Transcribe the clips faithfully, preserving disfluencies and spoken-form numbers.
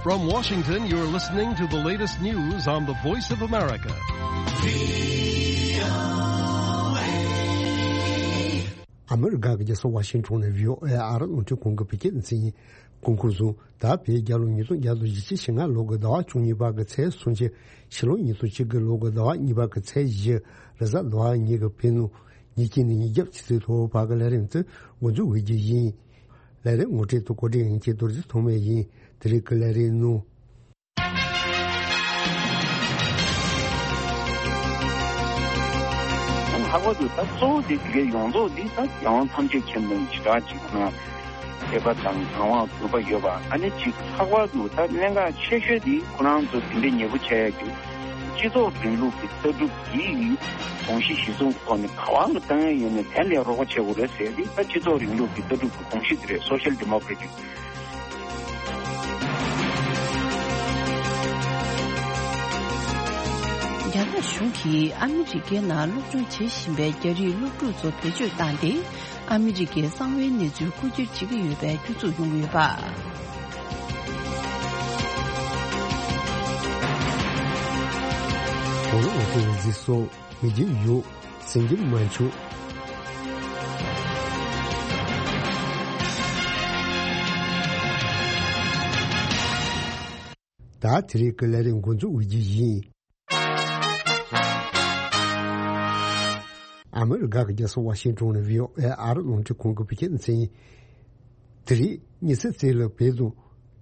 From Washington, you're listening to the latest news on the Voice of America. ཨ་མི་རི་ཀ་གི་རྒྱལ་ས་ཝ་ཤིང་ཊོན་ནས་བྷི་ཨོ་ཨེ་ཨ་རི་རླུང་འཕྲིན་ཁང་གི་བོད་སྐད་སྡེ་ཚན་ཡིན། གོང་འཁོད་བཟུང་ད་བོད་རྒྱལ་ལོ་ཉིས་སྟོང་བརྒྱ་དང་ཞེ་ལྔ་ལོ་གི་ཟླ་བ་བཅུ་གཉིས་པ་གི་ཚེས་སུམ་ཅུ། ཕྱི་ལོ་ཉིས་སྟོང་གཅིག་གི་ལོ་གི་ཟླ་བ་གཉིས་པ་གི་ཚེས་བཞི། རེས་གཟའ་ཟླ་བ་ཉིན་གྱི་བོད་ནང་ཉིན་གཅིག་ནས་ཉིན་རྒྱབ་ཆུ་ཚོད་ལྷག་བར་གྱི་ལས་རིམ་དེ་འགོ་འཛུགས་འོས་རྒྱུ་ཡིན། ལས་རིམ་ངོ་སྤྲོད་དང་གོ་སྒྲིག་ཡིན་གྱི་རྡོ་རྗེ་ཐོགས་མེད་ཡིན། དེ་རིང་གི་ལས་རིམ་ནང་། ལྷག་པར་དུ་ད་གཙོ་བོ་དེ་དེ་གའི་ཡོངས་རྫོགས་འདི་ད་རྒྱལ་དབང་ཐམས་ཅད་མཁྱེན་པའི་ཞེ་དྲག་ཅིག་ཁོ་ན་མཁས་པ་དང་གང་བ་གུས་པ་ཡོད་པ། ཨ་ནི་ཅིག་ལྷག་པར་དུ་ད་གནད་འགག་ཆེ་ཤོས་འདི་ཁོ་རང་ཚོ་དེ་འདྲའི་ཉེ་པོ་བྱས་ཡ་གི་སྤྱི་ཚོགས་རིང་ལུགས་ཀྱི་ལྟ་གྲུབ་ཀྱི་དགོངས་གཞི་གཞི་བཟུང་ཐོག་ནས་ག་བ་ལ་བཏང་ཡ་ཡོད་ནས་དེ་ལས་རོགས་པ་བྱེད་དགོས་རེད་ཟེར་ཏེ། ད་སྤྱི་ཚོགས་རིང་ལུགས་ཀྱི་ལྟ་གྲུབ་ཀྱི་དགོངས་གཞི་དེ་རེད། སོ་ཤལ་ཌི་མོ་ཀྲེ་ཊིག་རྒྱ་ནག་གཞུང་གིས་ཨ་མི་རི་ཀའི་ནང་སློབ་སྦྱོང་བྱེད་བཞིན་པའི་རྒྱ་རིགས་སློབ་ཕྲུག་ཚོ་བེད་སྤྱོད་བཏང་སྟེ། ཨ་མི་རི་ཀའི་གསང་བའི་གནས་ཚུལ་རྐུ་འཁྱེར་བྱེད་ཀྱི་ཡོད་པའི་སྐྱོན་འཛུགས་ཡོང་ཡོད་པ། གོ་ལ་འོ་ཐེ་ཟི་སོ་མི་རྒྱུ་ཡོད་སེང་གེ་མ་མཆོག་ད་དེ་རིང་གི་ལས་རིམ་འགོ་འཛུགས་འོས་རྒྱུ་ཡིན། ཨ་མི་རི་ཀ་གི་རྒྱལ་ས་ཝ་ཤིང་ཊོན་ནས་བྷི་ཨོ་ཨེ་ཨ་རི་རླུང་འཕྲིན་ཁང་གི་བོད་སྐད་སྡེ་ཚན་ཡིན། དེ་རིང་ཉི་ཚེ་རྩེ་ལ་བོད་དང་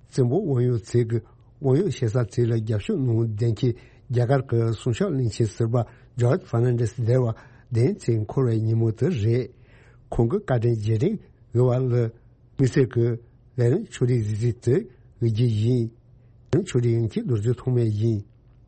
བཙན་པོ་དབང་ཡོད་ཚོས་ཀྱི་དབང་ཡོད་ཞེ་ས་ཚོས་ལ་རྒྱབ་སྐྱོར་གནང་བདེན་འཁེལ་རྒྱ་གར་གྱི་སྲུང་སྐྱོབ་བློན་ཆེན་ཟུར་པ་ཇོརྗ་ཧྥར་ནན་ཌེས་འདས་པ་བདུན་ཚེས་འཁོར་བའི་ཉིན་མོ་དེ་རེད། ཁོང་གི་བཀའ་དྲིན་རྗེས་དྲན་ཞུ་བ་ལ། དམིགས་བསལ་གྱི་ལས་རིམ་ཕྱོགས་སྒྲིག་གཟིགས་ཚུལ་དེ་འོས་རྒྱུ་ཡིན། ལས་རིམ་ཕྱོགས་སྒྲིག་ཡིན་གྱི་རྡོ་རྗེ་ཐོགས་མེད་ཡིན།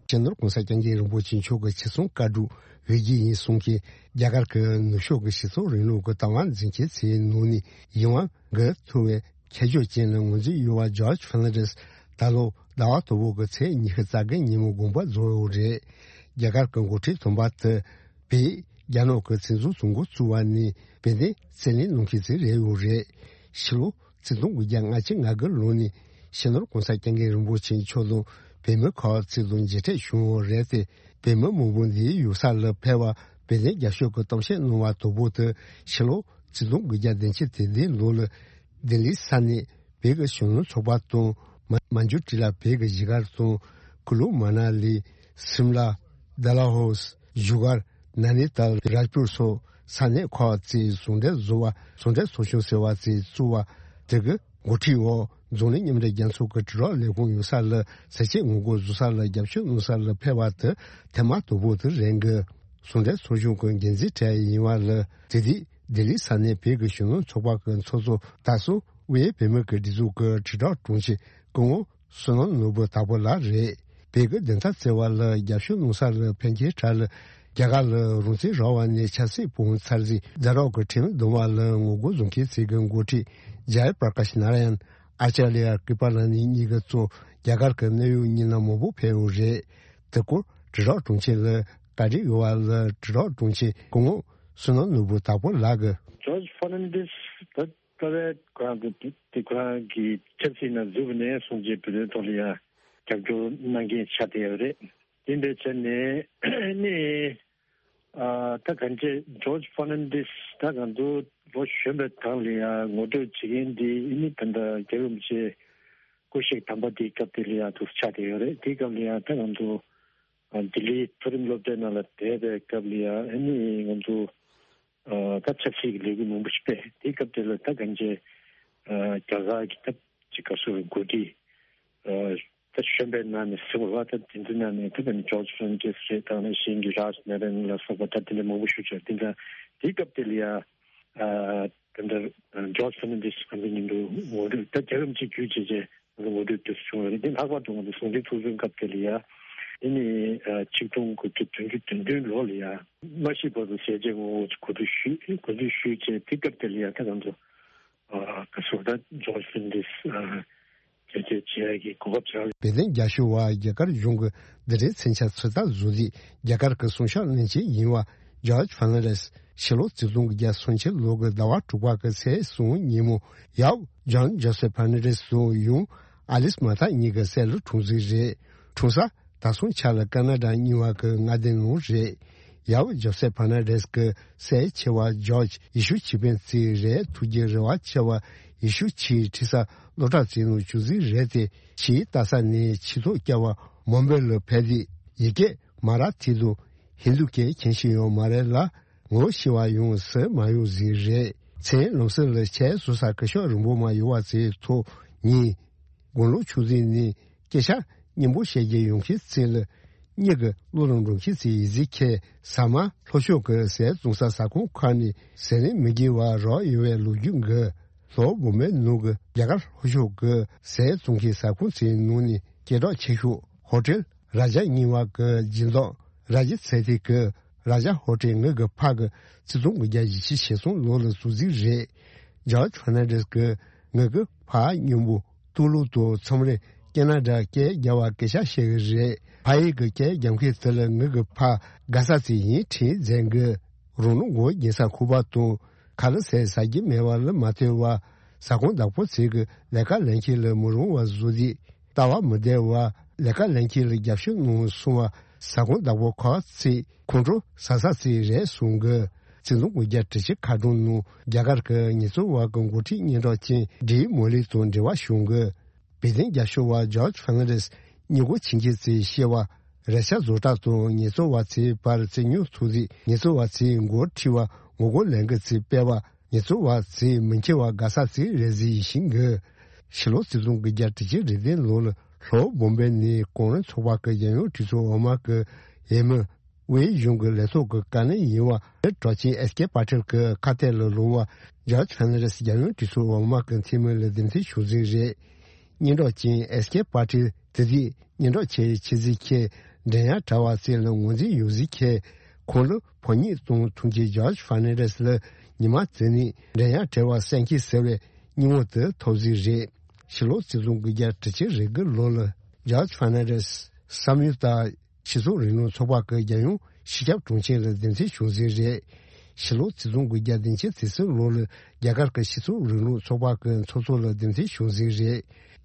སྤྱི་ནོར་༸གོང་ས་༸སྐྱབས་མགོན་རིན་པོ་ཆེ་མཆོག་གི་ཆེད་གསུང་བཀའ་སྒྲུབ་འོས་རྒྱུ་ཡིན་གསུངས་ཀྱིན། རྒྱ་གར་གྱི་ནུབ་ཕྱོགས་ཀྱི་སྤྱི་ཚོགས་རིང་ལུགས་ཀྱི་བདག་དབང་འཛིན་སྐྱོང་བྱེད་ནང་ནས་ཡིད་དབང་འགུག་ཐུབ་པའི་ཁྱད་ཆོས་ཅན་ལ་ངོས་འཛིན་ཡོད་པ་ཇོརྗ་ཧྥར་ནན་ཌེས་ད་ལོ་ཟླ་བ་དང་པོ་གི་ཚེས་ཉི་ཤུ་རྩ་བརྒྱད་ཉིན་མོ་དགོངས་པ་རྫོགས་ཡོད་རེད། རྒྱ་གར་གྱི་འགོ་ཁྲིད་དམ་པ་དེ་བོད་རྒྱ་ནག་གི་བཙན་འཛུལ་དུས་འགོ་བཙུགས་པ་ནས་བོད་དོན་རྩོད་ལེན་གནང་མཁན་ཞིག་རེད་ཡོད་རེད། ཕྱི་ལོ་ཆིག་སྟོང་དགུ་བརྒྱ་ལྔ་བཅུ་ང་དགུ་ལོ་ནས་སྤྱི་ནོར་༸གོང་ས་༸སྐྱབས་མགོན་རིན་པོ་ཆེ་མཆོག་དང་བོད་མི་ཁག་ཅིག་དང་མཇལ་འཕྲད་བྱུང་ཡོད་རེད་དེ། བོད་མི་མང་པོ་འདིའི་ཡུལ་ས་ལ་ཕེབས་པར་བོད་དོན་རྒྱབ་སྐྱོར་གྱི་གཏམ་བཤད་གནང་བ་དང་པོ་དེ་ཕྱི་ལོ་ཆིག་སྟོང་དགུ་བརྒྱ་བདུན་ཅུ་དོན་བདུན་ལོ་ལ་ལྡི་ལི་ས་གནས་བོད་ཀྱི་གཞོན་ནུ་ཚོགས་པ་དང་། མ་མན་ཇུ་ཊི་ལ་བོད་ཀྱི་གཞིས་སྒར་དང་། ཀུ་ལུ་མ་ན་ལི། སིམ་ལ། ཌལ་ཧོ་སི། བཞུགས་སྒར། ན་ནི་ཏལ། རཱཇ་པུར་སོགས་ས་གནས་ཁག་ཅིག་ཟུང་འབྲེལ་བཟོ་བ་ཟུང་འབྲེལ་ཚོགས་ཆུང་ཟེར་བ་ཅིག་བཙུགས་པ་དེ་གི་འགོ་ཁྲིད་འོག་འཛམ་གླིང་མཉམ་འབྲེལ་རྒྱལ་ཚོགས་ཀྱི་དྲིལ་བསྒྲགས་ལས་ཁུངས་ཡོད་ས་ལ་ཟས་བཅད་ངོ་རྒོལ་བཟོ་ས་ལ་རྒྱབ་སྐྱོར་གནང་ས་ལ་ཕེབས་པ་དེ་ཐེངས་མ་དང་པོ་དེ་རེད་འདུག་ཟུང་འབྲེལ་ཚོགས་ཆུང་གི་འགན་འཛིན་གྲས་ཡིན་པ་ལ་དེ་དུས་ལྡི་ལི་ས་གནས་བོད་ཀྱི་གཞོན་ནུ་ཚོགས་པ་གི་ཚོགས་གཙོ་དར་སྲོང་དབུས་བོད་མི་གི་སྒྲིག་འཛུགས་ཀྱི་དྲིལ་བསྒྲགས་དྲུང་ཆེ་སྐུ་ངོ་བསོད་ནམས་ནོར་བུ་དྭགས་པོ་ལགས་རེད། བོད་ཀྱི་བདེན་མཐའ་རྩོད་པ་ལ་རྒྱབ་སྐྱོར་གནང་ས་ལ་ཕན་ཆེད་གྲས་ལ་རྒྱ་གར་ལ་རང་བཙན་རག་པ་ནས་ཆབ་སྲིད་དཔུང་ཚར་རྗེས་རྫ་རོགས་ཀྱི་ཁྲིམས་སྡོམ་པ་ལ་ངོ་རྒོལ་བཟོ་མཁན་ཚོའི་གི་འགོ་ཁྲིད་ཇཱ་ཡ་པྲ་ཀཱཤ་ནཱ་ར་ཡན། ཨ་ཅཱརྱ་ཀི་པ་ལ་ནི་གཉིས་ཀྱི་གཙོ་རྒྱ་གར་གྱི་གནད་ཡོད་མི་སྣ་མང་པོ་ཕེབས་ཡོད་རེད། དེ་སྐོར་དྲིལ་བསྒྲགས་དྲུང་ཆེ་ལ་བཀའ་འདྲི་ཡོད་པ་ལ་དྲིལ་བསྒྲགས་དྲུང་ཆེ་སྐུ་ངོ་བསོད་ནམས་ནོར་བུ་དྭགས་པོ་ལགས་ཀྱིས། ཇོརྗ་ཧྥར་ནན་ཌེས་ད་རྩ་བའི་ཁོ་རང་ཚོ་དེ་ཁོ་རང་གི་ཆབ་སྲིད་ནང་འཛུལ་བ་ནས་བཟུང་རྗེས་བོད་དོན་ཐོག་ལ་ཡང་རྒྱབ་སྐྱོར་གནང་མཁན་ཆགས་བསྡད་ཡོད་རེད། དེ་འདྲ་བྱས་ནས་ནི། ཨ། ད་གང་ཅི་ཇོརྗ་ཧྥར་ནན་ཌེས་ད་གང་དུ་ལོ་གཞོན་པའི་སྒང་ལ་ཡང་ངོ་སྤྲོད་བྱེད་མཁན་འདི་ཨ་ནི་ད་ལྟ་རྒྱལ་བ་རིན་པོ་ཆེ་སྐུ་གཤེགས་དམ་པ་དེའི་སྐབས་དེ་ལ་ཡང་ཐུག་ཆགས་བསྡད་ཡོད་རེད། དེའི་སྐབས་ལ་ཡང་ད་གང་དུ་ཨ་ལྡི་ལིའི་མཐོ་རིམ་སློབ་གྲྭའི་ནང་ལ་བསྡད་པའི་སྐབས་ལ་ཡང་ཨ་ནི་ང་ཚོ་ཨ་ད་ཆབ་སྲིད་ཀྱི་ལས་འགུལ་མང་པོ་ཞིག་སྤེལ། དེའི་སྐབས་དེ་ལ་ད་གང་ཅི་ཨ་རྒྱ་གར་གྱི་ད་ཅི་ག་སོ་རེ་འགོ་ཁྲིད་ཨ། ད་གཞོན་པའི་ནང་ནས་ཟེར་བ་ལ་ད་དེ་ཚོའི་ནང་ནས་ད་ནི་ཇོརྗ་ཧྥར་ནན་ཌེས་རེད། ད་ནི་གཞན་གྱི་རཱཇ་ནཱ་ར་ཡན་ལ་སོགས་པ་ད་དེ་འདྲ་མང་པོ་ཞུ་བྱས། དེ་འདྲ་དེའི་སྐབས་དེ་ལ་ཡ་ཨ་ད་ལྟ་ཇོརྗ་ཧྥར་ནན་ཌེས་ཨ་ནི་ཉིན་དུ་ངོ་སྤྲོད་ད་རྒྱལ་བ་རིན་པོ་ཆེ་བརྒྱུད་བྱས་བྱས་ངོ་སྤྲོད་དུ་བྱུང་བ་རེད། དེ་ལྷག་པར་དུ་ང་ཚོ་ཟུང་འབྲེལ་ཚོགས་ཆུང་སྐབས་དེ་ལ་ཡ་དེ་ནི་ཨ་ཆིག་སྟོང་དགུ་བརྒྱ་བདུན་ཅུ་དོན་བདུན་ལོ་ལ་ཡ་མ་ཤི་བར་དུ་ཟས་བཅད་ངོ་རྒོལ་གོ་སྒྲིག་ཞུས། གོ་སྒྲིག་ཞུས་བྱས་དེ་སྐབས་དེ་ལ་ཡ་ད་ང་ཚོ་ཨ་ག་སོ་ད་ཇོརྗ་ཧྥར་ནན་ཌེས་ཨ། བེད་སྤྱོད་བྱེད་ཡག་གི་གོ་སྐབས་ཆགས། བོད་དོན་རྒྱབ་སྐྱོར་བ་རྒྱ་གར་གཞུང་གི་འདི་འདྲའི་མཚོན་ཆ་ཚོད་ལྟ་བཟོ་རྩིས་རྒྱ་གར་གྱི་སྲུང་སྐྱོབ་བློན་ཆེན་ཡིན་པ་ཇོརྗ་ཧྥར་ནན་ཌེས་ཕྱི་ལོ་ཆིག་སྟོང་དགུ་བརྒྱ་སུམ་ཅུ་ལོ་གི་ཟླ་བ་དྲུག་པ་གི་ཚེས་གསུམ་ཉིན་མོ་ཡབ་ཇོན་ཇོ་སེབ་ཧྥར་ནན་ཌེས་དང་ཡུམ་ ཨ་ལིས་མ་ཐག་གཉིས་ཀྱི་སྲས་ལ་འཁྲུངས་ཟིན་རེད། འཁྲུངས་ས་དར་སྲུང་ཆ་ལ་ཀ་ན་ཌ་རྙིང་བ་གི་མངའ་སྡེ་ནང་རེད། ཡབ་ཇོ་སེ་ཕར་ནན་ཌེས་ཀྱི་སྲས་ཆེ་བ་ཇོརྗ་ཡེ་ཤུ་ཆོས་དཔོན་བརྩིས་རེད། ཐུགས་ཀྱི་རེ་བ་ཆེ་བ་ཡེ་ཤུ་ཆོས་ཁྲིད་ས་སློབ་གྲྭ་བརྩིས་ནང་བཅུག་ཟིན་རེད་དེ། ཆོས་ལྟ་ས་ནས་ཆོས་ཐོག་བསྐྱལ་བ་མོན་པེ་ལ་ཕེབས་ཏེ་ཡི་གེ་མ་ར་ཐི་དང་ཧིན་རྡུ་སྐད་མཁྱེན་ཤེས་ཡོད་མ་རེད་ལ། ངོ་ཤེས་པ་ཡང་སུ་མ་ཡོང་ཟིན་རེད། མཚན་ལམ་སང་ལ་ཆེད་བཟོ་ས་སྐུ་ཞབས་རིན་པོ་མ་ཡོད་པ་ཚོའི་ཐོག་ཉིན། དགུང་ལོ་ཆུང་ཙེ་ནས་སྐད་ཆ་སྙན་པོ་བཤད་རྒྱུ་ཡོང་མཁན་ཚོ་ལ། གཉིས་ཀྱི་བློ་ལ་འགྲོ་མཁན་ཚོའི་ཡིད་ཚིམ་ཁྱེད་ཟ་མ་ལྷོ་ཕྱོགས་ཀྱི་ཟས་བཙོང་ས་ཟ་ཁང་ཁག་ནས་ཟས་རིན་མི་དགོས་པ་རག་ཡོད་པའི་ལོ་རྒྱུས་འགའ། ལྷོ་བོད་མིའི་ནང་གི་རྒྱ་གར་ལྷོ་ཕྱོགས་ཀྱི་ཟས་བཙོང་མཁན་ཟ་ཁང་ཚོའི་ནང་ནས་སྐད་གྲགས་ཆེ་ཤོས་ཧོ་ཊེལ་རཱ་ཇ་རྙིང་བ་གི་སྦྱིན་བདག་རཱ་ཇི་ཚེ་ཐི་གིས་རཱ་ཇ་ཧོ་ཊེལ་ངེད་ཀྱི་ཕ་གི་ཆིག་སྟོང་དགུ་བརྒྱ་བཞི་བཅུ་ཞེ་གསུམ་ལོ་ལ་བཙུགས་ཟིན་རེད། ཇོརྗ་ཕར་ནན་ཌེས་ཀྱིས་ངེད་ཀྱི་ཕ་སྙིང་པོ་ཏུ་ལུ་དང་མཚམས་རེ་ཀེ་ན་ཌ་སྐད་རྒྱབ་པ་སྐད་ཆ་བཤད་གི་རེད། ཕ་ཡུལ་གྱི་སྐད་རྒྱབ་མཁན་དེ་ལ་ངེད་ཀྱི་ཕ་དགའ་ས་ཚོ་ཡིན་དྲན་མཛད་གི། རང་ལུས་མགོ་སྐྱེས་ས་ཁུག་པ་དང་ཁ་ལག་ཟས་ཟ་རྒྱུ་མེད་པ་ལ་མ་ལྟོས་པར་ཟ་ཁང་བདག་པོ་ཚོས་ཀྱི་ལས་ཀ་ལེན་མཁན་ལ་མི་རུང་བ་བཟོས་ཏེ། ལྟ་བ་མི་བདེ་བ། ལས་ཀ་ལེན་མཁན་ལ་རྒྱབ་སྐྱོར་གནང་སོང་བ། ཟ་ཁང་བདག་པོ་ཁག་ཚོས་ཁོང་ཁྲོ་ཟ་ས་ཚོ་རེད་གསུང་གི། ཆིག་སྟོང་དགུ་བརྒྱ་དྲུག་ཅུ་ཁ་གྲངས་ནང་རྒྱ་གར་གྱི་ཉེས་འཛུགས་པ་གི་འགོ་ཁྲིད་སྙན་གྲགས་ཅན་ཌི་མོ་ལི་དང་འབྲེལ་བ་བྱུང་གི། བོད་དོན་རྒྱབ་སྐྱོར་བ་ཇོརྗ་ཕར་ནན་ཌེས་སྙིང་ཁོང་ཆེན་མཁན་ཚོས་བཤད་པ། རེད་ཤག་བཟོ་གྲྭ་དང་ཉེས་འཛུགས་པ་ཚོའི་བར་བཙན་ཉུང་ཐུག་རྗེས་ཉེས་འཛུགས་པ་ཚོས་འགོ་ཁྲིད་པ་ངོ་རྒོལ་ལས་འགུལ་ཚོ་སྤེལ་བ། ཉེས་འཛུགས་པ་ཚོས་མི་འཁྱེར་བ་དགའ་ས་ཚོ་རེད་ཟེར་བཞིན་གི། ཕྱི་ལོ་ཆིག་སྟོང་དགུ་བརྒྱ་དྲུག་ཅུ་རེ་བདུན་ལོ་ལ་ལྷོ་བོམ་བེ་ནས་གོང་རིམ་ཚོགས་པ་གི་རྒྱལ་ཡོངས་གྲོས་ཚོགས་འོག་མ་གི་འོས་མི། དབུས་གཞུང་གི་ལས་ཐོག་གི་བཀའ་བློན་ཡིན་པ་གྲགས་ཅན་ཨེས་ཀེ་པ་ཏེལ་གྱི་ཁ་གཏད་ལ་ལོག་པ། ཇོརྗ་ཕར་ནན་ཌེས་རྒྱལ་ཡོངས་གྲོས་ཚོགས་འོག་མ་གི་འཐུས་མི་ལ་འདེམས་ཐོན་བྱུང་ཟིན་རེད། སྙན་གྲགས་ཅན་ཨེས་ཀེ་པ་ཏེལ་དེ་དུས་སྙན་གྲགས་ཆེ་ཆེ་ཟིག་ཁྱེད་འགྲན་ཡ་གྲྭ་བ་ཚོ་ལ་ངོས་འཛིན་ཡོད་ཟིག་ཁྱེད་ཁོང་ལ་ཕོ་ཉ་གཏོང་ཐུབ་མཁན་ཇོརྗ་ཕར་ནན་ཌེས་ལ་ཉི་མ་དེ་ནས་འགྲན་ཡ་གྲྭ་བ་གསན་མཁན་ཟེར་བའི་སྙིང་བོ་དེ་ཐོབ་ཟིག་རེད། ཕྱི་ལོ་ཆིག་སྟོང་དགུ་བརྒྱ་དྲུག་ཅུ་རེ་དགུ་ལོ་ལ་ཇོརྗ་ཕར་ནན་ཌེས་བསམ་ཡུལ་ལྟར། སྤྱི་ཚོགས་རིང་ལུགས་ཚོགས་པ་གི་རྒྱལ་ཡོངས་སྤྱི་ཁྱབ་དྲུང་ཆེ་ལ་འདེམས་ཐོན་བྱུང་ཟིན་རེད། ཕྱི་ལོ་ཆིག་སྟོང་དགུ་བརྒྱ་བདུན་ཅུ་དོན་གསུམ་ལོ་ལ་རྒྱ་གར་གྱི་སྤྱི་ཚོགས་རིང་ལུགས་ཚོགས་པ་གི་ཚོགས་གཙོ་ལ་འདེམས་ཐོན་བྱུང་ཟིན་རེད།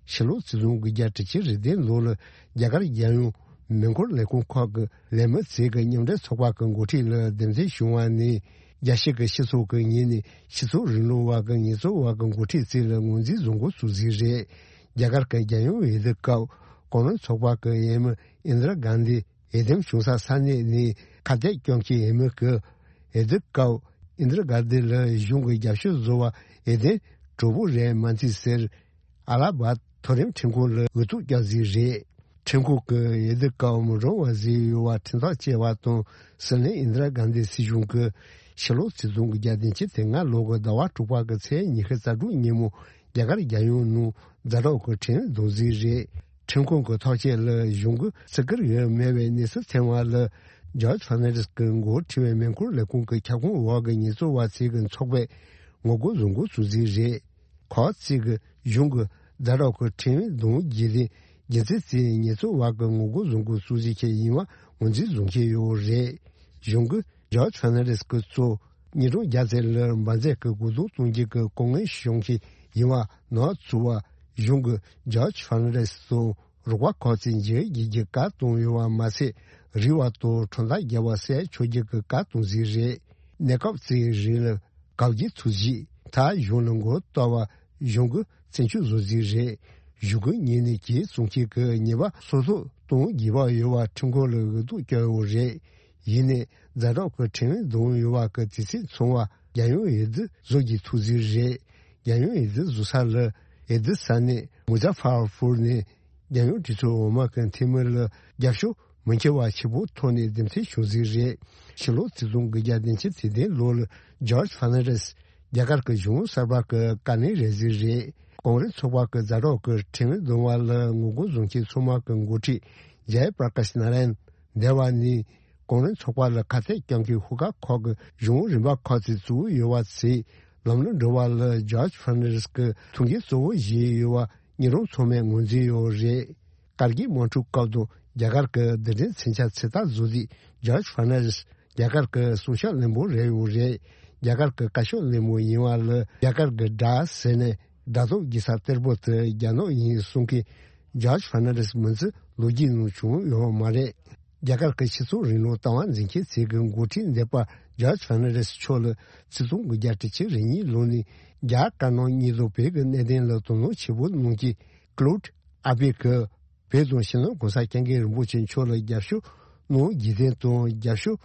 ཕྱི་ལོ་ཆིག་སྟོང་དགུ་བརྒྱ་དྲུག་ཅུ་རེ་བདུན་ལོ་ལ་རྒྱ་གར་རྒྱལ་ཡོངས་མེ་འཁོར་ལས་ཁུངས་ཁག་གི་ལས་མི་ཚོས་ཀྱི་མཉམ་འབྲེལ་ཚོགས་པ་གི་འགོ་ཁྲིད་ལ་འདེམས་ཐོན་བྱུང་བ་ནས་རྒྱལ་སྤྱི་གི་སྤྱི་ཚོགས་ཀྱི་ངོས་ནས་སྤྱི་ཚོགས་རིང་ལུགས་པ་གི་ཉེས་འཛུགས་པ་གི་འགོ་ཁྲིད་ཚོ་ལ་ངོས་འཛིན་བཟོ་འགོ་བཙུགས་ཟིན་རེད། རྒྱ་གར་གྱི་རྒྱལ་ཡོངས་འོས་བསྡུ་སྐབས་གོང་རིམ་ཚོགས་པ་གི་འོས་མི་ཨིན་དྲ་གྷན་དྷི་འོས་འདེམས་བྱུང་ས་ས་གནས་ནས་ཁ་གཏད་བཅག་མཁན་འོས་མི་གིས་འོས་བསྡུ་སྐབས་ཨིན་དྲ་གྷན་དྷི་ལ་གཞུང་གི་རྒྱབ་སྐྱོར་བཟོ་བ་འོས་འདེམས་གྲོགས་པོ་རེད་མ་འཚལ་ཟེར། ཨ་ལ་བཱད་མཐོ་རིམ་ཁྲིམས་ཁང་ལ་འོས་ཐོབ་བསྐྱངས་ཟིན་རེད། ཁྲིམས་ཁང་གིས་འོས་བསྡུ་སྐབས་མི་གྲངས་བ་ཟིན་ཡོད་པ་ཁྲིམས་ཐག་བཅད་པ་དང་། སྲིད་བློན་ཨིན་དྲ་གྷན་དྷི་སྲིད་གཞུང་གིས་ཕྱི་ལོ་ཆིག་སྟོང་དགུ་བརྒྱ་བདུན་ཅུ་དོན་ལྔ་ལོ་གི་ཟླ་བ་དྲུག་པ་གི་ཚེས་ཉི་ཤུ་རྩ་དྲུག་ཉིན་མོ་རྒྱ་གར་རྒྱལ་ཡོངས་ནང་ཛ་དྲག་གི་ཁྲིམས་འོས་བསྡུ་ཟིན་རེད། ཁྲིམས་ཁང་གི་ཐག་བཅད་ལ་གཞུང་གིས་བརྩི་བཀུར་ཡོད་མེད་པའི་གནས་ཚུལ་ཐོན་པ་ལ་ཇོརྗ་ཕར་ནན་ཌེས་ཀྱི་འགོ་ཁྲིད་པའི་མེ་འཁོར་ལས་ཁུངས་ཀྱི་ཁྱབ་ཁོངས་འོག་གི་ཉེས་འཛུགས་པ་ཚོས་ཀྱི་ཚོགས་པས་ངོ་རྒོལ་བཟོ་འགོ་བཙུགས་ཟིན་རེད། ཁོ་ཚོས་ཀྱི་གཞུང་གི་ཛ་དྲག་གི་ཁྲིམས་འོས་བསྡུ་བརྒྱུད་དེ་རྒྱུ་མཚན་གྱིས་ཉེས་འཛུགས་པ་གི་ངོ་རྒོལ་བཟོ་འགོ་བཙུགས་བྱེད་མཁན་ཡིན་པ་ངོས་འཛིན་བཟོ་མཁན་ཡོད་རེད། གཞུང་གིས་ཇོརྗ་ཕར་ནན་ཌེས་ཀྱི་གཙོ་ཉིས་སྟོང་བརྒྱ་ཙམ་ལ་འབར་རྫས་ཀྱི་གོ་བསྡུར་གཏོང་རྒྱུ་གི་ལྐོག་རྔན་བཤམས་མཁན་ཡིན་པ་ནོར་བཙུགས་པ། གཞུང་གིས་ཇོརྗ་ཕར་ནན་ཌེས་དང་རོགས་པ་ཁག་ཅིག་འཇིགས་སྐུལ་གྱི་བཀའ་བཏང་ཡོད་པ་མ་ཟད། རིག་པ་དང་ཁྲོམ་ཐག་བརྒྱབ་པ་བསད་འཇོག་རྒྱུ་གི་བཀའ་བཏང་ཟིན་རེད། གནས་སྐབས་ཅིག་རིང་ལ་གབ་རྒྱུ་ཐུག་རྗེས་ད་གཞུང་ལ་མགོ་གཏོགས་པ་གཞུང་གིས་བཙན་བཅོལ་བཟོ་ཟིན་རེད། གཞུང་གི་ངོས་ནས་གྱོད་བཙུགས་མཁན་གྱི་ཉེས་པ་སོ་སོར་གཏོང་དགོས་པ་ཡོད་པ་ཁྲིམས་ཁང་ལ་འོས་ཐོབ་བསྐྱངས་ཡོད་རེད། ཡིན་ནའི་ཛ་དྲག་གི་ཁྲིམས་འོས་བསྡུ་ཡོད་པ་གི་དུས་ཚོད་ཚང་བ་རྒྱལ་ཡོངས་འོས་བསྡུ་བཟོ་རྒྱུ་ཐུག་ཟིན་རེད། རྒྱལ་ཡོངས་འོས་བསྡུ་བཟོ་ས་ལ་འོས་བསྡུ་ས་གནས་མུ་ཛ་ཕར་ཕུར་ནས་རྒྱལ་ཡོངས་གྲོས་ཚོགས་འོག་མ་གི་འཐུས་མི་ལ་རྒྱབ་སྐྱོར་མི་འཁྱེར་བ་ཆེ་པོ་ཐོག་ནས་འདེམས་ཐོན་བྱུང་ཟིན་རེད། ཕྱི་ལོ་ཆིག་སྟོང་དགུ་བརྒྱ་བདུན་ཅུ་དོན་བདུན་ལོ་ལ་ཇོརྗ་ཕར་ནན་ཌེས་རྒྱ་གར་གྱི་གཞུང་གསར་པ་གི་བཀའ་བློན་རེད་ཟིན་རེད། གོང་རིམ་ཚོགས་པ་གི་ཛ་དྲག་གི་ཁྲིམས་འོས་བསྡུ་བ་ལ་ངོ་རྒོལ་བཟོ་མཁན་ཚང་མ་གི་འགོ་ཁྲིད་ཇའི་པྲ་ཀཱཤ་ནཱ་ར་ཡན་འདས་པ་ནས། གོང་རིམ་ཚོགས་པ་ལ་ཁ་གཏད་བཅག་མཁན་ཤོག་ཁག་ཁག་གི་གཞུང་རིམ་པ་ཁག་ཅིག་བཙུགས་ཡོད་པ་ཚོས་ལམ་ལུགས་འགྲོ་བ་ལ་ཇོརྗ་ཕར་ནན་ཌེས་ཀྱི་ཐུགས་འགན་གཙོ་བོ་བཞེས་ཡོད་པ་ཉིན་རུང་ཚང་མས་ངོས་འཛིན་ཡོད་རེད། ཀར་གིལ་དམག་འཁྲུག་སྐབས་དང་རྒྱ་གར་གྱི་རྡུལ་ཕྲན་མཚོན་ཆ་ཚོད་ལྟ་བཟོ་དུས་ཇོརྗ་ཕར་ནན་ཌེས་རྒྱ་གར་གྱི་སྲུང་སྐྱོབ་བློན་པོ་རེད་ཡོད་རེད། རྒྱ་གར་གྱི་བཀའ་ཤག་བློན་པོ་ཡིན་པ་ལ་རྒྱ་གར་གྱི་དགྲ་ཟེར་ནས་ སྒྲ་སྟོན་རྒྱག་ས་གཏེར་པོ་དེ་རྒྱ་ནག་ཡིན་གསུང་མཁན་ཇོརྗ་ཕར་ནན་ཌེས་མི་ཚོས་ལོ་རྒྱུས་ནང་བྱུང་ཡོད་མ་རེད། རྒྱ་གར་གྱི་སྤྱི་ཚོགས་རིང་ལུགས་ལྟ་བ་འཛིན་མཁན་ཚོས་ཀྱི་འགོ་ཁྲིད་འདས་པ་ཇོརྗ་ཕར་ནན་ཌེས་མཆོག་ལ་ཆིག་སྟོང་དགུ་བརྒྱ་དྲུག་ཅུ་རེ་གཉིས་ལོ་ནས་རྒྱ་དཀར་ནག་གཉིས་སུ་བོད་ཀྱི་གནད་དོན་ལ་དོ་སྣང་ཆེན་པོ་གནང་མཁན་ཀློད་ཨ་པེ་ཀྱིས་བོད་དང་ཕྱི་ནང་གོང་ས་སྐྱབས་མགོན་རིན་པོ་ཆེ་མཆོག་ལ་རྒྱབ་སྐྱོར་གནང་རྒྱུ་དེ་དང་རྒྱབ་སྐྱོར་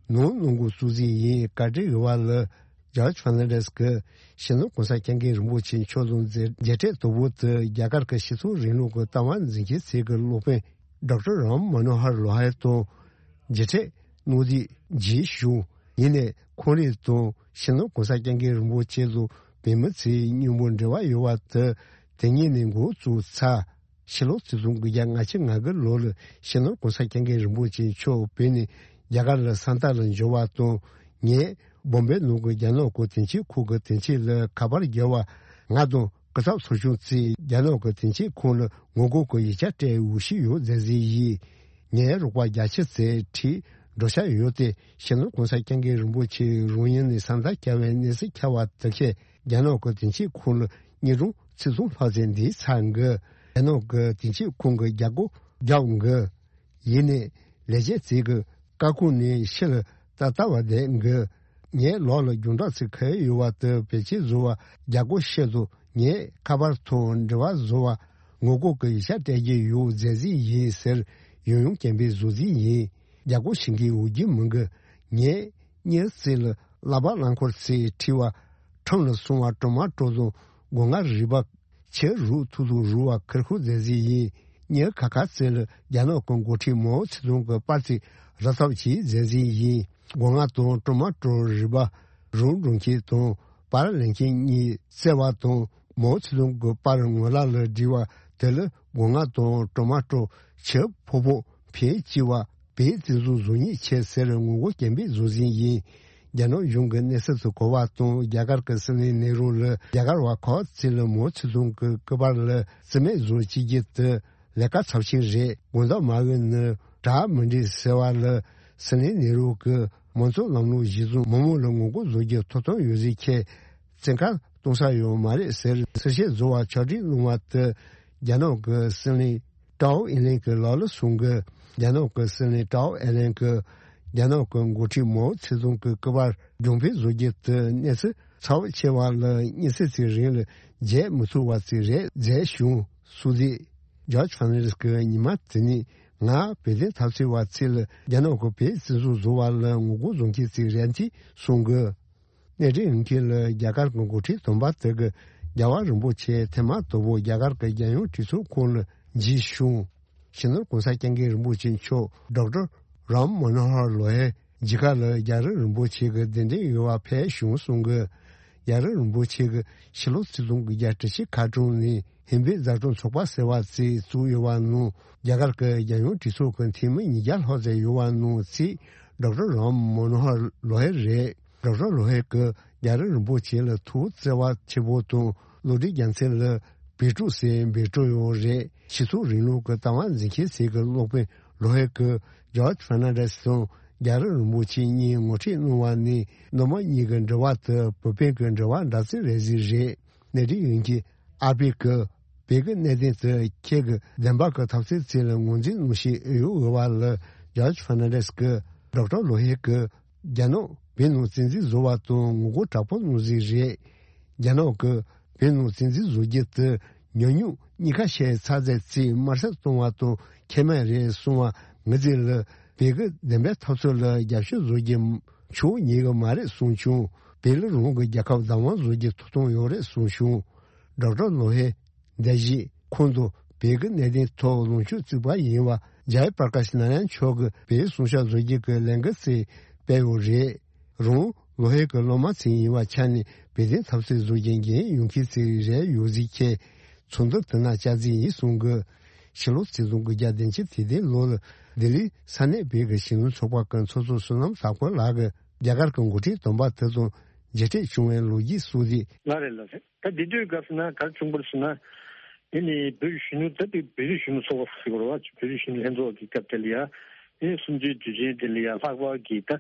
གནང་གནང་དགོས་གཙོ་འཛིན་ཡིན། བཀའ་དྲིན་ཡོད་པ་ལ་ཇོརྗ་ཕར་ནན་ཌེས་ཀྱིས་ཕྱི་ནང་གོང་ས་སྐྱབས་མགོན་རིན་པོ་ཆེ་མཆོག་ལ་མཇལ་མཇལ་འཕྲད་དོ་པོ་དེ་རྒྱ་གར་གྱི་སྤྱི་ཚོགས་རིང་ལུགས་ཀྱི་ལྟ་བ་འཛིན་མཁན་ཚོས་ཀྱི་སློབ་དཔོན་ཌོག་ཊར་རམ་མ་ནོ་ཧར་ལོ་ཧེ་དང་མཇལ་འཕྲད་གནང་རྩིས་བྱས་བྱུང་། ཡིན་ནའི་ཁོང་རང་དང་ཕྱི་ནང་གོང་ས་སྐྱབས་མགོན་རིན་པོ་ཆེ་ལ་བོད་མི་ཚོས་མཉམ་པོ་འབྲེལ་བ་ཡོད་པ་དེ་དེ་ཉིད་ནས་འགོ་བཙུགས་ཚར། ཕྱི་ལོ་ཆིག་སྟོང་དགུ་བརྒྱ་ལྔ་བཅུ་ང་དགུ་ལོ་ལ་ཕྱི་ནང་གོང་ས་སྐྱབས་མགོན་རིན་པོ་ཆེ་མཆོག་བོད་ནས་རྒྱ་གར་ལ་ས་མཐའ་ལ་འབྱོར་བ་དང་། ངས་བོམ་བེ་ནང་གི་རྒྱ་ནག་གི་དོན་གཅོད་ཁང་གི་དོན་གཅོད་ལ་ཁ་པར་བརྒྱབ་པ། ང་དང་སྐུ་ཚབ་ཚོགས་ཆུང་ཚོས་རྒྱ་ནག་གི་དོན་གཅོད་ཁང་ལ་ངོ་རྒོལ་གྱི་ཡིག་ཆ་སྤྲད་འོས་ཤོག་ཡོད་མཛད་རྩིས་ཡིན། ངའི་རོགས་པ་བརྒྱད་ཅུ་ཙམ་ཁྲིད་འགྲོ་འཆར་ཡོད་དེ། ཕྱི་ནང་གོང་ས་སྐྱབས་མགོན་རིན་པོ་ཆེ་རང་ཡུལ་ནས་ས་མཐའ་བསྐྱལ་བའི་གནས་ཚུལ་ཁྱབ་པ་དེ་བཞིན་རྒྱ་ནག་གི་དོན་གཅོད་ཁང་ལ་ཉིན་གྲངས་ཚིག་སྟོང་ལྷག་ཙམ་འདས་ཚར་གི། རྒྱ་ནག་གི་དོན་གཅོད་ཁང་གི་རྒྱ་སྒོ་བརྒྱབ་གི། ཡིན་ནའི་ལས་བྱེད་ཚོས་ཀྱི་བཀའ་ཁོངས་ནས་ཕྱི་ལ་ད་ལྟ་བར་བསྡད་གི། ངའི་ལག་ལ་རྒྱང་བསྒྲགས་ཚིག་ཁ་ཡོད་པ་དེ་བེད་སྤྱོད་བཟོ་བར་རྒྱ་སྒོ་ཕྱེ་དུས། ངས་ཁ་པར་ཐོག་འབྲེལ་བ་བཟོ་བར་ངོ་རྒོལ་གྱི་ཡིག་ཆ་སྤྲད་ཀྱི་ཡོད་མཛད་རྩིས་ཡིན་ཟེར་ཡང་ཡང་སྐད་འབོད་བཟོ་རྩིས་ཡིན། རྒྱ་སྒོ་ཕྱེ་མཁན་འོས་བསྡུ་མི་འགའ་ངས་གཉིས་ཙམ་ལ་བསླབ་པ་བསླབ་འཁོར་ཚོས་ཁྲིད་པར་ཁྲོམ་ལ་སོང་བ་ཀྲོ་མ་ཀྲོ་དང་སྒོ་ང་རུལ་པ། ཕྱི་རུ་ཐུག་ཐུག་རུལ་བ་ཁུར་ཁུར་མཛད་རྩིས་ཡིན། གཉིས་ཁ་ཁ་ཚོས་ལ་རྒྱ་ནག་གི་འགོ་ཁྲིད་མའོ་ཙེ་ཏུང་གི་པར་ཚིག་རག་ཐབས་བྱས་མཛད་རྩིས་ཡིན། སྒོ་ང་དང་ཀྲོ་མ་ཀྲོ་རུལ་པ་རུལ་འགྲོ་མཁན་དང་པར་ལེན་མཁན་གཉིས་བཙལ་བ་དང་མའོ་ཙེ་ཏུང་གི་པར་ངོ་ལག་ལ་བསྒྲིལ་བ་དེ་ལ་སྒོ་ང་དང་ཀྲོ་མ་ཀྲོ་ཕྱི་ཕོ་པོ་ཕན་གཅིག་པ། བོད་བཙན་བཟུང་བཟོ་ཉེས་ཆེ་ཟེར་ངོ་རྒོལ་སྐད་འབོད་བཟོ་བཞིན་ཡིན། རྒྱ་ནག་གཞུང་གི་གནས་ཚུལ་དུ་གོ་བ་དང་རྒྱ་གར་གྱི་སྲིད་བློན་ནེ་རུ་ལ་རྒྱ་གར་བ་ཁག་ཅིག་ལ་མའོ་ཙེ་ཏུང་གི་སྐུ་པར་ལ་རྩིས་མེད་བཟོ་བྱེད་རྒྱུ་དེ་ལས་ཀ་ཚབས་ཆེན་རེད། དགོངས་དག་མ་འོས་ནི་གྲ་མི་འགྲིག་ཟེར་བ་ལ་སྲིད་བློན་ནེ་རུ་གིས་མང་གཙོ་ལམ་ལུགས་གཞིར་བཟུང་མི་མང་ལ་ངོ་རྒོལ་བཟོ་རྒྱུ་ཐོབ་ཐང་ཡོད་ཟེར་ཁྱེད་བཙན་བཀའ་གཏོང་ས་ཡོད་མ་རེད་ཟེར་གསལ་བཤད་བཟོ་བར་ཕྱོགས་སྒྲིག་གནང་བ་དེ་རྒྱ་ནག་གི་སྲིད་བློན་ཀྲའོ་ཨིན་ལན་གྱི་ལག་ལ་སོང་གི། རྒྱ་ནག་གི་སྲིད་བློན་ཀྲའོ་ཨིན་ལན་གྱིས་རྒྱ་ནག་གི་འགོ་ཁྲིད་མའོ་ཙེ་ཏུང་གི་སྐུ་པར་རྒྱུན་འཕེན་བཟོ་རྒྱུ་དེ་གནས་ཚུལ་ཚ་བོ་ཆེ་བ་ལ་གཉིས་ཚེས་ཚེ་རིང་ལ་བརྗེད་མི་ཐུབ་པ་ཅིག་རེད་མཛད་བྱུང་། སྲོག་བསྲེགས་ཇོརྗ་ཕར་ནན་ཌེས་ཀྱིས་ཉི་མ་དེ་ནས་ང་བོད་དོན་འཐབ་རྩོད་པ་ཚོ་ལ་རྒྱ་ནག་གི་བོད་བཙན་བཟུང་བཟོ་བ་ལ་ངོ་རྒོལ་བཟོ་མཁན་ཅིག་རེད་འདི་གསུང་གི། གནས་འདྲེན་ཡོང་མཁན་ལ་རྒྱ་གར་གྱི་འགོ་ཁྲིད་དམ་པ་དེ་གིས་རྒྱལ་བ་རིན་པོ་ཆེ་ཐེངས་མ་དང་པོ་རྒྱ་གར་གྱི་རྒྱལ་ཡོངས་གྲོས་ཚོགས་ཁོངས་ལ་མཇལ་བྱུང་། སྤྱི་ནོར་༸གོང་ས་༸སྐྱབས་མགོན་རིན་པོ་ཆེ་མཆོག་ཌོག་ཊར་རམ་མ་ནོ་ཧར་ལོ་ཧེ་མཇལ་ཁ་ལ་རྒྱལ་བ་རིན་པོ་ཆེ་གི་གདན་འདྲེན་ཡོད་པ་ཕེབས་བྱུང་གསུང་གི། རྒྱལ་བ་རིན་པོ་ཆེ་གིས་ཕྱི་ལོ་ཆིག་སྟོང་དགུ་བརྒྱ་དྲུག་ཅུ་ཁ་གྲངས་ནས་ཧིན་བོད་མཛའ་གྲོགས་ཚོགས་པ་ཟེར་བ་ཅིག་བཙུགས་ཡོད་པ་ནང་རྒྱ་གར་གྱི་རྒྱལ་ཡོངས་གྲོས་ཚོགས་ཀྱི་འཐུས་མི་ཉིས་བརྒྱ་ལྷག་ཙམ་ཡོད་པ་ནང་གཅིག་ཌོག་ཊར་རམ་མ་ནོ་ཧར་ལོ་ཧེ་རེད། ཌོག་ཊར་ལོ་ཧེ་གིས་རྒྱལ་བ་རིན་པོ་ཆེ་ལ་ཐུགས་བརྩེ་བ་ཆེན་པོ་དང་བློ་གྲོས་རྒྱལ་མཚན་ལ་འབོད་སྒྲོག་ཟེར་འབོད་སྒྲོག་ཡང་རེད། སྤྱི་ཚོགས་རིང་ལུགས་ཀྱི་ལྟ་བ་འཛིན་མཁན་ཞིག་གི་སློབ་དཔོན་ལོ་ཧེ་གིས་ཇོརྗ་ཕར་ནན་ཌེས་དང་རྒྱལ་བ་རིན་པོ་ཆེ་གཉིས་ངོ་འཕྲད་གནང་བ་ནི་མདོ་དམངས་གཉིས་ཀྱི་འབྲེལ་བ་དེ་བོད་བོད་ཀྱི་འབྲེལ་བ་འདྲ་ཚིག་རེད་ཟིག་རེད། གནས་འདྲེན་ཡོད་མཁན་ཨ་པེ་གིས་བོད་ཀྱི་གནད་དོན་དེ་ཁྱེད་ཀྱི་བདེན་པ་གི་འཐབ་རྩོད་ཚོ་ལ་ངོས་འཛིན་གནང་ཤེས་ཨེ་ཡོད་འོས་པ་ལ་ཇོརྗ་ཕར་ནན་ཌེས་ཀྱིས་ཌོག་ཊར་ལོ་ཧེ་གིས་རྒྱ་ནག་བོད་ནང་བཙན་འཛུལ་བཟོ་བ་དང་ངོ་རྒོལ་དྲག་པོ་གནང་ཟིག་རེད། རྒྱ་ནག་གིས་བོད་ནང་བཙན་འཛུལ་བཟོ་རྒྱུ་དེ་ཉམས་མྱོང་གཉིས་ཀ་བཤད་ཚར་ཚད་ཅིག་དམར་གསོད་གཏོང་བ་དང་ཁེ་མེད་རེད་གསུང་བ་ངི་ཚེ་ལ་བོད་ཀྱི་བདེན་པའི་འཐབ་རྩོད་ལ་རྒྱབ་སྐྱོར་བཟོ་རྒྱུ་ཆོག་ཉན་གི་མ་རེད་གསུངས་བྱུང་། བོད་ལ་རང་གི་རྒྱལ་ཁབ་བདག་དབང་བཟོ་རྒྱུ་ཐོབ་ཐང་ཡོད་རེད་གསུངས་བྱུང་། ཌོག་ཊར་ལོ་ཧེ་འདས་རྗེས་ཁོང་དུ་བོད་ཀྱི་གནད་དོན་ཐོག་ལངས་ཕྱོགས་གཅིག་པ་ཡིན་པ་ཇའི་པར་ཀ་ཤི་ནཱ་ར་ཡན་མཆོག་གིས་བོད་གསུང་བཤད་བཟོ་རྒྱུ་གི་ལས་འགུལ་ཅིག་སྤེལ་ཡོད་རེད། རང་ལོ་ཧེ་གི་སློབ་མ་ཅིག་ཡིན་པའི་ཆ་ནས་བོད་དོན་འཐབ་རྩོད་བཟོ་རྒྱུ་འགན་ཡོད་མཁན་ཅིག་རེད་ཡོད་ཟིག་ཁྱེད་ཚོགས་འདུ་དེ་ན་བཅར་རྩིས་ཡིན་གསུང་གི། ཕྱི་ལོ་ཆིག་སྟོང་དགུ་བརྒྱ་བདུན་ཅུ་དོན་བདུན་ལོ་ལ་ལྡི་ལིའི་ས་གནས་བོད་ཀྱི་གཞོན་ནུ་ཚོགས་པ་གི་ཚོགས་གཙོ་བསོད་ནམས་བཟང་པོ་ལགས་ཀྱིས་རྒྱ་གར་གྱི་འགོ་ཁྲིད་དམ་པ་དེ་དང་མཇལ་འཕྲད་བྱུང་བའི་ལོ་རྒྱུས་གསུངས་ཏེ། ལགས་རེད་ལགས་རེད། ད་འདི་དུས་སྐབས་སུ་ན་ག་རེ་བྱུང་བ་རེད་ཟེར་ན། དེ་ནི་བོད་ཀྱི་གཞོན་ནུ་ད་དེ་བོད་རིགས་གཞོན་ནུ་ཚོགས་པ་ཟེར་དགོས་རེད་བ། བོད་རིགས་གཞོན་ནུ་ལྷན་ཚོགས་ཀྱི་སྐབས་དེ་ལ་ཡ། དེ་ནི་གསུམ་བཅུའི་དུས་ཆེན་དེ་ལ་ཡ་ལྷག་པར་གྱི་ད་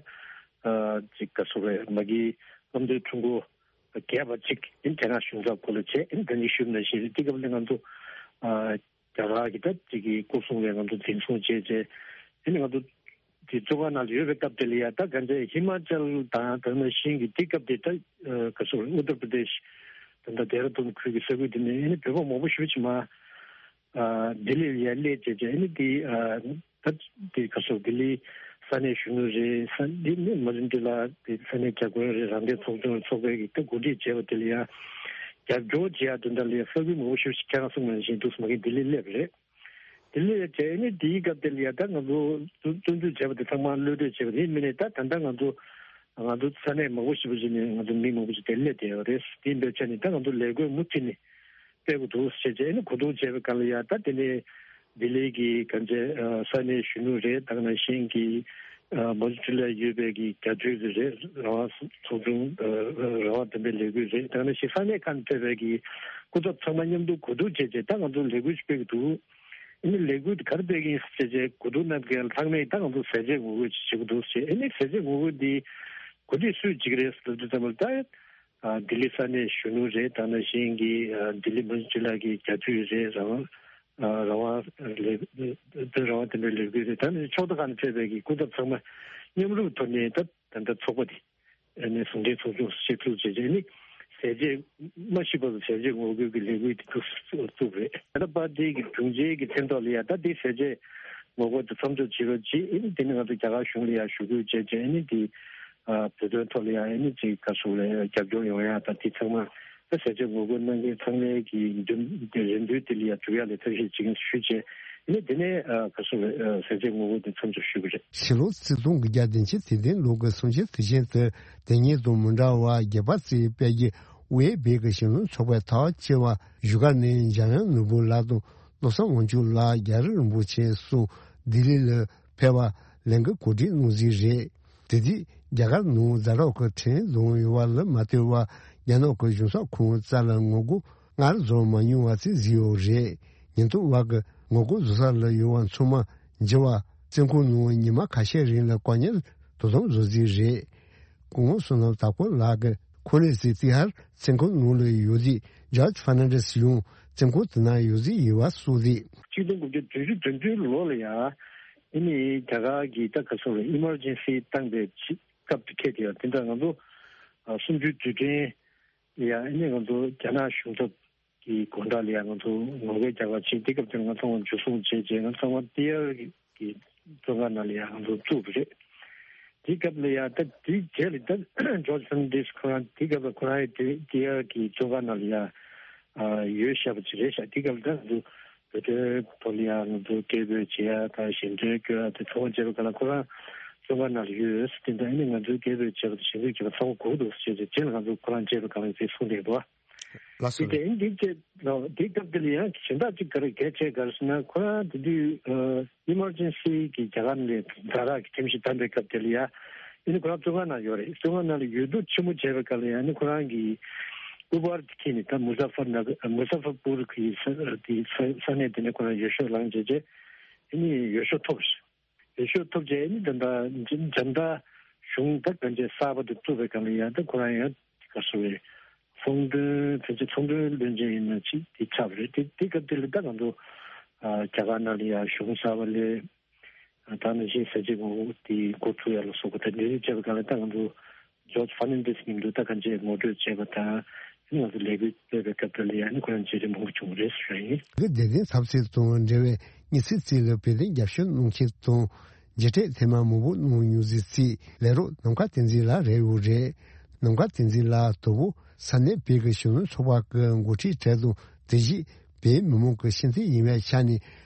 ཅིག་ག་ཚོད་རེད་མ་གི་བློ་མཐུན་ཁྲུང་ཀོ་ བརྒྱད་པ་གཅིག་ཨེ་རྒྱ་ནག་གཞུང་ཚབ་སྐོར་ལ་བྱས། ཨེ་ད་ནི་ཞུས་ནང་བཞིན་རེད། དེ་སྐབས་ལ་ང་ཚོ་ཨ་རྒྱ་གར་གྱི་ད་ཅིག་གི་སྐོར་སྲུང་བས་ང་ཚོ་འཛིན་བཟུང་བྱས་བྱས། ཨེ་ནི་ང་ཚོ་དེ་བཙོན་ཁང་ནང་ལ་ཡོད་པའི་སྐབས་དེ་ལ་ཡ། ད་ག་འདྲ་ཧི་མ་ཅལ་དང་དེ་ནང་བཞིན་གྱི་དེ་སྐབས་དེ་ད་ཨ་ག་ཚོད་རེད། ཨུ་ཏར་པྲ་དེཤ་དང་ད་ལྡེ་ར་ལྡུན་ཁུལ་གྱི་ས་ཁུལ་དེ་ནས་ཨེ་ནི་བོད་པ་མང་པོ་ཞེ་པོ་ཅིག་མར་ཨ་ལྡི་ལི་ལ་ཡ་སླེབས་བྱས་བྱས། ཨེ་ནི་དེ་ཨ་ད་དེ་ག་ཚོད་ལྡི་ལི་ས་གནས་གཞོན་ནུ་རེད། ས་འདི་ནི་མ་རིན་ཏི་ལ་དེ་ས་གནས་བརྒྱ་དཔོན་རེད། རང་བདེན་ཚོགས་ཆུང་ཚོགས་པའི་གི་ད་འགོ་ཁྲིད་བྱས་པ་དེ་ལ་ཡ་རྒྱབ་སྐྱོར་བྱེད་ཡ་དོན་དག་ལ་ཡ་ས་ཁུལ་མང་པོ་ཞིག་ཁྱེད་རང་གསུངས་པ་ནང་བཞིན་འདུག་སེ་མ་གི་ལྡི་ལི་སླེབས་རེད། དེ་ལས་བྱས་ནས་དེའི་སྐབས་དེ་ལ་ཡ་ད་ང་ཚོ་བཙོན་བཙོན་འཇུག་བྱས་པ་དེ་ཚང་མ་གློད་གྲོལ་བྱས་པ་རེད། མིན་ནས་ད་ད་ལྟ་ང་ཚོ་ང་ཚོ་ས་གནས་མང་པོ་ཞིག་པོ་ཞིག་ནས་ང་ཚོ་མི་མང་པོ་ཞིག་དེ་སླེབས་བསྡད་ཡོད་རེད། དེ་འདྲ་བྱས་ནས་ད་ང་ཚོ་ལས་འགུལ་མུ་མཐུད་ནས་སྤེལ་དགོས་འདུག་ཟེར་བྱས་ཨེ་ནི་གོ་བསྡུར་བྱས་པའི་སྐབས་ལ་ཡ། ད་དེ་ནས་ལྡི་ལི་གི་ག་འདྲ་ས་གནས་གཞོན་ནུ་རེད། ད་ག་ནང་བཞིན་གྱི་མོན་གྷོ་ལ་ཡོད་པའི་གི་རྒྱ་མཚོའི་རེད། རང་དབང་ཚོགས་ཆུང་རང་དབང་བདེན་པའི་ལས་འགུལ་རེད། ད་ག་ནང་བཞིན་ས་གནས་ཁག་ནས་ཕེབས་པའི་གི་སྐུ་ཚབ་ཚང་མ་མཉམ་དུ་གོ་བསྡུར་བྱས་བྱས་ད་ང་ཚོ་ལས་འགུལ་ཞིག་སྤེལ་གི་འདུག་ཨ་ནི་ལས་འགུལ་དེ་ག་རེ་སྤེལ་གི་ཡིན་ཟེར་བྱས་གོ་བསྡུར་གནང་མཁན་ཚང་མས་ད་ང་ཚོ་ཟས་བཅད་ངོ་རྒོལ་ཅིག་བྱེད་ཀྱི་འདུག་ཟེར། ཨ་ནི་ཟས་བཅད་ངོ་རྒོལ་འདི་གོ་སྒྲིག་སུས་བྱེད་ཀྱི་རེད་ཟེར་དུས་ཙམ་པ་ལ་ད་ཨ་ལྡི་ལི་ས་གནས་གཞོན་ནུ་རེད། ད་ནང་བཞིན་གྱི་ཨ་ལྡི་ལི་མུན་ཅི་ལ་གི་རྒྱ་མཚོའི་རེད། རང་དབང་ཨ་རང་དབང་ལས་དོན་རང་དབང་དེ་འདྲའི་ལས་འགུལ་རེད། ད་ནི་ཕྱོགས་མཐའ་ཁག་ནས་ཕེབས་པའི་གི་སྐུ་ཚབ་ཚང་མ་མཉམ་རུབ་ཐོག་ནས་ད་ད་ལྟ་ཚོགས་པ་དེ། ཨ་ནི་ཟུང་འབྲེལ་ཚོགས་ཆུང་ཞིག་བཙུགས་བྱས་བྱས་ནི་ཟས་བཅད་མ་ཤི་བར་དུ་ཟས་བཅད་ངོ་རྒོལ་གྱི་ལས་འགུལ་དེ་བཙུགས་བཙུགས་རེད། ད་ལྟ་པར་ཏི་གི་དྲུང་ཆེ་གི་མཚན་ཐོག་ལ་ཡ་ད་དེ་ཟས་བཅད་ངོ་རྒོལ་དེ་མཚམས་འཇོག་བྱེད་རོགས་གྱིས། ཨ་ནི་དེ་ནི་ང་ཚོ་རྒྱ་གར་གཞུང་ལ་ཡ་ཞུ་སྐུལ་བྱས་བྱས་ཨ་ནི་དེ་ཨ་བོད་དོན་ཐོག་ལ་ཡ་ཨ་ནི་ཅིག་ག་ཚོད་ལ་རྒྱབ་སྐྱོར་ཡོང་ཡ་ད་དེ་ཚང་མ་ད་ཟས་བཅད་ངོ་རྒོལ་གནང་མཁན་ཚང་མའི་གི་འདུན་རེ་འདུན་དེ་ལ་ཡ་འགྲུབ་ཡ་ལ་ཐབས་ཤེས་བྱེད་ཀྱི་ཞུས་བྱས། ནི་དེ་ནས་ཨ་ག་ཚོད་རེད། ཨ་ཟས་བཅད་ངོ་རྒོལ་དེ་མཚམས་འཇོག་ཞུས་པ་རེད། ཕྱི་ལོ་ཆིག་སྟོང་དགུ་བརྒྱ་བདུན་ཅུ་དོན་བདུན་ལོ་གི་གསུམ་ཆའི་དུས་ཆེན་དུ་དེ་ཉིད་དང་མི་འདྲ་བ་རྒྱལ་བ་རྩེའི་དཔལ་གྱི་དབུས་བོད་ཀྱི་གཞོན་ནུ་ཚོགས་པའི་དར་ཆེ་བ་བཞུགས་སྒར་ནས་འཇམ་དབྱངས་ནོར་བུ་ལགས་དང་བློ་བཟང་དབང་ཕྱུག་ལགས་རྒྱ་རི་རིན་པོ་ཆེ་སོགས་ལྡི་ལི་ལ་ཕེབས་པ་ལས་འགུལ་གོ་སྒྲིག་གནང་གཟིགས་རེད། དེ་དུས་རྒྱ་གར་ནང་ཛ་དྲག་གི་ཁྲིམས་དང་ཡོང་བ་ལ་མ་ལྟོས་པར་རྒྱ་ནག་གི་གཞུང་ཚབ་ཁང་རྩ་ལ་ངོ་རྒོལ་སྔར་བཟོ་མ་མྱོང་བ་ཞིག་བཟོས་ཡོད་རེད། ཉེན་རྟོག་པ་གིས་ངོ་རྒོལ་བཟོ་ས་ལ་ཡོང་བ་ཚང་མ་འཇུ་བ། བཙོན་ཁང་ནང་ཉི་མ་ཁ་ཤས་རིང་ལ་བཀག་ཉར་དོ་དམ་བཟོ་རྩིས་རེད། སྐུ་ངོ་བསོད་ནམས་དར་ཀོ་ལགས་ཀྱིས་ཁོ་གནས་སུ་ཏི་ཧར་བཙོན་ཁང་ནང་ལ་ཡོད་རྗེས་ཇོརྗ་ཧྥར་ནན་ཌེས་ཡང་བཙོན་ཁང་དེ་ན་ཡོད་རྗེས་ཡིན་པ་གསུངས་རྗེས། ཆིག་སྟོང་དགུ་བརྒྱ་བདུན་ཅུ་དོན་བདུན་ལོ་ལ་ཡང་ཨ་ནི་རྒྱ་གར་གྱི་ད་ག་ཚོད་རེད། ཨི་མར་ཇེན་སི་བཏང་པའི་ཆེད་སྐབས་དེ་ཁེལ་དེ་ཡང་དེ་འདྲ་ང་ཚོ་ཨ་གསུམ་བཅུའི་དུས་དྲན་ལ་ཡང་ཨ་ནི་ང་ཚོ་རྒྱ་ནག་གཞུང་ཚབ་ཀྱི་སྒོ་འགྲམ་ལ་ཡང་ང་ཚོ་ངོ་རྒོལ་རྒྱག་པ་ཕྱིན། དེ་སྐབས་དེར་ང་ཚང་མ་འཇུ་བཟུང་བྱས་རྗེས་ང་ཚང་མ་ཏི་ཧར་གྱི་བཙོན་ཁང་ནང་ལ་ཡང་ང་ཚོ་བཙུགས་པ་རེད། དེ་སྐབས་ལ་ཡང་ད་དེའི་རྗེས་ལ་ད་ཇོརྗ་ཧྥར་ནན་ཌེས་ཁོ་རང་དེ་སྐབས་ལ་ཁོ་རང་ཡང་དེ་ཏི་ཧར་གྱི་བཙོན་ཁང་ནང་ལ་ཡང་ཨ་ཡོད་བཞག་པ་ཅིག་རེད་ཤག་དེ་སྐབས་ལ་ད་ང་ཚོ་བོད་དོན་ཐོག་ལ་ཡང་ང་ཚོ་སྐད་འབོད་བྱེད་ཡ་དང་ཞལ་འདོན་སྐྱོན་ཡ་དེ་ཚང་མ་བྱས་པའི་སྐབས་ལ་ཁོ་རང་བཙོན་ཁང་ནང་ལ་ཡོད་ཟེར། དེ་འདྲ་ཨ་ནི་ང་ཚོའི་སྐད་འབོད་བྱས་པ་དང་ཞལ་འདོན་བྱས་པ་ཚང་མ་གོ་གི་འདུག་ཟེར་བྱས་རྗེས་ལ་ང་ཚོ་ཁོ་རང་མཇལ་བའི་སྐབས་ལ་དེ་གསུངས་བསྡད་འདུག་ལགས་སོ། དེ་དེ་འདི་བྱས་ལ་དེ་སྐབས་དེ་ལ་ཡང་གཞན་དག་ཅིག་ག་རེ་གལ་ཆེ་ག་རེ་ཟེར་ན་ཁོ་རང་དེ་དུས་ཨ་ཨི་མར་ཇེན་སི་གི་རྒྱ་གར་ནས་ཛ་དྲག་གི་ཁྲིམས་གཞི་བསྡམས་པའི་སྐབས་དེ་ལ་ཡང་ཨ་ནི་ཁོ་རང་བཙོན་ཁང་ནང་ཡོད་རེད། བཙོན་ཁང་ནང་ལ་ཡོད་དུས་ཕྱི་མོ་བྱས་པའི་སྐབས་ལ་ཡང་ཨ་ནི་ཁོ་རང་གི་ཨུ་བར་དེ་ཁྱེར་ནས་ད་མུ་ཛ་ཧྥར་ནག་མུ་ཛ་ཧྥར་པུར་གི་ས་དེ་ས་ས་གནས་དེ་ནས་ཁོ་རང་འོས་ཤོག་བླངས་བྱས་རྗེས་ཨ་ནི་འོས་ཤོག་ཐོབ། འོས་ཤོག་ཐོབ་རྗེས་ནི་ད་ལྟ་འཇམ་མདའ་གཞུང་ད་གང་ཅི་གསར་པ་དེ་བཙུགས་པའི་སྒང་ལ་ཡང་ད་ཁོ་རང་ཡང་ག་སོ་བའི་ཚོང་དོན་ཕལ་ཆེར་ཚོང་དོན་བློན་ཆེན་ཡིན་ན་ཅིག་དེ་ཆགས་པ་རེད། དེ་དེ་སྐབས་དེ་ལ་ད་ང་ཚོ་རྒྱ་གར་ནང་ལ་ཡང་གཞུང་གསར་པ་ལས་ད་ནང་བཞིན་ས་བྱི་ངོ་རྒོལ་དེ་འགོ་ཚུགས་ཡ་ལ་སོགས་པ་ད་འདི་རིགས་བྱས་པའི་སྒང་ལ་ད་ང་ཚོ་ཇོརྗ་ཧྥར་ནན་ཌེས་མཉམ་དུ་ད་གང་ཅི་ངོ་སྤྲོད་བྱས་པ་དང་ང་ཚོ་ལས་འགུལ་སྤེལ་བའི་སྐབས་དེ་ལ་ཡང་ནི་ཁོ་རང་མཇལ་འཕྲད་མང་པོ་བྱུང་བ་རེད་ཟེར་ཡིན། དེ་བདེ་ལྡན་འཚབ་འཚུབ་དང་འབྲེལ་བའི་དངུལ་རྩིས་རྩིས་ལ་བོད་དོན་རྒྱབ་སྐྱོར་གནང་མཁན་དང་མཇལ་འཕྲད་ཐེངས་མ་མང་པོ་གནང་མྱོང་ཟིག་རྩིས་ལས་རོགས་ནམ་མཁའ་བསྟན་འཛིན་ལགས་རེད་ཡོད་རེད། ནམ་མཁའ་བསྟན་འཛིན་ལགས་དོ་བོ་ས་གནས་བོད་ཀྱི་གཞོན་ནུ་ཚོགས་པ་གི་འགོ་ཁྲིད་གྲས་དང་དེ་བཞིན་བོད་མི་མང་གི་ཤེས་ཚད་ཡིན་པའི་ཆ་ནས་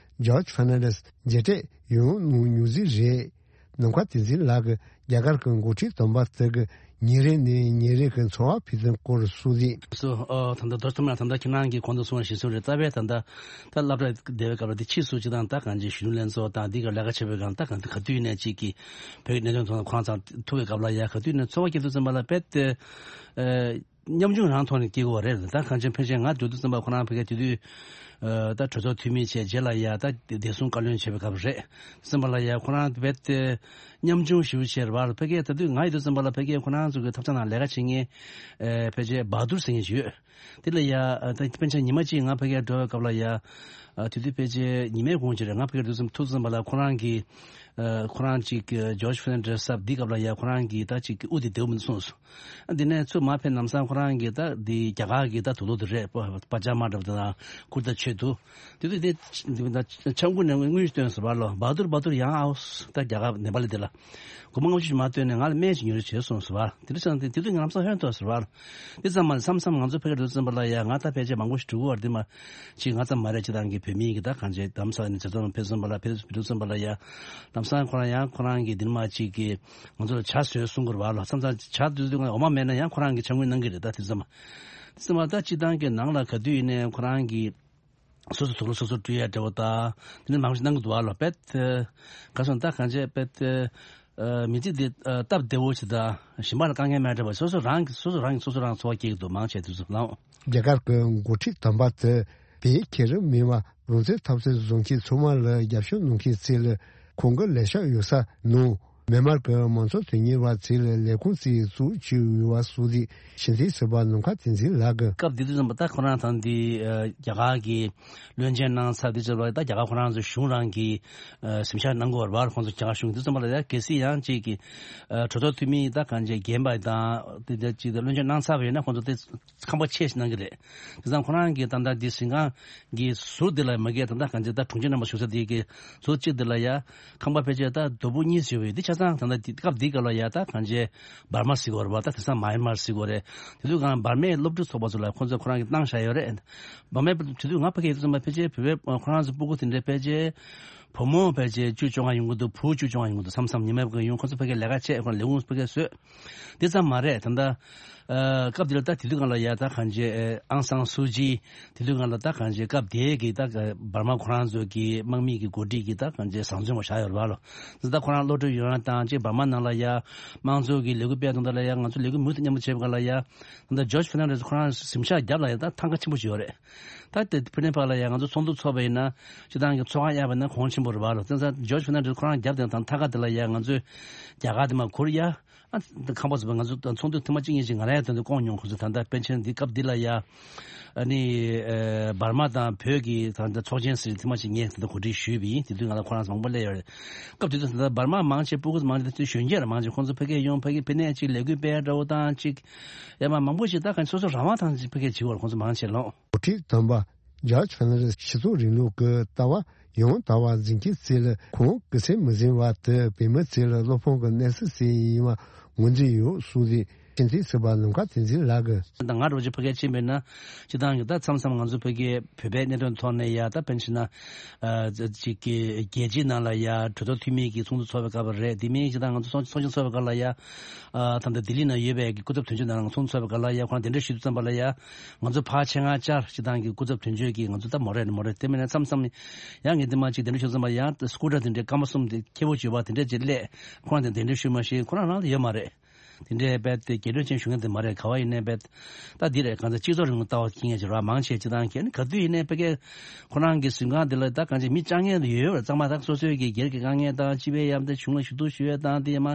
ཇོརྗ་ཧྥར་ནན་ཌེས་མཇལ་འཕྲད་ཡང་གནང་མྱོང་ཟིག་རེད། ནམ་མཁའ་བསྟན་འཛིན་ལགས་ཀྱིས་རྒྱ་གར་གྱི་འགོ་ཁྲིད་དམ་པ་དག་གི་ཉིན་རེ་ནས་ཉིན་རེ་གི་འཚོ་བ་ཕུགས་འདུན་སྐོར་གསུངས་ཏེ། སོ། ཨ་ད་ལྟ་རྡོ་རྗེ་ཐོགས་མེད་ལགས་ད་ལྟ་ཁྱེད་རང་གིས་གོང་དུ་གསུངས་པ་བཞིན་སོང་རེད། རྩ་བའི་ད་ལྟ་ད་སློབ་གྲྭ་བསྡད་པའི་སྐབས་ལ་དེ་ཕྱིས་སུ་ཅིག་དང་ད་གང་ཅི་གཞོན་ནུ་ལྷན་ཚོགས་དང་འདི་ག་ལས་ཀ་བྱེད་པའི་སྒང་ད་གང་ག་དུས་ནས་ཅིག་གི་བོད་ཀྱི་གནད་དོན་ཐོག་ཁོ་རང་ཚང་ཐུག་པའི་སྐབས་ལ་ཡ་ག་དུས་ནས་ཚོར་བ་སྐྱེ་དུས་ཙམ་པ་ལ་རྦད་དེ་ཨ། ཉམ་ཆུང་རང་ཐོག་ནས་སྐྱེ་དགོས་པ་རེད། ད་གང་ཅི་ཕལ་ཆེར་ང་འགྲོ་དུས་ཙམ་པ་ཁོ་རང་ཕ་གིར་དེ་དུས་ཨ་ད་གྲོས་ཚོགས་འཐུས་མི་བྱས་རྗེས་ལ་ཡ་ད་བདེ་སྲུང་བཀའ་བློན་བྱས་པའི་སྐབས་རེད། ཙམ་པ་ལ་ཡ་ཁོ་རང་རྦད་དེ་ཉམ་ཆུང་ཞེ་པོ་ཅིག་རེད་པ། ཕ་གིར་ད་དུས་ང་ཡོད་དུས་ཙམ་པ་ལ་ཕ་གིར་ཁོ་རང་ཚོ་གི་ཐབ་ཚང་ནང་ལས་ཀ་བྱེད་མཁན་ཨ་ཕལ་ཆེར་བྷ་དུར་ཟེར་མཁན་ཞིག་ཡོད། དེ་ལ་ཡ་ཨ་ད་ཕལ་ཆེར་ཉི་མ་གཅིག་ང་ཕ་གིར་འགྲོ་བའི་སྐབས་ལ་ཡ་ཨ་དེ་དུས་ཕལ་ཆེར་ཉི་མའི་གུང་ཅིག་རེད། ང་ཕ་གིར་འགྲོ་དུས་ཙམ་ཐུག་ཙམ་པ་ལ་ཁོ་རང་གི་ཨ་ཁོ་རང་ཅིག་ཇོརྗ་ཕེར་ནན་ཌེ་སི་ཟེར་བ་འདིའི་སྐབས་ལ་ཡ་ཁོ་རང་གི་ད་ཅིག་དབུ་དེ་བདེ་པོ་མི་འདུག་གསུངས་སོང་། ཨ་འདི་ནས་ཚུར་མར་ཕེབས་ལམ་སང་ཁོ་རང་གི་ད་འདི་རྒྱ་གར་གི་ད་དུག་ལོག་དེ་རེད། པ་པ་ཇ་མ་འདྲ་པོ་དེ་དང་ཀུར་ཏ་ཆེད་དུ་དེ་དུས་དེ་ཆབ་ཁུང་ནས་དངུལ་སྟོན་ཟེར་བ་ལོ། བ་དུར་བ་དུར་ཡང་ཨའོ་ད་རྒྱ་གར་ནེ་པ་ལི་དེ་ལ་སྒོར་མོ་ལྔ་བཅུ་ཞིག་མར་བཏོན་ནས་ང་ལ་སྨན་ཞིག་ཉོ་རོགས་བྱས་གསུངས་ཟེར་བ། དེ་དུས་ཙང་དེ་དེ་དུས་ང་ལམ་སང་ཧོན་ཐོག་ཟེར་བ་ལོ། དེ་ཙམ་མ་རེད། མཚམས་མཚམས་ང་ཚོ་ཕ་གིར་འགྲོ་ཙམ་པ་ལ་ཡ་ང་ད་ཕལ་ཆེར་མང་པོ་ཞིག་འགྲོ་གི་བ་རེད། དེ་མ་ཅིག་ང་ཙམ་མ་རེད། སྤྱི་བཏང་གི་བོད་མི་གི་ད་གང་ཅི་དམ་ས་ནས་ཇ་ཚོང་ཕེབས་ཙམ་པ་ལ་ཕེབས་འགྲོ་ཙམ་པ་ལ་ཡ་ལམ་སང་ཁོ་རང་ཡང་ཁོ་རང་གི་འདི་མ་ཅིག་གི་ང་ཚོ་ལ་ཇ་བཟོས་གསུང་གི་རེད་བ་ལོ། མཚམས་མཚམས་ཇ་དུས་དུས་ང་འོ་མ་མེད་ན་ཡང་ཁོ་རང་གི་ཇ་དངུལ་གནང་གི་རེད། ད་དེ་ཙམ་མ་དེ་ཙམ་མ་ད་སྤྱི་བཏང་གི་ནང་ལ་ག་དུས་ཡིན་ནའི་ཁོ་རང་གི་སོ་སོ་དུག་ལོག་སོ་སོ་བཀྲུ་ཡ་འདྲ་བོ་དང་དེ་ནས་མང་ཞིག་གནང་གི་འདུག་བ་ལོ། རྦད་དེ་ག་སོང་ད་གང་བྱས་རྦད་དེ་མི་ཚེ་འདི་སྟབས་བདེ་བོ་ཞིག་དང་གཞན་པ་ལ་དཀའ་ངལ་མེད་འདྲ་བ། སོ་སོ་རང་གི་སོ་སོ་རང་གི་སོ་སོ་རང་འཚོ་བ་སྐྱེལ་གི་འདུག་མང་ཆེ་དུས་ཚོད་ལ། རྒྱ་གར་གྱི་འགོ་ཁྲིད་དམ་པ་དེ་བོད་ཁྱེད་རང་མིན་པ་རང་བཙན་འཐབ་རྩོད་བཟོ་མཁན་ཚང་མ་ལ་རྒྱབ་སྐྱོར་གནང་མཁན་ཚོ་ལ་ཁོང་གི་ལས་ཤག་ཡོད་ས་ནང་མི་མང་གི་མང་གཙོ་དོན་གཉེར་བ་ཚོ་ལ་ལས་ཁུངས་ཚོ་བཙུགས་བྱས་ཡོད་པ་སོགས་དེ་ཕྱི་འཐེན་ཟེར་བ་ནམ་མཁའ་བསྟན་འཛིན་ལགས་ཀྱིས། སྐབས་དེ་དུས་ཙམ་པ་ད་ཁོ་རང་ཚང་འདི་ཨ་རྒྱ་གར་གྱི་བློན་ཆེན་གནང་ཚར་དུས་ཙམ་པ་ད་རྒྱ་གར་ཁོ་རང་ཚོ་གཞུང་རང་གི་ཨ་གཟིམ་ཤག་གནང་དགོས་པ་རེད་པ། ཁོང་ཚོ་རྒྱ་གར་གཞུང་དུས་ཙམ་པ་ལ་ཡ་གལ་སྲིད་ཡང་གཅིག་གི་ཨ་གྲོས་ཚོགས་འཐུས་མི་ད་གང་ཅི་རྒན་པ་དང་དེ་འདྲ་གཅིག་ད་བློན་ཆེན་གནང་ཚར་བ་ཡིན་ན་ཁོང་ཚོ་དེ་ཁང་པ་ཆེ་ཞིག་གནང་གི་རེད། དེ་ཙང་ཁོ་རང་གིས་ད་ལྟ་འདི་གཟིམ་ཁང་གི་ཟུར་འདི་ལ་མ་གིར་ད་ལྟ་གང་ཅི་ད་དྲུང་ཆེ་རྣམ་པ་བཞུགས་ས་འདི་གི་ཟུར་གཅིག་འདི་ལ་ཡ་ཁང་པ་ཕལ་ཆེར་ད་རྡོ་ཕུག་གཉིས་ཡོད་པའི་འདི་ཆ་ཚང་ད་ལྟ་འདི་སྐབས་འདི་སྐབས་ལ་ཡ་ད་གང་ཅི་འབར་མ་ཟེར་གི་ཡོད་རེད་པ། ད་དེང་སང་མཱ་ཡན་མར་ཟེར་གི་ཡོད་རེད། དེ་དུས་གང་འབར་མའི་སློབ་ཕྲུག་ཚོགས་པ་ཚོ་ལ་ཁོང་ཚོས་ཁོ་རང་གིས་བཏང་བཞག་ཡོད་རེད། འབར་མའི་དེ་དུས་ང་ཕ་གིར་ཡོད་དུས་ཙམ་པ་ཕལ་ཆེར་བོད་པའི་ཁོ་རང་ཚོ་སྤུ་གུ་དེ་འདྲའི་ཕལ་ཆེར་བུ་མོ་ཕལ་ཆེར་བཅུ་བཅོ་ལྔ་ཡོང་གི་འདུག་བུ་བཅུ་བཅོ་ལྔ་ཡོང་གི་འདུག་མཚམས་མཚམས་ཉི་མའི་ཕ་གིར་ཡོང་། ཁོང་ཚོ་ཕ་གིར་ལས་ཀ་བྱས། ཁོང་ལས་ཁུངས་ཕ་གིར་བཟོས། དེ་ཙམ་མ་རེད། ད་ལྟ་ཨ་སྐབས་དེ་ལ་ད་དེ་དུས་སྒང་ལ་ཡ་ད་གང་ཅི་ཨ་ཨང་སང་སུ་ཅི། དེ་དུས་སྒང་ལ་ད་གང་ཅི་སྐབས་དེའི་གི་ད་འབར་མ་ཁོ་རང་ཚོ་གི་དམག་མི་གི་འགོ་ཁྲིད་ཀྱི་ད་གང་ཅི་བཟང་བཙོན་པ་བཞག་ཡོད་རེད་པ་ལོ། ད་ལྟ་ཁོ་རང་བློ་གྲོས་ཡོད་རང་དང་ཅིག་འབར་མ་ནང་ལ་ཡ་དམངས་གཙོ་གི་ལས་འགུལ་སྤེལ་དོན་དག་ལ་ཡ་ང་ཚོ་ལས་འགུལ་མུ་མཐུད་མཉམ་དུ་བྱེད་པ་སྒང་ལ་ཡ་ད་ལྟ་ཇོརྗ་ཕེར་ནན་ཌེ་སི་ཁོ་རང་གཟིམ་ཤག་རྒྱབ་ལ་ཡ་ད་ཐང་ག་ཆེན་པོ་ཞིག་ཡོད་རེད། ད་དེ་ཕུ་ནེ་པ་ལ་ཡ་ང་ཚོ་ཚོགས་འདུ་ཚོགས་པ་ཡིན་ན་སྤྱི་བཏང་གི་ཚོགས་ཁང་གཡར་བ་ན་གོང་ཆེན་པོ་རེད་པ་ལོ། དེ་ཙང་ཇོརྗ་ཕེར་ནན་ཌེ་སི་ཁོ་རང་རྒྱབ་དེ་དང་ཐང་ག་དེ་ལ་ཡ་ང་ཚོས་རྒྱ་གར་དེ་མར་གུར་གཡར། ཨ་ཁང་པ་ཚོ་ང་ཚོ་ཚོགས་འདུ་ཐེངས་མ་གཅིག་གཉིས་ཤིག་ང་རང་ཡང་དེ་འདྲ་བསྐོངས་མྱོང་། ཁོང་ཚོ་ད་ལྟ་པཎ་ཆེན་འདི་སྐབས་འདི་ལ་ཡ་ཨ་ནི་ཨ་འབར་མ་དང་བོད་ཀྱི་ད་ལྟ་ཚོགས་ཆེན་ཟེར་ཐེངས་མ་གཅིག་ངས་དེ་འདྲ་གོ་སྒྲིག་ཞུས་པ་ཡིན། དེ་དུས་ང་ལ་ཁོ་རང་ཚོ་མང་པོ་སླེབས་ཡོད་རེད། སྐབས་དེ་དུས་ད་ལྟ་འབར་མ་མང་ཆེ་སྤུ་གུ་མང་ཆེ་དེ་དུས་གཞོན་སྐྱེས་ར་མང་ཆེ་ཁོང་ཚོ་ཕ་གིར་ཡོང་། ཕ་གིར་ཕ་ནས་ཅིག་ལས་འགུལ་སྤེལ་འདྲ་བོ་དང་ཅིག་ཡ་མ་མང་པོ་ཞིག་ད་ག་སོ་སོ་རང་དབང་ཐང་ཅིག་ཕ་གིར་བྱེད་པར་ཁོང་ཚོ་མང་ཆེ་ལོང་། འགོ་ཁྲིད་དམ་པ་ཇོརྗ་ཕེར་ནན་ཌེ་སི་སྤྱི་ཚོགས་རིང་ལུགས་ཀྱི་ལྟ་བ་ཡང་དག་པ་འཛིན་མཁན་ཚོ་ལ་ཁོང་དགེ་མཚན་མི་འཛིན་པ་དེ་བོད་མི་ཚོ་ལ་བློ་ཕམ་གྱི་གནས་ཚུལ་ཞིག་ཡིན་པ་ངོས་འཛིན་ཡོད་གསུངས་ཏེ། ཕྱི་འཐེན་ཟེར་བ་ནམ་མཁའ་བསྟན་འཛིན་ལགས་ཀྱིས། ད་ང་རོ་ཅིག་ཕ་གིར་ཕྱིན་པ་ཡིན་ན་སྤྱི་བཏང་གི་ད་མཚམས་མཚམས་ང་ཚོ་ཕ་གིའི་བོད་པའི་གནད་དོན་ཐོག་ནས་ཡ་ད་དཔེར་ན་བྱས་ན་ཨ་ཅིག་གི་རྒྱལ་སྤྱིའི་ནང་ལ་ཡ་གྲོས་ཚོགས་འཐུས་མི་གི་ཚོགས་འདུ་ཚོགས་པའི་སྐབས་རེད། དེ་མིན་སྤྱི་བཏང་ང་ཚོ་ཚོགས་ཚོགས་ཆེན་ཚོགས་པའི་སྐབས་ལ་ཡ་ཨ་ད་ལྟ་ལྡི་ལི་ནང་ཡོད་པའི་གི་སྐུ་ཚབ་དོན་གཅོད་ནང་ཚོགས་འདུ་ཚོགས་པའི་སྐབས་ལ་ཡ་ཁོང་གདན་འདྲེན་ཞུ་དུས་ཙམ་པ་ལ་ཡ་ང་ཚོ་ཕར་ཆེད་མངགས་བཅར། སྤྱི་བཏང་གི་སྐུ་ཚབ་དོན་གཅོད་ཀྱིས་ང་ཚོ་ད་མོ་རེ་ནི་མོ་རེ། དེ་མིན་ན་མཚམས་མཚམས་ཡང་ངས་འདི་མ་ཅིག་གདན་འདྲེན་ཞུ་ཙམ་པ་ཡང་སྐུ་དྲག་དེ་འདྲའི་སྐར་མ་གསུམ་དེ་ཁྱེར་པོ་བྱོས་པ་དེ་འདྲ་ཅིག་སླེབས། ཁོ་རང་དེ་གདན་འདྲེན་ཞུས་མ་ཤེས། ཁོ་རང་རང་ལ་ཡོད་མ་རེད། དེ་འདྲའི་རྦད་དེ་རྒྱས་སྤྲོས་ཅན་ཞུ་མཁན་དེ་མ་རེད། ག་བ་ཡིན་ནའི་རྦད་ད་འདི་རེད། གང་ལྟར་སྤྱི་ཚོགས་རིང་ལུགས་ལྟ་བ་སྐྱེ་མཁན་ཅིག་རེད་པ། མང་ཆེ་སྤྱི་བཏང་གི་ནི་ག་དུས་ཡིན་ནའི་ཕ་གིར་ཁོ་རང་གི་གཟིམ་ཁང་དེ་ལ་ད་གང་ཅི་མི་བཅར་མཁན་དེ་ཡོད་ཡོད་རེད། གཙང་མ་ད་སོ་སོའི་གི་སྒེར་གྱི་དཀའ་ངལ་དང་སྤྱི་པའི་ཡར་ཐོན་གཞུང་ལ་ཞུ་གཏུག་ཞུ་ཡས་དང་དེ་ཡ་མ་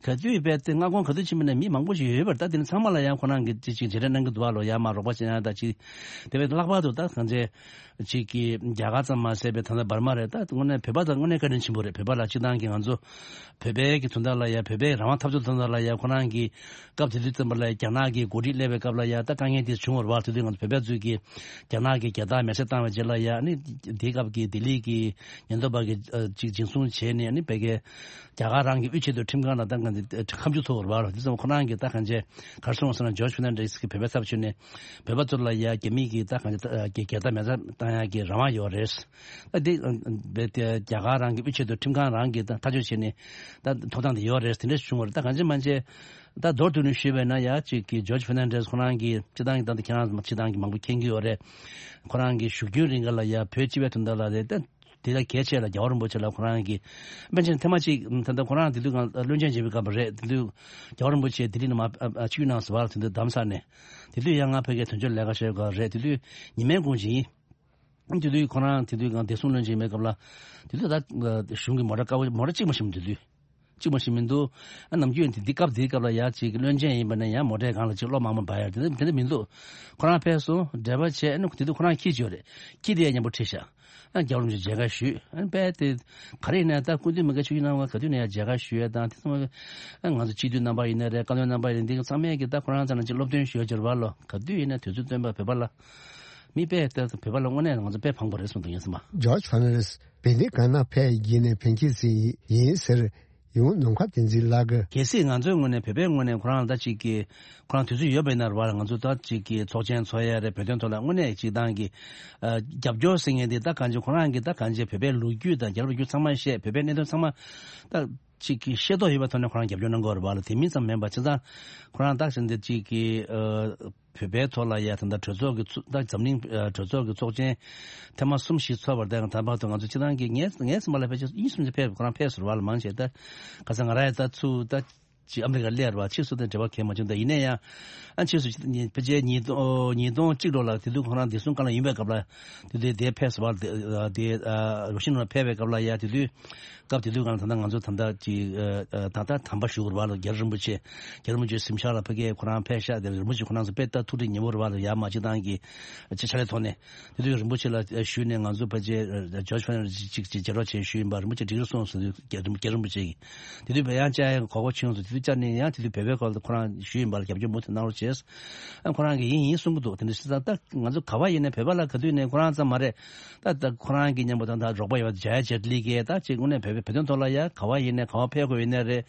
ག་དུས་རྦད་དེ་མངའ་ཁོངས་ག་དུས་ཕྱིན་པ་ཡིན་ནའི་མི་མང་པོ་ཞིག་ཡོད་ཡོད་པ་རེད། ད་དེ་ནི་ཚང་མ་ལ་ཡང་ཁོ་རང་གི་ཅིག་ཅིག་བྱེད་རེས་གནང་གི་འདུག་པ་ལོ། ཡར་མར་རོགས་པ་བྱེད་ཡ་ད་ཅིག་དེ་བས་ལྷག་པར་དུ་ད་གང་ཅི་ཅིག་གི་རྒྱ་གར་ཙམ་མ་ཟད་པའི་ད་ལྟ་འབར་མ་རེད། ད་དངོས་གནས་བོད་པ་དང་དངོས་གནས་བཀའ་དྲིན་ཆེན་པོ་རེད། བོད་པ་ལ་སྤྱི་བཏང་གི་ང་ཚོ་བོད་པའི་གི་དོན་དག་ལ་ཡ་བོད་པའི་རང་དབང་འཐབ་རྩོད་དོན་དག་ལ་ཡ་ཁོ་རང་གི་སྐབས་དེ་དུས་ཙམ་པ་ལ་རྒྱ་ནག་གི་འགོ་ཁྲིད་སླེབས་པའི་སྐབས་ལ་ཡ་ད་དཀའ་ངལ་དེ་བྱུང་བ་རེད་པ། དེ་དུས་ང་ཚོ་བོད་པ་ཚོས་ཀྱི་རྒྱ་ནག་གི་རྒྱལ་དར་མེ་སྲེག་བཏང་བའི་རྗེས་ལ་ཡ་ཨ་ནི་དེའི་སྐབས་ཀྱི་ལྡི་ལི་གི་ཉེན་རྟོག་པ་གིས་ཨ་ཅིག་འཛིན་བཟུང་བྱས་ནས་ཨ་ནི་བོད་ཀྱི་རྒྱ་གར་རང་གི་དབུས་ཆེད་དུ་ཁྲིམས་ཁང་ལ་ད་ང་ཚོ་ཁ་མཆུ་ཚོགས་པ་རེད་པ། དེ་ཙམ་ཁོ་རང་གི་ད་གང་ཅི་གར་སོང་ཟེར་ན་ཇོརྗ་ཕེར་ནན་ཌེ་སི་གི་བོད་པའི་ཚབ་ཞུས་ནས་བོད་པ་ཚོ་ལ་ཡ་རྒྱ་མི་གི་ད་གང་ཅི་ད་གི་རྒྱལ་དར་མེ་སྲེག་བཏང་ཡ་གི་རང་དབང་ཡོད་རེད། ད་དེ་རྦད་དེ་རྒྱ་གར་རང་གི་དབུས་ཆེད་དུ་ཁྲིམས་ཁང་རང་གི་ད་ཐག་གཅོད་བྱས་ནས་ད་ཐོབ་ཐང་དེ་ཡོད་རེད། དེ་འདྲ་བྱུང་བ་རེད། ད་གང་ཅི་མང་ཅི་ད་མདོར་བསྡུས་ནས་ཞུས་པ་ཡིན་ན་ཡ་གཅིག་གི་ཇོརྗ་ཕེར་ནན་ཌེ་སི་ཁོ་རང་གི་སྤྱི་བཏང་གི་ད་ལྟ་ཁྱེད་རང་ཚོ་སྤྱི་བཏང་གི་མང་པོ་མཁྱེན་གྱི་ཡོད་རེད། ཁོ་རང་གི་བཞུགས་རྒྱུན་རིང་ག་ལ་ཡ་བོད་སྤྱི་པའི་དོན་དག་ལ་རེད། ད་ དེ་ལ་གལ་ཆེ་ལ་རྒྱལ་བ་རིན་པོ་ཆེ་ལ་ཁོ་རང་གིས་པཎ་ཆེན་ཐེངས་མ་གཅིག་ད་ལྟ་ཁོ་རང་དེ་དུས་སྒང་བློན་ཆེན་བྱེད་པའི་སྐབས་རེད། དེ་དུས་རྒྱལ་བ་རིན་པོ་ཆེ་ལྡི་ལི་ནས་མར་ཨ་ཨ་ཆིབས་བསྒྱུར་གནང་སོང་བ་ལ། དེ་དུས་རྡ་ས་ནས་དེ་དུས་ཡང་ང་ཕ་གིར་དོན་གཅོད་ལས་ཀ་བྱེད་སྐབས་རེད། དེ་དུས་ཉི་མའི་དགུང་ཇི་ཡིན། དེ་དུས་ཁོ་རང་དེ་དུས་སྒང་བདེ་སྲུང་བློན་ཆེན་ཡིན་པའི་སྐབས་ལ། དེ་དུས་ད་གཞུང་གི་མོ་ཊ་དཀར་པོ་མོ་ཊ་གཅིག་མ་ཞིག་མི་འདུག་དེ་དུས། གཅིག་མ་ཞིག་མི་འདུག་ཨ་ནམ་རྒྱུན་དེ་འདི་སྐབས་འདིའི་སྐབས་ལ་ཡ་གཅིག་བློན་ཆེན་ཡིན་པ་ནས་ཡང་མོ་ཊའི་སྒང་ལ་གཅིག་གློག་མང་པོ་འབར་ཡ་དེ་འདྲ་དེ་འདྲ་མི་འདུག་ཁོ་རང་ཕེབས་སོང་། འབྲེལ་བ་བྱས། ཨ་ནི་དེ་དུས་ཁོ་རང་ཁྱི་ཅིག་ཡོད་རེད། ཁྱི་དེ་ཡང་མཉམ་པོ་ཁྲིད་ཤག་ཨ་རྒྱལ་བ་རིན་པོ་ཆེ་མཇལ་ཁ་ཞུས། ཨ་ནི་དཔེ་དེ་ག་རེ་ཡིན་ན་ད་སྐུ་མདུན་མི་དགེ་ཆོས་ཀྱི་རྣམ་པ་ག་དུས་ནས་ཡང་མཇལ་ཁ་ཞུ་ཡ་དང་། དེ་ཚང་མ་ཨ་ང་ཚོ་སྤྱི་འཐུས་རྣམ་པ་ཡིན་ན་རེད། བཀའ་བློན་རྣམ་པ་ཡིན་ན་འདི་ཚང་མས་ཀྱི་ད་ཁོ་རང་ཚོ་ལ་གཅིག་སློབ་སྟོན་ཞུ་ཡ་སྦྱོར་བ་ལོ། ག་དུས་ཡིན་ན་དུས་ཚོད་བཏོན་པ་བོད་པ་ལ་མི་དཔེ་ད་བོད་པ་ལ་དངོས་གནས་ང་ཚོ་དཔེ་ཕངས་པོ་རེད་གསུངས་འདུག་ཡིན་སྲིད་མ། ཇོརྗ་ཧྥན་རེས་བོད་འདི་གང་ན་ཕེབས་བགྱིས་ནས་ཕན་ཁྱེད་ཟིན་ཡིན་ཟེར། ཡང་ནམ་མཁའ་བསྟན་འཛིན་ལགས་ཀྱིས། གལ་སྲིད་ང་ཚོའི་ངོས་ནས་བོད་པའི་ངོས་ནས་ཁོ་རང་ལ་ད་ཅིག་གི་ཁོ་རང་དུས་ཚོད་ཡོད་པ་ཡིན་ན་རེད་བ་ལ། ང་ཚོ་ད་ཅིག་གི་ཚོགས་ཆེན་ཚོགས་ཡ་རེད། བོད་དོན་ཐོག་ལ་དངོས་གནས་ཅིག་ཏང་གི་ཨ་རྒྱབ་སྐྱོར་ཟེར་མཁན་དེ་ད་གང་ཅི་ཁོ་རང་གི་ད་གང་ཅི་བོད་པའི་ལོ་རྒྱུས་དང་རྒྱལ་རབས་ལོ་རྒྱུས་ཚང་མ་བཤད། བོད་པའི་གནད་དོན་ཚང་མ་ད་ཅིག་གི་ཤེས་རྟོགས་ཡོད་པའི་ཐོག་ནས་ཁོ་རང་རྒྱབ་སྐྱོར་གནང་གི་ཡོད་རེད་བ་ལ། དེ་མིན་ཙམ་མིན་པ་བྱས་ཙང་ཁོ་རང་ད་བྱས་ན་དེ་ཅིག་གི་ཨ། བོད་པའི་ཐོག་ལ་ཡ་ད་ལྟ་གྲོས་ཚོགས་ཀྱི་ཚུ་ད་འཛམ་གླིང་ཨ་གྲོས་ཚོགས་ཀྱི་ཚོགས་ཆེན་ཐེངས་མ་གསུམ་བཞི་ཚོགས་པར་བརྟེན་ད་བར་དུ་ང་ཚོ་སྤྱི་བཏང་གི་ངའི་ངའི་སེམས་པ་ལ་ཕལ་ཆེར་གཉིས་གསུམ་ཅིག་ཕེབས་ཁོ་རང་ཕེབས་ཟེར་བ་ལ་མང་ཆེ་ད་ག་ས་ང་རང་ཡ་ད་ཚུར་ད་ཅི་ཨ་མི་རི་ཀར་སླེབས་རེད་བ། ཕྱིས་སུ་དང་འབྲེལ་བ་གང་ཡང་མ་བྱུང་། ད་ཡིན་ན་ཡང་ཨ་ཕྱིས་སུ་ཕལ་ཆེར་ཉིས་སྟོང་ཉིས་སྟོང་གཅིག་ལོ་ལ་དེ་དུས་ཁོ་རང་བདེ་སྲུང་བཀའ་བློན་ཡིན་པའི་སྐབས་ལ་དེ་དུས་དེ་ཕེབས་ཟེར་བ་ལ་དེ་དེ་ཨ་རུ་ཤིན་ལ་ཕེབས་པའི་སྐབས་ལ་ཡ་དེ་དུས། སྐབས་དེ་དུས་གང་ད་ལྟ་ང་ཚོ་ད་ལྟ་ཅིག་ཨ་ཨ་ད་ལྟ་དམ་པ་ཞུ་དགོས་རེད་བ་ལ། རྒྱལ་བ་རིན་པོ་ཆེ་རྒྱལ་བ་རིན་པོ་ཆེའི་གཟིམ་ཤག་ལ་ཕ་གིར་ཁོ་རང་ཕེབས་ཤག་དེ་རིན་པོ་ཆེ་ཁོ་རང་ཚོ་དཔེ་ལྟ་ཐུགས་ཁྲལ་ཉེ་པོ་རེད་བ་ལ། ཡར་མར་སྤྱི་བཏང་གི་ཅིག་ཕྱག་ལས་ཐོག་ནས་དེ་དུས་རིན་པོ་ཆེ་ལ་ཞུས་ནས་ང་ཚོ་ཕལ་ཆེར་ཇོརྗ་ཧྥན་ཅིག་ཅིག་མཇལ་རོགས་བྱས་ཞུས་ཡིན་པ། རིན་པོ་ཆེ་འགྲིག་རེད་གསུངས་སོང་། རྒྱལ་རྒྱལ་རིན་པོ་ཆེ་གིས་དེ་དུས་བས་ཡང་བཅར་ཡག་གོ་སྐབས་བྱུང་སོང་། དེ་དུས་བཅར་ནས་ཡང་དེ་དུས་བོད་པའི་སྐོར་ལ་ཁོ་རང་ཞུས་ཡིན་པ་ལ་རྒྱབ་སྐྱོར་མུ་མཐུད་གནང་རོགས་བྱས། ཨ་ཁོ་རང་གིས་ཡིན་ཡིན་གསུང་གི་འདུག་དེ་འདྲ་བྱས་ཙང་ད་ང་ཚོ་ག་བ་ཡིན་ནའི་བོད་པ་ལ་ག་དུས་ནས་ཁོ་རང་ཙམ་མ་རེད། ད་ད་ཁོ་རང་གི་མཉམ་པོ་ད་ད་རོགས་པ་ཡོད་པ་ཇ་ཡ་ཇེ་ཏི་ལི་གིས་ད་ཅིག་དངོས་གནས་བོད་བོད་དོན་ཐོག་ལ་ཡ་ག་བ་ཡིན་ནའི་ག་བ་ཕེབས་དགོས་ཡིན་ནའི་རེད།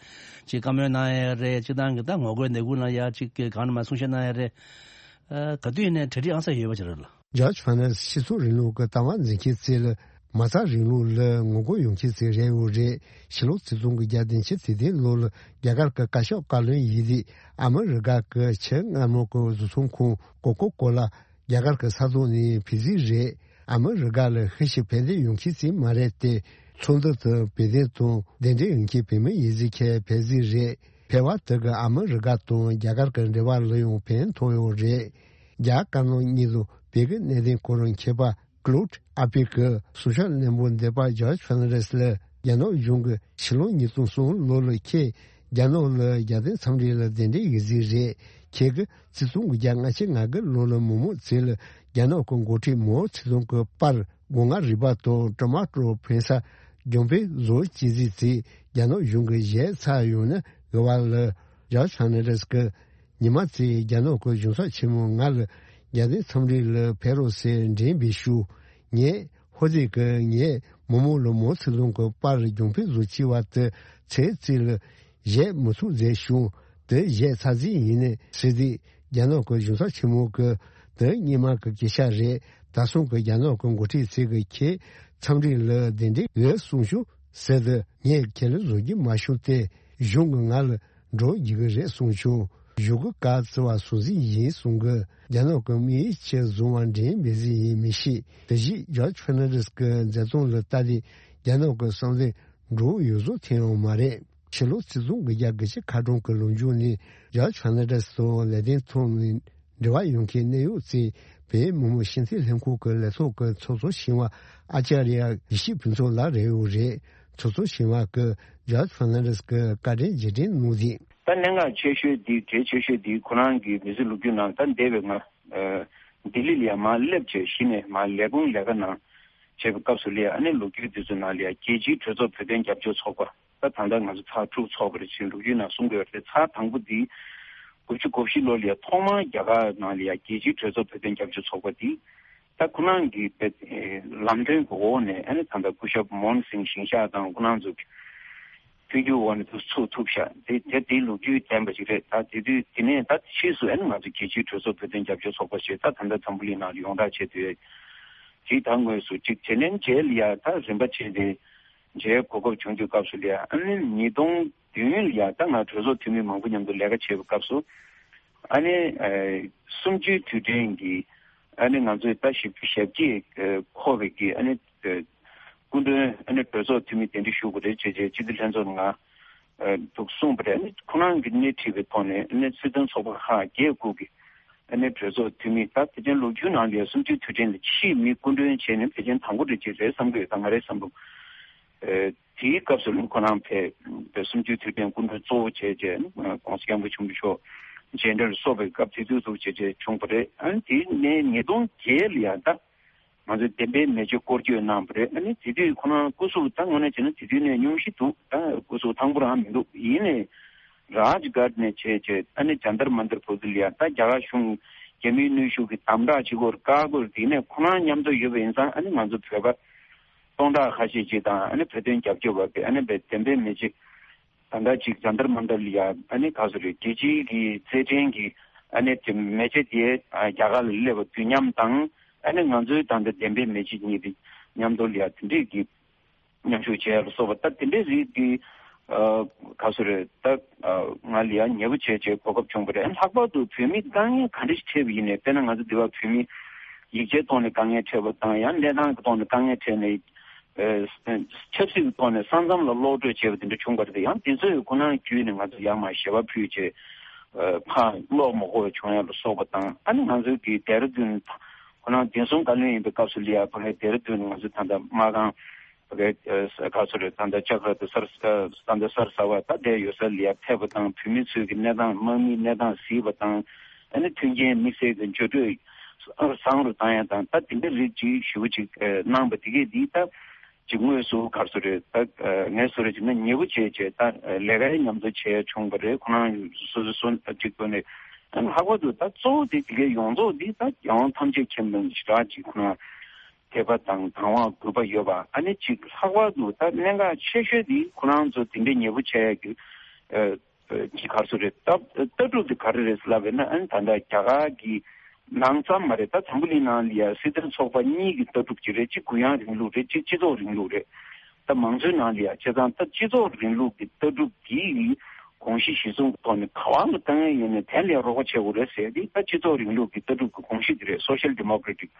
ཅིག་བཀའ་མོལ་གནང་ཡ་རེད། སྤྱི་བཏང་གི་ད་ངོ་རྒོལ་ནད་ཁུལ་ལ་ཡ་ཅིག་གི་གང་ནས་མ་གསུང་བཤད་གནང་ཡ་རེད། ཨ་ག་དུས་ཡིན་ནའི་གྲ་སྒྲིག་ཨང་གསར་ཡོད་པ་ཅིག་རེད་ལ། ཇོརྗ་ཧྥན་རེས་སྤྱི་ཚོགས་རིང་ལུགས་ཀྱི་ལྟ་བ་འཛིན་མཁན་ཚོ་ལ་མ་རྩ་རིང་ལུགས་ལ་ངོ་རྒོལ་ཡོང་མཁན་ཚོ་རེད་འོ་རེད། ཕྱི་ལོ་ཆིག་སྟོང་དགུ་བརྒྱ་བདུན་ཅུ་དོན་བདུན་ལོ་ལ་རྒྱ་གར་གྱི་བཀའ་ཤོག་བཀའ་བློན་ཡིན་དུས་ཨ་མི་རི་ཀ་གི་ཆེས་སྔ་མོ་གི་བཟོ་ཚོང་ཁང་ཀོ་ཀོ་ཀོ་ལ་རྒྱ་གར་གྱི་ས་ཐོག་ནས་ཕུད་རྩིས་རེད། ཨ་མི་རི་ཀ་ལ་ཤུགས་ཆེ་ཕན་བདེ་ཡོང་མཁན་ཞིག་མ་རེད་དེ། ཚོགས་འདུ་དུ་བོད་དོན་དང་གདན་འདྲེན་ཡོང་མཁན་བོད་མི་ཡིན་ཟིག་ཁྱེད་ཕན་ཟིག་རེད། ཕལ་བ་དེ་གི་ཨ་མི་རི་ཀ་དང་རྒྱ་གར་གྱི་འབྲེལ་བ་ལ་ཡང་ཕན་ཐོགས་ཡོད་རེད། རྒྱ་དཀར་ནག་གཉིས་དང་བོད་ཀྱི་གནད་དོན་སྐོར་མཁས་པ་ཀློད་ཨ་པི་ཀི་གསུང་བཤད་རྣོན་པོ་འདེབས་པ་ཇོརྗ་ཧྥན་རེས་ལ་རྒྱ་ནག་གཞུང་གིས་ཕྱི་ལོ་ཉིས་སྟོང་གསུམ་ལོ་ལ་ཁྱེད་རྒྱ་ནག་ལ་རྒྱལ་བསྟན་འཚམས་འདྲི་ལ་གདན་འདྲེན་ཡོད་ཟིག་རེད། ཁྱེད་ཀྱིས་ཆིག་སྟོང་དགུ་བརྒྱ་ལྔ་བཅུ་ང་དགུ་ལོ་ལ་མི་མང་ཚོ་ལ་རྒྱ་ནག་གི་འགོ་ཁྲིད་མའོ་ཙེ་ཏུང་གི་པར་སྒོ་ང་རུས་པ་དང་ཊོ་མ་ཊོ་ཕན་ས་རྒྱང་འཕེན་བཟོ་བྱེད་ཟིག་ཚེ་རྒྱ་ནག་གཞུང་གི་གཞས་ཚར་ཡོང་ན་དགོས་པ་ལ་ཇོརྗ་ཧྥན་རེས་ཀྱིས་ཉི་མ་ཚེ་རྒྱ་ནག་གི་གཞུང་ཚབ་ཆེན་མོ་ང་ལ་རྒྱལ་བསྟན་འཚམས་འདྲི་ལ་ཕེབས་རོགས་ཟེར་འགྲེམས་པའི་ཤུགས། ངས་ཧོ་ཙེ་གི་ངས་མི་མང་ལ་མའོ་ཙེ་ཏུང་གི་པར་རྒྱང་འཕེན་བཟོ་བྱེད་པ་དེ་ཚེ་ཚེ་ལ་གཞས་མི་ཚུགས་མཛད་བྱུང་། དེ་གཞས་ཚར་རྩིས་ཡིན་ནི་ཟེར་དུས་རྒྱ་ནག་གི་གཞུང་ཚབ་ཆེན་མོ་གིས་དེ་སྔོན་མ་གི་སྐད་ཆ་རེད། ད་སོང་གི་རྒྱ་ནག་གི་འགོ་ཁྲིད་ཚོས་གི་ཁྱེད་འཚམས་འདྲི་ལ་གདན་འདྲེན་ཡོད་གསུངས་བྱུང་ཟེར་དུས་ངས་ཁྱེད་ལ་བཟོ་རྒྱུ་མ་བྱུང་སྟེ་གཞུང་གི་ང་ལ་འགྲོ་རྒྱུ་གི་རེད་གསུངས་བྱུང་། གཞུག་གི་བཀའ་བརྩི་བ་སོང་ཟིག་ཡིན་གསུང་གི། རྒྱ་ནག་གི་དམིགས་ཡུལ་ཆེད་བཟུང་བ་འགྲེམས་མེད་ཟིག་ཡིན་མི་ཤེས། དེ་བཞིན་ཇོརྗ་ཧྥན་རེས་ཀྱི་མཛད་རྩོམ་ལ་ལྟ་དུས་རྒྱ་ནག་གི་བསམ་བློ་འགྲོ་ཡོད་བཟོ་ཐེངས་ཡང་མ་རེད། ཕྱི་ལོ་ཆིག་སྟོང་དགུ་བརྒྱ་དགུ་བཅུ་ཁ་གྲངས་ཀྱི་ལོ་མཇུག་ནས་ཇོརྗ་ཧྥན་རེས་དང་ལས་དོན་ཐོག་ནས་འབྲེལ་བ་ཡོད་མཁན་གནད་ཡོད་ཚོས་བོད་མི་མང་སྤྱི་འཐུས་ལྷན་ཁང་གི་ལས་ཐོག་གི་ཚོགས་གཙོ་ཆེན་པོ་ཨ་ཅཱརྱ་ཡེ་ཤེས་ཕུན་ཚོགས་ལགས་རེད་འོ་རེད། ཚོགས་གཙོ་ཆེན་པོ་གིས་ཇོརྗ་ཧྥན་རེས་ཀྱི་བཀའ་དྲིན་རྗེས་དྲན་གནང་ཟིག་ད་གནད་འགག་ཆེ་ཤོས་འདི་གལ་ཆེ་ཤོས་འདི་ཁོ་རང་གི་མི་ཚེ་ལོ་རྒྱུས་ནང་ད་འདས་པའི་ང་ལྡི་ལི་ལ་ཡ་མར་སླེབས་བྱས་གཞི་ནས་མར་ལས་ཁུངས་ལས་ཀ་ནང་བྱས་པའི་སྐབས་སུ་ལ་ཡ་ཨ་ནི་ལོ་རྒྱུས་འདི་ཚོ་ནང་ལ་ཡ་རྒྱལ་སྤྱིའི་གྲོས་ཚོགས་བོད་དོན་རྒྱབ་སྐྱོར་ཚོགས་པ། ད་ད་ལྟ་ང་ཚོ་ཚར་དྲུག་ཚོགས་པ་རེད་ཅེས་ལོ་རྒྱུས་ནང་གསུང་གི་ཡོད་རེད། ཚར་དང་པོ་འདི་དགུ་བཅུ་གོ་བཞི་ལོ་ལ་ཡ་ཐོག་མར་རྒྱ་གར་ནང་ལ་ཡ་རྒྱལ་སྤྱིའི་གྲོས་ཚོགས་བོད་དོན་རྒྱབ་སྐྱོར་ཚོགས་པ་འདི་ད་ཁོ་རང་གི་ལམ་སྟོན་གྱི་འོག་ནས་ཨ་ནི་ད་ལྟ་སྐུ་ཞབས་མོ་ཧན་སིང་ཞིང་གཤེགས་དང་ཁོ་རང་ཚོ་མཐུན་འགྱུར་འོག་ནས་ཚུགས་ཐུབ་ཤག་དེ་དེ་དེའི་ལོ་རྒྱུས་ལྡན་པ་ཞིག་རེད། ད་དེ་དུས་དེ་ནས་ད་ཕྱིས་སུ་ཨ་ནི་ང་ཚོ་རྒྱལ་སྤྱིའི་གྲོས་ཚོགས་བོད་དོན་རྒྱབ་སྐྱོར་ཚོགས་པ་ཞེས་ད་ད་ལྟ་འཛམ་བུ་གླིང་ནང་ཡོངས་གྲགས་བྱས་ཏེ་ཡོད། དེ་ད་དངོས་སུ་གཅིག་དེ་ནས་མཇལ་ཡ་ད་རིམ་པ་བྱས་ཏེ། མཇལ་གོ་སྐབས་བྱུང་དུས་སྐབས་སུ་ལ་ཡ་ཨ་ནི་ཉིས་སྟོང་བདུན་ལ་ཡ་ད་ང་གྲོས་ཚོགས་འཐུས་མི་མང་པོ་མཉམ་དུ་ལས་ཀ་བྱེད་པའི་སྐབས་སུ་ཨ་ནི་གསུམ་བཅུའི་དུས་དྲན་གྱི་ཨ་ནི་ང་ཚོས་ད་བཞི་བཅུ་ཞེ་བརྒྱད་འཁོར་བའི་གི་ཨ་ནི་ སྐུ་མགྲོན་ཨ་ནི་གྲོས་ཚོགས་འཐུས་མི་གདན་འདྲེན་ཞུ་དགོས་རེད་ཅེས་བྱས་སྤྱི་འཐུས་ལྷན་ཚོགས་ནང་ཨ་འདུག་གསུངས་པ་རེད། ཨ་ནི་ཁོ་རང་གིས་སྣེ་ཁྲིད་པའི་ཐོག་ནས་ཨ་ནི་སྲིད་དོན་ཚོགས་པ་ཁག་བརྒྱད་དགུ་གི་ཨ་ནི་གྲོས་ཚོགས་འཐུས་མི་ད་ཕལ་ཆེར་ལོ་རྒྱུས་ནང་ལ་གསུམ་བཅུའི་དུས་དྲན་ལ་ཕྱིའི་མི་སྐུ་མགྲོན་བྱས་ནས་ཕལ་ཆེར་དང་པོ་རེད་ཅེས་རེད་བསམ་གྱི་ཡོད། ད་ང་རའི་བསམ་བློ། ཨེ། དེའི་སྐབས་སུ་ལ་ཁོ་རང་ཕེབས་པའི་གསུམ་བཅུའི་དུས་དྲན་སྐུ་མགྲོན་གཙོ་བོ་བྱས་རྗེས་༸གོང་ས་༸སྐྱབས་མགོན་ཆེན་པོ་མཆོག་མཇལ་འཕྲད་ལ་སོགས་པའི་སྐབས་དེ་དུས་སུ་བྱས་རྗེས་བྱུང་བ་རེད། ཨ་ནི་དེའི་ནས་ཉིས་སྟོང་བརྒྱད་ལ་ཡང་ད་ང་ཚོས་བདེན་པའི་མེ་ལྕེ་སྐོར་སྐྱོད་གནང་བ་རེད། ཨ་ནི་དེ་དུས་ཁོ་རང་སྐུ་གཟུགས་ད་དངོས་གནས་བྱས་ན་དེ་དུས་ནས་སྙུང་གཞི་འདུག་ད་སྐུ་གཟུགས་ཐང་པོ་རང་མི་འདུག་ཡིན་ནའི་རཱཇ་གྷཊ་ནས་བྱས་རྗེས་ཨ་ནི་ཇཱན་ཏར་མན་ཏར་བར་དུ་ལ་ཡང་ད་རྒྱ་གར་གཞུང་རྒྱ་མིའི་གནོན་ཤུགས་ཀྱི་དམ་དྲག་བྱེད་སྒོར་བཀག་སྒོར་དེ་ནས་ཁོ་རང་མཉམ་དུ་ཡོད་པ་ཡིན་ཙང་ཨ་ནི་ང་ཚོ་བོད་པ། སྟོང་ཕྲག་ཁ་ཤས་ཅིག་དང་ཨ་ནི་བོད་དོན་རྒྱབ་སྐྱོར་བ་དེ་ཨ་ནི་བདེན་པའི་མེ་ལྕེ་ད་ལྟ་ཅིག་ཇཱན་ཏར་མན་ཏར་ལ་ཡ་ཨ་ནི་ག་ཚོད་རེད། རྒྱལ་སྤྱིའི་གི་རྩེད་འགྲན་གྱི་ཨ་ནི་དེ་མེ་ལྕེ་དེ་རྒྱ་གར་ལ་སླེབས་པ་དུས་མཉམ་དང་ཨ་ནི་ང་ཚོའི་ད་ལྟ་བདེན་པའི་མེ་ལྕེ་གཉིས་དེ་མཉམ་དུ་ལ་ཡ་དེ་འདྲས་ཀྱི་མཉམ་ཞུགས་བྱས་ལ་སོགས་པ་ད་དེ་འདྲས་རིགས་ཀྱི་ག་ཚོད་རེད། ད་ང་ལ་ཡ་ཉེ་པོ་བྱས་བྱས་གོ་སྐབས་བྱུང་བ་རེད། ལྷག་པར་དུ་བོད་མི་དཀའ་ངལ་ག་འདྲས་ཤིག་འཕྲད་པ་ཡིན་ནའི་དཔེར་ན་ང་ཚོ་འདི་བ་བོད་མི་ཡིག་ཆའི་ཐོག་ནས་དཀའ་ངལ་འཕྲད་པ་དང་ཡང་གནས་སྟངས་ཀྱི་ཐོག་ནས་དཀའ་ངལ་འཕྲད་ནས། ཨེ། ཆབ་སྲིད་ཀྱི་ཐོག་ནས་ས་མཚམས་ལ་གློད་གྲོལ་བྱས་པ་དེ་འདྲ་བྱུང་བ་རེད། ཡང་དེ་ཚོས་ཁོ་ན་བརྒྱུད་ནས་ང་ཚོ་ཡར་མར་ཞལ་པར་ཕུལ་བྱས། ཨེ། ཕར་གློག་མ་གོ་བ་བྱུང་ཡ་ལ་སོགས་པ་དང་ཨ་ནི་ང་ཚོའི་གི་ཌེ་ར་ཌུན་ཁོ་ན་བདེ་སྲུང་བཀའ་བློན་ཡིན་པའི་སྐབས་སུ་ལ་ཡ་ཕ་གའི་ཌེ་ར་ཌུན་ང་ཚོ་ད་ལྟ་དམག་ཁང་ཕ་གའི་ཨེ་ག་ཚོད་རེད། ད་ལྟ་ལྕགས་ར་དང་སར་ད་ལྟ་སར་ཟ་བ་ད་ལྟའི་ཡོད་ས་ལ་ཡ་ཕེབས་པ་དང་བོད་མི་ཚོའི་གི་གནས་སྟངས་དམག་མིའི་གནས་སྟངས་གཟིགས་པ་དང་ཨ་ནི་མཐུན་རྐྱེན་དམིགས་བསལ་གྱི་འགྱུར་འགྲོས། བཟང་རུ་བཏང་ཡ་དང་ད་དེ་འདྲ་རིགས་ཅིག་ཞེ་པོ་ཅིག་གནང་པ་དེ་གས་འདི་ད་ཅིག་དངོས་སུ་ག་རེ་ཟེར་རེད། ད་ངས་བཟོ་རེད་ཅིག་ན་ཉེ་པོ་བྱས་བྱས་ད་ལས་ཀའི་མཉམ་དུ་བྱས་བྱུང་བ་རེད། ཁོ་རང་སོ་སོ་སོ་ཅིག་ཐོག་ནས་ཨ་ནི་ལྷག་པར་དུ་ད་གཙོ་བོ་དེ་དེ་གས་ཡོངས་རྫོགས་འདི་ད་རྒྱལ་དབང་ཐམས་ཅད་མཁྱེན་པའི་ཞེ་དྲག་ཅིག་ཁོ་རང་དད་པ་དང་དང་བ་གུས་པ་ཡོད་པ་ཨ་ནི་ཅིག་ལྷག་པར་དུ་ད་གནད་འགག་ཆེ་ཤོས་འདི་ཁོ་རང་ཚོ་དེ་འདྲའི་ཉེ་པོ་བྱས་ཡ་གི་ཅིག་ག་རེ་ཟེར་རེད། ལྟ་ལྟ་གྲུབ་དེ་ག་རེ་རེད་ལབ་པས་ན་ཨ་ནི་ད་ལྟ་རྒྱ་གར་གྱི་ནང་ཙམ་མ་རེད། ད་འཛམ་བུ་གླིང་ནང་ལ་ཡ་སྲིད་དོན་ཚོགས་པ་གཉིས་ཀྱི་ལྟ་གྲུབ་ཅིག་རེད། གཅིག་གུ་ཡངས་རིང་ལུགས་རེད། གཅིག་སྤྱི་ཚོགས་རིང་ལུགས་རེད། ད་མང་གཙོའི་ནང་ལ་ཡ་བྱས་ཙང་ད་སྤྱི་ཚོགས་རིང་ལུགས་ཀྱི་ལྟ་གྲུབ་དེའི་དགོངས་གཞི་གཞི་བཟུང་གི་ཐོག་ནས་ག་བ་ལ་བཏང་ཡས་ཡོད་ནས་དེ་ལ་ཡ་རོགས་པ་བྱེད་དགོས་རེད་ཟེར་ཏེ་ད་སྤྱི་ཚོགས་རིང་ལུགས་ཀྱི་ལྟ་གྲུབ་ཀྱི་དགོངས་གཞི་དེ་རེད། སོ་ཤལ་ཌི་མོ་ཀེ་རེ་ཊིག་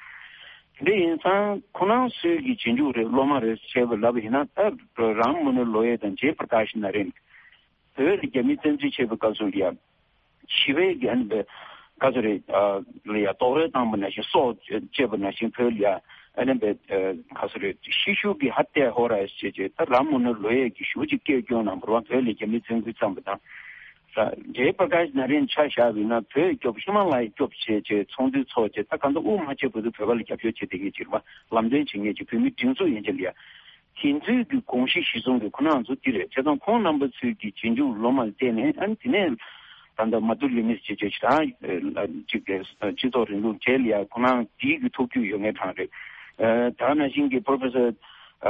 དེ་འདྲ་ཡིན་ཙང་ཁོ་རང་ཚོའི་གི་རྗེས་འཇུག་རེད། སློབ་མ་རེད་བྱས་པ་ལབ་པ་ཡིན་ན་ད་རམ་མོ་ནོ་ལོ་ཡེ་དང་ཇེ་པྲ་ཀཱཤ་ན་རེན། བོད་ལ་རྒྱ་མི་བཙན་འཛུལ་བྱས་པའི་སྐབས་སུ་ཡང་ཞི་བའི་གི་ཨ་ནི་བཀའ་ཚོ་རེད། ལ་ཡང་རྡོག་རོལ་བཏང་པ་ནང་བཞིན་སྲོག་བཅད་པ་ནང་བཞིན་བོད་ལ་ཡང་ཨ་ནི་བཀའ་ཚོ་རེད། ཤི་ཤུ་གི་ཧ་ཏེ་ཧོ་ར་ཞེས་བྱས་ད་ར་མོ་ནོ་ལོ་ཡས་ཀྱི་ཞུ་ཅིག་སྐད་སྐྱོན་གནང་བར་བ་བོད་ལ་རྒྱ་མི་བཙན་འཛུལ་བརྩམས་པ་དང་། ར་ཇེ་པྲ་ཀཱཤ་ན་རེན་ཆ་བཞག་པ་ཡིན་ན་བོད་སྐྱོབ་ཧི་མ་ལ་ཡ་སྐྱོབ་བྱས་བྱས་ཚོགས་འདུ་ཚོགས་བྱས་ད་གང་ལྟར་དབུ་མ་ཆེ་བོད་དུ་བོད་པ་ལ་རྒྱབ་སྐྱོར་བྱེད་བསྡད་མཁན་ཅིག་རེད་བ། ལམ་སྟོན་བྱེད་མཁན་ཅིག་བོད་མི་སྒྲིག་འཛུགས་ཡན་ཆད་ལ་ཡ། དེ་ཚོའི་གི་དགོངས་གཞི་གཞི་བཟུང་གི་ཁོ་རང་ཚོ་འདི་རེད། བྱས་ཙང་ཁོང་རྣམ་པ་ཚོའི་གི་རྗེས་འཇུག་སློབ་མ་ལ་བརྟེན་ནས་ཨ་ནི་དེ་ནས་ད་ལྟ་མ་ཏུ་ལི་མིས་ཅེས་བྱས་ཞེ་དྲག་ཅིག་གི་སྤྱི་ཚོགས་རིང་ལུགས་གྲས་ལ་ཡ་ཁོ་རང་འདིའི་གི་ཐུགས་རྒྱུས་ཡོད་མཁན་གྲས་རེད། ད་ག་ནང་བཞིན་གི་པྲོ་ཕེ་སར་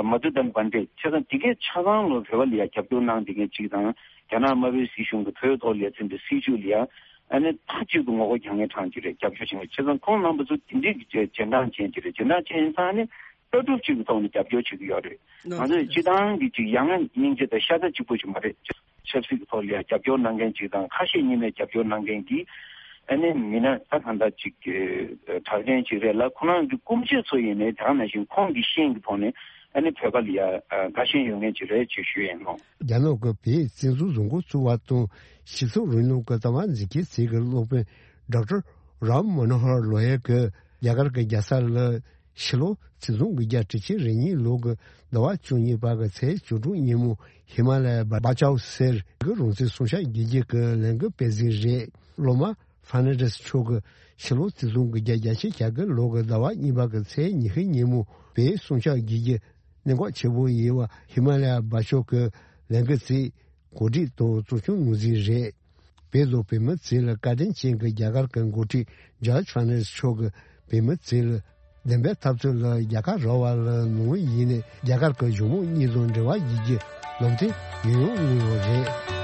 མ་ཏུ་དན་པན་ཌེ་བྱས་ཙང་དེ་གའི་ཆ་ཚང་ལོ་བོད་པ་ལ་ཡ་རྒྱབ་སྐྱོར་གནང་བསྡད་མཁན་ཅིག་དང་རྒྱ་ནག་དམར་པོའི་སྲིད་གཞུང་གི་བོད་ཐོག་ལ་ཡ་འཛིན་པའི་སྲིད་བྱུས་ལ་ཡ་ཨ་ནི་མཐའ་གཅིག་ཏུ་ངོ་རྒོལ་རྒྱག་མཁན་གྲས་ཅིག་རེད། རྒྱབ་སྐྱོར་བྱེད་མཁན་བྱས་ཙང་ཁོང་རྣམ་པ་ཚོ་དེ་འདྲའི་གི་རྗེས་འབྲང་ཅན་ཅིག་རེད། རྗེས་འབྲང་ཅན་ཡིན་ཙང་ཨ་ནི། ལྟ་གྲུབ་ཅིག་གི་ཐོག་ནས་རྒྱབ་སྐྱོར་བྱེད་ཀྱི་ཡོད་རེད། ང་ཚོས་སྤྱི་བཏང་གི་ཅིག་ཡ་ང་སྙིང་རྗེ་དང་ཤ་ཚ་གཅིག་པོ་ཞིག་མ་རེད། ཆབ་སྲིད་ཀྱི་ཐོག་ལ་ཡང་རྒྱབ་སྐྱོར་གནང་མཁན་ཅིག་དང་ཁ་ཞེ་གཉིས་མེད་རྒྱབ་སྐྱོར་གནང་མཁན་གྱི་ཨ་ནི་མི་སྣ་ད་གང་ལྟར་ཅིག་གྲགས་ཅན་ཅིག་རེད་ལ། ཁོ་རང་གི་སྐུ་མཆེད་ཚོ་ཡིན་ནའི་ད་ག་ནང་བཞིན་ཁོང་གི་ཤེས་ཀྱི་ཐོག་ནས་ཨ་ནི་བོད་པ་ལ་ཡང་དགའ་ཞེན་ཡོད་མཁན་ཅིག་རེད་ཅེས་ཞུ་ཡིན་ནོ། རྒྱ་ནག་གི་བོད་བཙན་འཛུལ་བཟོ་འགོ་བཙུགས་པ་དང་སྤྱི་ཚོགས་རིང་ལུགས་ཀྱི་ལྟ་བ་འཛིན་སྐྱོང་ཆེད་ཀྱི་སློབ་དཔོན་ཌོག་ཊར་རམ་མོ་ནོ་ཧར་ལོ་ཡ་གིས་རྒྱ་གར་གྱི་རྒྱལ་ས་ལ། ཕྱི་ལོ་ཆིག་སྟོང་དགུ་བརྒྱ་དྲུག་ཅུ་རེ་གཉིས་ལོ་གི་ཟླ་བ་བཅུ་གཉིས་པ་གི་ཚེས་བཅུ་དྲུག་ཉིན་མོ་ཧི་མ་ལ་ཡའི་བྷ་ཅའོ་ཟེར་གི་རང་བཙན་སྲུང་སྐྱོབ་རྒྱུད་རྒྱུད་ཀྱི་ལས་འགུལ་སྤེལ་གཟིགས་རེད། སློབ་མ་ཧྥ་ནན་ཌེས་མཆོག་གིས་ཕྱི་ལོ་ཆིག་སྟོང་དགུ་བརྒྱ་བརྒྱད་ཅུ་གྱ་དགུ་ལོ་གི་ཟླ་བ་གཉིས་པ་གི་ཚེས་ཉི་ཤུ་ཉིན་མོ་བོད་སྲུང་སྐྱོབ་རྒྱུད་རྒྱུད་གནད་འགག་ཆེ་བོ་ཡིན་པ་ཧི་མ་ལ་ཡའི་བྷ་ཅའོ་གི་ལས་འགུལ་རྩིས། གོ་སྒྲིག་དང་གཙོ་སྐྱོང་ངོས་འཛིན་རེད། བོད་དང་བོད་མི་ཚོ་ལ་བཀའ་དྲིན་ཅན་གྱི་རྒྱ་གར་གྱི་འགོ་ཁྲིད་ཇོརྗ་ཕར་ནན་ཌེས་མཆོག་གིས་བོད་མི་ཚོ་ལ་བདེན་པའི་འཐབ་རྩོད་ལ་རྒྱལ་ཁ་རག་པ་ལ་ནང་བཞིན་རྒྱ་གར་གྱི་གཞུང་མང་གཉིས་དང་འབྲེལ་བ་ཡོད་རྒྱུ་ལམ་སྟོན་ཡང་ཡང་གནང་ཡོད་རེད།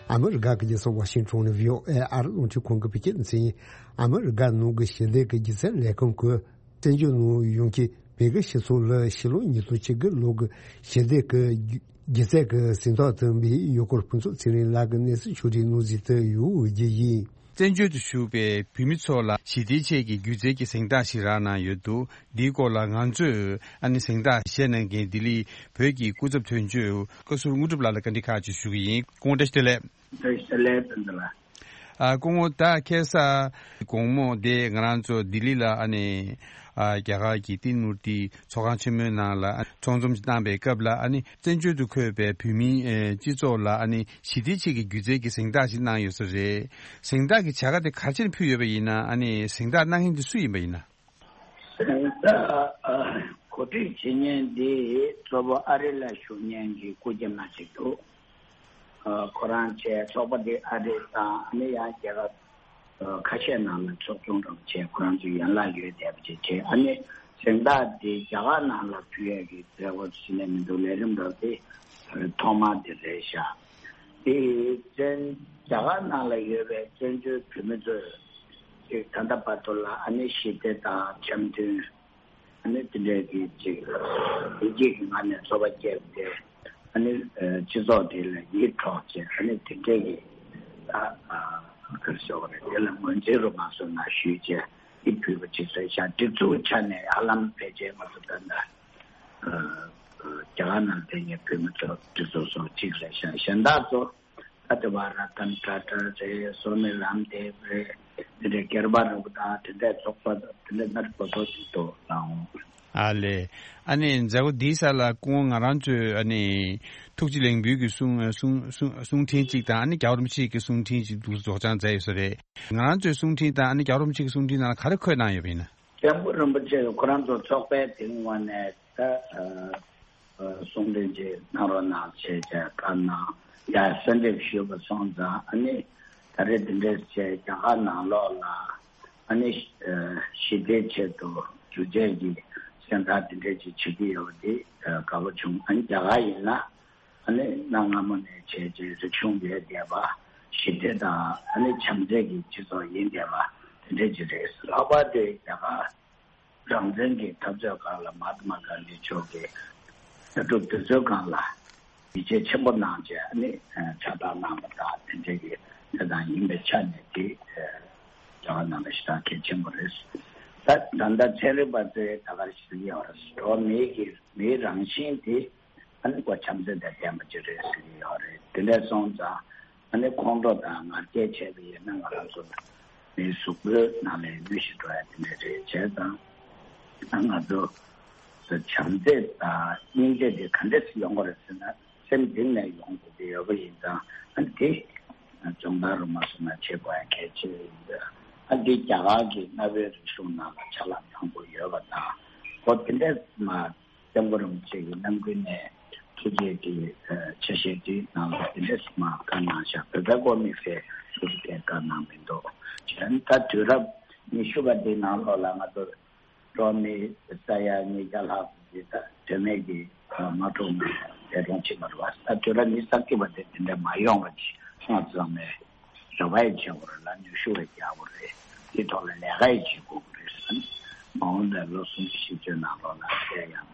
ཨ་མི་རི་ཀ་གི་རྒྱལ་ས་ཝ་ཤིང་ཊོན་ནས་བྷི་ཨོ་ཨེ་ཨ་རི་རླུང་འཕྲིན་ཁང་གི་བོད་སྐད་སྡེ་ཚན་ཡིན། ཨ་མི་རི་ཀ་ནང་གི་ཞི་བདེ་གི་སྒྱུ་རྩལ་ལས་ཁུངས་ཀྱིས་བཙན་བྱོལ་ནང་ཡོང་མཁན་ བོད་ཀྱི་སྤྱི་ཚོགས་ལ་ཕྱི་ལོ་ཉིས་སྟོང་ཆིག་གི་ལོ་གི་ཞི་བདེ་གི་སྒྱུ་རྩལ་གྱི་གཟེངས་རྟགས་ཐོན་པའི་ཡུལ་སྐོར་ཕུན་ཚོགས་ཚེ་རིང་ལགས་ཀྱི་གནས་ཚུལ་ཕྱོགས་སྒྲིག་གནང་གཟིགས་དུ་ཡོད་རྒྱུ་ཡིན། བཙན་བྱོལ་དུ་བཞུགས་པའི་བོད་མི་ཚོ་ལ་ཞི་བདེའི་ཆེད་ཀྱི་སྒྱུ་རྩལ་གྱི་གཟེངས་རྟགས་ཤིག་རག་གནང་ཡོད་འདུག་འདིའི་སྐོར་ལ་ང་ཚོས་ཨ་ནི་གཟེངས་རྟགས་བཞེས་གནང་མཁན་ལྡི་ལི་བོད་ཀྱི་སྐུ་ཚབ་དོན་གཅོད་བཀའ་ཟུར་དངོས་གྲུབ་ལགས་ལ་བཀའ་འདྲི་ཁག་ཅིག་ཞུ་གི་ཡིན། སྐུ་ངོ་བཀྲ་ཤིས་བདེ་ལེགས། བཀྲ་ཤིས་བདེ་ལེགས་ཕུན་ཚོགས་ལགས། ཨ་སྐུ་ངོ་ད་ཁ་སང་དགོང་མོ་དེ་ང་རང་ཚོ་ལྡི་ལི་ལ་ཨ་ནི་ཨ་རྒྱ་གར་གྱི་ཏི་མུར་ཏི་ཚོགས་ཁང་ཆེན་མོའི་ནང་ལ་ཨ་ཚོགས་འཛོམས་ཤིག་བཏང་པའི་སྐབས་ལ་ཨ་ནི་བཙན་བྱོལ་དུ་འཁོད་པའི་བོད་མིའི་ཨེ་སྤྱི་ཚོགས་ལ་ཨ་ནི་ཞི་བདེའི་ཆེད་ཀྱི་སྒྱུ་རྩལ་གྱི་གཟེངས་རྟགས་ཤིག་གནང་ཡོད་ས་རེད། གཟེངས་རྟགས་ཀྱི་བྱ་དགའ་དེ་ག་རེ་བྱས་ནས་ཕུལ་ཡོད་པ་ཡིན་ན། ཨ་ནི་གཟེངས་རྟགས་གནང་མཁན་དེ་སུ་ཡིན་པ་ཡིན་ན། གཟེངས་རྟགས་གོ་སྒྲིག་བྱེད་མཁན་འདི་གཙོ་བོ་ཨ་རི་ལ་བཞུགས་མཁན་གྱི་སྐུ་སྐྱེ་མ་ཅིག་འདུག་ཁོ་རང་བཅས་ཚོགས་པ་འདི་ཨ་རི་དང་ཨ་ནི་ཡང་རྒྱལ་ཁབ་ཁ་ཤས་ནང་ལ་ཚོགས་ཆུང་འདྲ་བོ་བྱས། ཁོ་རང་ཚོའི་ཡན་ལག་ཡོད་བསྡད་པ་ཅིག་བྱས། ཨ་ནི་གཟེངས་རྟགས་འདི་རྒྱ་གར་ནང་ལ་ཕུལ་ཡས་ཀྱི་མཛད་སྒོ་ཞིག་ནས་མི་འདུག་ལས་རིམ་འདྲ་བོ་དེ་ཐོག་མ་དེ་རེད་ཤག་དེ་བཙན་རྒྱ་གར་ནང་ལ་ཡོད་པའི་བཙན་བྱོལ་བོད་མི་ཚོས་ཅིག་ད་ལྟ་བར་དུ་ལ་ཨ་ནི་ཞི་བདེ་དང་འཆམ་མཐུན། ཨ་ནི་དེ་འདྲའི་གི་ཅིག་ཡིད་ཆེས་ཀྱི་ངང་ནས་ཚོགས་པ་བརྒྱབ་སྟེ། ཨ་ནི་ཨ་སྤྱི་ཚོགས་དེ་ལ་ཡིད་འཕྲོག་བྱས། ཨ་ནི་དེ་འདྲའི་གི་ཨ་ཨ་ག་རེ་ཟེར་དགོས་རེད། དེ་ལ་ངོས་འཛིན་རུ་མ་སོང་ན་ཞུས་བྱས་ཡིད་ཕུལ་བ་ཅིག་རེད་ཤག་སྒྲིག་འཛུགས་ཆ་ནས་ཧ་ལམ་ཕལ་ཆེར་ང་ཚོ་ད་ལྟ་ཨ་ཨ་རྒྱ་གར་ནང་བསྡད་མཁན་བོད་མི་ཚོ་སྒྲིག་འཛུགས་སོགས་གཅིག་རེད་ཤག་གཞན་དག་ཚོ། ད་དེ་བ་ར་ཏན་ཊ་ཊ་རེད། སོ་ནི་རམ་དེབ་རེད། དེ་འདྲའི་སྒེར་པ་རེད་པ། ད་དེ་འདྲའི་ཚོགས་པ་དེ་འདྲའི་སྣ་ཁ་ཚོགས་ཅིག་འདུག་ལའང་། ཨ་ལས། ཨ་ནི་མཛད་སྒོ་འདིའི་ས་ལ་སྐུ་ངོ་ང་རང་ཚོས་ཨ་ནི་ཐུགས་རྗེ་ལེགས་འབུལ་གྱི་གསུང་གསུང་གསུང་གསུང་འཕྲིན་གཅིག་དང་། ཨ་ནི་རྒྱལ་བ་རིན་པོ་ཆེ་གི་གསུང་འཕྲིན་གཅིག་འདུག་སེ་སྒྲོག་སྦྱང་མཛད་ཡོད་ས་རེད། ང་རང་ཚོའི་གསུང་འཕྲིན་དང་ཨ་ནི་རྒྱལ་བ་རིན་པོ་ཆེ་གི་གསུང་འཕྲིན་ནང་ལ་ག་རེ་འཁོད་གནང་ཡོད་པ་ཡིན་ན། སྐྱབས་མགོན་རིན་པོ་ཆེ་ཁོ་རང་ཚོ་ཚོགས་པའི་དེའི་ངོས་ནས་ད་ཨ་ཨ་གསུང་འཕྲིན་ཅིག་གནང་རོགས་གནང་བྱས་བྱས་བཀའ་གནང་ཡ་གསོལ་འདེབས་ཞུས་པ་སོང་ཙང་། ཨ་ནི་ད་རེས་འདི་འདྲས་བྱས་རྒྱ་གར་ནང་ལོགས་ལ་ཨ་ནི་ཨ་ཞི་བདེའི་ཆེད་དུ་སྒྱུ་རྩལ་གྱི་གཟེངས་རྟགས་འདི་འདྲས་ཅིག་བྱེད་ཀྱི་ཡོད་པ་འདི་ཨ་དགའ་པོ་བྱུང་། ཨ་ནི་རྒྱ་གར་ཡིན་ན། ཨ་ནི་གནའ་སྔ་མོ་ནས་བྱས་རྗེས་རིག་གཞུང་ཡོད་བསྡད་པ། ཞི་བདེ་དང་ཨ་ནི་བྱམས་བརྩེ་གི་སྤྱི་ཚོགས་ཡིན་བསྡད་པ་དེ་འདྲ་ཅིག་རེད། ལྷག་པར་དུ་རྒྱ་གར་རང་བཙན་གྱི་འཐབ་རྩོད་སྒང་ལ་མ་ཧཱ་ཏ་མ་གྷན་དྷི་མཆོག་གིས་ལྟ་གྲུབ་དེ་ཚོའི་སྒང་ལ་ཡིད་ཆེས་ཆེན་པོ་གནང་བྱས། ཨ་ནི་ཕྱག་རྟགས་གནང་བ་དང་དེ་འདྲ་གི་དེ་དང་ཡིན་པའི་ཆ་ནས་དེ་རྒྱ་གར་ནང་ལ་ཞེ་དྲག་གལ་ཆེན་པོ་རེད། ད་ད་ལྟ་ཚན་རིག་པ་ཚོས་ད་ག་རེ་ཞིག་ཡོད་རེད། འགྲོ་བ་མིའི་གི་མིའི་རང་བཞིན་དེ། ཨ་ནི་ཁོ་བྱམས་བརྩེ་དང་ལྡན་པ་ཅིག་རེད་ཟེར་གྱི་ཡོད་རེད། དེ་འདྲ་སོང་ཙང་ཨ་ནི་ཁོང་ཁྲོ་དང་ང་རྒྱལ་བྱས་པ་ཡིན་ན་ང་རང་ཚོ་མིའི་གཟུགས་པོའི་ནང་ལ་གནོད་གཞི་འགྲོ་ཡ་དེ་འདྲ་རེད། བྱས་ཙང་ཨ་ང་ཚོ་བྱམས་བརྩེ་དང་སྙིང་རྗེ་དེ་ག་འདྲས་སེ་ཡོང་གི་རེད་ཟེར་ན། སེམས་གཏིང་ནས་ཡོང་དགོས་ཀྱི་ཡོད་པ་ཡིན་ཙང་། ཨ་ནི་དེ་སྦྱོང་བརྡར་རུ་མ་སོང་ན་བྱེད་དགོས་ཡ་གལ་ཆེ་ཡིན་པས། ཨ་འདི་རྒྱ་གར་གྱི་གནའ་བོའི་རིག་གཞུང་ནང་ལ་ཆ་ལག་མང་པོ་ཡོད་པ་དང་། ཁོ་དེ་འདྲས་མ། སྐྱབས་མགོན་རིན་པོ་ཆེ་གི་རྣམ་ཀུན་ནས་ཐུགས་རྗེ་གི་ཆ་ཤས་དེ་ནང་ལ་དེ་འདྲས་མ་བཀའ་གནང་བཞག་བོད་པའི་དབུ་མའི་སྐད་ཐུགས་རྗེ་བཀའ་གནང་མི་འདུག་བྱས་ད་དུས་རབས་ཉི་ཤུ་པ་འདི་ནང་ལོགས་ལ་ང་ཚོ་འགྲོ་བ་མིའི་ས་ཡ་ཉིས་བརྒྱ་ལྷག་ཙམ་ཅིག་ད་དོན་མེད་ཀྱི་མ་འཁྲུག་ནས་འདས་གྲོངས་ཕྱིན་པ་རེད་བ། ད་དུས་རབས་ཉི་ཤུ་རྩ་གཅིག་པ་དེ་དེ་འདྲ་མ་ཡོང་བ་ཅིག་སྔ་ཙམ་ནས་རེ་བ་ཡང་བྱེད་དགོས་རེད་ལ། ནུས་ཤུགས་ཡང་རྒྱག་དགོས་རེད། དེ་ཐོག་ལ་ལས་ཀ་ཡང་བྱེད་དགོས་རེད་ཟེར། མ་འོངས་པའི་ལོ་སུམ་ཅུ་བཞི་བཅུ་ནང་ལོགས་ལ་དེ་ཡང་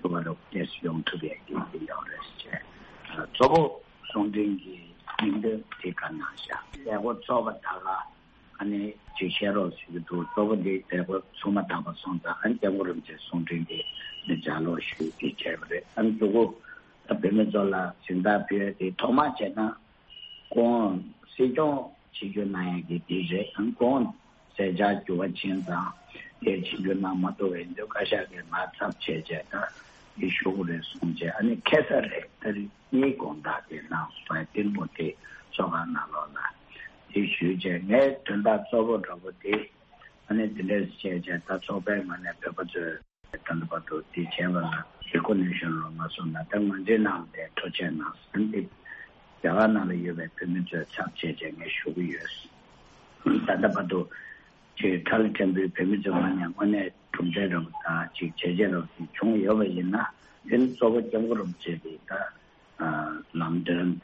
ཐུབ་པ་རུ་སྐྱེས་སུ་ཡོང་ཐུབ་ཡས་ཀྱི་ཡོང་རེད་ཅེས། གཙོ་བོ་གསུང་འཕྲིན་གྱི་སྙིང་དོན་དེ་ག་ནང་བཞག་ལས་འགོ་ཚོགས་པ་དག་ལ་ཨ་ནི་ཅིག་བཤད་རོགས་ཟེར་གྱི་འདུག་གཙོ་བོ་འདི་ལས་འགོ་ཚུགས་མ་ཐག་པ་སོང་ཙང་། ཨ་ནི་སྐྱབས་མགོན་རིན་པོ་ཆེའི་གསུང་འཕྲིན་དེ་ནི་ལྗགས་ཀློག་ཞུས་ཏེ་བྱས་པ་རེད། ཨ་ནི་མཛུབ་གུ་ད་བོད་མི་ཚོ་ལ་གཟེངས་རྟགས་ཕུལ་ཡས་དེ་ཐོག་མ་བྱས་ན། སྐུ་ངོ་སྲིད་སྐྱོང་ཆིབས་བསྒྱུར་གནང་ཡག་གི་དེ་རེད། ཨང་སྐུ་ངོ་མཛད་འཆར་འགྱུར་བ་ཕྱིན་ཙང་དེ་ཆིབས་བསྒྱུར་གནང་མ་ཐུབ་པ་ཡིན་དུས་བཀའ་ཤག་གིས་མར་ཚབ་བྱས་བྱས་ད་དེ་ཞུ་དགོས་རེད་གསུངས་བྱས། ཨ་ནི་ཁ་སང་རེད། ཏ་རིག་གཉིས་དགོང་དག་དེ་ནང་སོང་བའི་ཏིལ་མོ་དེ་ཚོགས་ཁང་ནང་ལོགས་ལ་དེ་ཞུས་བྱས། ངའི་དོན་དག་གཙོ་བོ་འདྲ་པོ་དེ་ཨ་ནི་དེ་འདྲས་བྱས་བྱས་ད་ཚོགས་པའི་ངོས་ནས་བོད་པ་ཚོས། ད་ལྟ་བར་དུ་དེ་བྱས་པ་ལ་རེ་ཀོ་ནེ་ཤན་རོགས་མ་སོང་ན་ད་ང་ཚོའི་ནང་ལ་ཐུགས་རྗེ་གནང་ཟེར་ཏེ་རྒྱ་གར་ནང་ལ་ཡོད་པའི་བོད་མི་ཚོས་ཚབ་བྱས་བྱས་ངས་ཞུ་གི་ཡོད། ད་ལྟ་བར་དུ་ཅིག་ཁྲ་ལ་ཕྲན་བུའི་བོད་མི་ཚོའི་ངོས་ནས་དངོས་གནས་གྲུབ་འབྲས་རབ་དང་ཅིག་བྱས་རྗེས་རབ་ཅིག་བྱུང་ཡོད་པ་ཡིན་ན། དེ་ནི་གཙོ་བོ་སྐྱབས་མགོན་རིན་པོ་ཆེ་གིས་ད་ལམ་སྟོན་དང་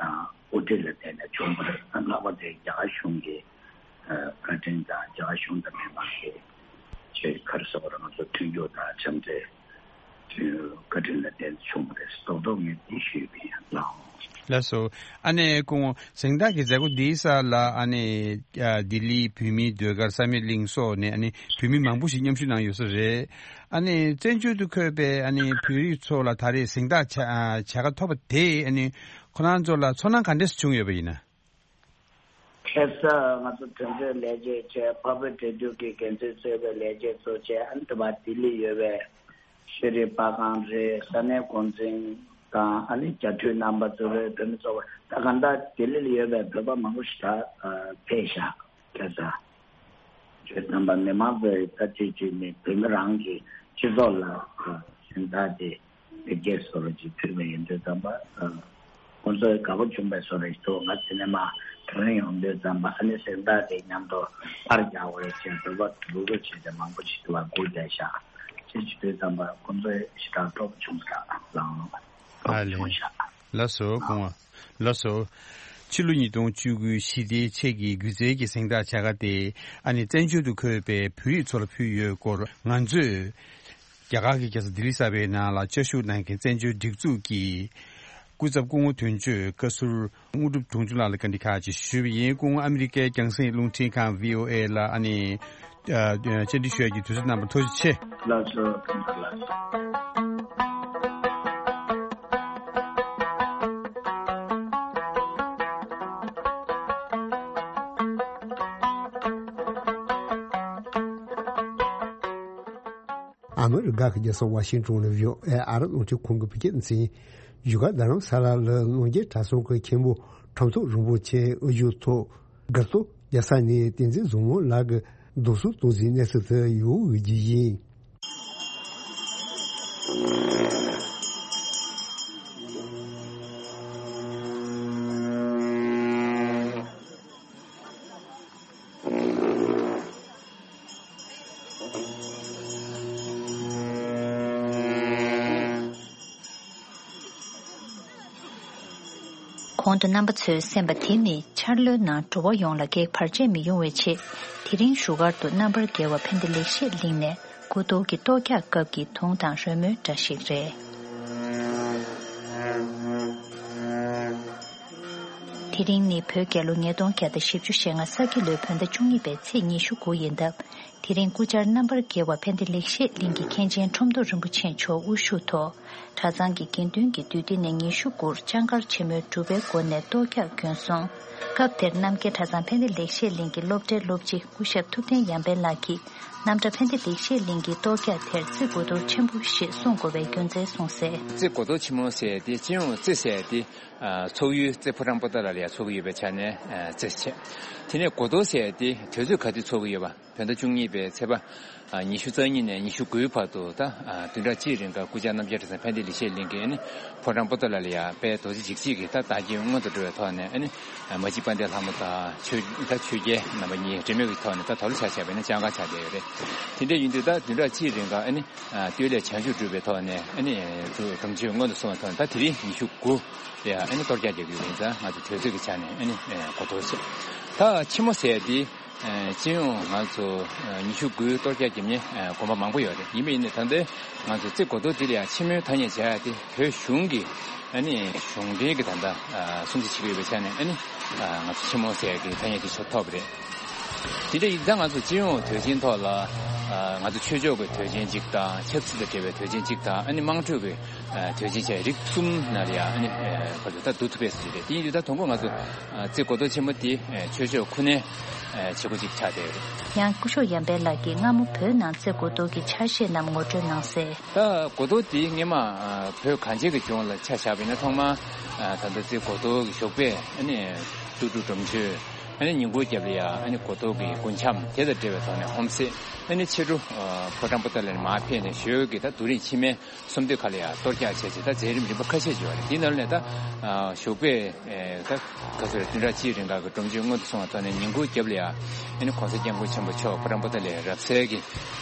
དབུ་ཁྲིད་ལ་བརྟེན་ནས་བྱུང་བ་རེད། ལྷག་པར་དུ་རྒྱ་གར་གཞུང་གི་བཀའ་དྲིན་དང་རྒྱ་གར་གཞུང་དང་མི་མང་གི་ཆེས་ཁར་སོགས་རང་ཚོ་མཐུན་འགྱུར་དང་འཆམ་མཐུན་ བཀའ་དྲིན་ལ་བརྟེན་བྱུང་བ་རེད། རྡོག་རྡོག་ངས་འདི་ཞུས་པ་ཡིན་ལགས། ལགས་སོ། ཨ་ནི་སྐུ་ངོ་གཟེངས་རྟགས་ཀྱི་མཛད་སྒོ་འདིའི་ས་ལ་ཨ་ནི་ཨ་ལྡི་ལི་བོད་མིའི་ཟློས་གར་བསམ་ཡས་གླིང་སོགས་ནས་ཨ་ནི་བོད་མི་མང་པོ་ཞིག་མཉམ་ཞུགས་གནང་ཡོད་ས་རེད། ཨ་ནི་བཙན་བྱོལ་དུ་འཁོད་པའི་ཨ་ནི་བོད་རིགས་ཚོ་ལ་ད་རེས་གཟེངས་རྟགས་བྱ་ཨ་བྱ་དགའ་ཐོབ་པ་དེས་ཨ་ནི་ཁོ་རང་ཚོ་ལ་ཚོར་སྣང་ག་འདྲས་བྱུང་ཡོད་པ་ཡིན་ན། ཁ་སང་ང་ཚོ་དོན་གཅོད་ལས་བྱེད་བྱས། འཕགས་བོད་འབྲེལ་མཐུད་ཀྱི་འགན་འཛིན་གཙོས་པའི་ལས་བྱེད་ཚོ་བྱས། ཨ་ནི་དེ་བ་ལྡི་ལི་ཡོད་པའི་ཤེས་རིག་པ་ཁང་རེད། ས་གནས་འགོ་འཛིན་དང་ཨ་ནི་རྒྱ་མཐུད་རྣམ་པ་ཚོ་རེད། བོད་མི་ཚོ་ད་གང་ལྟར་ལྡི་ལི་ལ་ཡོད་པའི་བོད་པ་མང་པོ་ཞིག་ད་ཕེབས་ཤག་ཁ་སང་བརྗོད་དམ་པ་མི་མང་ཚོས་ད་དུས་ཚོད་ནས་བོད་མི་རང་གི་སྤྱི་ཚོགས་ལ་གཟེངས་རྟགས་དེ་བེད་སྤྱད་བཟོ་འདྲ་ཅིག་ཕུལ་བ་ཡིན་དུས་ཙམ་པ། ཁོང་ཚོས་དགའ་པོ་བྱུང་བའི་བཟོ་འདྲ་ཞིག་འདུག་ང་དེ་ནས་མར་དྲན་ཡོང་དུས་ཙམ་པ། ཨ་ནི་གཟེངས་རྟགས་དེ་མཉམ་དུ་པར་རྒྱག་དགོས་ཅེས་འབོད་པ་འབོད་སྐུལ་བྱས་ཏེ་མང་པོ་ཞིག་དུ་བ་སྒུག་བསྡད་ཤག་ཅེས་བྱེད་དུས་ཙམ་པ་ཁོང་ཚོས་ཞེ་དྲག་སྤྲོ་པོ་བྱུང་ཤག་ལགས། སྤྲོ་པོ་བྱུང་ཤག་ལགས་སོ། སྐུ་ངོ་། ལགས་སོ། ཕྱི་ལོ་ཉིས་སྟོང་བཅུ་དགུ་ཞི་བདེའི་ཆེད་ཀྱི་སྒྱུ་རྩལ་གྱི་གཟེངས་རྟགས་བྱ་དགའ་དེ་ཨ་ནི་བཙན་བྱོལ་དུ་འཁོད་པའི་བོད་རིགས་ཚོ་ལ་ཕུལ་ཡོད་སྐོར་ང་ཚོས་རྒྱ་གར་གྱི་རྒྱལ་ས་ལྡི་ལི་གསར་པའི་ནང་ལ་བཅའ་བཞུགས་གནང་མཁན་བཙན་བྱོལ་སྒྲིག་འཛུགས་ཀྱི་སྐུ་ཚབ་སྐུ་ངོ་དོན་གཅོད་བཀའ་ཟུར་དངོས་གྲུབ་དྲུང་ཆུང་ལགས་ལ་བཀའ་འདྲི་ཁག་ཅིག་ཞུས་པ་ཡིན། སྐུ་ངོ་ཨ་མི་རི་ཀའི་རྒྱང་སྲིང་རླུང་འཕྲིན་ཁང་བྷི་ཨོ་ཨེ་ལ་ཨ་ནི་ཨ་བཅར་འདྲི་ཞུ་ཡག་གི་དུས་ཚོད་གནང་བར་ཐུགས་རྗེ་ཆེ། ལགས་སོ། ཐུགས་རྗེ་ཆེ། ཨ་མི་རི་ཀ་གི་རྒྱལ་ས་ཝ་ཤིང་ཏོན་ནས་བྷི་ཨོ་ཨེ་ཨ་རི་རླུང་འཕྲིན་ཁང་གི་བོད་སྐད་སྡེ་ཚན། བཞུགས་སྒར་རྡ་རམ་ས་ལ་ལ་གནོད་སྐྱེལ་གྲྭ་ཚང་གི་མཁན་པོ་ཁྲོམ་ཐོག་རིན་པོ་ཆེ་དབུ་བཞུགས་ཐོག་སྒར་ལྟོ་རྒྱལ་ས་ནས་བསྟན་འཛིན་བཟང་མོ་ལགས་ཀྱིས་རྡོ་སོལ་གཏོང་སའི་གནས་ཚུལ་དུ་ཡོང་འོས་ཀྱི་ཡིན། གོང་དུ་རྣམ་པ་ཚོས་གསན་པ་དེ་ནི་འཆར་ལོའི་ནང་འགྲོ་བ་ཡོངས་ལ་གེགས་བར་ཆད་མི་ཡོང་བའི་ཆེད། དེ་རིང་བཞུགས་སྒར་དུ་རྣམ་པར་རྒྱལ་བ་ཕན་བདེ་ལེགས་བཤད་གླིང་ནས་སྐུ་གཏོར་གྱི་གཏོར་རྒྱག་སྐབས་ཀྱི་དུང་དང་རོལ་མོའི་སྒྲ་ཞིག་རེད། དེ་རིང་ནི་བོད་རྒྱལ་ལོ་ཉིས་སྟོང་བརྒྱ་དང་བཞི་བཅུ་ཞེ་ལྔ་ས་ཁྱི་ལོའི་བོད་ཟླ་བཅུ་གཉིས་པའི་ཚེས་ཉི་ཤུ་དགུ་ཡིན་སྟབས། དེ་རིང་སྐུ་བཅར་རྣམ་པར་རྒྱལ་བ་ཕན་བདེ་ལེགས་བཤད་གླིང་གི་མཁན་ཆེན་ཁྲོམ་ཐོག་རིན་པོ་ཆེ་མཆོག་དབུ་བཞུགས་ཐོག་གྲྭ་ཚང་གི་དགེ་འདུན་གྱི་འདུས་སྡེ་ནས་ཉི་ཤུ་དགུར་ལྕང་མཁར་ཆེན་མོའི་སྒྲུབ་པའི་སྒོ་ནས་གཏོར་རྒྱག་བརྒྱུད་སོང་། སྐབས་དེར་རྣམ་རྒྱལ་གྲྭ་ཚང་ཕན་བདེ་ལེགས་བཤད་གླིང་གི་སློབ་གྲྭའི་སློབ་སྤྱི་སྐུ་ཞབས་ཐུབ་བསྟན་ཡར་འཕེལ་ལགས་ཀྱིས། རྣམ་གྲྭ་ཕན་བདེ་ལེགས་བཤད་གླིང་གི་གཏོར་རྒྱག་དེར་བརྩི་དགོས་དོན་ཆེན་པོ་ཞེས་གསུངས་དགོས་པའི་རྒྱུ་མཚན་གསུངས་གསལ། རྩེ་སྒོ་གཏོར་ཆེན་མོ་ཟེར་ཏེ་སྤྱི་ཡོངས་རྩེ་ཟེར་ཏེ་ཚོགས་ཡུལ་རྩེ་ཕོ་བྲང་པོ་ཏ་ལ་ལ་ཡ་ཚོགས་ཀྱི་ཡོད་པའི་ཆ་ནས་རྩེ་བྱས། དེ་ནས་སྒོ་གཏོར་ཟེར་ཏེ་དུས་ཚོད་ག་དུས་ཚོགས་ཀྱི་ཡོད་པ། བོད་ཟླ་བཅུ་གཉིས་པའི་ཚེས་པ་ཉི་ཤུ་རྩ་གཉིས་ནས་ཉི་ཤུ་དགུའི་བར་དུ་ད་བདུན་ཕྲག་གཅིག་རིང་ག་སྐུ་བཅར་རྣམ་རྒྱལ་གྲྭ་ཚང་ཕན་བདེ་ལེགས་བཤད་གླིང་གི་ཨ་ནི་ཕོ་བྲང་པོ་ཏ་ལ་ལ་ཡ་དཔལ་རྡོ་རྗེ་འཇིགས་བྱེད་ཀྱི་ད་བདག་རྐྱེན་མངོན་དུ་འགྲོ་བའི་ཐོག་ནས་ཨ་ནི་མ་གཅིག་དཔལ་ལྡན་ལྷ་མོ་དང་ཆོས་ད་ཆོས་རྒྱལ་རྣམ་པ་གཉིས་འབྲེལ་མོལ་གྱི་ཐོག་ནས་ད་དོ་ལོ་ཆ་བཞག་པ་ཡིན་ན་ལྕང་མཁར་ཆགས་བསྡད་ཡོད་རེད། དེ་འདྲ་ཡིན་དུས་ད་བདུན་ཕྲག་གཅིག་རིང་ག་ཨ་ནི་བསྟོད་ལས་བྱང་ཆུབ་སྒྲུབ་པའི་ཐོག་ནས་ཨ་ནི་སྒྲུབ་མཆོད་སྔོན་དུ་སོང་བའི་ཐོག་ནས་ད་དེ་རིང་ཉི་ཤུ་དགུ་ལ་ཡ་ཨ་ནི་གཏོར་རྒྱག་རྒྱག་གི་ཡོད་པ་ཡིན་ཙང་ང་ཚོ་དུས་ཚོད་ཀྱི་ཆ་ནས་ཨ་ནི་གོ་ཐོས་བྱས། ད་ཆེན་མོ་ཟེར་ཏེ། སྤྱི་ཡོངས་ང་ཚོ་ཉི་ཤུ་དགུའི་གཏོར་རྒྱག་བརྒྱབ་མཁན་དགོན་པ་མང་པོ་ཡོད་རེད། ཡིན་པ་ཡིན་ནའི་ད་ལྟའི་ང་ཚོ་རྩེ་སྒོ་གཏོར་འདི་ལ་ཡང་ཆེན་མོའི་ཐ་སྙད་བྱ་ཡ་དེ་བོད་གཞུང་གི་ཨ་ནི་གཞུང་འབྲེལ་གྱི་ད་ལྟ་སྲུང་བརྩི་བྱེད་ཀྱི་ཡོད་པའི་ཆ་ནས་ཨ་ནི་ང་ཚོ་ཆེན་མོ་ཟེར་ཡ་གི་ཐ་སྙད་དེ་ཆོག་ཐོབ་རེད། དེ་འདྲ་ཡིན་ཙང་ང་ཚོ་སྤྱི་ཡོངས་དུས་ཆེན་ཐོག་ལ་ང་ཚོ་ཆོས་ཕྱོགས་ཀྱི་དུས་ཆེན་གཅིག་དང་ཆབ་སྲིད་དང་འབྲེལ་བའི་དུས་ཆེན་གཅིག་དང་ཨ་ནི་དམངས་ཁྲོད་ཀྱི་དོན་ཆེན་བཅས་རིགས་གསུམ་ནང་ལ་ཡང་ཨ་ནི་ཁོ་ཚོ་ད་བསྡུ་ཐུབ་པའི་སྲིད་ཇུས་རེད། དེ་ཡིན་དུས་ད་དང་པོ་ང་ཚོ་རྩེ་སྒོ་གཏོར་ཆེན་མོ་དེ་ཆོས་ཕྱོགས་ཁུ་ནའི་བྱེད་སྒོ་ཅིག་ཆགས་བསྡད་ཡོད་རེད། ཡང་སྐུ་ཞབས་ཡར་འཕེལ་ལགས་ཀྱིས་སྔ་མོ་བོད་ནང་རྩེ་སྒོ་གཏོར་གྱི་ཆ་ཤས་རྣམས་ངོ་སྤྲོད་གནང་གསལ། ད་སྒོ་གཏོར་དེ་སྔོན་མ་བོད་གངས་ཅན་གྱི་ལྗོངས་ལ་ཆ་བཞག་པ་ཡིན་ན་ཐོག་མར་ད་ལྟ་རྩེ་སྒོ་གཏོར་གྱི་ཞོགས་པའི་ཨ་ནི་ཏུ་ཏུ་སྒྲོམ་གཞི། ཨ་ནི་ཉིན་གུང་རྒྱབ་ལ་ཡ་ཨ་ནི་སྒོ་གཏོར་གྱི་རྒུན་འབྲུམ་དེ་དང་འབྲེལ་བའི་ཐོག་ནས་ཧོམ་སེ། ཨ་ནི་ཕྱི་དྲོ་ཕོ་བྲང་པོ་ཏ་ལ་ནས་མར་ཕེབས་ནས་ཞོལ་གྱི་ད་རྡོ་རིང་ཕྱི་མའི་གསུམ་སྟོད་ཁ་ལ་ཡ་གཏོར་རྒྱག་བྱས་རྗེས་ད་མཛད་རིམ་རིམ་པ་ཁ་ཤས་ཡོད་རེད། དེའི་ནང་ལ་ད་ཞོགས་པའི་ད་ག་ཚོད་རེད། བདུན་ཕྲག་གཅིག་རིང་ག་གི་སྒྲོམ་གཞི་སྔོན་དུ་སོང་བའི་ཐོག་ནས་ཉིན་གུང་རྒྱབ་ལ་ཡ་ཨ་ནི་གོང་ས་སྐྱབས་མགོན་ཆེན་པོ་མཆོག་ཕོ་བྲང་པོ་ཏ་ལའི་རབ་གསལ་གྱི་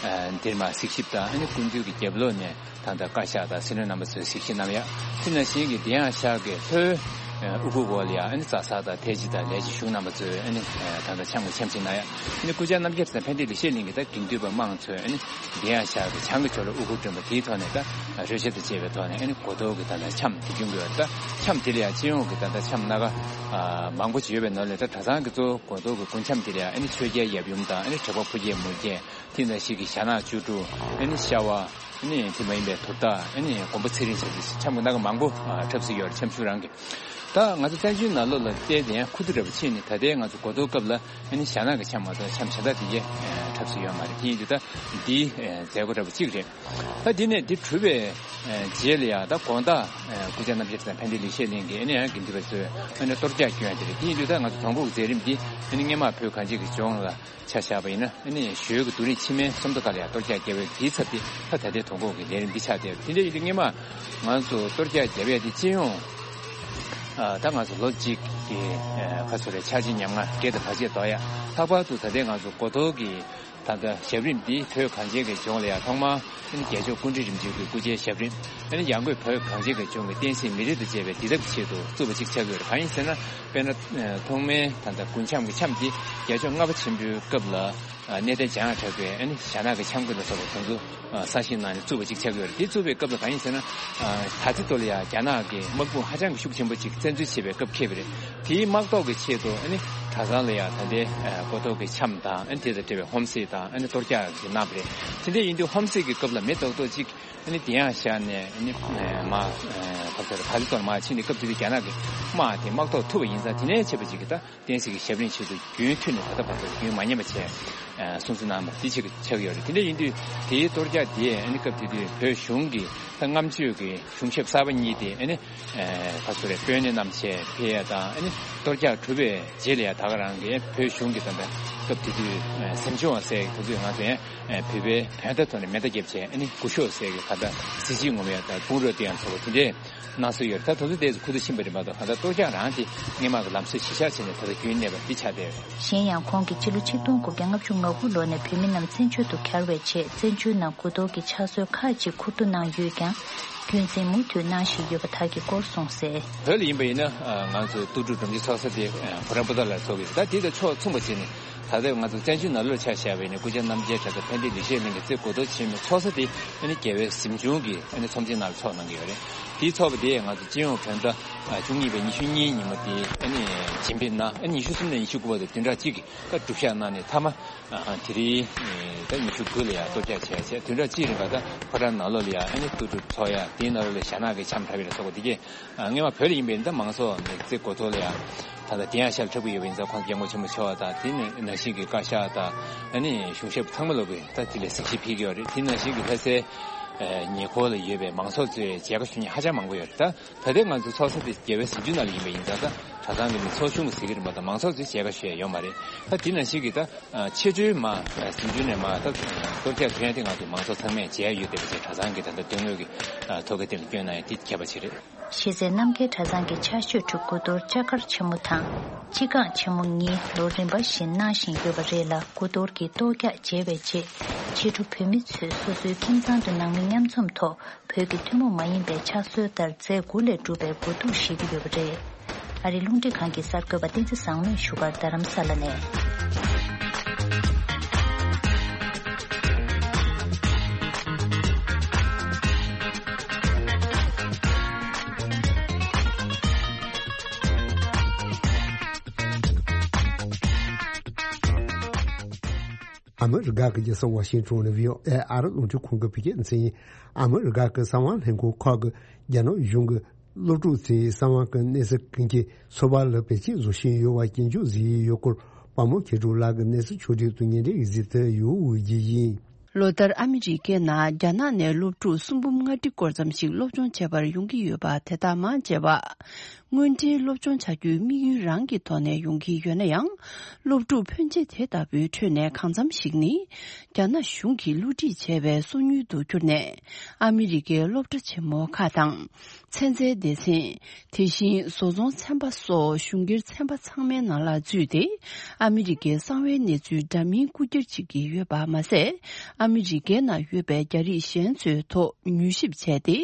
འདིར་མར་གཟིགས་ཞིབ་དང་ཨ་ནི་སྐུ་མདུན་གྱི་རྒྱབ་ལོགས་ནས་ད་ལྟ་བཀའ་ཤག་དང་སྲིད་བློན་རྣམ་པ་ཚོའི་གཟིགས་ཞིབ་གནང་ཡ། དེ་ནང་བཞིན་གྱི་དེ་ཡང་ཤག་གི་ལྷོའི་ དབུ་གུར་འོག་ལ་ཡང་ཨ་ནི་བཟའ་ཚང་དང་ཐེལ་ཙེ་དང་ལས་བྱེད་གཞུང་རྣམ་པ་ཚོས་ཨ་ནི་ད་ལྟ་འཆམ་གྱི་འཆམ་གཅིག་གནང་ཡ། ཨ་ནི་སྐུ་བཅར་རྣམ་རྒྱལ་དང་ཕན་བདེ་ལེགས་བཤད་གླིང་གི་ད་དགེ་འདུན་པ་མང་ཚོས་ཨ་ནི་འདི་ཡང་ཤར་གྱི་བྱང་གི་ཕྱོགས་ལ་དབུ་གུར་སྒྲོན་པ་དེའི་ཐོག་ནས་ད་རོལ་ཆ་དང་བཅས་པའི་ཐོག་ནས་ཨ་ནི་གོ་ཐོག་གི་ད་ལྟ་འཆམ་དེ་བྱུང་གི་ཡོད། ད་འཆམ་དེ་ལ་ཡང་སྤྱི་ཡོངས་ཀྱི་ད་ལྟ་འཆམ་སྣ་ཁ་མང་པོ་ཅིག་ཡོད་པའི་ནང་ལས་ད་གྲྭ་ཚང་གི་གཙོ་བོ་གོ་ཐོག་གི་དགུན་འཆམ་དེ་ལ་ཡང་ཨ་ནི་ཆོས་རྒྱལ་ཡབ་ཡུམ་དང་ཨ་ནི་དྲེགས་པ་ཕོ་རྒྱས་མོ་རྒྱས། དེ་ནང་བཞིན་གྱི་ཞྭ་ནག་བཅུ་དྲུག་ཨ་ནི་ཤ་བ། ཨ་ནི་དེ་མ་ཡིན་པའི་དུར་བདག་ཨ་ནི་མགོན་པོ་ཚེ་རིང་བཅས་ཀྱི་འཆམ་གྱི་སྣ་ཁ་མང་པོ་འཁྲབ་སྲོལ་ཡོད་རེད། འཆམ་གཞུང་རང་གི། ད་ང་ཚོ་བཙན་བྱོལ་ནང་ལོགས་ལ་བལྟས་ཏེ་ཡང་ཁུ་བསྡུ་འདྲ་པོ་ཕྱིན་ནས་ད་ལྟའི་ང་ཚོ་གོ་ཐོག་སྐབས་ལ་ཨ་ནི་ཞྭ་ནག་གི་འཆམ་མ་གཏོགས་འཆམ་གཞན་དག་དེ་གས་འཁྲབ་སྲོལ་ཡོད་མ་རེད། དེ་ཡིན་དུས་ད་འདི་མཛད་སྒོ་འདྲ་པོ་གཅིག་རེད། ད་འདི་ནས་འདི་གྲུབ་པའི་རྗེས་ལ་ཡང་ད་དགོང་དག་སྐུ་བཅར་རྣམ་རྒྱལ་དང་ཕན་བདེ་ལེགས་བཤད་གླིང་གི་ཨ་ནི་ཡང་དགེ་འདུན་པ་ཚོས་ཨ་ནི་གཏོར་རྒྱག་སྐྱོན་ཡ་དེ་རེད། དེ་ཡིན་དུས་ད་ང་ཚོ་དོང་ཕུག་མཛད་རིམ་འདི་ཨ་ནི་སྔོན་མ་བོད་གངས་ཅན་གྱི་ལྗོངས་ལ་ཆ་བཞག་པ་ཡིན་ན་ཨ་ནི་ཞོལ་གྱི་རྡོ་རིང་ཕྱི་མའི་སུམ་མདོ་ཁ་ལ་ཡང་གཏོར་རྒྱག་བརྒྱབ་པའི་དེའི་ཚབ་དེ་ད་ད་ལྟའི་དོ་དགོང་གི་ལས་རིམ་འདི་ཆགས་བསྡད་པ་དེ་འདྲ་ཡིན་དུས་སྔོན་མ་ང་ཚོ་གཏོར་རྒྱག་བརྒྱབ་ཡ་དེ་སྤྱི་ཡོངས་ད་ང་ཚོ་ལོ་གཅིག་གི་ཁ་སོ་རེ་འཆར་གཞི་ཉམས་ང་བརྒྱད་དང་བར་ཆད་དོ་ཡ། ལྷག་པར་དུ་ད་ལྟའི་ང་ཚོ་གོ་ཐོག་གི་ད་ལྟ་ཞབས་རིམ་འདི་བོད་གངས་ཅན་གྱི་ལྗོངས་ལ་ཡང་ཐོག་མར་ཨ་ནི་རྒྱལ་མཆོག་སྐུ་ཕྲེང་རིམ་བྱོན་གྱི་སྐུ་ཕྱྭའི་ཞབས་རིམ། ཨ་ནི་ཡང་སྒོས་བོད་གངས་ཅན་གྱི་ལྗོངས་ཀྱི་བསྟན་སྲིད་མི་རིགས་དང་བཅས་པའི་བདེ་ཐབས་ཆེད་དུ་བཙུགས་པ་ཅིག་ཆགས་ཀྱི་ཡོད་རེད། གང་ཡིན་ཟེར་ན་དཔེར་ན་ཐོག་མའི་ད་ལྟ་དགུན་འཆམ་གྱི་འཆམ་འདི་རྒྱལ་མཆོག་ལྔ་པ་ཆེན་པོའི་སྐབས་ལ་གནས་བརྟན་འཇམ་དབྱངས་གྲགས་པས་ཨ་ནི་ཞྭ་ནག་གི་འཆམ་གྱི་ལ་སོགས་པ་དེ་ཚོ་གསར་བཞེངས་གནང་ནས་བཙུགས་པ་ཅིག་ཆགས་ཀྱི་ཡོད་རེད། དེ་བཙུགས་པའི་སྐབས་ལ་གང་ཡིན་ཟེར་ན་ད་ལྟའི་ཐོག་ལ་ཡང་རྒྱ་ནག་གི་དམག་དཔུང་ཧ་ཅང་གི་ཤུགས་ཆེན་པོ་ཅིག་བཙན་འཛུལ་བྱེད་པའི་སྐབས་འཁེལ་བ་རེད། དེའི་དམག་ཐོག་གི་ཆེད་དུ་ཨ་ནི་གྲྭ་ཚང་ལ་ཡང་ད་ལྟའི་གོ་ཐོག་གི་འཆམ་དང་ཨ་ནི་དེ་དང་འབྲེལ་བའི་ཧོམ་སེ་དང་ཨ་ནི་གཏོར་རྒྱག་གི་གནང་བ་རེད། དེ་འདྲ་ཡིན་དུས་ཧོམ་སེ་གི་སྐབས་ལ་མི་རྡོག་རྡོག་ཅིག་ཨ་ནི་དེ་ཡང་བཞག་ནས་ཨ་ནི་མ་ཕར་ཚུར་ཕར་ཚུར་མ་ཕྱིན་ནས་སྐབས་དེ་དུས་རྒྱ་ནག་གི་དམག་དེ་དམག་ཐོག་ཐུག་པ་ཡིན་ཙང་དེ་ནས་བྱས་པ་ཅིག་གི་ད་བསྟན་སྲིད་ཀྱི་ཞབས་རིམ་ཆེད་དུ་རྒྱུན་མཐུད་ནས་ད་ལྟ་བར་དུ་རྒྱུན་མ་ཉམས་པ་བྱས་སྲུང་བརྩི་གནང་བ་འདི་ཆེད་ཆགས་ཡོད་རེད། དེ་འདྲ་ཡིན་དུས་དེའི་གཏོར་རྒྱག་དེ་ཨ་ནི་སྐབས་དེ་དུས་བོད་གཞུང་གི་ད་སྔ་མཆོད་ཀྱི་གཞུང་ཞབས་གསར་པ་གཉིས་དེ་ཨ་ནི་ཕར་ཚུར་རེ་དཔོན་གནས་རྣམས་བྱས་ཕེབས་ཡ་དང་ཨ་ནི་གཏོར་རྒྱག་གྲུབ་པའི་རྗེས་ལ་ཡ་ད་ག་རང་གི་བོད་གཞུང་གི་ད་ལྟ་སྐབས་དེ་དུས་སེམས་ཆུང་བ་ཟེར་དེ་ཚོས་ང་ཚོ་ཡང་བོད་པའི་བོད་ཟླ་ཐོག་ནས་མེ་མདའ་བརྒྱབ་བྱས་ཨ་ནི་སྐུ་ཞབས་ཟེར་གི་ད་ལྟ་གཟི་བརྗིད་ངོམ་ཡ་ད་དཔུང་རོགས་དེ་ཡང་ཚོ་བ་དེ་འདྲས། གནང་སྲོལ་ཡོད། ད་དུང་དེ་ཚོ་ཁུ་བསྡུ་ཕྱིན་པ་རེད་མ་གཏོགས་གང་ལྟར་གཏོར་རྒྱག་རང་དེ་སྔོན་མ་གི་ལམ་སྲོལ་གཞི་བཞག་བྱས་ནས་ད་ལྟ་རྒྱུན་གནས་པ་འདི་ཆགས་བསྡད་ཡོད། གཞན་ཡང་ཁོང་གིས་ཕྱི་ལོ་ཆིག་སྟོང་དགུ་བརྒྱ་ལྔ་བཅུ་ང་དགུ་ལོ་ནས་བོད་མི་རྣམས་བཙན་བྱོལ་དུ་གྱར་བའི་རྗེས་བཙན་བྱོལ་ནང་དགུ་གཏོར་གྱི་ཕྱག་སྲོལ་ཁག་ཅིག་འཁུར་འདུ་གནང་ཡོད་ཀྱང་རྒྱུན་འཛིན་མུ་མཐུད་གནང་བཞིན་ཡོད་པ་དག་གི་སྐོར་གསུངས་གསལ། བོད་ལ་ཡིན་པ་ཡིན་ན་ང་ཚོ་ལྟོ་གྲུབ་སྒྲོམ་གྱི་ཚོགས་ས་དེ་ཕོ་བྲང་པོ་ཏ་ལ་ཚོགས་ཀྱི་རེད། ད་དེ་དང་ཕྱོགས་མཚུངས་པ་བྱས་ནས། ད་ལྟ་ང་ཚོ་བཙན་བྱོལ་ནང་ལོགས་ཆ་བཞག་པ་ཡིན་ན་སྐུ་བཅར་རྣམ་རྒྱལ་གྲྭ་ཚང་ཕན་བདེ་ལེགས་བཤད་གླིང་གི་རྩེ་དགུ་ཐོག་ཆེན་མོའི་ཚོགས་ས་དེ་ཨ་ནི་རྒྱལ་བའི་གཟིམ་ཆུང་གི་ཨ་ནི་ཚོམས་ཆེན་ནང་ལ་ཚོགས་གནང་གི་ཡོད་རེད། དེའི་ཚོགས་པ་དེ་ང་ཚོ་སྤྱི་ཡོངས་བོད་ཟླ་བཅུ་གཉིས་པའི་ཉི་ཤུ་གཉིས་ཉིན་མོ་དེ་ཨ་ནི་རྗེས་ཕེབས་གནང་ཨ་ནི་ཉི་ཤུ་གསུམ་ནས་ཉི་ཤུ་དགུ་བར་དུ་བདུན་ཕྲག་གཅིག་གི་ད་སྒྲུབ་བཞག་གནང་ནས་མཐའ་མ་དེ་རིང་ད་ཉི་ཤུ་དགུ་ལ་ཡང་གཏོར་རྒྱག་བྱས་བྱས་བདུན་ཕྲག་གཅིག་རིང་ག་ད་ཕོ་བྲང་ནང་ལོགས་ལ་ཡང་ཨ་ནི་ལྟོ་གྲུབ་ཚོགས་ཡ་དེའི་ནང་ལོགས་ལ་ཞྭ་ནག་གི་འཆམ་འཁྲབ་ཡ་ལ་སོགས་པ་དེ་གས། སྔོན་མ་བོད་ལ་ཡིན་པའི་འདི་མང་ཚོགས་ནས་རྩེ་དགུ་ཐོག་ལ་ཡང་ད་ལྟ་དེ་ཡང་ཤར་འཁྲབ་ཀྱི་ཡོད་པ་ཡིན་ཙང་ཁོང་རྒྱལ་མོ་ཆེན་མོ་མཆོག་དང་དེ་ནང་བཞིན་གྱི་བཀའ་ཤག་དང་ཨ་ནི་གཞུང་ཞབས་ཚང་མ་ལོག་གིས་ད་དེ་ལ་གཟིགས་ཞིབ་ཕེབས་ཀྱི་ཡོད་རེད། དེ་ནང་བཞིན་གྱི་ལྷ་སའི་ཉེ་འཁོར་ལ་ཡོད་པའི་མང་ཚོགས་ཚོས་མཇལ་ཁ་ཞུ་མཁན་ཧ་ཅང་མང་པོ་ཡོད་རེད། ད་ད་ལྟའི་ང་ཚོ་ཚོགས་ས་དེ་རྒྱལ་བའི་གཟིམ་ཆུང་ནང་ལ་ཡིན་པ་ཡིན་ཙང་ད་གྲྭ་ཚང་གི་མི་ཚོགས་ཆུང་གི་ཟེར་གྱི་རེད་མ་གཏོགས་མང་ཚོགས་ཚོས་མཇལ་ཁ་ཞུ་ཡ་ཡོད་མ་རེད། ད་དེ་ནང་བཞིན་གྱི་ད་ཆེ་མཐོའི་མ་གཟིམ་ཆུང་ནས་མ་ད་གཏོར་རྒྱག་ཐོན་ཡ་དེ་ང་ཚོ་མང་ཚོགས་ཚང་མས་མཇལ་ཡ་ཡོད་བསྡད་པ་བྱས་གྲྭ་ཚང་གི་ད་ལྟ་དོན་དངོས་ཀྱི་ཐོག་ཁ་དེ་ལ་སྐྱོན་གནང་ཡ་དེ་ཁྱད་པར་ཅིག་རེད། གཞི་རྩའི་རྣམ་རྒྱལ་གྲྭ་ཚང་གི་ཕྱག་ཤོད་ཁྲོད་དགུ་གཏོར་ལྕགས་མཁར་ཆེན་མོ་དང་། སྤྱི་ཁང་ཆེན་མོ་གཉིས་ལོ་རིམ་པ་བཞིན་གནང་བཞིན་ཡོད་པ་རེད་ལ། དགུ་གཏོར་གྱི་གཏོར་རྒྱག་མཇལ་བའི་རྗེས་ཕྱི་དྲོ་བོད་མི་ཚོས་སོ་སོའི་ཁྱིམ་ཚང་དུ་ནང་མི་མཉམ་འཛོམས་ཐོག་བོད་ཀྱི་ཐུན་མོང་མ་ཡིན་པའི་ཕྱག་སྲོལ་ལྟར་རྫས་དགུ་ལས་གྲུབ་པའི་གོས་ཐུག་བཞེས་ཀྱི་ཡོད་པ་རེད། ཨ་རིའི་རླུང་འཕྲིན་ཁང་གི་གསར་འགོད་པ་བསྟན་འཛིན་བཟང་མོས་བཞུགས་སྒར་རྡ་རམ་ས་ལ་ནས། ཨ་མི་རི་ཀ་གི་རྒྱལ་ས་ཝ་ཤིང་ཊོན་ནས་བྷི་ཨོ་ཨེ་ཨ་རི་རླུང་འཕྲིན་ཁང་གི་བོད་སྐད་སྡེ་ཚན་ཡིན། ཨ་མི་རི་ཀ་གི་གསང་བ་ལྷན་ཁང་ཁག་གིས་རྒྱ་ནག་གཞུང་གི་སློབ་ཕྲུག་ཚོའི་གསང་བ་གི་གནས་ཚུལ་ཀུན་གྱི་ཚོད་དཔག་ལ་བེད་སྤྱོད་བཟོ་བཞིན་ཡོད་པར་སྐྱོན་བརྗོད་བཟོས་ཡོད་སྐོར་དཔའ་མོ་མཁས་གྲུབ་ལགས་ཀྱིས་གནས་ཚུལ་ཕྱོགས་སྒྲིག་ཏུ་སྙན་སྒྲོན་ཡིག་གཟིགས་དེ་ཡོད་འོས་ཀྱི་ཡིན། ལོ་ལྟར་ཨ་མི་རི་ཀའི་ནང་རྒྱ་ནག་ནས་སློབ་ཕྲུག་གསུམ་འབུམ་ལྔ་ཁྲི་སྐོར་ཙམ་ཞིག་སློབ་སྦྱོང་བྱེད་པར་ཡོང་གི་ཡོད་པ་དེ་དག་མང་ཆེ་བ། དངོས་འབྲེལ་སློབ་སྦྱོང་བྱ་རྒྱུའི་དམིགས་ཡུལ་རང་གི་ཐོག་ནས་ཡོང་གི་ཡོད་ན་ཡང་། སློབ་ཕྲུག་ཕོན་ཆེ་དེ་ལྟ་བུའི་ཁྲོད་ནས་གང་འཚམ་ཞིག་ནི། རྒྱ་ནག་གཞུང་གིས་བསླུ་བྲིད་བྱས་པའི་སོ་ཉུལ་དུ་གྱུར་ནས། ཨ་མི་རི་ཀའི་སློབ་གྲྭ་ཆེན་མོ་ཁག་དང་། ཚན་རྩལ་སྡེ་ཚན། དེ་བཞིན་བཟོ་ཚོང་ཚན་པ་སོགས་གཞུང་སྒེར་ཚན་པ་ཚང་མའི་ནང་ལ་འཛུལ་ཏེ། ཨ་མི་རི་ཀའི་གསང་བའི་གནས་ཚུལ་འདྲ་མིན་རྐུ་འཁྱེར་བྱེད་ཀྱི་ཡོད་པ་མ་ཟད། ཨ་མི་རི་ཀའི་ནང་ཡོད་པའི་རྒྱ་རིགས་གཞན་ཚོའི་ཐོག་མྱུལ་ཞིབ་བྱས་ཏེ།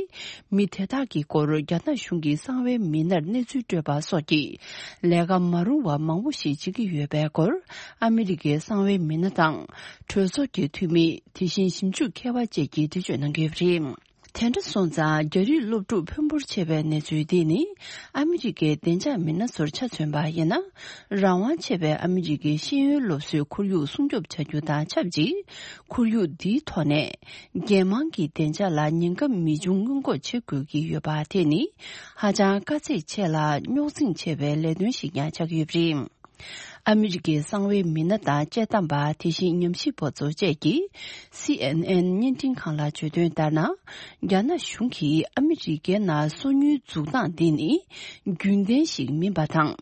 མི་དེ་དག་གི་སྐོར་རྒྱ་ནག་གཞུང་གི་གསང་བའི་མི་སྣར་གནས་ཚུལ་སྤྲོད་པ་སོགས་ཀྱི་ལས་ཀ་མ་རུང་བ་མང་པོ་ཞིག་བྱེད་ཀྱི་ཡོད་པའི་སྐོར། ཨ་མི་རི་ཀའི་གསང་བའི་མི་སྣ་དང་། གྲོས་ཚོགས་ཀྱི་འཐུས་མི། དེ་བཞིན་ཞིབ་འཇུག་མཁས་པ་བཅས་ཀྱིས་འགྲེལ་བརྗོད་གནང་གི་ཡོད་པ་རེད། དེ་འདྲ་སོང་ཙང་། རྒྱ་རིགས་སློབ་ཕྲུག་འཕོན་པོར་ཆེ་བའི་གནས་ཚུལ་འདི་ནི། ཨ་མི་རི་ཀའི་བདེ་འཇགས་མི་སྣ་ཚོར་ཆ་མཚོན་པ་ཡིན་ན། རང་དབང་ཆེ་བའི་ཨ་མི་རི་ཀའི་ཤེས་ཡོན་སློབ་གསོའི་ཁོར་ཡུག་སྲུང་སྐྱོབ་བྱ་རྒྱུ་དང་ཆབས་ཅིག་ཁོར་ཡུག་འདིའི་ཐོག་ནས། རྒྱལ་དམངས་ཀྱི་བདེ་འཇགས་ལ་ཉེན་ཁ་མི་འབྱུང་སྔོན་འགོག་བྱེད་དགོས་ཀྱི་ཡོད་པ་དེ་ནི། ཧ་ཅང་དཀའ་ཚེགས་ཆེ་ལ་རྙོག་འཛིང་ཆེ་བའི་ལས་དོན་ཞིག་ཀྱང་ཆགས་ཀྱི་ཡོད་པ་རེད། ཨ་མི་རི་ཀའི་གསང་བའི་མི་སྣ་དང་དཔྱད་གཏམ་པ། དེ་བཞིན་ཉམས་ཞིབ་པ་ཚོ་བཅས་ཀྱིས་སི་ཨེན་ཨེན་བརྙན་འཕྲིན་ཁང་ལ་བརྗོད་དོན་ལྟར་ན། རྒྱ་ནག་གཞུང་གིས་ཨ་མི་རི་ཀའི་ནང་སོ་ཉུལ་འཛུགས་སྟངས་འདི་ནི་རྒྱུན་ལྡན་ཞིག་མིན་པ་དང་།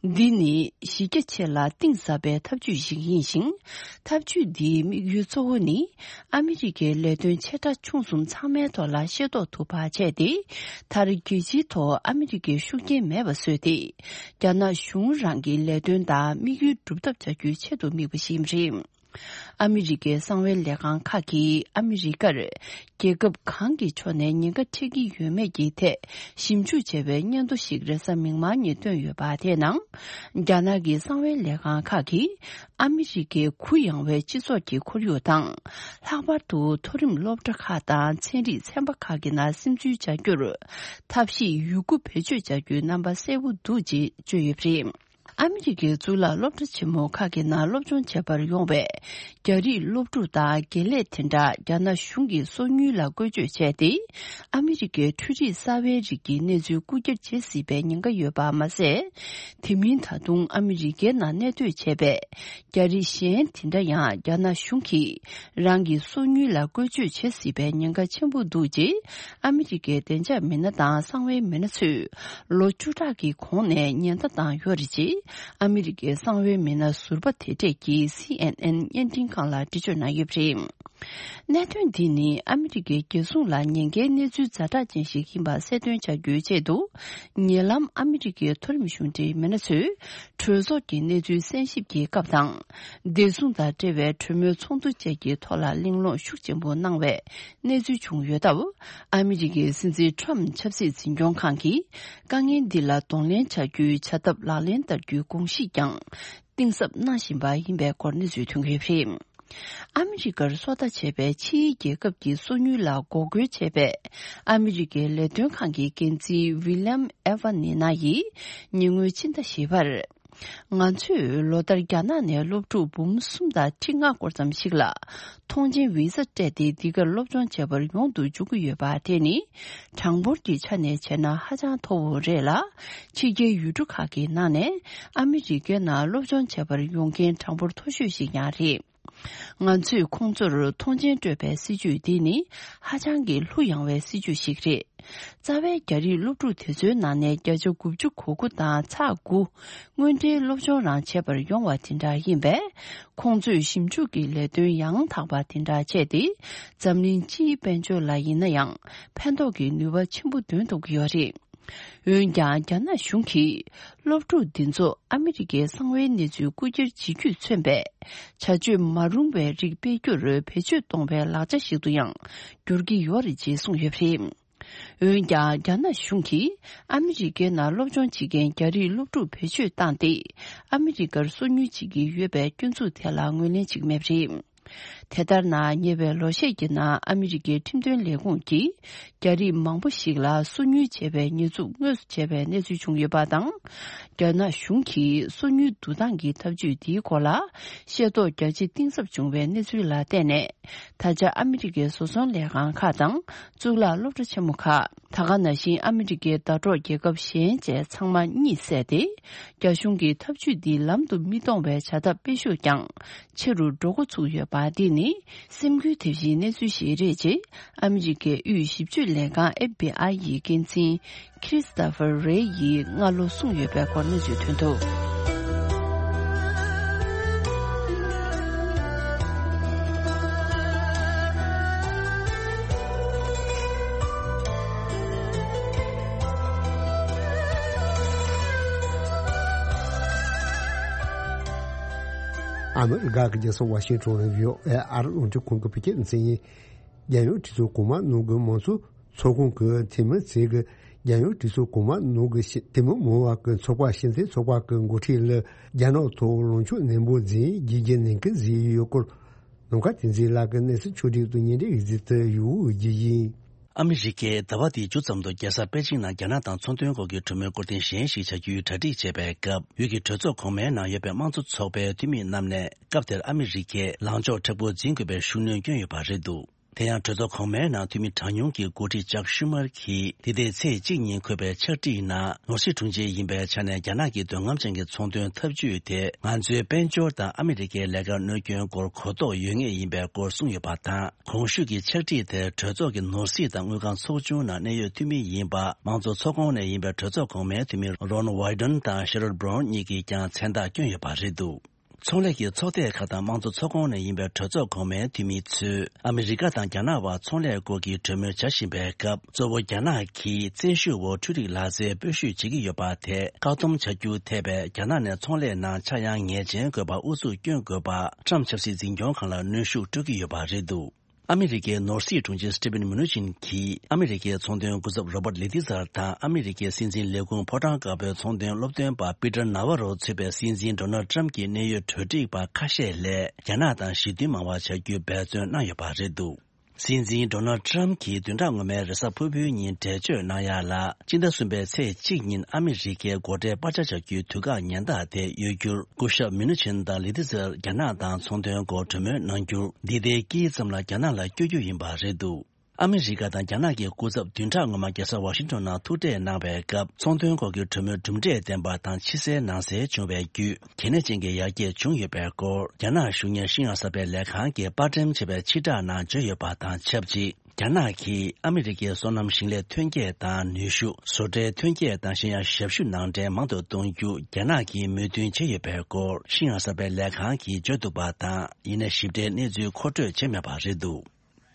འདི་ནི་གཞི་རྒྱ་ཆེ་ལ་གཏིང་ཟབ་པའི་ཐབས་ཇུས་ཤིག་ཡིན་ཞིང་། ཐབས་ཇུས་འདིའི་དམིགས་ཡུལ་གཙོ་བོ་ནི། ཨ་མི་རི་ཀའི་ལས་དོན་ཆེ་ཕྲ་ཆུང་གསུམ་ཚང་མའི་ཐོག་ལ་ཤེས་རྟོགས་ཐུབ་པ་བྱས་ཏེ། མཐར་རྒྱལ་སྤྱིའི་ཐོག་ཨ་མི་རི་ཀའི་ཤུགས་རྐྱེན་མེད་པ་བཟོས་ཏེ། རྒྱ་ནག་གཞུང་རང་གི་ལས་དོན་དང་དམིགས་ཡུལ་སྒྲུབ་ཐབས་བྱ་རྒྱུའི་ཆེད་དུ་དམིགས་པ་ཞིག་རེད། ཨ་མི་རི་ཀའི་གསང་བའི་ལས་ཁང་ཁག་གིས་ཨ་མི་རི་ཀར་རྒྱལ་ཁབ་གང་གི་ཕྱོགས་ནས་ཉེན་ཁ་འཕྲད་ཀྱི་ཡོད་མེད་ཀྱི་ཐད་ཞིབ་འཇུག་བྱས་པའི་སྙན་ཐོ་ཞིག་རེས་གཟའ་མིག་དམར་ཉིན་བཏོན་ཡོད་པ་དེའི་ནང་། རྒྱ་ནག་གི་གསང་བའི་ལས་ཁང་ཁག་གིས། ཨ་མི་རི་ཀའི་གུ་ཡངས་པའི་སྤྱི་ཚོགས་ཀྱི་ཁོར་ཡུག་དང་། ལྷག་པར་དུ་མཐོ་རིམ་སློབ་གྲྭ་ཁག་དང་ཚན་རིག་ཚན་པ་ཁག་གི་ནང་སིམ་འཛུལ་བྱ་རྒྱུར་ཐབས་ཤེས་ཡོད་རྒུ་བེད་སྤྱོད་བྱ་རྒྱུའི་རྣམ་པ་གསལ་པོ་འདུག་ཅེས་བརྗོད་ཡོད་པ་རེད། ཨ་མི་རི་ཀའི་གཙུག་ལག་སློབ་གྲྭ་ཆེན་མོ་ཁག་གི་ནང་སློབ་སྦྱོང་བྱེད་པར་ཡོང་བའི་རྒྱ་རིགས་སློབ་ཕྲུག་དང་དགེ་ལས་དེ་འདྲ་རྒྱ་ནག་གཞུང་གིས་སོ་ཉུལ་ལ་བཀོལ་སྤྱོད་བྱས་ཏེ། ཨ་མི་རི་ཀའི་འཕྲུལ་རིག་གསར་པའི་རིགས་ཀྱི་གནས་ཚུལ་རྐུ་འཁྱེར་བྱེད་སྲིད་པའི་ཉེན་ཁ་ཡོད་པ་མ་ཟད། དེ་མིན་ད་དུང་ཨ་མི་རི་ཀའི་ནང་གནས་སྡོད་བྱས་པའི། རྒྱ་རིགས་གཞན་དེ་འདྲ་ཡང་རྒྱ་ནག་གཞུང་གིས་རང་གི་སོ་ཉུལ་ལ་བཀོལ་སྤྱོད་བྱེད་སྲིད་པའི་ཉེན་ཁ་ཆེན་པོ་འདུག་ཅེས་ཨ་མི་རི་ཀའི་བདེ་འཇགས་མི་སྣ་དང་གསང་བའི་མི་སྣ་ཚོས་ལོ་བཅུ་ཕྲག་གི་གོང་ནས་ཉེན་བརྡ་བཏང་ཡོད་རེད་ཅེས་ཨ་མི་རི་ཀའི་གསང་བའི་མི་སྣ་ཟུར་པ་དེ་གྲས་ཀྱིས་སི་ཨེན་ཨེན་བརྙན་འཕྲིན་ཁང་ལ་འགྲེལ་བརྗོད་གནང་ཡོད་པ་རེད། གནད་དོན་འདི་ནི་ཨ་མི་རི་ཀའི་རྒྱལ་སྲུང་ལ་ཉེན་ཁའི་གནས་ཚུལ་ཛ་དྲག་ཅན་ཞིག་ཡིན་པ་གསལ་སྟོན་བྱ་རྒྱུའི་ཆེད་དུ། ཉེ་ལམ་ཨ་མི་རི་ཀའི་མཐོ་རིམ་གཞུང་འབྲེལ་མི་སྣ་ཚོས་གྲོས་ཚོགས་ཀྱི་གནས་ཚུལ་གསན་ཞིབ་ཀྱི་སྐབས་དང་། བདེ་སྲུང་དང་འབྲེལ་བའི་གྲོས་མོལ་ཚོགས་འདུ་བཅས་ཀྱི་ཐོག་ལ་གླེང་སློང་ཤུགས་ཆེན་པོ་གནང་བའི་གནས་ཚུལ་བྱུང་ཡོད་སྟབས། ཨ་མི་རི་ཀའི་སྲིད་འཛིན་ཊམ་ཆབ་སྲིད་འཛིན་སྐྱོང་ཁང་གིས་དཀའ་ངལ་འདི་ལ་གདོང་ལེན་བྱ་རྒྱུའི་བྱ་ཐབས་ལག་ལེན་བསྟར་རྒྱུའི་དགོངས་གཞི་ཀྱང་གཏིང་ཟབ་གནང་བཞིན་པ་ཡིན་པའི་སྐོར་གནས་ཚུལ་ཐོན་གྱི་ཡོད་པ་རེད། ཨ་མི་རི་ཀར་སོ་ལྟ་བྱས་པའི་ཕྱིའི་རྒྱལ་ཁབ་ཀྱི་སོ་ཉུལ་ལ་འགོག་རྒོལ་བྱས་པའི་ཨ་མི་རི་ཀའི་ལས་དོན་ཁང་གི་འགན་འཛིན་ཝི་ལི་ཡམ་ཨེ་ཝ་ནི་ན་ཡིས་ཉེ་སྔོན་ཕྱི་ཟླ་བཞི་པར། ང་ཚོས་ལོ་ལྟར་རྒྱ་ནག་ནས་སློབ་ཕྲུག་འབུམ་གསུམ་དང་ཁྲི་ལྔ་སྐོར་ཙམ་ཞིག་ལ་ཐོངས་མཆན་ཝི་ས་སྤྲད་དེ་འདི་གར་སློབ་སྦྱོང་བྱེད་པར་ཡོང་དུ་འཇུག་གི་ཡོད་པ་དེ་ནི་གྲངས་འབོར་གྱི་ཆ་ནས་བྱས་ན་ཧ་ཅང་མཐོ་བོ་རེད་ལ། ཕྱི་རྒྱལ་ཡུལ་གྲུ་ཁག་གི་ནང་ནས་ཨ་མི་རི་ཀའི་ནང་སློབ་སྦྱོང་བྱེད་པར་ཡོང་མཁན་གྲངས་འབོར་མཐོ་ཤོས་ཤིག་ཀྱང་རེད། ང་ཚོས་ཁོང་ཚོར་ཐོངས་མཆན་སྤྲོད་པའི་སྲིད་ཇུས་འདི་ནི་ཧ་ཅང་གི་གླུ་ཡངས་པའི་སྲིད་ཇུས་ཤིག་རེད། རྩ་བའི་རྒྱ་རིགས་སློབ་ཕྲུག་དེ་ཚོའི་ནང་ནས་བརྒྱ་ཆ་དགུ་བཅུ་གོ་དགུ་དང་ཚེག་དགུ་དངོས་འབྲེལ་སློབ་སྦྱོང་རང་བྱེད་པར་ཡོང་བ་དེ་འདྲ་ཡིན་པས། ཁོང་ཚོས་ཞིབ་འཇུག་གི་ལས་དོན་ཡང་དག་པ་དེ་འདྲ་བྱས་ཏེ། འཛམ་གླིང་སྤྱིའི་དཔལ་འབྱོར་ལ་ཡིན་ན་ཡང་ཕན་ཐོགས་ཀྱི་ནུས་པ་ཆེན་པོ་འདོན་ཐུབ་ཀྱི་ཡོད་རེད། འོན་ཀྱང་། རྒྱ་ནག་གཞུང་གིས་སློབ་ཕྲུག་འདི་ཚོ་ཨ་མི་རི་ཀའི་གསང་བའི་གནས་ཚུལ་རྐུ་འཁྱེར་བྱེད་རྒྱུས་མཚོན་པའི་བྱ་སྤྱོད་མ་རུང་བའི་རིགས་སྤེལ་རྒྱུར་བེད་སྤྱོད་གཏོང་བའི་ལག་ཆ་ཞིག་ཏུ་ཡང་འགྱུར་གྱི་ཡོད་རེད་ཅེས་གསུངས་ཡོད་པ་རེད། འོན་ཀྱང་། རྒྱ་ནག་གཞུང་གིས་ཨ་མི་རི་ཀའི་ནང་སློབ་སྦྱོང་བྱེད་མཁན་རྒྱ་རིགས་སློབ་ཕྲུག་བེད་སྤྱོད་བཏང་སྟེ། ཨ་མི་རི་ཀར་སོ་ཉུལ་བྱེད་ཀྱི་ཡོད་པའི་སྐྱོན་འཛུགས་དེ་ལ་ངོས་ལེན་བྱེད་ཀྱི་མེད་པ་རེད། དེ་ལྟར་ན། ཉེ་བའི་ལོ་ཤས་ཀྱི་ནང་ཨ་མི་རི་ཀའི་ཁྲིམས་དོན་ལས་ཁུངས་ཀྱིས་རྒྱ་རིགས་མང་པོ་ཞིག་ལ་སོ་ཉུལ་བྱས་པའི་ཉེས་འཛུགས་དངོས་སུ་བྱས་པའི་གནས་ཚུལ་བྱུང་ཡོད་པ་དང་། རྒྱ་ནག་གཞུང་གིས་སོ་ཉུལ་བསྡུ་སྟངས་ཀྱི་ཐབས་ཇུས་འདིའི་སྐོར་ལ་ཤེས་རྟོགས་རྒྱ་ཆེ་གཏིང་ཟབ་བྱུང་བའི་གནས་ཚུལ་ལ་བརྟེན་ནས། ད་ཆ་ཨ་མི་རི་ཀའི་བཟོ་ཚོང་ལས་ཁང་ཁག་དང་གཙུག་ལག་སློབ་གྲྭ་ཆེན་མོ་ཁག་ད་ག་ནང་བཞིན་ཨ་མི་རི་ཀའི་ཟླ་གྲོགས་རྒྱལ་ཁབ་གཞན་བཅས་ཚང་མ་གཉིད་སད་དེ། རྒྱ་གཞུང་གིས་ཐབས་ཇུས་འདི་ལམ་དུ་མི་གཏོང་བའི་བྱ་ཐབས་སྤེལ་ཤུགས་ཀྱང་ཆེ་རུ་འགྲོ་འགོ་ཚུགས་ཡོད་པ་འདི་ནི་སེམས་འགུལ་ཐེབས་གཞིའི་གནས་ཚུལ་ཞིག་རེད་ཅེས་ཨ་མི་རི་ཀའི་དབུས་ཞིབ་དཔྱོད་ལས་ཁང་ཨེཕ་བྷི་ཨའི་ཡི་འགན་འཛིན་ཁྲི་སི་ཏོ་ཕར་རེ་ཡིས་སྔ་ལོ་གསུངས་ཡོད་པའི་སྐོར་གནས་ཚུལ་ཐོན་འདུག་ཨ་མི་རི་ཀ་གི་རྒྱལ་ས་ཝ་ཤིང་ཊོན་ནས་བྷི་ཨོ་ཨེ་ཨ་རི་རླུང་འཕྲིན་ཁང་གི་བོད་སྐད་སྡེ་ཚན་ཡིན། རྒྱལ་ཡོངས་གྲོས་ཚོགས་གོང་མ་ནང་གི་མང་གཙོ་ཚོགས་ཁང་གི་འཐུས་མི་ཚོས་ཀྱི་རྒྱལ་ཡོངས་གྲོས་ཚོགས་གོང་མ་ནང་གི་ཤེས་འཐུས་མི་མང་བ་གི་ཚོགས་པ་ཤེས་ཚད་ཚོགས་པ་གི་འགོ་ཁྲིད་ལ་རྒྱ་ནག་ཐོག་ལངས་ཕྱོགས་ནན་པོ་འཛིན་རྒྱུ་རྒྱུ་ནན་སྐུལ་བཟོས་ཡོད་སྐོར། ནམ་མཁའ་བསྟན་འཛིན་ལགས་ཀྱིས་གནས་ཚུལ་ཕྱོགས་སྒྲིག་ཏུ་སྙན་སྒྲོན་ཡིག་ཚིག་ཏུ་ཡོད་རྒྱུ་ཡིན། ཨ་མི་རི་ཀས་ཟླ་བ་འདིའི་མཇུག་ཙམ་དུ་རྒྱལ་ས་པེ་ཅིང་ནང་རྒྱ་ནག་དང་ཚོང་དོན་སྐོར་གྱི་གྲོས་མོལ་སྐོར་ཐེངས་གཞན་ཞིག་བྱ་རྒྱུའི་གྲ་སྒྲིག་བྱེད་པའི་སྐབས། ཡུལ་གྱི་གྲོས་ཚོགས་གོང་མའི་ནང་ཡོད་པའི་དམངས་གཙོ་ཚོགས་པའི་འཐུས་མི་རྣམས་ནས་སྐབས་དེར་ཨ་མི་རི་ཀས་ལངས་ཕྱོགས་མཁྲེགས་པོ་འཛིན་དགོས་པའི་ཤུགས་སྣོན་བསྐྱོན་ཡོད་པ་རེད་འདུག། དེ་ཡང་གྲོས་ཚོགས་གོང་མའི་ནང་འཐུས་མི་གྲངས་ཉུང་གི་འགོ་ཁྲིད་ཅག་ཤུ་མར་གྱིས་འདི་ཟླའི་ཚེས་གཅིག་ཉིན་འཁོད་པའི་ཕྱག་བྲིས་ནང་ནོར་སྲིད་དྲུང་ཆེ་ཡིན་པའི་ཆ་ནས་རྒྱ་ནག་གི་འདོད་རྔམ་ཅན་གྱི་ཚོང་དོན་འཐབ་ཇུས་དེ་ང་ཚོའི་དཔལ་འབྱོར་དང་ཨ་མི་རི་ཀའི་ལས་ཀར་གནོད་སྐྱོན་སྐོར་གོ་རྟོགས་ཡོད་ངེས་ཡིན་པའི་སྐོར་གསུངས་ཡོད་པ་དང་། གོང་ཞུས་ཀྱི་ཕྱག་བྲིས་དེར་གྲོས་ཚོགས་ཀྱི་ནོར་སྲིད་དང་དངུལ་ཁང་ཚོགས་ཆུང་ནང་གནད་ཡོད་འཐུས་མི་ཡིན་པ་དམངས་གཙོ་ཚོགས་ཁོངས་ནས་ཡིན་པའི་གྲོས་ཚོགས་གོང་མའི་འཐུས་མི་Ron Wyden དང་Sherrod Brown གཉིས་ཀྱིས་ཀྱང་མཚན་རྟགས་བསྐྱོན་ཡོད་པ་རེད་འདུག། ཚོང་ལས་ཀྱི་ཚོགས་སྡེ་ཁག་དང་དམངས་གཙོ་ཚོགས་ཁོངས་ནས་ཡིན་པའི་གྲོས་ཚོགས་གོང་མའི་འཐུས་མི་ཚོས་ཨ་མི་རི་ཀ་དང་རྒྱ་ནག་དབར་ཚོང་ལས་སྐོར་གྱི་གྲོས་མོལ་བྱ་བཞིན་པའི་སྐབས། གཙོ་བོ་རྒྱ་ནག་གིས་བཙན་ཤུགས་འོག་འཕྲུལ་རིག་ལག་རྩལ་སྤོ་བཤུད་བྱེད་ཀྱི་ཡོད་པ་དེ་བཀག་སྡོམ་བྱ་རྒྱུ་ཐད་པའི་རྒྱ་ནག་ནས་ཚོང་ལས་ནང་ཆག་ཡང་ངེས་ཅན་དགོས་པར་ཨུ་ཚུགས་བསྐྱོན་དགོས་པར་ཊམ་ཆབ་སྲིད་འཛིན་སྐྱོང་ཁང་ལ་གནོན་ཤུགས་སྤྲོད་ཀྱི་ཡོད་པ་རེད་འདུག། ཨ་མི་རི་ཀའི་ནོར་སྲིད་དྲུང་ཆེ་Steven Mnuchin གྱིས་ཨ་མི་རི་ཀའི་ཚོང་དོན་སྐུ་ཚབ་Robert Lighthizer དང་ཨ་མི་རི་ཀའི་སྲིད་འཛིན་ལས་ཁུངས་ཕོ་བྲང་དཀར་པོའི་ཚོང་དོན་སློབ་སྟོན་པ་Peter Navarro གཙོས་པའི་སྲིད་འཛིན་Donald Trump གྱི་གནད་ཡོད་གྲོས་སྒྲིག་པ་ཁ་ཤས་ལ་རྒྱ་ནག་དང་ཞི་མཐུན་མང་བ་བྱ་རྒྱུའི་འབད་བརྩོན་གནང་ཡོད་པ་རེད་འདུག། སྲིད་འཛིན་Donald Trump གྱིས་བདུན་ཕྲག་སྔོན་མའི་རེས་གཟའ་ཕུར་བུའི་ཉིན་འགྲེལ་བརྗོད་གནང་ཡ་ལ། སྤྱི་ཟླ་གསུམ་པའི་ཚེས་གཅིག་ཉིན་ཨ་མི་རི་ཀའི་སྒོ་ཁྲལ་སྤར་ཆ་བྱ་རྒྱུའི་དུས་བཀག་ཉེན་བརྡ་དེ་གཡོལ་རྒྱུར། སྐུ་ཞབས་Mnuchin དང་Lighthizer རྒྱ་ནག་དང་ཚོང་དོན་སྐོར་གྲོས་མོལ་གནང་རྒྱུར། འདི་ཟླའི་དཀྱིལ་ཙམ་ལ་རྒྱ་ནག་ལ་བསྐྱོད་རྒྱུ་ཡིན་པ་རེད་འདུག། ཨ་མི་རི་ཀ་དང་རྒྱ་ནག་གི་སྐུ་ཚབ་བདུན་ཕྲག་སྔོན་མ་རྒྱལ་ས་ཝ་ཤིང་ཊོན་ནང་ཐུག་འཕྲད་གནང་བའི་སྐབས། ཚོང་དོན་སྐོར་གྱི་གྲོས་མོལ་གྲུབ་འབྲས་ལྡན་པ་དང་ཕྱི་གསལ་ནང་གསལ་བྱུང་བའི་བརྒྱུད། གལ་གནད་ཅན་གྱི་ཡར་རྒྱས་བྱུང་ཡོད་པའི་སྐོར། རྒྱ་ནག་གཞུང་གཉེར་ཤིན་ཡང་གསར་པའི་ལས་ཁང་གིས་པར་སྐྲུན་བྱས་པའི་ཕྱིར་བསྒྲགས་ནང་བརྗོད་ཡོད་པ་དང་ཆབས་ཅིག། རྒྱ་ནག་གིས་ཨ་མི་རི་ཀའི་སོ་ནམ་ཞིང་ལས་ཐོན་སྐྱེད་དང་ནུས་ཤུགས། བཟོ་གྲྭའི་ཐོན་སྐྱེད་དང་གཞན་ཡང་ཞབས་ཞུ་ནང་འདྲེན་མང་དུ་གཏོང་རྒྱུ་རྒྱ་ནག་གིས་མོས་མཐུན་བྱས་ཡོད་པའི་སྐོར་ཤིན་ཡང་གསར་པའི་ལས་ཁང་གིས་བརྗོད་འདུག་པ་དང་། ཡིན་ནའི་ཞིབ་ཕྲའི་གནས་ཚུལ་མཁོ་སྤྲོད་བྱས་མེད་པ་རེད་འདུག།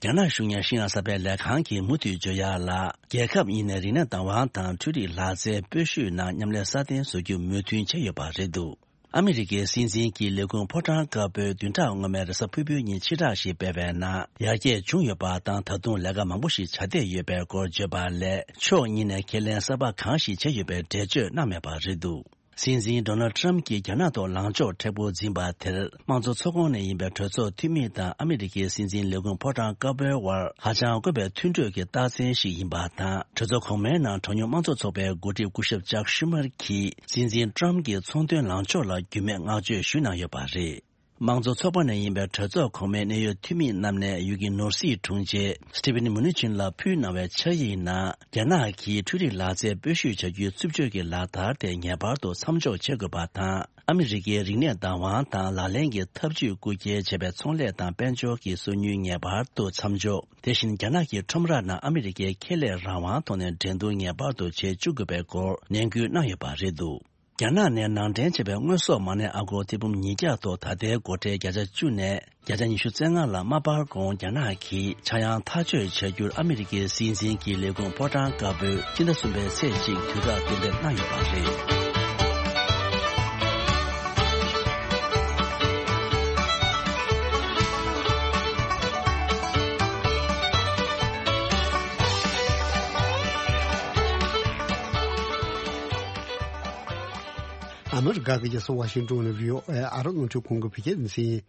རྒྱ་ནག་གཞུང་གཉེར་ཤིན་ཡང་གསར་པའི་ལས་ཁང་གིས་མུ་མཐུད་བརྗོད་ཡག་ལ། རྒྱལ་ཁབ་གཉིས་ནས་རིག་གནས་བདག་དབང་དང་འཕྲུལ་རིག་ལག་རྩལ་སྤོ་བཤུད་ནང་མཉམ་ལས་སྲ་བརྟན་བཟོ་རྒྱུ་མོས་མཐུན་བྱས་ཡོད་པ་རེད་འདུག། ཨ་མི་རི་ཀའི་སྲིད་འཛིན་གྱི་ལས་ཁུངས་ཕོ་བྲང་དཀར་པོས་བདུན་ཕྲག་སྔོན་མའི་རེས་གཟའ་ཕུར་བུའི་ཉིན་ཕྱིར་བསྒྲགས་ཤིག་སྤེལ་བའི་ནང་། ཡར་རྒྱས་བྱུང་ཡོད་པ་དང་། ད་དུང་ལས་ཀ་མང་པོ་ཞིག་བྱ་བསྡད་ཡོད་པའི་སྐོར་བརྗོད་པ་ལས། ཕྱོགས་གཉིས་ནས་ཁས་ལེན་གསར་པ་གང་ཞིག་བྱས་ཡོད་པའི་འགྲེལ་བརྗོད་གནང་མེད་པ་རེད་འདུག། སྲིད་འཛིན་Donald Trump གྱིས་རྒྱ་ནག་ཐོག་ལངས་ཕྱོགས་མཁྲེགས་པོ་འཛིན་པ་དེར། དམངས་གཙོ་ཚོགས་ཁོངས་ནས་ཡིན་པའི་གྲོས་ཚོགས་འཐུས་མི་དང་ཨ་མི་རི་ཀའི་སྲིད་འཛིན་ལས་ཁུངས་ཕོ་བྲང་དཀར་པོའི་དབར་ཧ་ཅང་དཀོན་པའི་མཐུན་གྲོས་ཀྱི་རྟགས་མཚན་ཞིག་ཡིན་པ་དང་། གྲོས་ཚོགས་གོང་མའི་ནང་གྲངས་ཉུང་དམངས་གཙོ་ཚོགས་པའི་འགོ་ཁྲིད་སྐུ་ཞབས་Chuck Schumer གྱིས་སྲིད་འཛིན་Trump གྱི་ཚོང་དོན་ལངས་ཕྱོགས་ལ་རྒྱུས་མེད་བསྔགས་བརྗོད་ཞུས་གནང་ཡོད་པ་རེད། དམངས་གཙོ་ཚོགས་པ་ནས་ཡིན་པའི་གྲོས་ཚོགས་གོང་མའི་གནད་ཡོད་འཐུས་མི་རྣམས་ནས་ཡུལ་གྱི་ནོར་སྲིད་དྲུང་ཆེ་Steven Mnuchin ལ་ཕུལ་གནང་བའི་ཕྱག་ཡིག་ནང་། རྒྱ་ནག་གིས་འཕྲུལ་རིག་ལག་རྩལ་སྤོ་བཤུད་བྱ་རྒྱུའི་རྩུབ་སྤྱོད་ཀྱི་ལག་བསྟར་དེ་ངེས་པར་དུ་མཚམས་འཇོག་བྱེད་དགོས་པ་དང་། ཨ་མི་རི་ཀའི་རིག་གནས་བདག་དབང་དང་ལག་ལེན་གྱི་ཐབས་ཇུས་རྐུ་འཁྱེར་བྱས་པའི་ཚོང་ལས་དང་དཔལ་འབྱོར་གྱི་སོ་ཉུལ་ངེས་པར་དུ་མཚམས་འཇོག། དེ་བཞིན་རྒྱ་ནག་གི་ཁྲོམ་ར་ནང་ཨ་མི་རི་ཀའི་ཁེ་ལས་རང་དབང་ཐོག་ནས་འགྲན་བསྡུར་ངེས་པར་དུ་བྱེད་བཅུག་དགོས་པའི་སྐོར་ནན་སྐུལ་གནང་ཡོད་པ་རེད་འདུག། རྒྱ་ནག་ནས་ནང་འདྲེན་བྱས་པའི་དངོས་ཟོག་མ་ཎི་ཨ་སྒོར་ཐེར་འབུམ་ཉིས་བརྒྱ་ཐོག་ད་ལྟའི་སྒོ་ཁྲལ་བརྒྱ་ཆ་བཅུ་ནས་བརྒྱ་ཆ་ཉི་ཤུ་རྩ་ལྔ་ལ་མ་སྤར་གོང་། རྒྱ་ནག་གིས་ཆག་ཡང་ཐག་གཅོད་བྱ་རྒྱུར་ཨ་མི་རི་ཀའི་སྲིད་འཛིན་གྱི་ལས་ཁུངས་ཕོ་བྲང་དཀར་པོས་སྤྱི་ཟླ་གསུམ་པའི་ཚེས་གཅིག་དུས་བཀག་གཏན་འབེབས་གནང་ཡོད་པ་རེད། ཨ་མི་རི་ཀ་གི་རྒྱལ་ས་ཝ་ཤིང་ཏོན་ནས་བྷི་ཨོ་ཨེ་ཨ་རི་རླུང་འཕྲིན་ཁང་གི་བོད་སྐད་སྡེ་ཚན་ཡིན།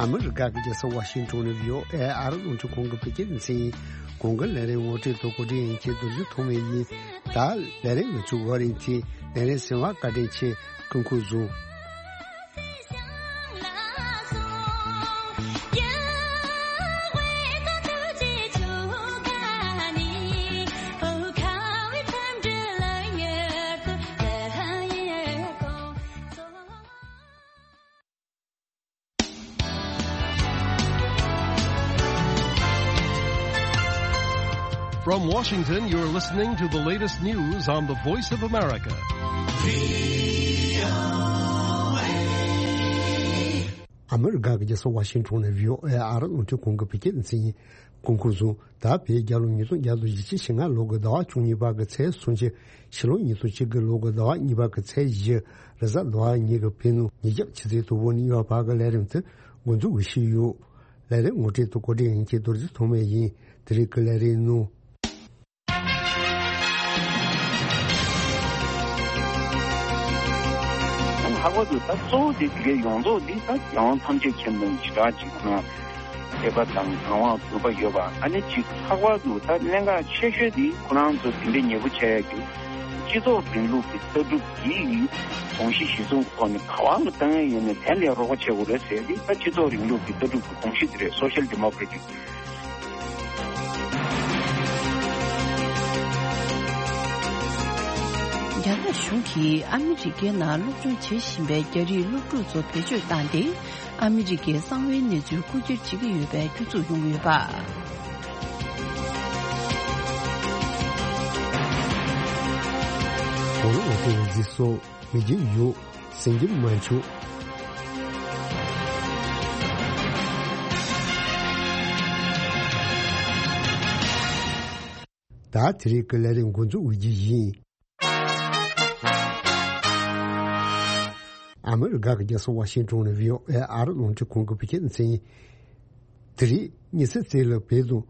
ཨ་མི་རི་ཀ་གི་རྒྱལ་ས་ཝ་ཤིང་ཊོན་ནས་བྷི་ཨོ་ཨེ་ཨ་རི་རླུང་འཕྲིན་ཁང་གི་བོད་སྐད་སྡེ་ཚན་ཡིན། གོང་གི་ལས་རིམ་ངོ་སྤྲོད་དང་གོ་སྒྲིག་ཡིན་གྱི་རྡོ་རྗེ་ཐོགས་མེད་ཡིན། ད་ལས་རིམ་ནང་ཚུད་བར་རིང་ཐེངས་ལས་རིམ་གསན་པར་བཀའ་དྲིན་ཆེ། སྐུ་ཁམས་བཟང་། From Washington, you're listening to the latest news on the Voice of America. ཨ་མི་རི་ཀ་གི་རྒྱལ་ས་ཝ་ཤིང་ཊོན་ནས་བྷི་ཨོ་ཨེ་ཨ་རི་རླུང་འཕྲིན་ཁང་གི་བོད་སྐད་སྡེ་ཚན་ཡིན། སྐུ་ཁམས་བཟང་། ད་བོད་རྒྱལ་ལོ་ཉིས་སྟོང་བརྒྱ་དང་བཞི་བཅུ་ཞེ་ལྔ་ལོ་གི་ཟླ་བ་བཅུ་གཉིས་པ་གི་ཚེས་སུམ་ཅུ། ཕྱི་ལོ་ཉིས་སྟོང་གཅིག་གི་ལོ་གི་ཟླ་བ་གཉིས་པ་གི་ཚེས་བཞི། རེས་གཟའ་ཟླ་བ་ཉིན་གྱི་བོད་ནང་ཉིན་རྒྱབ་ཆུ་ཚོད་དྲུག་པ་ནས་ཡོལ་བར་གྱི་ལས་རིམ་དེ་འགོ་འཛུགས་ཞུས་ཡོད། ལས་རིམ་ངོ་སྤྲོད་དང་གོ་སྒྲིག་ཡིན་གྱི་རྡོ་རྗེ་ཐོགས་མེད་ཡིན། དེ་རིང་གི་ལས་རིམ་ནང་། ལྷག་པར་དུ་ད་གཙོ་བོ་དེ་དེ་གའི་ཡོངས་རྫོགས་འདི་ད་རྒྱལ་དབང་ཐམས་ཅད་མཁྱེན་པའི་ཞེ་དྲག་ཅིག་ཁོ་ན་མཁས་པ་དང་དང་བ་གུས་པ་ཡོད་པ། ཨ་ནི་ཅིག་ལྷག་པར་དུ་ད་གནད་འགག་ཆེ་ཤོས་དེ་ཁོ་རང་ཚོ་དེ་འདྲའི་ཉེ་པོ་བྱས་ཡ་གི་སྤྱི་ཚོགས་རིང་ལུགས་ཀྱི་ལྟ་གྲུབ་ཀྱི་དགོངས་གཞི་གཞི་བཟུང་ཐོག་ནས་ག་བ་ལ་བཏང་ཡ་ཡིན་ནའི་དེ་ལ་རོགས་པ་བྱེད་དགོས་རེད་ཟེར་ཏེ། ད་སྤྱི་ཚོགས་རིང་ལུགས་ཀྱི་ལྟ་གྲུབ་ཀྱི་དགོངས་གཞི་དེ་རེད། སོ་ཤལ་ཌི་མོ་ཀྲེ་ཊིག་རྒྱ་ནག་གཞུང་གིས་ཨ་མི་རི་ཀའི་ནང་སློབ་སྦྱོང་བྱེད་བཞིན་པའི་རྒྱ་རིགས་སློབ་ཕྲུག་ཚོ་བེད་སྤྱོད་བཏང་སྟེ། ཨ་མི་རི་ཀའི་གསང་བའི་གནས་ཚུལ་རྐུ་འཁྱེར་བྱེད་ཀྱི་ཡོད་པའི་སྐྱོན་འཛུགས་ཡོང་གི་ཡོད་པ། གོ་ལ་འོག་གི་འོད་ཟེར་སོགས་མི་རྒྱུ་ཡོད། སེང་གེ་མ་མཆོག་ད་དེ་རིང་གི་ལས་རིམ་འགོ་འཛུགས་འོས་ཀྱི་ཡིན། ཨ་མི་རི་ཀ་གི་རྒྱལ་ས་ཝ་ཤིང་ཊོན་ནས་བྷི་ཨོ་ཨེ་ཨ་རི་རླུང་འཕྲིན་ཁང་གི་བོད་སྐད་སྡེ་ཚན་ཡིན། དེ་རིང་ཉི་ཤུ་རྩ་གཅིག་ལ་བོད་དང་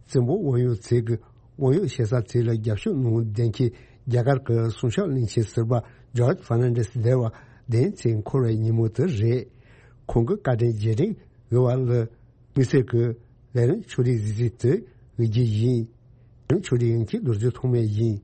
བཙན་པོ་དབང་ཡོད་ཚོས་ཀྱི་དབང་ཡོད་ཞེ་ས་ཚོ་ལ་རྒྱབ་སྐྱོར་གནང་བའི་དོན་རྐྱེན། རྒྱ་གར་གྱི་སྲུང་སྐྱོབ་བློན་ཆེན་ཟུར་པ་ཇོརྗ་ཧྥར་ནན་ཌེ་སི་འདས་པ་བདུན་ཚེས་འཁོར་བའི་ཉིན་མོ་དེ་རེད། ཁོང་གི་བཀའ་དྲིན་རྗེས་དྲན་ཞུ་བ་ལ། དམིགས་བསལ་གྱི་ལས་རིམ་ཕྱོགས་སྒྲིག་གཟིགས་ཚུལ་དེ་འོས་ཀྱི་ཡིན། ལས་རིམ་ཕྱོགས་སྒྲིག་ཡིན་གྱི་རྡོ་རྗེ་ཐོགས་མེད་ཡིན།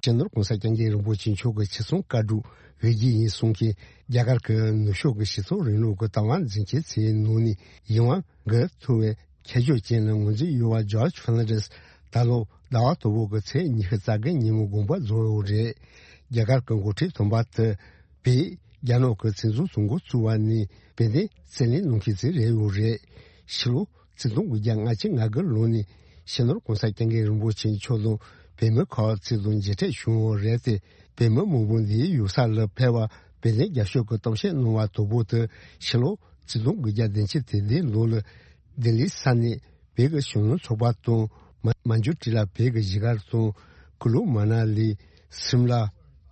སྤྱི་ནོར་༸གོང་ས་༸སྐྱབས་མགོན་རིན་པོ་ཆེ་མཆོག་གི་ཆེད་གསུང་བཀའ་སྒྲུབ་འོས་ཀྱི་ཡིན་གསུངས་མཁན། རྒྱ་གར་གྱི་ནུབ་ཕྱོགས་ཀྱི་སྤྱི་ཚོགས་རིང་ལུགས་ཀྱི་དང་བ་འཛིན་མཁན་ཚོའི་ནང་ནས་ཡིད་དབང་འགུག་ཐུབ་པའི་ཁྱད་ཆོས་ཅན་ལ་ངོས་འཛིན་ཡོད་པ་ཇོརྗ་ཧྥར་ནན་ཌེ་སི་ད་ལོ་ཟླ་བ་དང་པོ་གི་ཚེས་ཉི་ཤུ་རྩ་བརྒྱད་ཉིན་མོ་དགོངས་པ་རྫོགས་ཡོད་རེད། རྒྱ་གར་གྱི་འགོ་ཁྲིད་དམ་པ་དེ་བོད་རྒྱ་ནག་གི་བཙན་འཛུལ་དང་འགོ་བཙུགས་པ་ནས་བོད་དོན་རྩོད་ལེན་གནང་མཁན་ཚོ་རེད་ཡོད་རེད། ཕྱི་ལོ་ཆིག་སྟོང་དགུ་བརྒྱ་ལྔ་བཅུ་ང་དགུ་ལོ་ནས་སྤྱི་ནོར་༸གོང་ས་༸སྐྱབས་མགོན་རིན་པོ་ཆེ་མཆོག་དང་བོད་མི་ཁག་ཅིག་དང་མཇལ་འཕྲད་བྱུང་ཡོད་རེད་དེ། བོད་མི་མང་པོ་འདིའི་ཡུལ་ས་ལ་ཕེབས་པར་བོད་དོན་རྒྱབ་སྐྱོར་གྱི་གཏམ་བཤད་གནང་བ་དང་པོ་དེ་ཕྱི་ལོ་ཆིག་སྟོང་དགུ་བརྒྱ་བདུན་ཅུ་དོན་བདུན་ལོ་ལ་ལྡི་ལིའི་ས་གནས་བོད་ཀྱི་གཞོན་ནུ་ཚོགས་པ་དང་མ་མན་ཇུ་ཊི་ལ་བོད་ཀྱི་གཞིས་སྒར་དང་། ཀུ་ལུ་མ་ན་ལི། སིམ་ལ།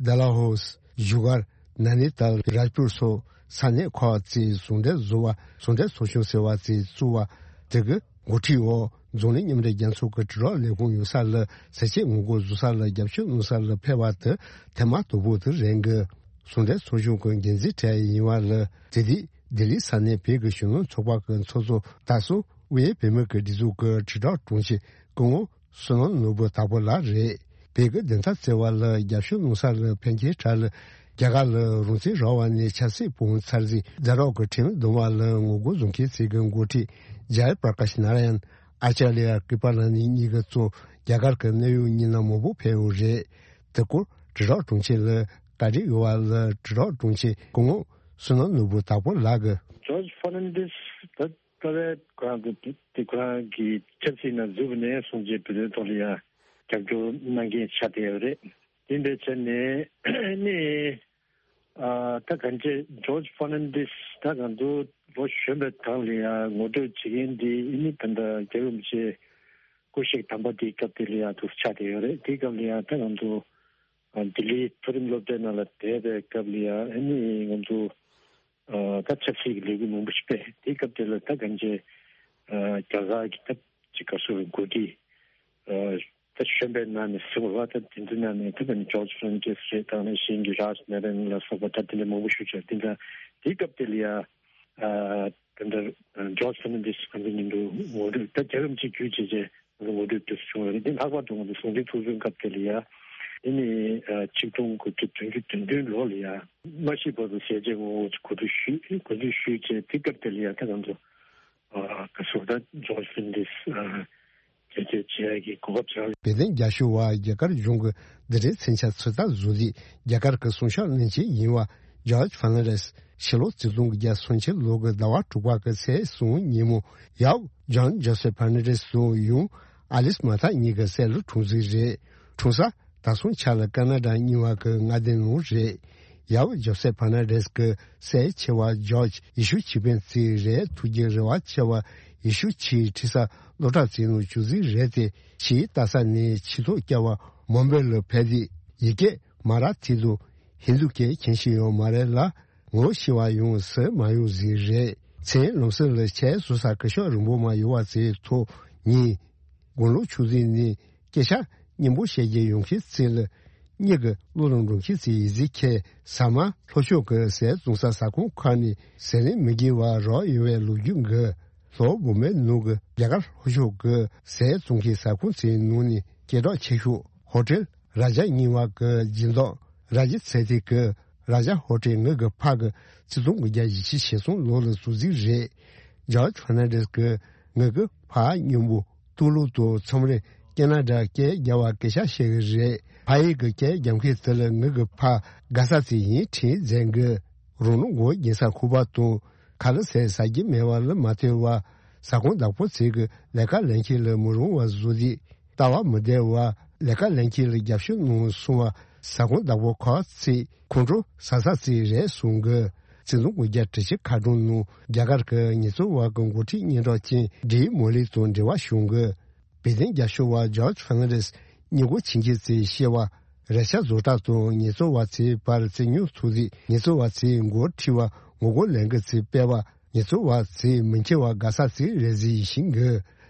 ཌལ་ཧོ་སི། བཞུགས་སྒར། ནཱ་ནི་ཏཱལ། རཱཇ་པུར་སོགས་ས་གནས་ཁག་ཅིག་ཟུང་འབྲེལ་བཟོ་བ། ཟུང་འབྲེལ་ཚོགས་ཆུང་ཟེར་བ་ཅིག་བཙུགས་པ་དེ་གི་འགོ་ཁྲིད་འོག་འཛམ་གླིང་མཉམ་འབྲེལ་རྒྱལ་ཚོགས་ཀྱི་དྲིལ་སྒྲོག་ལས་ཁུངས་ཡོད་ས་ལ་ཟས་བཅད་ངོ་རྒོལ་བཟོ་ས་ལ་རྒྱབ་སྐྱོར་གནང་ས་ལ་ཕེབས་པ་དེ་ཐེངས་མ་དང་པོ་དེ་རེད་འགི། ཟུང་འབྲེལ་ཚོགས་ཆུང་གི་འགན་འཛིན་གྲས་ཡིན་པ་ལ་དེ་དུས་ལྡི་ལི་ས་གནས་བོད་ཀྱི་གཞོན་ནུ་ཚོགས་པ་གི་ཚོགས་གཙོ་དར་སྲོང་དབུས་བོད་མི་གི་སྒྲིག་འཛུགས་ཀྱི་དྲིལ་སྒྲོག་དྲུང་ཆེ་སྐུ་ངོ་བསོད་ནམས་ནོར་བུ་དྭགས་པོ་ལགས་རེད། བོད་ཀྱི་བདེན་མཐའ་བཙལ་བ་ལ་རྒྱབ་སྐྱོར་གནང་ས་ལ་ཕེབས་མཁན་གྲས་ལ་རྒྱ་གར་ལ་རང་བཙན་རག་པ་ནས་ཆབ་སྲིད་དཔུང་ཚར་རྗེས་རྫ་རོགས་ཀྱི་ཁྲིམས་རྡུང་བ་ལ་ངོ་རྒོལ་བཟོ་མཁན་ཚོའི་འགོ་ཁྲིད་ཇཱ་ཡ་པྲ་ཀཱཤ་ནཱ་ར་ཡན། ཨ་ཅཱརྱ་ཀི་པ་ལ་ནི་གཉིས་ཀྱི་གཙོ་རྒྱ་གར་གྱི་གནད་ཡོད་མི་སྣ་མང་པོ་ཕེབས་ཡོད་རེད། དེ་སྐོར་དྲིལ་སྒྲོག་དྲུང་ཆེ་ལ་བཀའ་འདྲི་ཡོད་པ་ལ་དྲིལ་སྒྲོག་དྲུང་ཆེ་སྐུ་ངོ་བསོད་ནམས་ནོར་བུ་དྭགས་པོ་ལགས་ཀྱིས། ཇོརྗ་ཧྥར་ནན་ཌེ་སི་ད་ད་བས་ཁོ་རང་གི་དེ་ཁོ་རང་གི་ཆབ་སྲིད་ནང་འཛུལ་བ་ནས་བཟུང་རྗེས་བོད་དོན་ཐོག་ལ་ཡང་རྒྱབ་སྐྱོར་གནང་མཁན་ཆགས་བསྡད་ཡོད་རེད། དེ་འདྲ་བྱས་ནས་ནི། ཨ་ད་གང་ཅི་ཇོརྗ་ཧྥར་ནན་ཌེ་སི་ད་གང་དུ་ལོ་གཞོན་པའི་སྒང་ལ་ཡང་ངོ་སྤྲོད་བྱེད་མཁན་འདི་ཨ་ནི་ད་ལྟ་རྒྱལ་བ་རིན་པོ་ཆེ་སྐུ་གཤེགས་དམ་པ་དེའི་སྐབས་དེ་ལ་ཡང་དུ་ཆགས་བསྡད་ཡོད་རེད། དེའི་སྐབས་ལ་ཡང་ད་གང་དུ་ལྡི་ལིའི་མཐོ་རིམ་སློབ་གྲྭའི་ནང་ལ་བསྡད་པའི་སྐབས་ལ་ཡང་ཨ་ནི་ང་ཚོ་ད་ཆབ་སྲིད་ཀྱི་ལས་འགུལ་མང་པོ་ཞིག་སྤེལ། དེའི་སྐབས་དེ་ལ་ད་གང་ཅི་རྒྱ་གར་གྱི་ད་ཅི་ག་སོ་འགོ་ཁྲིད། ད་གཞོན་པའི་ནང་ནས་ཟེར་བ་ལ་ད་དེ་ཚོའི་ནང་ནས་ད་ནི་ཇོརྗ་ཧྥར་ནན་ཌེ་སི་རེད། ད་ནི་གཞན་གྱི་རཱཇ་ནཱ་ར་ཡན་ལ་སོགས་པ་ད་དེ་འདྲ་མང་པོ་ཞིག་བྱས། དེ་འདྲ་དེའི་སྐབས་དེ་ལ་ཡ་ད་འདྲ་ ཇོརྗ་ཕར་ནན་ཌེ་སི་ཕན་ཚུན་མཉམ་དུ་ངོ་སྤྲོད། ད་རྒྱལ་ཁམས་གཅིག་གྱུར་བྱས་བྱས་ངོ་སྤྲོད་དེ་བྱུང་བ་རེད། དེ་ལྷག་པར་དུ་ང་ཚོ་ཟུང་འབྲེལ་ཚོགས་ཆུང་སྐབས་དེ་ལ་ཡ། དེ་ནི་ཆིག་སྟོང་དགུ་བརྒྱ་བདུན་ཅུ་དོན་བདུན་ལོ་ལ་ཡ། མ་ཤི་བར་དུ་ཟས་བཅད་ངོ་རྒོལ་གོ་སྒྲིག་ཞུས། གོ་སྒྲིག་ཞུས་བྱས་དེ་སྐབས་དེ་ལ་ཡ། ད་ང་ཚོ་ག་ཟུར་ད་ཇོརྗ་ཕར་ནན་ཌེ་སི་བྱས་བྱས་ཀྱི་གོ་སྐབས་ཆགས། དཔལ་ལྡན་རྒྱ་ཤོག་པ་རྒྱ་གར་གཞུང་གི་འདི་འདྲའི་མཚོན་ཆ་ཚོད་ལྟ་བཟོ་ལས་རྒྱ་གར་གྱི་སྲུང་སྐྱོབ་བློན་ཆེན་ཡིན་པ་ཇོརྗ་ཕར་ནན་ཌེ་སི་ཕྱི་ལོ་ཆིག་སྟོང་དགུ་བརྒྱ་སུམ་ཅུ་ལོ་གི་ཟླ་བ་དྲུག་པ་གི་ཚེས་གསུམ་ཉིན་མོ་ཡབ་ཇོན་ཇོ་སེབ་ཕར་ནན་ཌེ་སི་དང་ཡུམ་ཨ་ལིས་མར་ཐ་གཉིས་ཀྱི་སྲས་ལ་འཁྲུངས་ཟིན་རེད། འཁྲུངས་ས་ད་སོང་ཆ་ལ་ཀ་ན་ཌ་རྙིང་བ་གི་མངའ་སྡེ་ནང་རེད། ཡབ་ཇོ་སེབ་ཕར་ནན་ཌེ་སི་གི་སྲས་ཆེ་བ་ཇོརྗ་ཡེ་ཤུ་ཆོས་དཔོན་བརྩིས་རེད། ཐུགས་རྗེ་རེ་བ་ཆེ་བ་ཡེ་ཤུ་ཆོས་ཁྲིད་ས་སློབ་གྲྭ་བརྩིས་ནང་བཅུག་ཟིན་རེད་དེ། ཆོས་ལྟ་ས་ནས་ཆོས་ཐོག་བསྐྱལ་བ་མུམ་བེ་ལ་ཕེབས་དུས་ཡི་གེ་མ་ར་ཐི་དང་ཧིན་དུ་སྐད་མཁྱེན་ཤེས་ཡོད་མ་རེད་ལ། ངོ་ཤེས་པ་ཡང་སུ་མ་ཡོང་ཟིག་རེད། མཚན་ལམ་སང་ལ་ཆས་བཟོ་ས་སྐུ་ཞབས་རིན་པོ་མ་ཡོད་པ་ཚོའི་ཐོག་ཉིན། དགུང་ལོ་ཆུང་ཟིག་ནས་སྐད་ཆ་སྙན་པོ་བཤད་རྒྱུ་ཡོང་མཁན་ཚོ་ལ་གཉིད་ཀྱི་བློ་ལ་འགྲོ་མཁན་ཚོའི་ཡིག་གཟུགས་ཁྱེར་ཟ་མ་ལྷོ་ཕྱོགས་ཀྱི་ཟས་བཙོང་ས་ཟ་ཁང་ཁག་ནས་ཟས་རིན་མི་དགོས་པ་རག་ཡོང་བའི་ལོ་རྒྱུས་འགའ། ལྷོ་བོད་མིའི་ནང་གི་རྒྱ་གར་ལྷོ་ཕྱོགས་ཀྱི་ཟས་བཙོང་མཁན་ཟ་ཁང་ཚོའི་ནང་ནས་སྐད་གྲགས་ཆེ་ཤོས་ཧོ་ཊེལ་རཱ་ཇ་རྙིང་བ་གི་སྦྱིན་བདག་རཱ་ཇི་ཚེ་ཐེ་གི་རཱ་ཇ་ཧོ་ཊེལ་ངེད་ཀྱི་ཕ་གི་ཆིག་སྟོང་དགུ་བརྒྱ་བཞི་བཅུ་ཞེ་གསུམ་ལོ་ལ་བཙུགས་ཟིག་རེད། ཇོརྗ་ཕར་ནན་ཌེ་སི་གི་ངེད་ཀྱི་ཕ་སྙིང་པོ་ཏུ་ལུ་དང་མཚམས་རེ་ཀེ་ན་ཌ་སྐད་རྒྱབ་པ་སྐད་ཆ་བཤད་གི་རེད། ཕ་ཡུལ་གྱི་སྐད་རྒྱབ་མཁན་དེ་ལ་ངེད་ཀྱི་ཕ་དགའ་ས་ཚོ་ཡིན་དྲན་མཛད་གི། རང་ལུས་མགོ་སྦྱིན་ས་ཁུག་པ་དང་ཁ་ལག་ཟས་ཟ་རྒྱུ་མེད་པ་ལ་མ་ལྟོས་པར་ཟ་ཁང་བདག་པོ་ཚོ་གི་ལས་ཀ་ལེན་མཁན་ལ་མི་རུང་བ་བཟོ་དུས། ལྟ་བ་མི་བདེ་བ་ལས་ཀ་ལེན་མཁན་ལ་རྒྱབ་སྐྱོར་གནང་སོང་བ་ཟ་ཁང་བདག་པོ་ཁག་ཅིག་ཁོང་ཁྲོ་ཟ་ས་ཅིག་རེད་གསུང་གི། ཆིག་སྟོང་དགུ་བརྒྱ་དྲུག་ཅུ་ཁ་གྲངས་ནང་རྒྱ་གར་གྱི་ཉེས་འཛུགས་པ་གི་འགོ་ཁྲིད་སྙན་གྲགས་ཅན་ཌེ་མོ་ལི་དང་འབྲེལ་བ་བྱུང་གི། དཔལ་ལྡན་རྒྱ་ཤོག་པ་ཇོརྗ་ཕར་ནན་ཌེ་སི་སྙད་གོ་ཆེན་མཁན་ཚོས་བཤད་པ། རེ་ཆ་བཟོ་གྲྭ་དང་ཉེས་འཛུགས་པ་ཚོའི་བར་བཙན་ཉུང་ཐུག་དུས་ཉེས་འཛུགས་པ་ཚོའི་འགོ་ཁྲིད་པ་ངོ་རྒོལ་ལས་འགུལ་ཚོའི་སྤེལ་བ། ཉེས་འཛུགས་པ་ཚོས་མི་འཁྱེར་བ་དགའ་ས་ཚོའི་རེ་ཟིག་ཡིན་ཤིང་གི།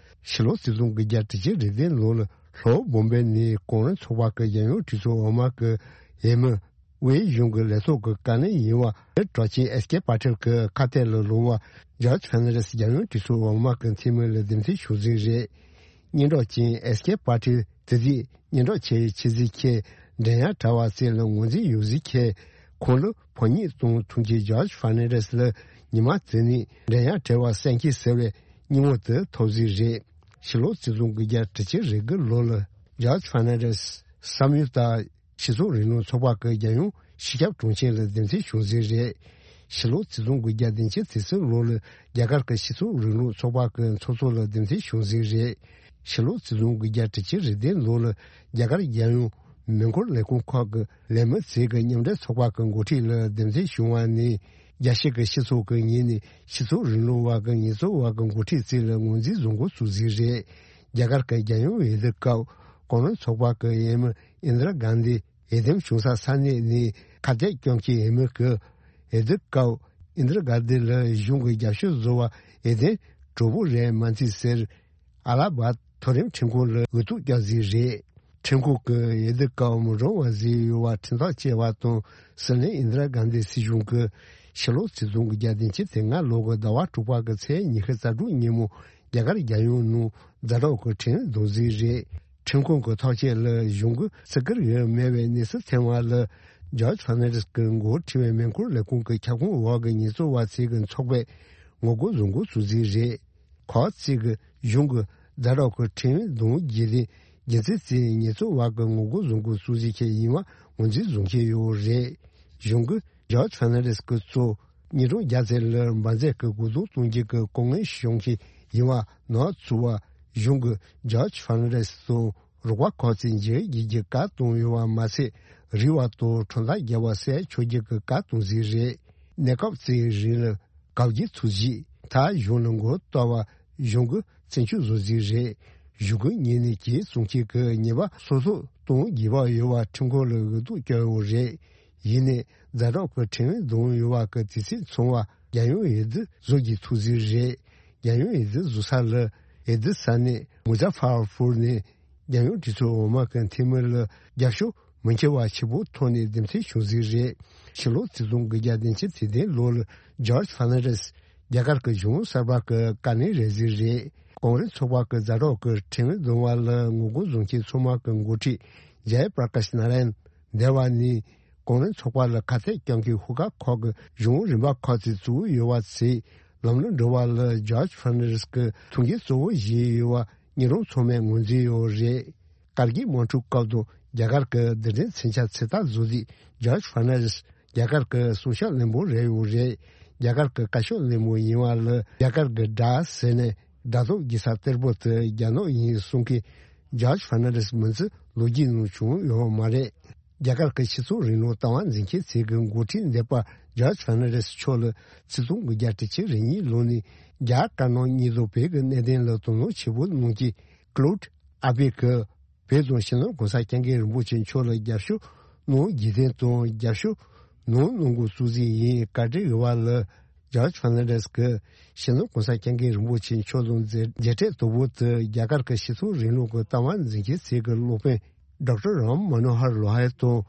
ཕྱི་ལོ་ཆིག་སྟོང་དགུ་བརྒྱ་དྲུག་ཅུ་རེ་བདུན་ལོ་ལ་ལྷོ་བོམ་བེ་ནས་གོང་རིམ་ཚོགས་པ་གི་རྒྱལ་ཡོངས་གྲོས་ཚོགས་འོག་མ་གི་འོས་མི། དབུས་གཞུང་གི་ལས་ཐོག་གི་བཀའ་བློན་ཡིན་པ་གྲགས་ཅན་ཨེས་ཀེ་པ་ཏེལ་གྱི་ཁ་གཏད་ལ་ལོག་པ་ཇོརྗ་ཕར་ནན་ཌེ་སི་རྒྱལ་ཡོངས་གྲོས་ཚོགས་འོག་མ་གི་འཐུས་མི་ལ་འདེམས་ཐོན་བྱུང་ཟིག་རེད། སྙན་གྲགས་ཅན་ཨེས་ཀེ་པ་ཏེལ་དེ་དུས་སྙན་གྲགས་ཆེ་བའི་ཆེད་ཟིག་ཁྱེད་འགྲན་ཡ་བྲལ་བ་ཚོ་ལ་ངོས་འཛིན་ཡོད་ཟིག་ཁྱེད་ཁོང་ལ་ཕོ་ཉ་དང་མཐུན་གྱི་ཇོརྗ་ཕར་ནན་ཌེ་སི་ལ་ཉི་མ་དེ་ནས་འགྲན་ཡ་བྲལ་བ་གསལ་མཁན་ཟེར་བའི་སྙིང་བོ་དེ་ཐོབ་ཟིག་རེད། ཕྱི་ལོ་ཆིག་སྟོང་དགུ་བརྒྱ་དྲུག་ཅུ་རེ་དགུ་ལོ་ལ་ཇོརྗ་ཕར་ནན་ཌེ་སི་བསམ་ཡུལ་ལྟར། སྤྱི་ཚོགས་རིང་ལུགས་ཚོགས་པ་གི་རྒྱལ་ཡོངས་སྤྱི་ཁྱབ་དྲུང་ཆེ་ལ་འདེམས་ཐོན་བྱུང་ཟིན་རེད། ཕྱི་ལོ་ཆིག་སྟོང་དགུ་བརྒྱ་བདུན་ཅུ་དོན་གསུམ་ལོ་ལ་རྒྱ་གར་གྱི་སྤྱི་ཚོགས་རིང་ལུགས་ཚོགས་པ་གི་ཚོགས་གཙོ་ལ་འདེམས་ཐོན་བྱུང་ཟིན་རེད། ཕྱི་ལོ་ཆིག་སྟོང་དགུ་བརྒྱ་དྲུག་ཅུ་རེ་བདུན་ལོ་ལ་རྒྱ་གར་རྒྱལ་ཡོངས་མེ་འཁོར་ལས་ཁུངས་ཁག་གི་ལས་མི་ཚོས་ཀྱི་མཉམ་འབྲེལ་ཚོགས་པ་གི་འགོ་ཁྲིད་ལ་འདེམས་ཐོན་བྱུང་བ་ནས་རྒྱལ་སྤྱི་གི་སྤྱི་ཚོགས་ཀྱི་ངོས་ནས་སྤྱི་ཚོགས་རིང་ལུགས་པ་གི་ཉེས་འཛུགས་པ་གི་འགོ་ཁྲིད་ཚོ་ལ་ངོས་འཛིན་བཟོ་འགོ་ཚུགས་ཟིན་རེད། རྒྱ་གར་གྱི་རྒྱལ་ཡོངས་འོས་བསྡུ་སྐབས་གོང་རིམ་ཚོགས་པ་གི་འོས་མི་ཨིན་དྲ་གྷན་དྷི་འོས་འདེམས་བྱུང་ས་ས་གནས་ནས་ཁ་གཏད་བཅོམ་གྱི་འོས་མི་གི་འོས་བསྡུ་སྐབས་ཨིན་དྲ་གྷན་དྷི་ལ་གཞུང་གི་རྒྱབ་སྐྱོར་བཟོ་བ་འོས་འདེམས་གྲོགས་པོ་རེད་མ་འཚལ་ཟེར། ཨ་ལ་བ་མཐོ་རིམ་ཁྲིམས་ཁང་ལ་འོས་ཐོབ་བསྐྱངས་ཟིན་རེད། ཁྲིམས་ཁང་གི་འོས་བསྡུ་སྐབས་མི་འགྲོ་བ་ཟིག་ཡོད་པ་ཁྲིམས་ཐག་བཅད་པ་དང་སྲིད་བློན་ཨིན་དྲ་གྷན་དྷི་སྲིད་གཞུང་གི་ཕྱི་ལོ་ཆིག་སྟོང་དགུ་བརྒྱ་བདུན་ཅུ་དོན་ལྔ་ལོ་གི་ཟླ་བ་དྲུག་པ་གི་ཚེས་ཉི་ཤུ་རྩ་དྲུག་ཉིན་མོ་རྒྱ་གར་རྒྱལ་ཡོངས་ནང་ཛ་དྲག་གི་ཁྲིམས་འཛུགས་ཟིན་རེད། ཁྲིམས་ཁང་གི་ཐག་བཅད་ལ་གཞུང་གི་བརྩི་བཀུར་ཡོད་མེད་པའི་གནས་ཚུལ་ཐོན་པ་ལ་ཇོརྗ་ཕར་ནན་ཌེ་སི་གི་འགོ་ཁྲིད་པའི་མེ་འཁོར་ལས་ཁུངས་ཀྱི་ཁྱབ་ཁོངས་འོག་གི་ཉེས་འཛུགས་པ་ཚོས་ཀྱི་ཚོགས་པས་ངོ་རྒོལ་བཟོ་འགོ་ཚུགས་ཟིན་རེད། ཁག་ཅིག་གིས་གཞུང་གི་ཛ་དྲག་གི་ཁྲིམས་དོན་རྒྱུན་ལྡན་རྒྱུ་མཚན་བརྩིས་ཉེས་འཛུགས་པ་གི་ངོ་རྒོལ་བཟོ་འགོ་ཚུགས་ཟིན་མཁན་ཡིན་པ་ངོས་འཛིན་བཟོ་མཁན་ཡོད་རེད། གཞུང་གིས་ཇོརྗ་ཕར་ནན་ཌེ་སི་སྐུ་ཚབ་ཉིས་སྟོང་བརྒྱ་ཙམ་ལ་འབར་རྫས་ཀྱི་གོ་བསྡུར་གཏོང་རྒྱུ་གི་ལྐོག་རྔན་བྱུང་མཁན་ཡིན་པ་ནོར་བཅུག་པ། གཞུང་གིས་ཇོརྗ་ཕར་ནན་ཌེ་སི་དང་རོགས་པ་ཁག་ཅིག་མཇལ་བརྒྱུད་ཀྱི་བཀའ་བཏང་ཡོད་པ་མ་ཚད། རིག་པ་དང་ཁྲིམས་ཐག་བརྒྱབ་པ་སེལ་ཆོག་རྒྱུ་གི་བཀའ་བཏང་ཟིན་རེད། གནས་སྐབས་གཅིག་རིང་ལ་བཀག་སྐྱིལ་ཚུགས་རྗེས་མཐར་གཞུང་ལ་མགོ་གཏོགས་པ་གཞུང་གིས་བཙན་སྐྱོབ་བཟོ་རྩིས་རེད། གཞུང་གི་ངོས་ནས་གྱོད་བཙུགས་མཁན་གྱི་ཉེས་པ་སོ་སོ་གཏོང་དགོས་པ་ཡོད་པ་ཁྲིམས་ཁང་ལ་འོས་ཐོབ་བསྐྱངས་ཡོད་རེད། ཡིན་ནའི་ཛ་དྲག་གི་ཁྲིམས་དོན་ཡོད་པ་གི་དུས་ཚོད་ཚང་བ་རྒྱལ་ཡོངས་འོས་བསྡུ་བཟོ་རྒྱུ་ཐུགས་བརྩེ་རེད། རྒྱལ་ཡོངས་འོས་བསྡུ་བཟོ་ས་ལ་འོས་བསྡུ་ས་གནས་མུ་ཛ་ཕར་ཕུར་ནས་རྒྱལ་ཡོངས་གྲོས་ཚོགས་འོག་མ་གི་འཐུས་མི་ལ་རྒྱབ་སྐྱོར་མི་འཁྱེར་བ་ཆེ་པོ་ཐོག་ནས་འདེམས་ཐོན་བྱུང་ཟིན་རེད། ཕྱི་ལོ་ཆིག་སྟོང་དགུ་བརྒྱ་བདུན་ཅུ་དོན་བདུན་ལོ་ལ་ཇོརྗ་ཕར་ནན་ཌེ་སི་ རྒྱ་གར་གྱི་གཞུང་གསར་པ་གི་བཀའ་བློན་རེད་ཟེར་རེད། ཀོང་རེས་ཚོགས་པ་གི་ཛ་དྲག་གི་ཁྲིམས་འདོན་པ་ལ་ངོ་རྒོལ་བཟོ་མཁན་ཚང་མ་གི་འགོ་ཁྲིད་ཇའི་པྲ་ཀཱཤ་ནཱ་ར་ཡན་འདས་པ་ནས། ཀོང་རེས་ཚོགས་པ་ལ་ཁ་གཏད་གཅོག་མཁན་ཤོག་ཁག་ཁག་གི་གཞུང་རིམ་པ་ཁག་ཅིག་བཙུགས་ཡོད་པ་ཚེ། ལམ་ལུགས་འགྲོ་བ་ལ་ཇོརྗ་ཕར་ནན་ཌེས་ཀྱི་ཐུགས་འགན་གཙོ་བོ་བཞེས་ཡོད་པ་སྙིང་རུང་ཚང་མས་ངོས་འཛིན་ཡོད་རེད། ཀར་གིལ་དམག་འཁྲུག་སྐབས་དུ་རྒྱ་གར་གྱི་རྡུལ་ཕྲན་མཚོན་ཆ་ཚོད་ལྟ་བཟོ་རྩིས་ཇོརྗ་ཕར་ནན་ཌེས་རྒྱ་གར་གྱི་སྲུང་སྐྱོབ་བློན་པོ་རེད་ཡོད་རེད། རྒྱ་གར་གྱི་བཀའ་ཤོག་བློན་པོ་ཡིན་པ་ལ་རྒྱ་གར་གྱི་དགྲ་ཟེར་ནས་དགྲ་ཐོབ་རྒྱལ་ས་གཏེར་པོ་དེ་རྒྱ་ནག་ཡིན་གསུང་མཁན་ཇོརྗ་ཕར་ནན་ཌེས་མིང་ཚིག་ལོ་རྒྱུས་ནང་བྱུང་ཡོད་མ་རེད། རྒྱ་གར་གྱི་སྤྱི་ཚོགས་རིང་ལུགས་ལྟ་བ་འཛིན་མཁན་ཚོས་ཀྱི་འགོ་ཁྲིད་འདས་པ་ཇོརྗ་ཕར་ནན་ཌེས་མཆོག་ལ་ཆིག་སྟོང་དགུ་བརྒྱ་དྲུག་ཅུ་རེ་གཉིས་ལོ་ནས་རྒྱ་དཀར་ནག་གཉིས་དང་བོད་ཀྱི་གནད་དོན་ལ་དོ་སྣང་ཆེན་པོ་གནང་མཁན་ཀློད་ཨ་བྷི་གིས་བོད་དང་སྤྱི་ནོར་གོང་ས་སྐྱབས་མགོན་རིན་པོ་ཆེ་མཆོག་ལ་རྒྱབ་སྐྱོར་གནང་རྒྱུ་དོན་དང་རྒྱབ་སྐྱོར་གནང་གནང་དགོས་གཙོ་འཛིན་ཡིན། བཀའ་དྲིན་ཡོད་པ་ལ་ཇོརྗ་ཕར་ནན་ཌེས་ཀྱིས་སྤྱི་ནོར་གོང་ས་སྐྱབས་མགོན་རིན་པོ་ཆེ་མཆོག་དང་མཇལ་མཇལ་འཕྲད་དོ་པོ་དེ་རྒྱ་གར་གྱི་སྤྱི་ཚོགས་རིང་ལུགས་ཀྱི་ལྟ་བ་འཛིན་མཁན་ཚོས་ཀྱི་སློབ་དཔོན་ཌོག་ཊར་རམ་མ་ནོ་ཧར་ལོ་ཧེ་དང་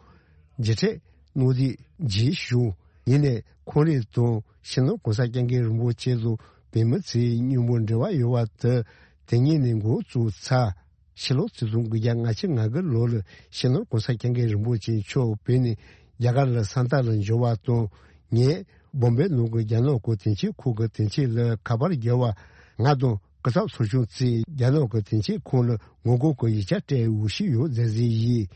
མཇལ་འཕྲད་གནང་རྩིས་བྱས་བྱུང་། ཡིན་ནའི་ཁོང་རང་དང་སྤྱི་ནོར་གོང་ས་སྐྱབས་མགོན་རིན་པོ་ཆེ་དང་བོད་མི་ཚོའི་མཉམ་པོ་འབྲེལ་བ་ཡོད་པ་དེ་དེ་ཉིད་ནས་འགོ་བཙུགས་ཚར། ཕྱི་ལོ་ཆིག་སྟོང་དགུ་བརྒྱ་ལྔ་བཅུ་ང་དགུ་ལོ་ལ་སྤྱི་ནོར་གོང་ས་སྐྱབས་མགོན་རིན་པོ་ཆེ་མཆོག་བོད་ནས་རྒྱ་གར་ལ་ས་མཐའ་ལ་འབྱོར་བ་དང་། ངས་བོམ་བེ་ནང་གི་རྒྱ་ནག་གི་དོན་གཅོད་ཁང་གི་དོན་གཅོད་ལ་ཁ་པར་བརྒྱབ་པ། ང་དང་སྐུ་ཚབ་ཚོགས་ཆུང་ཚོས་རྒྱ་ནག་གི་དོན་གཅོད་ཁང་ལ་ངོ་རྒོལ་གྱི་ཡིག་ཆ་སྤྲད་འོས་ཤོག་ཡོད་མཛད་རྩིས་ཡིན།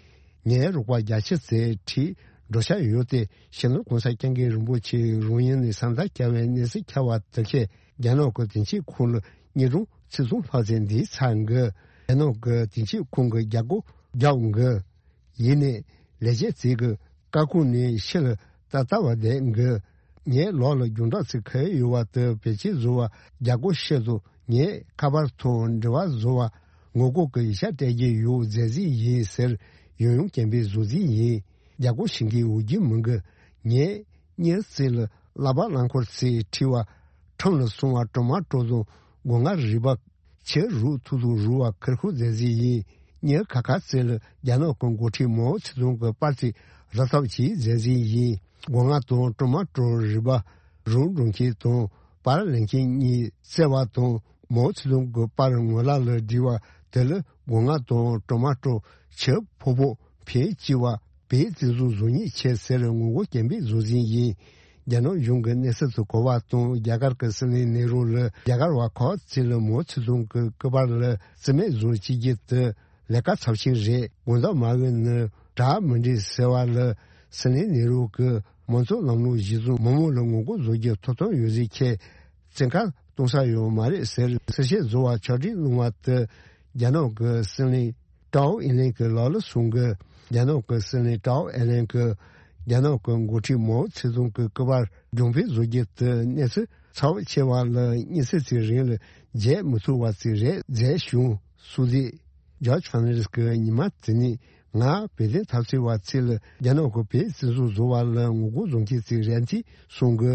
ངའི་རོགས་པ་རྒྱ་ཆེ་ཚོས་ཁྲིད་འགྲོ་འཆར་ཡོད་དེ། སྤྱི་ནོར་གོང་ས་སྐྱབས་མགོན་རིན་པོ་ཆེ་རང་ཡུལ་ནས་ས་མཐའ་བསྐྱལ་བའི་གནས་ཚུལ་ཁྱབ་པ་དེ་བཞིན་རྒྱ་ནག་གི་དོན་གཅོད་ཁང་ལ་སྙན་སྒྲོན་ཆེད་རྫོང་ལྷག་ཙམ་འདི་ཚར་འགི། རྒྱ་ནག་གི་དོན་གཅོད་ཁང་གི་རྒྱབ་སྒོ་རྒྱབ་འགི། ཡིན་ནའི་ལས་བྱེད་ཚོས་ཀྱི་བཀའ་ཁུར་ནས་ཕྱི་ལ་ལྟ་ལྟ་བ་བསྡད་འགི། ངའི་ལག་ལ་རྒྱང་བསྒྲགས་ཚིག་ཁ་ཡོད་པ་དེ་བེད་སྤྱོད་བཟོ་བ། རྒྱ་སྒོ་ཕྱེ་དུ་ངས་ཁ་པར་ཐོག་འབྲེལ་བ་བཟོ་བ། ངོ་རྒོལ་གྱི་ཡིག་ཆ་སྤྲད་རྒྱུ་ཡོད་མཛད་རྩིས་ཡིན་ཟེར་ཡང་ཡང་སྐྱེན་པས་བཟོ་རྩིས་ཡིན། རྒྱ་སྒོ་ཕྱེ་གི་འོ་རྒྱུ་མི་འགི། ངས་གཉེར་རྩིས་ལ་བསླབ་པ་རླངས་འཁོར་ཚོས་ཁྲིད་པ། ཁྲིམས་ལ་སྲུང་བ་གྲོ་མ་གྲོ་དང་སྒོ་ང་རུས་པ། ཆུ་རུག་ཐུག་ཐུག་རུལ་བ་ཁེར་ཁུར་མཛད་རྩིས་ཡིན། གཉེར་ཁ་ཁ་རྩེ་ལ་རྒྱ་ནག་གི་འགོ་ཁྲིད་མའོ་ཙེ་ཏུང་གི་པར་ཚིག་རག་ཐབས་ཀྱིས་མཛད་རྩིས་ཡིན། སྒོ་ང་དང་གྲོ་མ་གྲོ་རུས་པ་རུལ་འགྲོ་མཁན་དང་པར་ལེན་མཁན་གཉིས་བརྩེ་བ་དང་མའོ་ཙེ་ཏུང་གི་པར་ངོ་ལ་ལ་བསྒྲིལ་བ་དེ་ལ་སྒོ་ང་དང་གྲོ་མ་གྲོ་ཆུ་ཕོ་ཕོ་ཕན་སྐྱིད་པ། བོད་བཙན་བཟུང་བཟོ་ཉེས་ཆེ་ཟེར་ངོ་རྒོལ་སྐྱེན་པས་བཟོ་ཟིན་ཡིན། རྒྱ་ནག་གཞུང་གི་གནས་ཚུལ་དུ་གོ་བ་དང་རྒྱ་གར་གྱི་སྲིད་བློན་ནེ་རུ་ལ་རྒྱ་གར་བ་ཁག་ཅིག་ལ་མའོ་ཙེ་ཏུང་གི་སྐུ་པར་ལ་རྩིས་མེད་བཟོ་བྱེད་རྒྱུ་དེ་ལས་ཀ་ཚབས་ཆེན་རེད། དགོངས་དག་མ་འོས་ན་དྲག་མི་འགྲིག་ཟེར་བ་ལ་སྲིད་བློན་ནེ་རུ་གི་མང་གཙོ་ལམ་ལུགས་གཞི་བཟུང་མི་མང་ལ་ངོ་རྒོལ་བཟོ་རྒྱུ་ཐོབ་ཐང་ཡོད་ཟེར་ཁྱེད། བཙན་བཀའ་གཏོང་ས་ཡོད་མ་རེད་ཟེར་གསལ་བཤད་བཟོ་བ་ཕྱོགས་སྒྲིག་གནང་བ་དེ་རྒྱ་ནག་གི་སྲིད་བློན་ཀྲའོ་ཨིན་ལན་གྱི་ལག་ལ་སོང་གི། རྒྱ་ནག་གི་སྲིད་བློན་ཀྲའོ་ཨིན་ལན་གྱིས་རྒྱ་ནག་གི་འགོ་ཁྲིད་མའོ་ཙེ་ཏུང་གི་སྐུ་པར་རྒྱང་འཕེན་བཟོ་རྒྱུ་དེ་གནས་ཚུལ་ཚབས་ཆེ་བ་ལ་སྙན་སེང་ཚིག་རིང་ལ་བརྗེད་མི་ཐུབ་པ་ཅིག་རེད་མཛད་བྱུང་སུ་ཟིག་ཇོརྗ་ཕར་ནན་ཌེས་ཀྱིས་ཉི་མ་དེ་ནས་ང་བོད་དོན་འཐབ་རྩོད་པ་ཚོ་ལ་རྒྱ་ནག་གི་བོད་བཙན་བཟུང་བཟོ་བ་ལ་ངོ་རྒོལ་བཟོ་མཁན་ཅིག་རེད་ཅེས་གསུངས་གི།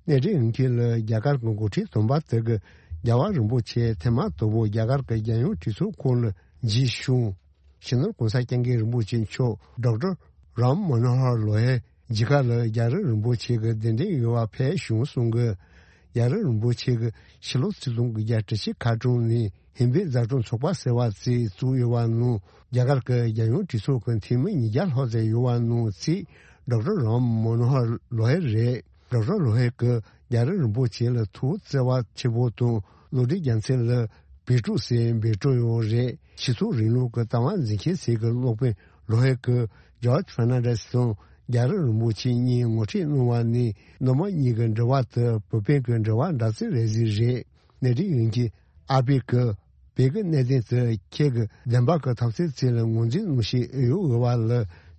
གནས་འདྲེན་ཡོང་མཁན་ལ་རྒྱ་གར་གྱི་འགོ་ཁྲིད་དམ་པ་དེ་གིས་རྒྱལ་བ་རིན་པོ་ཆེ་ཐེངས་མ་དང་པོ་རྒྱ་གར་གྱི་རྒྱལ་ཡོངས་གྲོས་ཚོགས་ཁོངས་ལ་མཇལ་བྱུང་། སྤྱི་ནོར་གོང་ས་སྐྱབས་མགོན་རིན་པོ་ཆེ་མཆོག་ཌོག་ཊར་རམ་མ་ནོ་ཧར་ལོ་ཧེ་མཇལ་ཁ་ལ་རྒྱལ་རབས་རིན་པོ་ཆེ་གི་གདན་འདྲེན་ཡོད་པ་ཕེབས་བྱུང་གསུངས་གི། རྒྱལ་རབས་རིན་པོ་ཆེ་གིས་ཕྱི་ལོ་ཆིག་སྟོང་དགུ་བརྒྱ་དྲུག་ཅུ་ཁ་གྲངས་ནས་ཧིན་བོད་མཛའ་གྲོགས་ཚོགས་པ་ཟེར་བ་ཅིག་བཙུགས་ཡོད་པ་ནང་རྒྱ་གར་གྱི་རྒྱལ་ཡོངས་གྲོས་ཚོགས་ཀྱི་འཐུས་མི་ཉིས་བརྒྱ་ལྷག་ཙམ་ཡོད་པ་ནང་གཅིག་ཌོག་ཊར་རམ་མ་ནོ་ཧར་ལོ་ཧེ་རེད། ཌོག་ཊར་ལོ་ཧེ་གིས་རྒྱལ་རབས་རིན་པོ་ཆེ་ལ་ཐུགས་བརྩེ་བ་ཆེ་པོ་དང་བློ་གྲོས་རྒྱལ་མཚན་ལ་བོད་ཕྲུག་ཟེར་འབོད་སྤྲོད་ཡོད་རེད། སྤྱི་ཚོགས་རིང་ལུགས་ཀྱི་ལྟ་བ་འཛིན་མཁན་ཞིག་གི་སློབ་དཔོན་ལོ་ཧེ་གིས་ཇོརྗ་ཕར་ནན་ཌེས་དང་རྒྱལ་རབས་རིན་པོ་ཆེ་གཉིས་ངོ་འཕྲད་གནང་བ་ནི་མི་དམངས་གཉིས་ཀྱི་འབྲེལ་བ་དེ་བོད་བོད་ཀྱི་འབྲེལ་བ་འདྲ་ཚིག་རེད་ཟེར་རེད། གནས་འདྲེན་ཡོང་མཁན་ཨ་པེ་གིས་བོད་ཀྱི་གནད་དོན་དེ་ཁྱེད་ཀྱི་བདེན་པ་གི་འཐབ་རྩོད་ཅིག་ལ་ངོས་འཛིན་གནང་བཞིན་ཡོད་འོས་པ་ལ་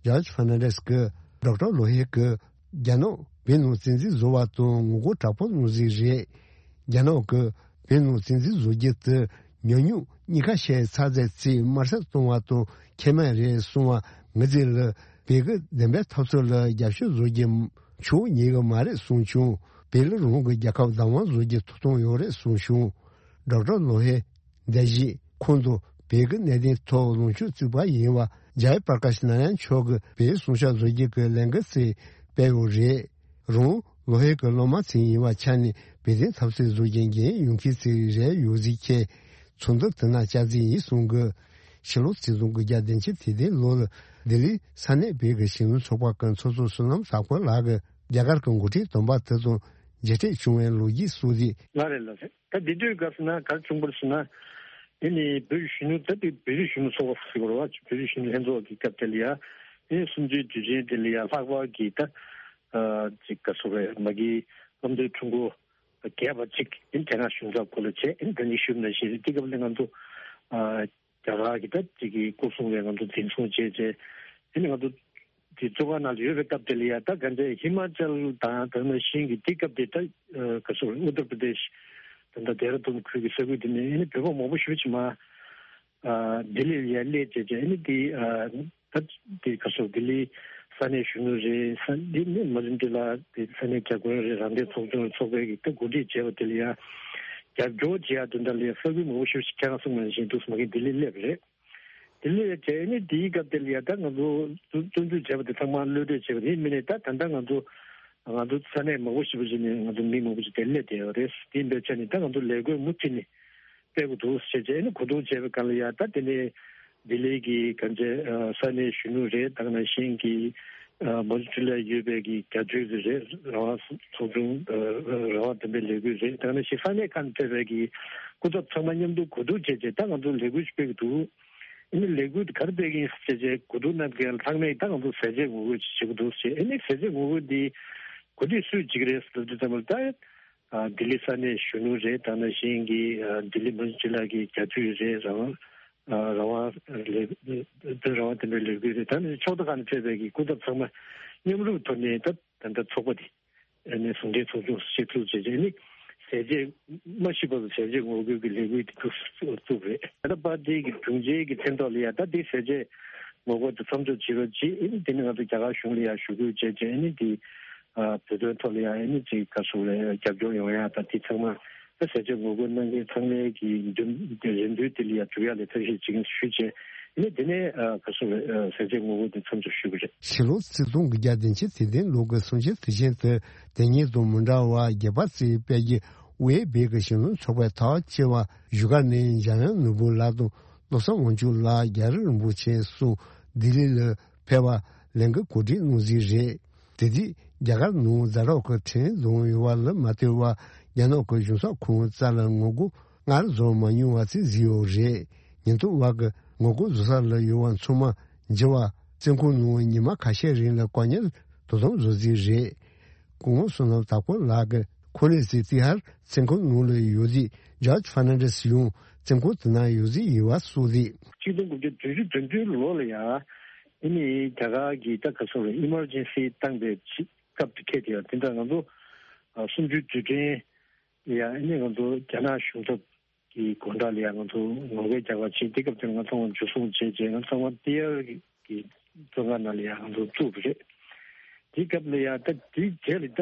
ཇོརྗ་ཕར་ནན་ཌེས་ཀྱིས་ཌོག་ཊར་ལོ་ཧེ་གིས་རྒྱ་ནག་བོད་ནང་བཙན་འཛུལ་བཟོ་བ་དང་ངོ་རྒོལ་དྲག་པོ་གནང་ཟིག་རེད། རྒྱ་ནག་གིས་བོད་ནང་བཙན་འཛུལ་བཟོ་རྒྱུ་དེ་ཉམས་མྱོང་གཉིས་ཀ་བཤད་ཚར་ཚད་ཅིག་དམར་གསོད་གཏོང་བ་དང་ཁེ་མེད་རེད་གསུང་བ་ངི་ཚེ་ལ་བོད་ཀྱི་བདེན་པའི་འཐབ་རྩོད་ལ་རྒྱབ་སྐྱོར་བཟོ་རྒྱུ་ཆོག་ཉེས་ཀྱི་མ་རེད་གསུངས་བྱུང་། བོད་ལ་རང་གི་རྒྱལ་ཁབ་བདག་དབང་བཟོ་རྒྱུ་ཐོབ་ཐང་ཡོད་རེད་གསུངས་བྱུང་། ཌོག་ཊར་ལོ་ཧེ་འདས་བཞིན་ཁོང་དང་བོད་ཀྱི་གནད་དོན་ཐོག་ལངས་ཕྱོགས་གཅིག་པ་ཡིན་པ་ཇའི་པར་ཀ་ཤི་ནཱ་ཡན་མཆོག་གིས་བོད་སྲུང་སྐྱོབ་བཟོ་རྒྱུ་གི་ལས་འགུལ་ཅིག་སྤེལ་ཡོད་རེད། རང་ ལོ་ཧེ་གི་སློབ་མ་ཚིག་ཡིན་པ་ཆ་ནས་བེ་ཏིན་ཐབས་ཟད་བཟོ་རྒྱུ་འགན་ཡོང་མཁན་ཚིག་རེ་ཡོད་ཟིག་ཁྱེད་ཚོགས་འདུ་དེ་ན་བཅར་རྩིས་ཡིན་གསུང་གི། ཕྱི་ལོ་ཆིག་སྟོང་དགུ་བརྒྱ་བདུན་ཅུ་དེ་དེ་ལོ་ལ་ལྡི་ལི་ས་གནས་བོད་ཀྱི་གཞོན་ནུ་ཚོགས་པ་གི་ཚོགས་གཙོ་བསོད་ནམས་ཟབ་དཀོན་ལགས་ཀྱིས་རྒྱ་གར་གྱི་འགོ་ཁྲིད་དམ་པ་དེ་དང་མཇལ་འཕྲད་བྱུང་བའི་ལོ་རྒྱུས་སོགས་རེད། ལགས་རེད་ལགས་རེད། ད་འདི་དུས་སྐབས་སུ་ན་གར་བྱུང་བར་སུ་ན། དེ་ནི་བོད་ཀྱི་གཞོན་ནུ་ད་དེ་བོད་རིགས་གཞོན་ནུ་ཚོགས་པ་ཟེར་བ་རེད་བ། བོད་རིགས་གཞོན་ནུ་ལྷན་ཚོགས་ཀྱི་སྐབས་དེ་ལ་ཡ། དེ་ནི་གསུམ་བཅུའི་དུས་ཆེན་དེ་ལ་ཡ་ལྷག་པར་གྱི་ད་ཅིག་ག་སོ་རེད། མ་གི་བློ་མཐུན་ཁྲུང་ཁོ་རྒྱས་པ་ཅིག་ཨིན་དེ་སྔ་གཞུང་ཚབ་སྐོར་ལ་བྱས་ཨིན་དེ་ནི་ཞུས་ན་ཞེས་དེ་སྐབས་ལ་ང་ཚོ་རྒྱ་གར་གྱི་ད་ཅིག་གི་སྐུ་སྲུང་བས་ང་ཚོ་འཛིན་བཟུང་བྱས་བྱས་ཨིན་ང་ཚོ་དེ་བཙོན་ཁང་ནང་ལ་ཡོད་པའི་སྐབས་དེ་ལ་ཡ་ད་ག་འདྲ་ཧི་མ་ཅལ་དང་དེ་ནང་བཞིན་གྱི་དེ་སྐབས་དེ་ད་ག་སོ་ཨུ་ཏར་པྲ་དེཤ་ད་ད་དེ་ར་དུན་ཁུལ་གྱི་ས་ཁུལ་དེ་ནས་ཨིན་བོད་པ་མང་པོ་ཞེ་པོ་ཅིག་མ། ལྡི་ལི་ལ་ཡ་སླེབས་བྱས་བྱས་ཨ་ནི་དེ་ད་དེ་ག་སོ་ལྡི་ལི་ས་གནས་གཞོན་ནུ་རེད། ས་འདི་ནི་མ་རིན་ཏི་ལ་དེ་ས་གནས་བརྒྱ་དགོན་རེད། རང་བདེན་ཚོགས་ཆུང་ཚོགས་པའི་གི་ད་འགོ་ཁྲིད་བྱས་པ་དེ་ལ་ཡ་རྒྱབ་སྐྱོར་བྱེད་ཡ་དོན་དག་ལ་ཡ་ས་ཁུལ་མང་པོ་ཞིག་ཁྱེད་རང་གསུངས་པ་ནང་བཞིན་འདུག་སེ་མ་གི་ལྡི་ལི་སླེབས་རེད། ལྡི་ལི་ལ་བྱས་ཨ་ནི་དེའི་སྐབས་དེ་ལ་ཡ་ད་ང་ཚོ་བཙོན་འཇུག་བྱས་པ་དེ་ཚང་མ་གློད་གྲོལ་བྱས་པ་དེ་མིན་ནས་ད་ད་ལྟ་ང་ཚོ་ང་ཚོ་ས་གནས་མང་པོ་ཞིག་པ་ཞིག་ནས་ང་ཚོ་མི་མང་པོ་ཞིག་དེ་སླེབས་བསྡད་ཡོད་རེད། དེ་འདྲ་བྱས་ནས་ད་ང་ཚོ་ལས་འགུལ་མུ་མཐུད་ནས། སྤེལ་དགོས་འདུག་ཟེར་བྱས་ནས་གོ་བསྡུར་བྱས་པའི་སྒང་ལ་ཡ་ད་དེ་ནས་ལྡི་ལི་གི་ག་འདྲ་ས་གནས་གཞོན་ནུ་རེད། ད་ག་ནང་བཞིན་གྱི་མོན་གྷོ་ལ་ཡོད་པའི་གི་རྒྱ་མཚོའི་གི་རེད། རང་དབང་ཚོགས་ཆུང་རང་དབང་ལྡན་པའི་ལས་འགུལ་རེད། ད་ག་ནང་བཞིན་ས་གནས་ཁག་ནས་ཕེབས་པའི་གི་སྐུ་ཚབ་ཚང་མ་མཉམ་དུ་གོ་བསྡུར་བྱས་བྱས་ད་ང་ཚོ་ལས་འགུལ་ཞིག་སྤེལ་གི་འདུག་ཨ་ནི་ལས་འགུལ་དེ་ག་རེ་སྤེལ་གི་ཡིན་ཟེར་བྱས་གོ་བསྡུར་གནང་མཁན་ཚང་མས་ད་ང་ཚོ་ཟས་བཅད་ངོ་རྒོལ་ཅིག་བྱེད་གི་འདུག་ཟེར། ཨ་ནི་ཟས་བཅད་ངོ་རྒོལ་འདི་གོ་སྒྲིག་སུས་བྱེད་ཀྱི་རེད་ཟེར་དུས་ཙམ་པ་ལ་ད། ལྡི་ལི་ས་གནས་གཞོན་ནུ་རེད། ད་ག་ནང་བཞིན་གྱི་ལྡི་ལི་མུན་ཅི་ལ་གི་རྒྱ་མཚོའི་རེད། རང་དབང་རང་དབང་ལས་དོན་རང་དབང་ལྡན་པའི་ལས་འགུལ་རེད། ད་ནི་ཕྱོགས་མཐའ་ཁག་ནས་ཕེབས་པའི་གི་སྐུ་ཚབ་ཚང་མ་མཉམ་རུབ་ཐོག་ནས་ད་ད་ལྟ་ཚོགས་པ་དེ་ནས་ཟུང་འབྲེལ་ཚོགས་ཆུང་ཞིག་བཙུགས་བྱས་བྱས་ནི་ཟས་བཅད་མ་ཤི་བར་ཟས་བཅད་ངོ་རྒོལ་གྱི་ལས་འགུལ་དེ་བཙུགས་བཙུགས་རེད། ད་ལྟ་པར་ཏི་གི་དྲུང་ཆེ་གི་མཚན་ཐོག་ལ་ཡ་ད་དེ་ཟས་བཅད་ངོ་རྒོལ་དེ་མཚམས་འཇོག་བྱེད་རོགས་གྱིས། ཨེ་ནི་དེ་ནི་ང་ཚོ་རྒྱ་གར་གཞུང་ལ་ཡང་ཞུ་སྐུལ་བྱས་རྗེས་ཨེ་ནི་དེ་བོད་དོན་ཐོག་ལ་ཡང་ཨེ་ནི་ཅིག་ག་སོགས་ལ་རྒྱབ་སྐྱོར་ཡོང་ཡ་དང་དེ་ཚང་མ་ད་ཟས་བཅད་ངོ་རྒོལ་གནང་མཁན་ཚང་མའི་གི་འདུན་རེ་འདུན་དེ་ལ་ཡང་འགྲུབ་ཡ་ལ་ཐབས་ཤེས་བྱེད་ཀྱི་ཞུས་རྗེས་ཨེ་ནི་དེ་ནས་ག་སོགས་ལ་ཟས་བཅད་ངོ་རྒོལ་དེ་མཚམས་འཇོག་ཞུ་གི་རེད། ཕྱི་ལོ་ཆིག་སྟོང་དགུ་བརྒྱ་བདུན་ཅུ་དོན་བདུན་ལོ་གི་གསུམ་བཅུའི་དུས་ཆེན་དུ་དེ་ཉིད་དང་མི་འདྲ་བར་རྒྱལ་བ་རྩེའི་དཔལ་གྱི་དབུས་བོད་ཀྱི་གཞོན་ནུ་ཚོགས་པའི་ཐག་བཅད་པ་བཞུགས་སྒར་ནས་འཇམ་དབྱངས་ནོར་བུ་ལགས་དང་། བློ་བཟང་དབང་ཕྱུག་ལགས་རྒྱ་རི་རིན་པོ་ཆེ་སོགས་ལྡི་ལི་ལ་ཕེབས་པར་ལས་འགུལ་གོ་སྒྲིག་གནང་ཟིན་རེད། དེ་དུས་རྒྱ་གར་ནང་ཛ་དྲག་གི་ཁྲིམས་དང་ཡོང་བ་ལ་མ་ལྟོས་པར་རྒྱ་ནག་གི་གཞུང་ཚབ་ཁང་རྩ་ལ་ངོ་རྒོལ་སྔར་བཟོ་མ་མྱོང་བ་ཅིག་བཟོས་ཡོད་རེད། ཉེན་རྟོག་པ་གིས་ངོ་རྒོལ་བཟོ་ས་ལ་ཡོད་པ་ཚང་མ་འཇུ་བར་བཙོན་ཁང་ནང་ཉི་མ་ཁ་ཤས་རིང་ལ་བཀག་ཉར་དོ་དམ་བཟོ་རྩིས་རེད། སྐུ་ངོ་བསོད་ནམས་དྭགས་པོ་ལགས་ཀྱིས་ཁོ་ནི་སི་ཏི་ཧར་བཙོན་ཁང་ནང་ལ་ཡོད་དུས་ཇོརྗ་ཧྥར་ནན་ཌེས་ཡང་བཙོན་ཁང་དེ་ན་ཡོད་རྩིས་ཡིན་པ་སོགས་རེད། ཆིག་སྟོང་དགུ་བརྒྱ་བདུན་ཅུ་དོན་བདུན་ལོ་ལ་ཡང་ཨ་ནི་རྒྱ་གར་གྱི་ད་ག་སོགས་ལ་ཨི་མར་ཇེན་སི་བཏང་པའི་ཆེད་སྐབས་དེ་ཁེལ་ཏེ་ཡང་དེ་འདྲ་ང་ཚོ་གསུམ་བཅུའི་དུས་དྲན་ལ་ཡང་ཨ་ནི་ང་ཚོ་རྒྱ་ནག་གཞུང་ཚབ་གི་སྒོ་འགྲམ་ལ་ཡང་ང་ཚོ་ངོ་རྒོལ་རྒྱག་པ་བྱས། དེ་སྐབས་དེར་ང་ཚོ་འཇུ་བཟུང་བྱས་རྗེས་ང་ཚོ་ཚང་མ་ཏི་ཡར་གྱི་བཙོན་ཁང་ནང་ལ་ཡང་ང་ཚོ་བཙུགས་པ་རེད། དེའི་སྐབས་ལ་ཡང་ད་དེའི་རྗེས་ལ་ད་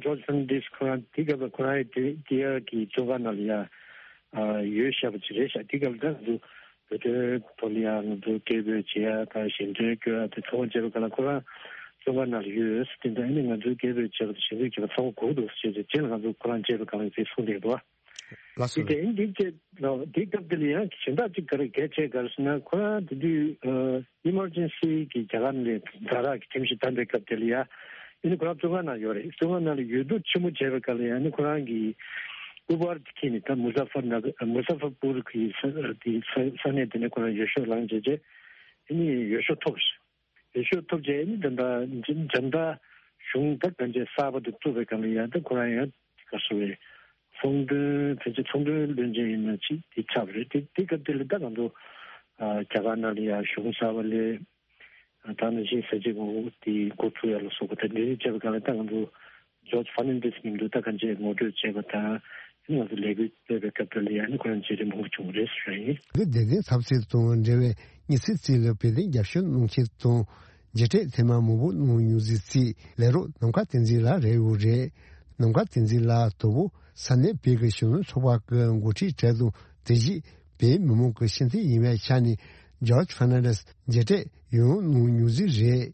ཇོརྗ་ཧྥར་ནན་ཌེས་ཁོ་རང་དེའི་སྐབས་ལ་ཁོ་རང་ཡང་ཏི་ཡར་གྱི་བཙོན་ཁང་ནང་ལ་ཡང་ཡོད་བཞག་པ་ཅིག་རེད་ཤག་དེའི་སྐབས་ལ་ད་ང་ཚོ་བོད་དོན་ཐོག་ལ་ཡང་ང་ཚོ་སྐད་འབོད་བྱེད་ཡ་དང་ཞལ་འདོན་སྐྱོན་ཡ་དེ་ཚང་མ་བྱས་པའི་སྒང་ལ་ཁོ་རང་བཙོན་ཁང་ནང་ལ་ཡོད་ཟེར། དེ་འདྲ་ཨ་ནི་ང་ཚོའི་སྐད་འབོད་བྱས་པ་དང་ཞལ་འདོན་བྱས་པ་ཚང་མ་གོ་གི་འདུག་ཟེར་བྱས་རྗེས་ལ་ང་ཚོ་ཁོ་རང་མཇལ་བའི་སྒང་ལ་དེ་གསུངས་བསྡད་འདུག་ལགས་སོ། དེ་འདྲ་ཨིན་དེ་བྱས་ལ་དེའི་སྐབས་དེ་ལ་ཡང་གཞན་དག་ཅིག་ག་རེ་གལ་ཆེ་ག་རེ་ཟེར་ན་ཁོ་རང་དེ་དུས་ཨི་མར་ཇེན་སི་གི་རྒྱ་གར་ནས་ཛ་དྲག་གི་ཁྲིམས་གཞི་བཏང་པའི་སྐབས་དེ་ལ་ཡང་ཨ་ནི་ཁོ་རང་བཙོན་ཁང་ནང་ཡོད་རེད། བཙོན་ཁང་ནང་ལ་ཡོད་དུས་ཕྱི་མོ་བྱས་པའི་སྐབས་ལ་ཡང་ཨ་ནི་ཁོ་རང་གི་ཨུ་བར་དེ་ཁྱེར་ནས་ད་མུ་ཛ་ཧྥར་ནག་མུ་ཛ་ཧྥར་པུར་གི་ས་དེ་ས་ས་གནས་དེ་ནས་ཁོ་རང་འོས་ཤོག་བླངས་བྱས་རྗེས་ཨ་ནི་འོས་ཤོག་ཐོབ་ཤག་འོས་ཤོག་ཐོབ་རྗེས་ནི་ད་ལྟ་འཇམ་མདའ་གཞུང་ད་གང་ཅི་གསར་པ་དེ་བཙུགས་པའི་སྒང་ལ་ཡང་ད་ཁོ་རང་ཡང་ག་སོ་བའི་ཚོང་དོན་ཕལ་ཆེར་ཚོང་དོན་བློན་ཆེན་ཡིན་ན་ཅིག་དེ་ཆགས་པ་རེད། དེ་དེ་སྐབས་དེ་ལ་ད་ང་ཚོ་རྒྱ་གར་ནང་ལ་ཡང་གཞུང་གསར་པ་ལས་ད་ནང་བཞིན་ཟས་བཅད་ངོ་རྒོལ་དེ་འགོ་ཚུགས་ཡ་ལ་སོགས་པ་ད་འདི་རིགས་བྱས་པའི་སྒང་ལ་ད་ང་ཚོ་ཇོརྗ་ཧྥར་ནན་ཌེས་མཉམ་དུ་ད་གང་ཅི་ངོ་སྤྲོད་བྱས་པ་དང་ང་ཚོ་ལས་འགུལ་སྤེལ་བའི་སྐབས་དེ་ལ་ཡང་ནི་ཁོ་རང་མཇལ་འཕྲད་མང་པོ་བྱུང་བ་རེད་ཟེར་ཡིན། འདི་བདེ་ལྡན་ཚབ་སྲིད་དང་འབྲེལ་བའི་དམིགས་བསལ་རྩིས་ལ་བོད་དོན་རྒྱབ་སྐྱོར་གནང་མཁན་དང་མཇལ་འཕྲད་ཐེངས་མ་མང་པོ་གནང་མྱོང་ཟིག་རྩིས་ལས་རོགས་ནམ་མཁའ་བསྟན་འཛིན་ལགས་རེད་འོ་རེད། ནམ་མཁའ་བསྟན་འཛིན་ལགས་དོ་བོ་ས་གནས་བོད་ཀྱི་གཞོན་ནུ་ཚོགས་པ་གི་འགོ་ཁྲིད་གྲས་དང་དེ་བཞིན་བོད་མི་མང་གི་ཤེས་ཚད་ཡིན་པའི་ཆ་ནས་ཇོརྗ་ཧྥར་ནན་ཌེས་མཇལ་འཕྲད་ཡང་གནང་མྱོང་ཟིག་རེད།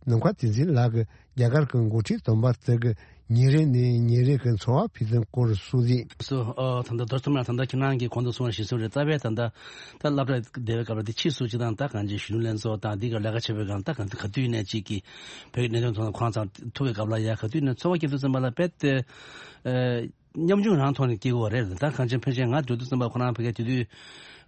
ནམ་མཁའ་བསྟན་འཛིན་ལགས་ཀྱིས་རྒྱ་གར་གྱི་འགོ་ཁྲིད་དམ་པ་དེ་གི་ ཉིན་རེ་ནས་ཉིན་རེ་གི་འཚོ་བ་འཕེལ་སྟངས་སྐོར་གསུང་རིགས། སོ། ཨ། ད་ལྟ་རྡོ་རྩེ་མ་ད་ལྟ་ཁྱེད་རང་གིས་གོང་དུ་གསུངས་པ་བཞིན་སོང་རེད། རྩ་བའི་ད་ལྟ་ད་སློབ་གྲྭ་བསྡད་པའི་སྐབས་ལ་དེ་ཕྱིས་སུ་སྤྱིར་བཏང་ད་གང་ཅི་གཞོན་ནུ་ལྷན་ཚོགས་དང་འདི་ག་ལས་ཀ་བྱེད་པའི་སྒང་ད་གང་ག་དུས་ནས་ཅིག་གི་བོད་ཀྱི་གནད་དོན་ཐོག་ཁོ་རང་ཚང་ཐུག་པའི་སྐབས་ལ་ཡ་ག་དུས་ནས་ཚོར་བ་སྐྱེ་དུས་ཙམ་པ་ལ་དཔེ་དེ། ཨ། ཉམ་ཆུང་རང་ཐོག་ནས་སྐྱེ་གི་ཡོད་རེད། ད་གང་ཅི་ཕལ་ཆེར་ང་འགྲོ་དུས་ཙམ་པ་ཁོ་རང་ཕ་གིའི་དེ་དུས།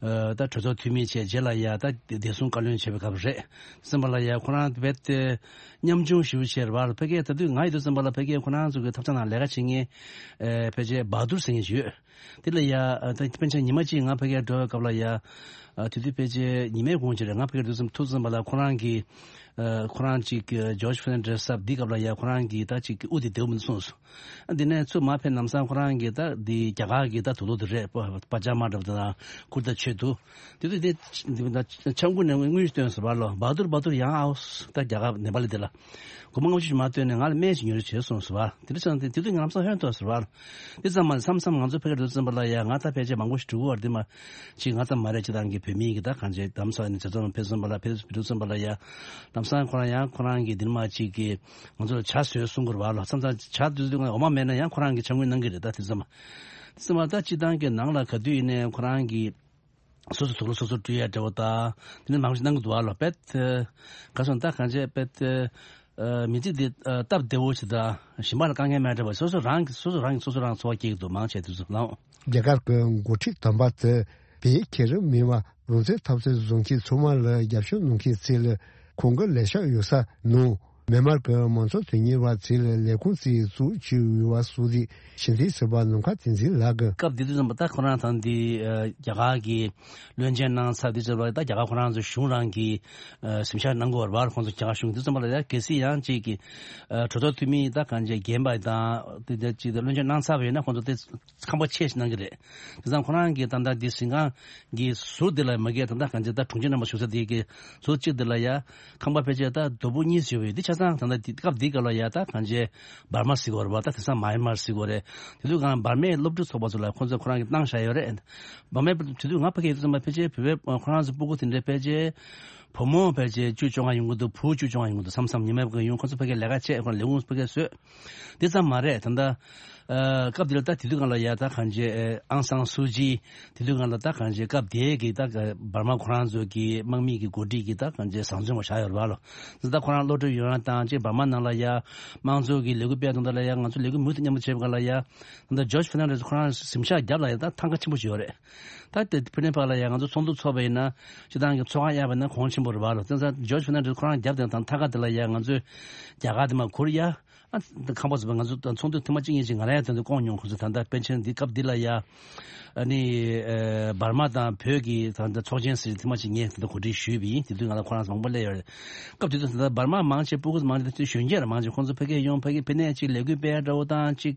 ཨ། ད་གྲོས་ཚོགས་འཐུས་མི་བྱས་རྗེས་ལ་ཡ་ད་བདེ་སྲུང་བཀའ་བློན་བྱས་པའི་སྐབས་རེད། ཙམ་པ་ལ་ཡ་ཁོ་རང་རྦད་དེ་ཉམ་ཆུང་ཞེ་པོ་ཅིག་རེད་པ། ཕ་གིའི་ད་དུས་ང་ཡོད་དུས་ཙམ་པ་ལ་ཕ་གིའི་ཁོ་རང་ཚོ་གི་ཐབ་ཚང་ནང་ལས་ཀ་བྱེད་མཁན། ཨ། ཕལ་ཆེར་བ་དུར་ཟེར་མཁན་ཞིག་ཡོད། དེ་ལ་ཡ། ཨ། ད་ཕལ་ཆེར་ཉི་མ་གཅིག་ང་ཕ་གིར་འགྲོ་བའི་སྐབས་ལ་ཡ། ཨ། དེ་དུས་ཕལ་ཆེར་ཉི་མའི་གུང་ཅིག་རེད། ང་ཕ་གིར་འགྲོ་དུས་ཙམ་ཐུག་ཙམ་པ་ལ་ཁོ་རང་གིས། ཨ། ཁོ་རང་ཅིག་ཇོརྗ་ཕེར་ནན་ཌེ་སི་ཟེར་བ་འདི་སྐབས་ལ་ཡ་ཁོ་རང་གིས་ད་ཅིག་དབུ་དེ་བདེ་པོ་མི་འདུག་གསུངས་སོང་། ཨ། འདི་ནས་ཚུར་མར་ཕེབས་ལམ་སང་ཁོ་རང་གིས་ད་འདི་རྒྱ་གར་གྱི་ད་དུག་ལོག་དེ་རེད། པ་པ་ཇ་མ་འདྲ་པོ་དང་ཁུར་ད་མཆོད་འདུག་དེ་དུས་དེ་འཆམ་ཁུ་ནས་དངུལ་བཏོན་སོང་བ་ལོ། བ་དུར་བ་དུར་ཡང་ཨའོ། ད་རྒྱ་གར་ནེ་པ་ལི་དེ་ལ་སྒོར་མོ་ལྔ་བཅུ་ཞིག་མར་བཏོན་ནས་ང་ལ་སྨན་ཞིག་ཉོ་རོགས་བྱེད་གསུངས་སོང་བ། དེ་འདྲ་སོང་དེ་དེ་དུས་ང་ལམ་སང་ཧོན་ཐོར་སོང་བ། དེ་ཙམ་མ་མཚམས་མཚམས་ང་ཚོ་ཕ་གིར་འགྲོ་ཙམ་པ་ལ་ཡ་ང་ད་ཕལ་ཆེར་མང་པོ་ཞིག་འགྲོ་གི་ཡོད་རེད། དེ་མ་ཅིག་ང་ཙམ་མ་རེད། སྤྱིར་བཏང་གི་བོད་མི་གི་ད་གང་ཅི་དམ་ས་ནས་བྱེད་ཙམ་ཕེབས་ཙམ་པ་ལ་ཕེབས་འགྲོ་ཙམ་པ་ལ་ཡ་ལམ་སང་ཁོ་རང་ཡང་ཁོ་རང་གིས་འདི་མ་ཅིག་གི་ང་ཚོ་ལ་ཇ་བཟོས་གསུང་གི་རེད་པ་ལོ། མཚམས་མཚམས་ཇ་དུས་དུས་ང་འོ་མ་མེད་ན་ཡང་ཁོ་རང་གིས་ཇ་དངུལ་གནང་གི་རེད། ད་དེ་ཙམ་མ་དེ་ཙམ་མ་ད་སྤྱིར་བཏང་གི་ནང་ལ་ག་དུས་ཡིན་ནའི་ཁོ་རང་གིས། སོ་སོ་དུག་ལོག་སོ་སོ་བཀྲུ་ཡ་འདྲ་བོ་དང་དེ་ནས་མང་པོ་ཞིག་གནང་གི་འདུག་ཨ་ལོ། དཔེ་དེ་ག་སོང་ད་གང་བྱས་དཔེ་དེ་མི་ཚེ་འདི་སྟབས་བདེ་བོ་ཞིག་དང་གཞན་པ་ལ་དཀའ་ངལ་མེད་འདྲ་བོ། སོ་སོ་རང་གིས་སོ་སོ་རང་གིས་སོ་སོ་རང་འཚོ་བ་སྐྱེལ་གྱི་འདུག་མང་ཆེ་དུས་ཚོད་ལ། རྒྱ་གར་གྱི་འགོ་ཁྲིད་དམ་པ་དེ་བོད་ཁྱད་རིམ་མེད་པར་རང་བཙན་འཐབ་རྩོད་བཟོ་མཁན་ཚང་མ་ལ་རྒྱབ་སྐྱོར་གནང་མཁན་ཚོ་ལ་ཁོང་གི་ལས་ཤག་ཡོད་ས་ནང་། མི་དམངས་ཀྱི་མང་གཙོ་དོན་གཉེར་བ་ཚོས་ལས་ཁུངས་རྩིས་བཙུགས་བྱས་ཡོད་པ་སོགས་ཀྱི་ཕྱི་འཐེན་ཟུར་པ་ནམ་མཁའ་བསྟན་འཛིན་ལགས་ཀྱིས། སྐབས་དེ་དུས་ཙམ་པ་ད་ཁོ་རང་ཚང་འདི་རྒྱ་གར་གྱི་བློན་ཆེན་གནང་ཚར་དུས་ཙམ་པ་ད་རྒྱ་གར་ཁོ་རང་ཚོ་གཞུང་རང་གི་གཟིམ་ཤག་གནང་དགོས་པ་རེད་པ། ཁོང་ཚོ་རྒྱ་གར་གཞུང་དུས་ཙམ་པ་ལ་ཡ་གལ་སྲིད་ཡང་གཅིག་གི་གྲོས་ཚོགས་འཐུས་མི་ད་གང་ཅི་རྒན་པ་དང་དེ་འདྲ་གཅིག་ད་བློན་ཆེན་གནང་ཚར་བ་ཡིན་ན་ཁོང་ཚོ་དེ། ཁང་པ་ཆེ་ཞིག་གནང་གི་རེད། དེ་ཙང་ཁོ་རང་གིས་ད་ལྟ་འདི་གཟིམ་ཁང་གི་ཟུར་འདི་ལ་མ་གིར་ད་ལྟ་གང་ཅི་ད་དྲུང་ཆེ་རྣམ་པ་བཞུགས་ས་དེ་གི་ཟུར་གཅིག་འདི་ལ་ཡ་ཁང་པ་ཕལ་ཆེར་ད་རྡོ་སྦུག་གཉིས་ཡོད་པའི་འདི་ཆ་ཚང་ད་ལྟ་འདི་སྐབས་འདི་སྐབས་ལ་ཡ་ད་གང་ཅི་འབར་མ་ཟེར་གི་ཡོད་རེད་པ། ད་དེང་སང་མཱ་ཡན་མར་ཟེར་གི་ཡོད་རེད། དེ་དུས་གང་འབར་མའི་སློབ་ཕྲུག་ཚོགས་པ་ཚོ་ལ་ཁོང་ཚོས་ཁོ་རང་གིས་གནང་བཞག་ཡོད་རེད། འབར་མའི་དེ་དུས་ང་ཕ་གི་ཡོད་དུས་ཙམ་པ་ཕལ་ཆེར་བོད་པའི་ཁོ་རང་ཚོ་སྤུ་གུ་དེ་འདྲའི་ཕལ་ཆེར་བུ་མོ་ཕལ་ཆེར་བཅུ་བཅོ་ལྔ་ཡོང་གི་འདུག་བུ་བཅུ་བཅོ་ལྔ་ཡོང་གི་འདུག་མཚམས་མཚམས་ཉི་མའི་ཕ་གི་ཡོང་ཁོང་ཚོ་ཕ་གི་ལས་ཀ་བྱས་ཁོང་ལས་ཁུངས་ཕ་གི་བཟོས། འདི་ཙམ་མ་རེད། ད་ལྟ་ཨ་སྐབས་འདི་ལ་ད་དེ་དུས་སྒང་ལ་ཡ་ད་གང་ཅི་ཨང་སང་སུ་ཅི་དེ་དུས་སྒང་ལ་ད་གང་ཅི་སྐབས་དེའི་གི་ད་འབར་མ་ཁོ་རང་ཚོ་གི་དམག་མི་གི་འགོ་ཁྲིད་ཀྱི་ད་གང་ཅི་བཟང་བཙོན་པ་བཞག་ཡོད་རེད་པ་ལོ། འདི་ད་ཁོ་རང་བློ་གྲོས་ཡོད་རང་དང་ཅིག་འབར་མ་ནང་ལ་ཡ་དམངས་གཙོ་གི་ལས་འགུལ་སྤེལ་དང་ད་ལ་ཡ་ང་ཚོ་ལས་འགུལ་མུ་མཐུད་མཉམ་དུ་བྱེད་པ་སྒང་ལ་ཡ་ད་ལྟ་ཇོརྗ་ཕེར་ནན་ཌེས་ཁོ་རང་གཟིམ་ཤག་རྒྱབ་ལ་ཡ་ད་ཐང་ག་ཆེན་པོ་ཞིག་ཡོད་རེད། ད་དེ་ཕུ་ནེ་ཕར་ལ་ཡ་ང་ཚོ་ཚོགས་འདུ་ཚོགས་པ་ཡིན་ན་སྤྱིར་བཏང་གི་ཚོགས་ཁང་གཡར་བ་ཡིན་ན་གོང་ཆེན་པོ་རེད་པ་ལོ། དེ་ཙང་ཇོརྗ་ཕེར་ནན་ཌེས་ཁོ་རང་རྒྱབ་དེ་དང་ཐང་ག་དེ་ལ་ཡ་ང་ཚོས་རྒྱ་གར་དེ་མ་གུར་ཡ། ཨ་ཁང་པ་ཚོ་ང་ཚོ་ཚོགས་འདུ་ཐེངས་མ་གཅིག་གཉིས་ཅིག་ང་རང་ཡང་དེ་ཚོ་བསྐོང་མྱོང་། ཁོ་ཚོ་ད་ལྟ་པཎ་ཆེན་འདི་སྐབས་འདི་ལ་ཡ་ཨ་ནི་ཨ་འབར་མ་དང་བོད་ཀྱི་ད་ལྟ་ཚོགས་ཆེན་ཟེར་ཐེངས་མ་གཅིག་ངས་དེ་ཚོ་གོ་སྒྲིག་ཞུས་པ་ཡིན། དེ་དུས་ང་ལ་ཁོ་རང་ཚོ་མང་པོ་སླེབས་ཡོད་རེད། སྐབས་དེ་དུས་ད་ལྟ་འབར་མ་མང་ཆེ་སྤུ་གུ་མང་ཆེ་དེ་དུས་གཞོན་སྐྱེས་ར་མང་ཆེ་ཁོང་ཚོ་ཕ་གིར་ཡོང་ཕ་གིར་ཕ་ནས་ཅིག་ལས་འགུལ་སྤེལ་འདྲ་བོ་དང་ཅིག་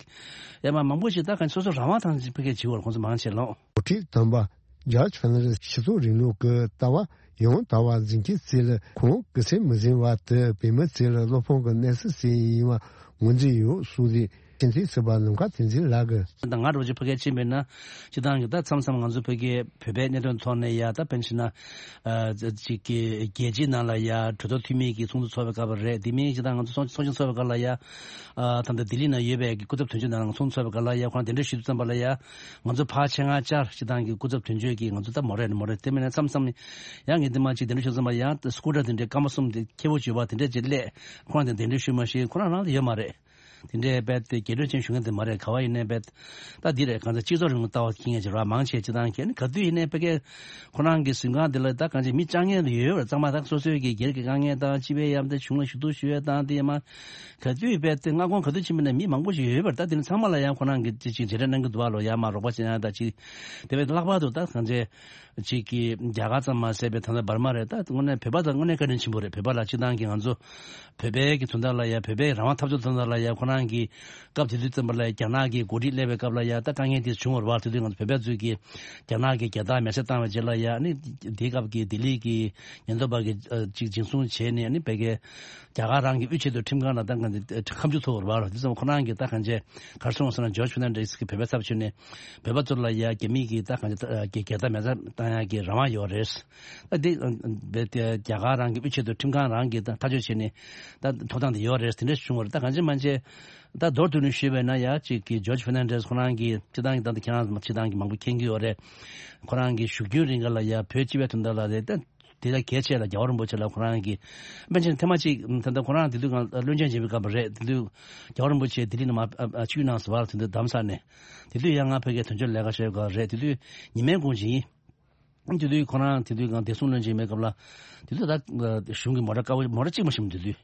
ཡ་མ་མང་པོ་ཞིག་ད་གང་སོ་སོ་རང་དབང་ཐང་ཅིག་ཕ་གིར་བྱེད་འོར་ཁོང་ཚོ་མང་ཆེ་ལོ། འགོ་ཁྲིད་དམ་པ་ཇོརྗ་ཕེར་ནན་ཌེས་སྤྱི་ཚོགས་རིང་ལུགས་ཀྱི་ལྟ་བ་ཡང་དག་པ་འཛིན་མཁན་ཚོ་ལ་ཁོང་གི་སེམས་མི་ཟིན་པ་དེ་བོད་མི་ཚོ་ལ་བློ་ཕམ་གྱི་གནས་ཚུལ་ཞིག་ཡིན་པ་ངོས་འཛིན་ཡོད་གསུངས་ཏེ་ཕྱི་འཐེན་ཟུར་པ་ནམ་མཁའ་བསྟན་འཛིན་ལགས་ཀྱིས། ད་ང་རང་ཚོ་ཕ་གིར་ཕྱིན་པ་ཡིན་ན་སྤྱིར་བཏང་གི་ད་མཚམས་མཚམས་ང་ཚོ་ཕ་གིའི་བོད་པའི་གནད་དོན་ཐོག་ནས་ཡ་ད་དཔེར་ན་ཆ་བཞག་ན་ཅིག་གི་རྒྱལ་སྤྱིའི་ནང་ལ་ཡ་གྲོས་ཚོགས་འཐུས་མི་གི་ཚོགས་འདུ་ཚོགས་པའི་སྐབས་རེད། དེ་མིན་སྤྱིར་བཏང་ང་ཚོ་ཚོགས་ཆེན་ཚོགས་པའི་སྐབས་ལ་ཡ་ད་ལྟ་ལྡི་ལི་ནང་ཡོད་པའི་གི་སྐུ་ཚབ་དོན་གཅོད་ནང་ཚོགས་འདུ་ཚོགས་པའི་སྐབས་ལ་ཡ་ཁོང་དེ་འདྲ་ཞུ་དུས་ཙམ་པ་ལ་ཡ་ང་ཚོ་ཕར་ཆེད་མངགས་བཅར་སྤྱིར་བཏང་གི་སྐུ་ཚབ་དོན་གཅོད་ཀྱིས་ང་ཚོ་ད་མོ་རེ་ནི་མོ་རེ་དེ་མིན་ན་མཚམས་མཚམས་ཡང་ངས་དེ་མ་ཅིག་དེ་འདྲ་ཞུ་ཙམ་པ་ཡང་སྐུ་དྲག་དེ་འདྲའི་སྐར་མ་གསུམ་དེ་ཁྱེད་པོ་བྱོས་པ་དེ་འདྲ་ཅིག་སླེབས་ཁོང་དེ་དེ་འདྲ་ཞུ་མ་ཤེས་ཁོ་རང་རང་ལ་ཡོད་མ་རེད། དེ་འདྲའི་རྦད་དེ་རྒྱལ་གྲོས་ཅན་ཞུ་མཁན་དེ་མ་རེད། ག་བ་ཡིན་ནའི་རྦད་ད་འདི་རེད། གང་ལྟར་སྤྱི་ཚོགས་རིང་ལུགས་ལྟ་བ་ཁྱི་ངན་ཅིག་ར་མང་ཆེ་ཅིག་དང་ཁྱེད་ནི་ག་དུས་ཡིན་ནའི་ཕ་གིར་ཁོ་རང་གི་གཟིམ་ཁང་འདི་ལ་ད་གང་ཅི་མི་ལྕང་ངན་ལ་ཡོད་རེད། གཙང་མ་ད་སོ་སོའི་གི་སྒེར་གྱི་དཀའ་ངལ་དང་སྤྱི་པའི་ཡང་ད་གཞུང་ལ་ཞུ་གཏུག་ཞུ་ཡས་དང་དེ་ཡ་མ་ག་དུས་རྦད་དེ་མངའ་ཁོངས་ག་དུས་ཕྱིན་པ་ནས་མི་མང་པོ་ཞིག་ཡོད་པར་ད་དེ་ནི་ཚང་མ་ལ་ཡང་ཁོ་རང་གི་ཅིག་ཅིག་མཇལ་འཕྲད་གནང་གི་འདུག་བ་ལོ། ཡ་མ་རོགས་པ་བྱེད་ཡ་ད་ཅིག་དེ་བས་ལྷག་པར་དུ་ད་གང་ཅི། གཅིག་གིས་རྒྱ་གར་ཙམ་མ་ཟད་པའི་ད་ལྟ་འབར་མ་རེད། ད་དངོས་གནས་བོད་པ་དང་དངོས་གནས་བཀའ་དྲིན་ཆེན་པོ་རེད། བོད་པ་ལ་སྤྱིར་བཏང་གི་ང་ཚོ་བོད་པའི་གི་དོན་དག་ལ་ཡ་བོད་པའི་རང་དབང་འཐབ་རྩོད་དོན་དག་ལ་ཡ་ཁོ་རང་གི་སྐབས་དེ་དུས་ཙམ་པ་ལ་ཡ་རྒྱ་ནག་གི་འགོ་ཁྲིད་སླེབས་པའི་སྐབས་ལ་ཡ་ད་དཀའ་ངལ་དེ་བྱུང་བ་རེད་བ། དེ་དུས་ང་ཚོ་བོད་པ་ཚོས་གི་རྒྱ་ནག་གི་རྒྱལ་དར་མེ་སྲེག་བཏང་བའི་རྗེས་ལ་ཡ་ནི་དེའི་སྐབས་ཀྱི་ལྡི་ལི་གི་ཉེན་རྟོག་པ་གི་ཅིག་འཛིན་བཟུང་བྱས་ནས་ནི་བོད་ཀྱི་རྒྱ་གར་རང་གི་དབུས་ཆེད་དུ་ཁྲིམས་ཁང་ལ་ད་གང་ཁ་མཆུ་ཐོབ་པ་རེད་བ། དེ་ཙམ་ཁོ་རང་གི་ད་གང་ཅི་གར་སོང་ཟེར་ན་ཇོརྗ་ཕེར་ནན་ཌེས་གི་བོད་པའི་ཚབ་བྱས་ནས། བོད་པ་ཚོ་ལ་ཡ་རྒྱ་མི་གིས་ད་གང་ཅི་ད་རྒྱལ་དར་མེ་སྲེག་བཏང་ཡ་གི་རང་དབང་ཡོད་རེད། ད་འདི་རྦད་དེ་རྒྱ་གར་རང་གི་དབུས་ཆེད་དུ་ཁྲིམས་ཁང་རང་གིས་ད་ཐག་གཅོད་བྱས་ནས་ད་ཐོབ་ཐང་དེ་ཡོད་རེད། དེ་འདྲ་བྱུང་བ་རེད། ད་གང་ཅི་མང་ཅི་ ད་མདོར་བསྡུས་ནས་ཞུས་པ་ཡིན་ན་ཡ་གཅིག་གི་ཇོརྗ་ཧྥེར་ནན་ཌེས་ཁོ་རང་གི་སྤྱིར་བཏང་གི་ད་ལྟ་ཁྱེད་རང་སྤྱིར་བཏང་གི་མང་པོ་མཁྱེན་གྱི་ཡོད་རེད། ཁོ་རང་གི་བཞུགས་རྒྱུན་རིང་ག་ལ་ཡ་བོད་སྤྱི་པའི་དོན་དག་ལ་རེད། ད་དེ་ལ་གལ་ཆེ་ལ་རྒྱལ་བ་རིན་པོ་ཆེ་ལ་ཁོ་རང་གི་དཔེ་ཆ་ཐེངས་མ་གཅིག་ད་ལྟ་ཁོ་རང་དེ་དུས་སྒང་བློན་ཆེན་བྱེད་པའི་སྐབས་རེད། དེ་དུས་རྒྱལ་བ་རིན་པོ་ཆེ་ལྡི་ལི་ནས་མར་ཨ་ཨ་ཆིབས་གནང་ཟེར་བ་དེ་དུས་འདམ་ས་ནས་དེ་དུས་ཡང་ང་ཕ་གིར་དོན་གཅོད་ལས་ཀ་བྱེད་སྐབས་རེད། དེ་དུས་ཉི་མའི་དགོང་ཇི་ཡིན། དེ་དུས་ཁོ་རང་དེ་དུས་སྒང་བདེ་སྲུང་བློན་ཆེན་མེད་སྐབས་ལ། དེ་དུས་ད་གཞུང་གི་མོ་ཊ་དཀར་པོ་མོ་ཊ་གཅིག་མ་ཞིག་མི་འདུག་དུས་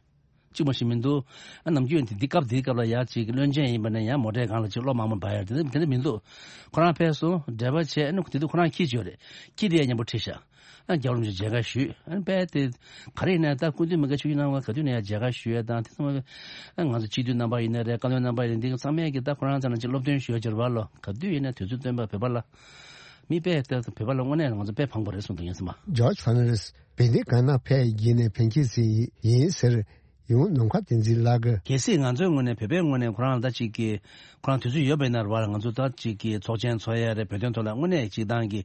གཅིག་མ་ཞིག་མི་འདུག་ཨ་ནམ་རྒྱུན་དེ་འདི་སྐབས་འདིའི་སྐབས་ལ་ཡ་གཅིག་བློན་ཆེན་ཡིན་པ་ནས་ཡང་མོ་ཊའི་སྒང་ལ་གཅིག་གློག་དམར་མོ་འབར་ཡ་དེ་འདྲ་དེ་འདྲ་མི་འདུག་ཁོ་རང་ཕེབས་སོང་འབྲེལ་བ་བྱས། ཨ་ནི་དེ་དུས་ཁོ་རང་ཁྱི་ཅིག་ཡོད་རེད། ཁྱི་དེ་ཡང་མཉམ་པོ་ཁྲིད་ཤག་ཨ་རྒྱལ་བ་རིན་པོ་ཆེ་མཇལ་ཁ་ཞུས། ཨ་ནི་དཔེ་དེ་ག་རེ་ཡིན་ན་ད་སྐུ་མདུན་མི་དགའ་ཆོས་ཀྱི་རྣམ་པ་ག་དུས་ནས་ཡང་མཇལ་ཁ་ཞུ་ཡ་དང་དེ་ཚང་མ་ཨ་ང་ཚོ་སྤྱི་འཐུས་རྣམ་པ་ཡིན་ན་རེད། བཀའ་བློན་རྣམ་པ་ཡིན་ན་འདི་ཚང་མས་ཀྱི་ད་ཁོ་རང་ཚོ་ལ་གཅིག་སློབ་སྟོན་ཞུ་ཡ་ཅིག་རེད་པ་ལོ། ག་དུས་ཡིན་ན་དུས་ཚོད་བཏོན་པ་བོད་པ་ལ། མི་དཔེ་ལྟར་དུ་བོད་པ་ལ་དངོས་གནས་ང་ཚོ་དཔེ་ཕངས་པོ་རེད་གསུངས་འདུག་ངས་སེམས་པ། ཇོརྗ་ཧྥེར་ནན་ཌེས་བོད་དོན་གང་ན་ཕེབས་རྒྱུ་ནས་ཕན་ཁྱེད་སྲིད་ཡིན་ཟེར་ཡོང་ནམ་མཁའ་བསྟན་འཛིན་ལགས་ཀྱིས། གལ་སྲིད་ང་ཚོའི་ངོས་ནས་བོད་པའི་ངོས་ནས་ཁོ་རང་ལ་ད་ཅིག་གི་ཁོ་རང་དུས་ཚོད་ཡོད་པ་ཡིན་ན་རེད་བ། ང་ཚོ་ད་ཅིག་གི་ཚོགས་ཆེན་ཚོགས་ཡ་རེད། བོད་དོན་ཐོག་ལ་དངོས་གནས་སྤྱིར་བཏང་གི་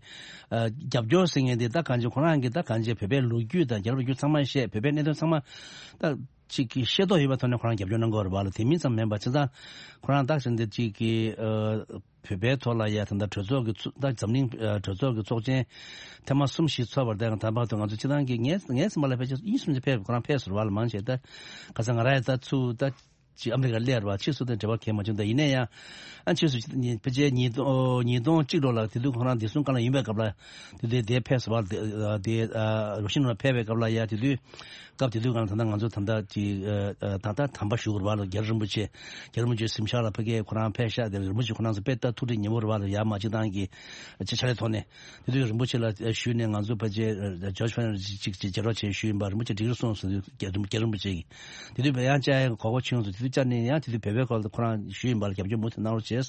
ཨ་རྒྱབ་སྐྱོར་ཟེར་མཁན་དེ་ད་གང་ཅི་ཁོ་རང་གི་ད་གང་ཅི་བོད་པའི་ལོ་རྒྱུས་དང་རྒྱལ་རབས་རྒྱུད་ཚང་མ་བཤད། བོད་པའི་གནད་དོན་ཚང་མ་ད། གཅིག་གི་ཤེས་རྟོགས་ཡོད་པའི་ཐོག་ནས་ཁོ་རང་རྒྱབ་སྐྱོར་གནང་གི་ཡོད་རེད་པ་ལ། དེ་མིན་ཙམ་མིན་པ་བྱས་ཙང་ཁོ་རང་ཏག་ཅིག་འདི་གཅིག་གི་ཨ་བོད་པའི་ཐོག་ལ་ཡ་ད་ལྟ་གྲོས་ཚོགས་ཀྱི་ཚོ་ད་འཛམ་གླིང་ཨ་གྲོས་ཚོགས་ཀྱི་ཚོགས་ཆེན་ཐེངས་མ་གསུམ་བཞི་ཚོགས་པར་བརྟེན་ད་བར་དུ་ང་ཚོ་སྤྱིར་བཏང་གི་ངའི་ངའི་སེམས་པ་ལ་ཕལ་ཆེར་གཉིས་གསུམ་ཅིག་ཕེབས་ཁོ་རང་ཕེབས་ཟེར་བ་ལ་མང་ཆེ་ད་ག་ས་ང་རང་ཡ་ད་ཚུར་ད་ཅིག་ཨ་མི་རི་ཀར་སླེབས་པ་ཕྱིས་སུ་དང་འབྲེལ་བ་གང་ཡང་མ་བྱུང་། ད་ཡིན་ན་ཡང་ཨ་ཕྱིས་སུ་ཕལ་ཆེར་ཉིས་སྟོང་ཉིས་སྟོང་གཅིག་ལོ་ལ་དེ་དུས་ཁོ་རང་བདེ་སྲུང་བཀའ་བློན་ཡིན་པའི་སྐབས་ལ། དེ་དུས་དེ་ཕེབས་སུ་བ་དེ་དེ་ཨ་རོ་ཤིན་ནོར་ཕེབས་པའི་སྐབས་ལ་ཡ་དེ་དུས་སྐབས་དེ་དུས་གང་ད་ལྟ་ང་ཚོ་ད་ལྟ་ཅིག་ཨ་ད་ལྟ་དམ་པ་བཞུགས་ར་བ་ལ་རྒྱལ་རིན་པོ་ཆེ་རྒྱལ་རིན་པོ་ཆེ་གཟིམ་ཤག་ལ་ཕ་གིར་ཁོ་རང་ཕེབས་ཤག་དེ་རིན་པོ་ཆེ་ཁོ་རང་ཚོ་དཔེ་ལྟ་ཐུགས་ཁྲལ་ཉེ་བོ་ར་བ་ལ་ཡ་མ་གཅིག་ཏང་གི་ཅི་ཆ་ལས་ཐོག་ནས་དེ་དུས་རིན་པོ་ཆེ་ལ་ཞུས་ནས་ང་ཚོ་ཕལ་ཆེར་ཇོརྗ་ཧྥེར་ནན་ཌེས་ཅིག་ཅིག་མཇལ་རོགས་བྱས་ཞུས་ཡིན་པ། རིན་པོ་ཆེ་འགྲིག་རེད་གསུངས་སོང་། དེ་དུས་རྒྱལ་རིན་པོ་ཆེ་གིས་དེ་དུས་ཡང་བཅར་ཡ་གོ་སྐབས་བྱུང་སོང་། དེ་དུས་བཅར་ནས་ཡང་དེ་དུས་བོད་པའི་སྐོར་ལ་ཁོ་རང་ཞུས་ཡིན་པ་ལ་རྒྱབ་སྐྱོར་མུ་མཐུད་གནང་རོགས་བྱས།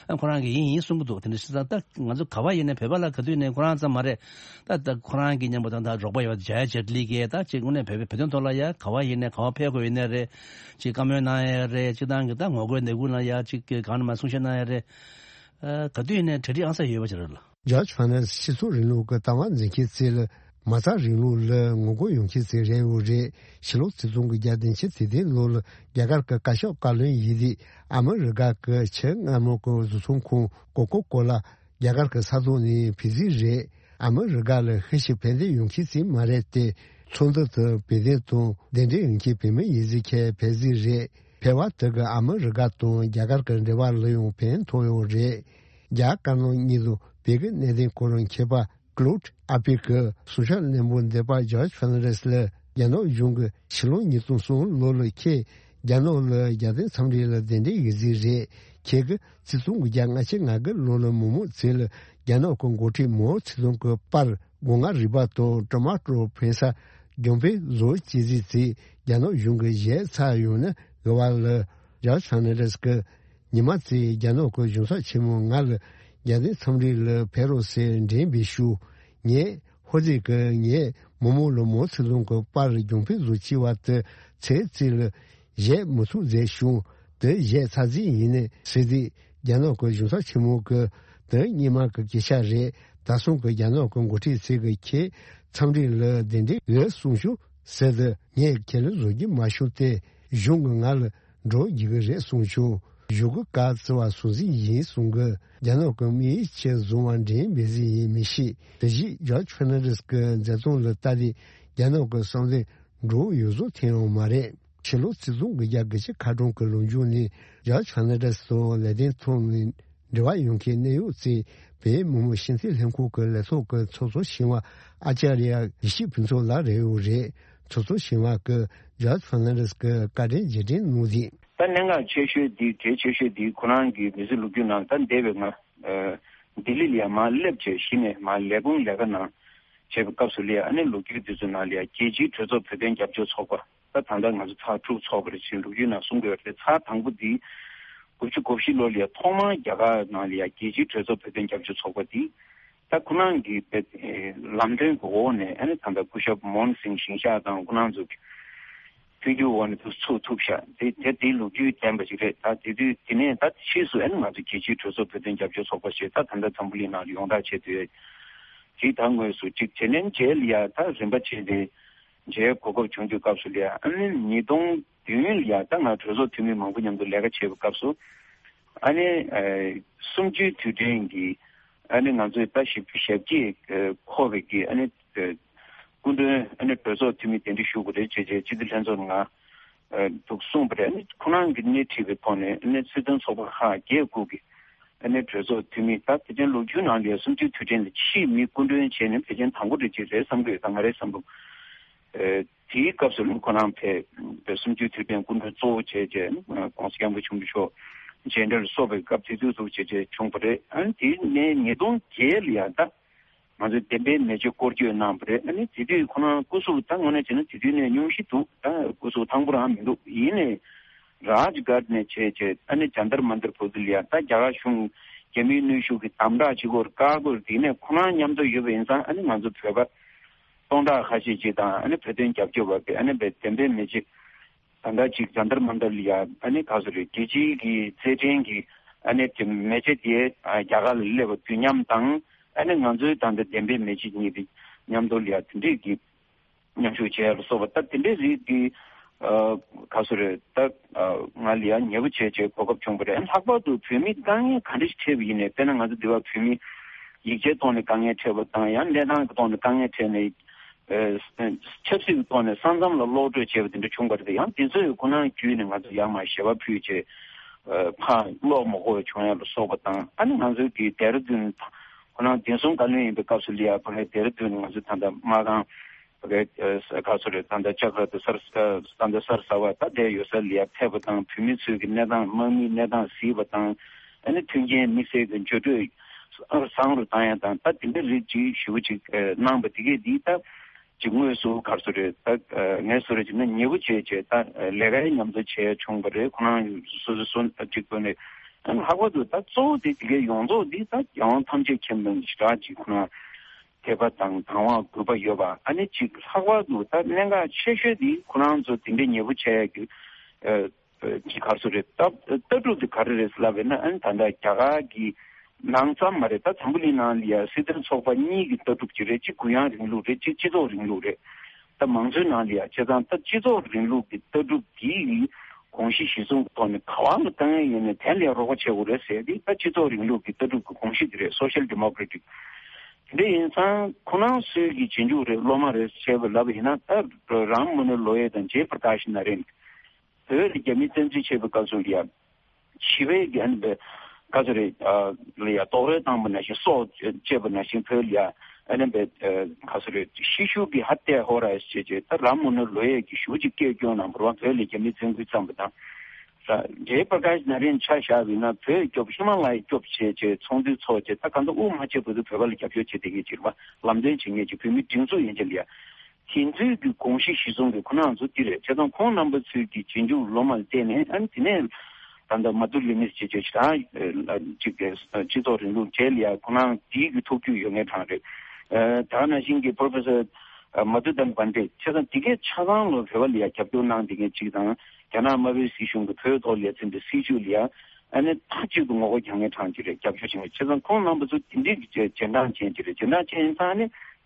ཨ་ཁོ་རང་གིས་ཡིན་ཡིན་གསུང་གི་འདུག་དེ་འདྲ་བྱས་ཙང་ད་ང་ཚོ་ག་བ་ཡིན་ནའི་བོད་པ་ལ་ག་དུས་ནས་ཁོ་རང་ཙམ་མ་རེད། ད་ད་ཁོ་རང་གི་མཉམ་པོ་ད་ད་རོགས་པ་ཡོད་པ་ཇ་ཡ་ཇེཊ་ལི་གིས་ད་ཅིག་དངོས་གནས་བོད་པའི་བོད་དོན་ཐོག་ལ་ཡ་ག་བ་ཡིན་ནའི་ག་བ་ཕེབས་དགོས་ཡིན་ནའི་རེད། ཅིག་བཀའ་མོལ་གནང་ཡ་རེད། སྤྱིར་བཏང་གི་ད་ངོ་རྒོལ་ལས་འགུལ་ལ་ཡ་ཅིག་གི་གང་ནས་མ་གསུང་བཤད་གནང་ཡ་རེད། ཨ་ག་དུས་ཡིན་ནའི་གྲ་སྒྲིག་ཨང་གསར་ཡོད་པ་ཅིག་རེད་ལ། ཇོརྗ་ཧྥེར་ནན་ཌེས་སྤྱི་ཚོགས་རིང་ལུགས་ཀྱི་ལྟ་བ་འཛིན་མཁན་ཅིག་ལ་མ་རྩ་རིང་ལུགས་ལ་ངོ་རྒོལ་ཡོང་མཁན་ཅིག་རེད་ཡོད་རེད། ཕྱི་ལོ་ཆིག་སྟོང་དགུ་བརྒྱ་བདུན་ཅུ་དོན་བདུན་ལོ་ལ་རྒྱ་གར་གྱི་བཀའ་ཤོག་བཀའ་བློན་ཡིན་དུས་ཨ་མི་རི་ཀ་གི་ཆེས་སྔ་མོ་གི་བཟོ་ཚོང་ཁང་ཀོ་ཀོ་ཀོ་ལ་རྒྱ་གར་གྱི་ས་ཐོག་ནས་ཕུད་རྩིས་རེད། ཨ་མི་རི་ཀ་ལ་ཤུགས་ཆེ་ཕན་བདེ་ཡོང་མཁན་ཅིག་མ་རེད་དེ། ཚོགས་འདུ་དུ་བོད་དོན་དང་གདན་འདྲེན་ཡོང་མཁན་བོད་མི་ཡིན་ཟིག་ཁྱད་ཕན་ཟིག་རེད། ཕལ་བ་དེ་གི་ཨ་མི་རི་ཀ་དང་རྒྱ་གར་གྱི་འབྲེལ་བ་ལ་ཡང་ཕན་ཐོགས་ཡོད་རེད། རྒྱ་དཀར་ནག་གཉིས་དང་བོད་ཀྱི་གནད་དོན་སྐོར་མཁས་པ་ཀློད་ཨ་པི་ཀི་གསུང་བཤད་རྣོན་པོ་འདེབས་པ་ཇོརྗ་ཧྥེར་ནན་ཌེས་ལ་རྒྱ་ནག་གཞུང་གིས་ཕྱི་ལོ་ཉིས་སྟོང་གསུམ་ལོ་ལ་ཁྱེད་རྒྱ་ནག་ལ་རྒྱལ་བསྟན་འཚམས་འདྲི་ལ་གདན་འདྲེན་ཡོད་ཟིག་རེད། ཁྱེད་ཀྱིས་ཆིག་སྟོང་དགུ་བརྒྱ་ལྔ་བཅུ་ང་དགུ་ལོ་ལ་མི་མང་ཚོ་ལ་རྒྱ་ནག་གི་འགོ་ཁྲིད་མའོ་ཙེ་ཏུང་གི་པར་སྒོ་ང་རུས་པ་དང་ཊོ་མ་ཊོ་ཕན་ས་གྱོང་ཕན་བཟོ་བྱེད་ཟིག་ཚེ་རྒྱ་ནག་གཞུང་གིས་བཞེས་ཚར་ཡོང་ན་དགའ་བ་ལ། ཇོརྗ་ཧྥེར་ནན་ཌེས་ཀྱིས་ཉི་མ་ཚེ་རྒྱ་ནག་གི་གཞུང་ཚབ་ཆེན་མོ་ང་ལ་རྒྱལ་བསྟན་འཚམས་འདྲི་ལ་ཕེབས་རོགས་ཟེར་འགྲེམས་པའི་ཤུགས། ངས་ཧོ་ཙི་གི་ངས་མི་མང་ལ་མའོ་ཙེ་ཏུང་གི་པར་གྱོང་ཕན་བཟོ་བྱེད་པ་དེ་ཚེ་ཚེ་ལ་བཞེས་མི་ཐུབ་མཛད་བྱུང་། དེ་བཞེས་ཚར་རྗེས་ཡིན་ནའི་ཟེར་དུས་རྒྱ་ནག་གི་གཞུང་ཚབ་ཆེན་མོ་གིས་དེ་སྔོན་མ་གི་སྐད་ཆ་རེད། ད་སང་གི་རྒྱ་ནག་གི་འགོ་ཁྲིད་ཚོས་གི་ཁྱེད་འཚམས་འདྲི་ལ་གདན་འདྲེན་ཡོད་གསུངས་བྱུང་ཟེར་དུས་ངས་ཁས་ལེན་བཟོ་རྒྱུ་མ་བྱུང་སྟེ་གཞུང་གིས་ང་ལ་འགྲོ་རྒྱུ་གི་རེད་གསུངས་བྱུང་། གཞུག་གི་བཀའ་བརྩི་བ་སོང་ཟིག་ཡིན་གསུང་གི། རྒྱ་ནག་གི་དམིགས་ཡུལ་ཆེད་བཟུང་བ་འགྲན་མེད་ཟིག་ཡིན་མི་ཤེས། དེ་བཞིན་ཇོརྗ་ཧྥེར་ནན་ཌེས་ཀྱི་མཛད་རྩོམ་ལ་ལྟ་དུས་རྒྱ་ནག་གི་བསམ་བློ་འགྲོ་ཡོད་བཟོ་ཐེངས་ཡང་མ་རེད། ཕྱི་ལོ་ཆིག་སྟོང་དགུ་བརྒྱ་དགུ་བཅུ་ཁ་གྲངས་ཀྱི་ལོ་མཇུག་ནས་ཇོརྗ་ཧྥེར་ནན་ཌེས་དང་ལེ་ཏན་ཐོང་ནས་འབྲེལ་བ་ཡོང་མཁན་གནད་ཡོད་ཅིག་བོད་མི་མང་སྤྱི་འཐུས་ལྷན་ཁང་གི་ལས་ཐོག་གི་ཚོགས་གཙོ་ཞིང་བ་ཨ་ཅཱརྱ་ཡེ་ཤེས་ཕུན་ཚོགས་ལགས་རེད་ཡོད་རེད། ཚོགས་གཙོ་ཞིང་བ་གིས་ཇོརྗ་ཧྥེར་ནན་ཌེས་ཀྱི་བཀའ་དྲིན་རྗེས་དྲན་གནང་ཟིན། ད་གནད་འགག་ཆེ་ཤོས་འདི་གལ་ཆེ་ཤོས་འདི་ཁོ་རང་གི་མི་ཚེ་ལོ་རྒྱུས་ནང་ད་འདས་པའི་ང་ཨ་ལྡི་ལི་ལ་ཡ་མར་སླེབས་བྱས་གཞི་ནས་མར་ལས་ཁུངས་ལས་ཀ་ནང་བྱས་པའི་སྐབས་སུ་ལ་ཡ་ཨ་ནི་ལོ་རྒྱུས་འདི་ཚོ་ནང་ལ་ཡ་རྒྱལ་སྤྱིའི་གྲོས་ཚོགས་བོད་དོན་རྒྱབ་སྐྱོར་ཚོགས་པ། ད་ད་ལྟ་ང་ཚོ་ཚར་དྲུག་ཚོགས་པ་རེད་ཅེས་ལོ་རྒྱུས་ནང་གསུང་གི་ཡོད་རེད། ཚར་དང་པོ་འདི་དགུ་བཅུ་གོ་བཞི་ལོ་ལ་ཡ་ཐོག་མར་རྒྱ་གར་ནང་ལ་ཡ་རྒྱལ་སྤྱིའི་གྲོས་ཚོགས་བོད་དོན་རྒྱབ་སྐྱོར་ཚོགས་པ་འདི་ད་ཁོ་རང་གི་ལམ་སྟོན་གྱི་འོག་ནས་ཨ་ནི་ད་ལྟ་སྐུ་ཞབས་མོན་སིང་ཞིང་གཤེགས་དང་ཁོ་རང་ཚོ་གི་མཐུན་འགྱུར་འོག་ནས་ཚུགས་ཐུབ་ཤག་དེ་དེ་དེའི་ལོ་རྒྱུས་ལྡན་པ་ཞིག་རེད། ད་དེ་དུས་དེ་ནས་ད་ཕྱིས་སུ་ཨ་ནི་ང་ཚོ་རྒྱལ་སྤྱིའི་གྲོས་ཚོགས་བོད་དོན་རྒྱབ་སྐྱོར་ཚོགས་པ་ཞེས་ད་ད་ལྟ་འཛམ་བུ་གླིང་ནང་ལ་ཡོངས་གྲགས་བྱས་ཏེ་ཡོད། དེའི་ད་དངོས་སུ་གཅིག་བྱས་ནས་མཇལ་ལ་ཡ་ད་རིམ་པ་བྱས་ཏེ། མཇལ་གོ་སྐབས་བྱུང་དུས་སྐབས་སུ་ལ་ཡ་ཨ་ནི་ཉིས་སྟོང་ དུས་ཡུན་ལ་ཡང་ད་ང་གྲོས་ཚོགས་འཐུས་མི་མང་པོ་མཉམ་དུ་ལས་ཀ་བྱེད་པའི་སྐབས་སུ། ཨ་ནི་ཨ་གསུམ་བཅུའི་དུས་དྲན་གྱི་ཨ་ནི་ང་ཚོས་ད་ཞིབ་ཞབས་ཀྱིས་ཨ་མཁོ་བའི་གི་ཨ་ནི་ཨ་སྐུ་མགྲོན་ཨ་ནི་གྲོས་ཚོགས་འཐུས་མི་གདན་འདྲེན་ཞུ་དགོས་རེད་ཅེས་བྱས་སྤྱི་འཐུས་ལྷན་ཚོགས་ནང་ཨ་འདུག་གསུངས་པ་རེད། ཨ་ནི་ཁོ་རང་གིས་སྣེ་ཁྲིད་པའི་ཐོག་ནས་ཨ་ནི་སྲིད་དོན་ཚོགས་པ་ཁག་བརྒྱད་དགུ་གི་ཨ་ནི་གྲོས་ཚོགས་འཐུས་མི་ད་ཕལ་ཆེར་ལོ་རྒྱུས་ནང་ལ་ཡང་གསུམ་བཅུའི་དུས་དྲན་ལ་ཕྱིའི་མི་སྐུ་མགྲོན་བྱས་ནས་ཕལ་ཆེར་དང་པོ་རེད་ཅེས་རེད་བསམ་གྱི་ཡོད། ད་ང་རའི་བསམ་བློ། ཨ་དེའི་སྐབས་སུ་ཁོ་རང་ཕེབས་པའི་གསུམ་བཅུའི་དུས་དྲན་སྐུ་མགྲོན་གཙོ་བོ་བྱས་རྗེས་༸གོང་ས་༸སྐྱབས་མགོན་ཆེན་པོ་མཆོག་མཇལ་འཕྲད་ལ་སོགས་པའི་སྐབས་དེ་དུས་སུ་བྱས་རྗེས་བྱུང་བ་རེད། ཨ་ནི་དེ་ནས་ཉིས་སྟོང་བརྒྱད་ལ་ཡང་ད་ང་ཚོའི་བདེན་པའི་མེ་ལྕེ་སྐོར་སྐྱོད་གནང་བ་རེད། ཨ་ནི་དེ་དུས་ཁོ་རང་སྐུ་གཟུགས་ད་དངོས་གནས་བྱས་ན་དེ་དུས་ནས་སྙུང་གཞི་འདུག་ད་སྐུ་གཟུགས་ཐང་པོ་རང་མི་འདུག་ཡིན་ནའི་རཱཇ་གྷཊ་ནས་བྱས་རྗེས་ཨ་ནི་ཇཱན་ཏར་མན་ཏར་བར་དུ་ལ་ཡང་ད་རྒྱ་གར་གཞུང་རྒྱ་མིའི་གནོན་ཤུགས་ཀྱི་དམ་དྲག་བྱེད་སྒོར་བཀག་སྒོར་དེ་ནས་ཁོ་རང་མཉམ་དུ་ཡོད་པ་ཡིན་ཙང་ཨ་ནི་ང་ཚོ་བོད་པ་སྟོང་ཕྲག་ཁ་ཤས་ཅིག་དང་ཨ་ནི་བོད་དོན་རྒྱབ་སྐྱོར་བ་དེ་ཨ་ནི་བདེན་པའི་མེ་ལྕེ་ད་ལྟ་ཅིག་ཇཱན་ཏར་མན་ཏར་ལ་ཡ་ཨ་ནི་ག་ཚོད་རེད། རྒྱལ་སྤྱིའི་གི་རྩེད་འགྲན་གྱི་ཨ་ནི་དེ་མེ་ལྕེ་དེ་རྒྱ་གར་ལ་སླེབས་པ་དུས་མཉམ་དང་ཨ་ནི་ང་ཚོའི་ད་ལྟ་བདེན་པའི་མེ་ལྕེ་གཉིས་དེ་མཉམ་དུ་ལ་ཡ་དེ་འདྲས་ཀྱི་མཉམ་ཞུགས་བྱས་ལ་སོགས་པ་ད་དེ་འདྲས་རིགས་ཀྱི་ཨ་ག་ཚོད་རེད། ད་ཨ་ང་ལ་ཡ་ཉེ་པོ་བྱས་བྱས་གོ་སྐབས་བྱུང་བ་རེད། ལྷག་པར་དུ་བོད་མི་དཀའ་ངལ་ག་འདྲས་ཤིག་འཕྲད་པ་ཡིན་ནའི་དཔེར་ན་ང་ཚོ་འདི་བ་བོད་མི་ཡིག་ཆའི་ཐོག་ནས་དཀའ་ངལ་འཕྲད་པ་དང་ཡང་གནས་སྟངས་ཀྱི་ཐོག་ནས་དཀའ་ངལ་འཕྲད་ནས་ཨ་ཆབ་སྲིད་ཀྱི་ཐོག་ནས་ས་མཚམས་ལ་གློད་གྲོལ་བྱས་པ་དེ་འདྲ་བྱུང་བ་རེད། ཡང་དེ་ཚོའི་ཁོ་ན་བརྒྱུད་ནས་ང་ཚོ་ཡར་མར་ཞལ་པར་ཕུལ་བྱས་ཨ་ཕར་གློག་མ་གོ་བ་བྱུང་ཡ་ལ་སོགས་པ་དང་ཨ་ནི་ང་ཚོའི་གི་ལྡེ་ར་ལྡུན་ཁོ་ན་བདེ་སྲུང་བཀའ་བློན་ཡིན་པའི་སྐབས་སུ་ལ་ཡ་ཕ་གིའི་ལྡེ་ར་ལྡུན་ནས་ང་ཚོ་ད་ལྟ་མ་གང་ཕ་གིའི་ཨ་ག་ཚོད་རེད། ད་ལྟ་ལྕགས་ར་དང་སར་ད་ལྟ་སར་ཟ་བ་ད་ལྟའི་ཡོད་ས་ལ་ཡ་ཕེབས་པ་དང་བོད་མི་ཚོའི་གི་གནས་སྟངས་དམག་མིའི་གནས་སྟངས་གཟིགས་པ་དང་ཨ་ནི་མཐུན་རྐྱེན་དམིགས་བསལ་གི་འགྱུར་འགྲོས་བཟང་རུ་བཏང་ཡ་དང་ད་དེ་འདྲ་རིགས་ཅིག་ཞེ་པོ་ཅིག་གནང་བ་དེ་གས་འདི་ད་ཅིག་དངོས་སུ་ག་རེ་ཟེར་རེད། ད་ངས་བཟོ་རེད་ཅིག་ན་ཉེ་པོ་བྱས་བྱས་ད་ལས་ཀའི་མཉམ་དུ་བྱས་བྱུང་བ་རེད། ཁོ་རང་སོ་སོ་སོ་ཅིག་དགོས་ནས་ཨ་ནི་ལྷག་པར་དུ་ད་གཙོ་བོ་དེ་དེ་གའི་ཡོངས་རྫོགས་འདི་ད་རྒྱལ་དབང་ཐམས་ཅད་མཁྱེན་པ་ཞེ་དྲག་ཅིག་ཁོ་རང་དད་པ་དང་དང་བ་གུས་པ་ཡོད་པ་ཨ་ནི་ཅིག་ལྷག་པར་དུ་ད་གནད་འགག་ཆེ་ཤོས་འདི་ཁོ་རང་ཚོ་དེ་འདྲའི་ཉེ་པོ་བྱས་ཀྱི་ཅིག་ག་རེ་ཟེར་རེད། ད་ལྟ་གྲུབ་དེ་ག་རེ་རེད་ལབ་པས་ན་ཨ་ནི་ད་ལྟ་རྒྱ་གར་གྱི་ནང་ཙམ་མ་རེད། ད་འཛམ་བུ་གླིང་ནང་ལ་ཡ་སྲིད་དོན་ཚོགས་པ་གཉིས་ཀྱི་ལྟ་གྲུབ་ཅིག་རེད། གཅིག་གུ་ཡངས་རིང་ལུགས་རེད། གཅིག་སྤྱི་ཚོགས་རིང་ལུགས་རེད། ད་མང་གཙོའི་ནང་ལ་ཡ་བྱས་ཙང་ད་སྤྱི་ཚོགས་རིང་ལུགས་ཀྱི་ལྟ་གྲུབ་འདིའི་གོམས་གཤིས་གཞི་བཟུང་གི་ཐོག་ནས་ག་བ་ལ་བཏང་ཡ་ཡིན་ནའི་དེ་ལ་ཡ་རོགས་པ་བྱེད་དགོས་རེད་ཟེར་ཏེ་ད་སྤྱི་ཚོགས་རིང་ལུགས་ཀྱི་ལྟ་གྲུབ་ཀྱི་གོམས་གཤིས་དེ་རེད། སོ་ཤལ་ཌི་མོ་ཀེ་ར་ཊིག་དེ་འདྲ་ཡིན་ཙང་ཁོ་རང་ཚོའི་གི་རྗེས་འཇུག་རེད། སློབ་མ་རེད་ཅེས་པ་ལབ་པ་ཡིན་ན་ད་རམ་མོ་ནི་ལོ་ཡེ་དང་ཇེ་པྲ་ཀཱཤ་ན་རེན་བོད་ལ་རྒྱ་མི་བཙན་འཛུལ་བྱས་པའི་སྐབས་སུ་ཡང་ཞི་བའི་གི་ཨ་ནི་བའི་ག་ཚོད་རེད། ལ་ཡ་རྡོག་རོལ་བཏང་པ་ནང་བཞིན་སྲོག་བཅད་པ་ནང་བཞིན་བོད་ལ་ཡ་ཨ་ནི་བའི་ག་ཚོད་རེད། ཤི་ཤུལ་གི་ཧ་ཏེ་ཧོ་ར་ཞེས་བྱས་ད་རམ་མོ་ནི་ལོ་ཡས་ཀྱི་ཞུ་ཅིག་སྐད་སྐྱོན་གནང་བར་བ་བོད་ལ་རྒྱ་མི་བཙན་རྒོལ་བརྩམས་པ་དང་། ཇེ་པྲ་ཀཱཤ་ན་རེན་ཆ་བཞག་པ་ཡིན་ན་བོད་སྐྱོབ་ཧི་མ་ལ་ཡ་སྐྱོབ་བྱས་བྱས་ཚོགས་འདུ་ཚོགས་བྱས་ད་གང་ལྟར་དབུ་མ་ཆེ་བོད་དུ་བོད་པ་ལ་རྒྱབ་སྐྱོར་བྱེད་བསྡད་མཁན་ཅིག་རེད་བ། ལམ་སྟོན་བྱེད་མཁན་ཅིག་བོད་མི་སྒྲིག་འཛུགས་ཡན་ཆད་ལ་ཡ། དེ་ཚོའི་གི་གོམས་གཤིས་གཞི་བཟུང་གི་ཁོ་རང་ཚོ་འདི་རེད། བྱས་ཙང་ཁོང་རྣམ་པ་ཚོའི་གི་རྗེས་འཇུག་སློབ་མར་བལྟས་ནས་ཨ་ནི་དེ་ནས་ད་ལྟ་མ་ཏུ་ལི་མིས་བྱེད་ཆོག་ཞེ་དྲག་ཅིག་གི་སྤྱི་ཚོགས་རིང་ལུགས་བྱས་ལ་ཡ་ཁོ་རང་དེའི་གི་ཐུགས་རྒྱུས་ཡོད་མཁན་གྲངས་རེད། ད་ག་ནང་བཞིན་གི་པོ་རོ་ཕེ་སར་མ་ཏུ་དན་བན་ཏེ་བྱས་ཙང་དེ་གའི་ཆ་ཚང་ལོ་བོད་པ་ལ་ཡ་རྒྱབ་སྐྱོར་གནང་བསྡད་མཁན་ཅིག་དང་རྒྱ་ནག་དམར་པོའི་སྲིད་གཞུང་གི་བོད་ཐོག་ལ་ཡ་འཛིན་པའི་སྲིད་བྱུས་ལ་ཡ་ཨ་ནི་མཐའ་གཅིག་ཏུ་ངོ་རྒོལ་རྒྱག་མཁན་གྲངས་ཅིག་རེད། རྒྱབ་སྐྱོར་བྱེད་མཁན་བྱས་ཙང་ཁོང་རྣམ་པ་ཚོ་དེ་འདྲའི་གི་རྗེས་འབྲང་ཅན་ཅིག་རེད། རྗེས་འབྲང་ཅན་ཡིན་ཙང་ཨ་ནི།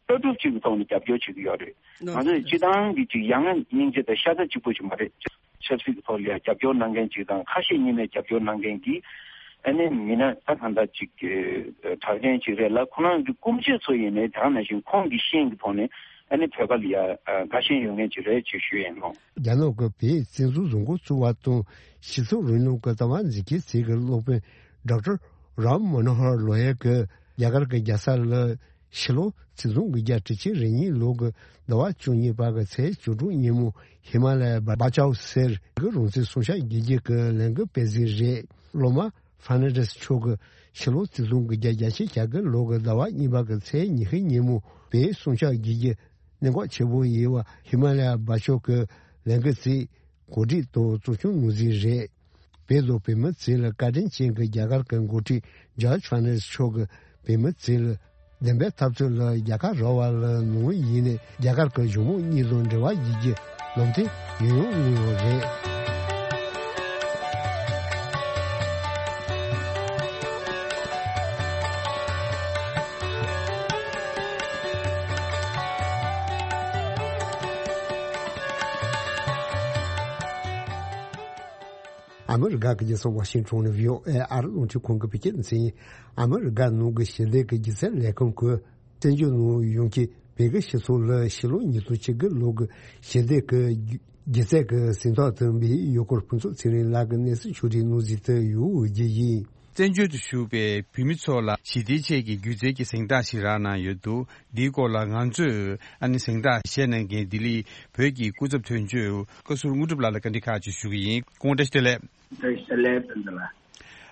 ལྟ་གྲུབ་ཅིག་གི་ཐོག་ནས་རྒྱབ་སྐྱོར་བྱེད་ཀྱི་ཡོད་རེད། ང་ཚོས་སྤྱི་བཏང་གི་ཅིག་ཡ་ང་སྙིང་རྗེ་དང་ཤ་ཚ་གཅིག་པོ་ཅིག་མ་རེད། ཆབ་སྲིད་ཀྱི་ཐོག་ལ་ཡང་རྒྱབ་སྐྱོར་གནང་མཁན་ཅིག་དང་ཁ་ཞེ་གཉིས་མེད་རྒྱབ་སྐྱོར་གནང་མཁན་གྱི་ཨ་ནི་མི་སྣ་ད་གང་ལྟར་ཅིག་གི་གྲགས་ཅན་ཅིག་རེད་ལ། ཁོ་རང་གི་སྐུ་མཆེད་ཚོ་ཡིན་ནའི་ད་ག་ནང་བཞིན་ཁོང་གི་ཤེས་ཀྱི་ཐོག་ནས་ཨ་ནི་བོད་པ་ལ་ཡ་དགའ་ཞེན་ཡོད་མཁན་ཅིག་རེད་ཅེས་ཞུ་ཡིན་ནོ། རྒྱ་ནག་གི་བོད་བཙན་འཛུལ་བཟོ་འགོ་བཙུགས་པ་དང་སྤྱི་ཚོགས་རིང་ལུགས་ཀྱི་ལྟ་བ་འཛིན་སྐྱེས་ཚོས་ཀྱི་སློབ་དཔོན་ཌོག་ཊར་རམ་མོ་ནོ་ཧར་ལོ་ཡ་གིས་རྒྱ་གར་གྱི་རྒྱལ་ས་ལ། ཕྱི་ལོ་ཆིག་སྟོང་དགུ་བརྒྱ་དྲུག་ཅུ་རེ་གཉིས་ལོ་གི་ཟླ་བ་བཅུ་གཉིས་པ་གི་ཚེས་བཅུ་དྲུག་ཉིན་མོ་ཧི་མ་ལ་ཡ་བྷ་ཅའོ་ཟེར་གི་རང་བཙན་སྲུང་སྐྱོབ་དགེ་རྒྱུ་གི་ལས་འགུལ་སྤེལ་གཟིགས་རེད། སློབ་མ་ཧྥར་ནན་ཌེས་མཆོག་གིས་ཕྱི་ལོ་ཆིག་སྟོང་དགུ་བརྒྱ་བརྒྱད་ཅུ་གྱ་དགུ་ལོ་གི་ཟླ་བ་གཉིས་པ་གི་ཚེས་ཉི་ཤུ་ཉིན་མོ་བོད་སྲུང་སྐྱོབ་དགེ་རྒྱུ་གནད་འགག་ཆེ་བོ་ཡིན་པ་ཧི་མ་ལ་ཡ་བྷ་ཅའོ་གི་ལས་འགུལ་རྩིས། གོ་སྒྲིག་དང་གཙོ་སྐྱོང་ངོས་འཛིན་རེད། བོད་དང་བོད་མི་ཚོ་ལ་བཀའ་དྲིན་ཅན་གྱི་རྒྱ་གར་གྱི་འགོ་ཁྲིད་ཇོརྗ་ཕར་ནན་ཌེས་མཆོག་གིས་བོད་མི་ཚོ་ལ་བདེན་པའི་འཐབ་རྩོད་ལ་རྒྱལ་ཁ་རག་པ་ལ་ནང་པ་ཡིན་ནའི་རྒྱ་གར་གྱི་གཞུང་མང་གཉིས་དང་འབྲེལ་བ་ཡོད་རྒྱུ་ལམ་སྟོན་ཡང་ཡང་གནང་ཡོད་རེད། ཨ་མི་རི་ཀ་གི་རྒྱལ་ས་ཝ་ཤིང་ཊོན་ནས་བྷི་ཨོ་ཨེ་ཨར་རླུང་འཕྲིན་ཁང་གི་བོད་སྐད་སྡེ་ཚན་ཡིན། ཨ་མི་རི་ཀ་ནང་གི་ཞི་བདེ་གི་སྒྱུ་རྩལ་ལས་ཁུངས་ཀྱིས་བཙན་བྱོལ་ནང་ཡོང་མཁན་བོད་ཀྱི་སྤྱི་ཚོགས་ལ་ཕྱི་ལོ་ཉིས་སྟོང་བཅུ་དགུ་ལོ་གི་ཞི་བདེ་གི་སྒྱུ་རྩལ་གྱི་གཟེངས་རྟགས་དུ་འབུལ་ཡུལ་སྐོར་ཕུན་ཚོགས་ཚེ་རིང་ལགས་ཀྱི་གནས་ཚུལ་ཕྱོགས་སྒྲིག་གནང་གཟིགས་དུ་ཡོད་རྒྱུ་ཡིན། བཙན་བྱོལ་དུ་བཞུགས་པའི་བོད་མི་ཚོ་ལ་ཞི་བདེའི་ཆེད་ཀྱི་སྒྱུ་རྩལ་གྱི་གཟེངས་རྟགས་ཤིག་རག་གནང་ཡོད་འདུག་འདིའི་སྐོར་ལ་ང་ཚོས་ཨ་ནི་གཟེངས་རྟགས་བཞེས་གནང་མཁན་ལྡི་ལི་བོད་ཀྱི་སྐུ་ཚབ་དོན་གཅོད་བཀའ་ཟུར་དངོས་གྲུབ་ལགས་ལ་བཀའ་འདྲི་ཁག་ཅིག་ཞུ་གི་ཡིན། སྐུ་ངོ་བཀྲ་ཤིས་བདེ་ལེགས། བཀྲ་ཤིས་བདེ་ལེགས་ཕུན་ཚོགས་ལགས།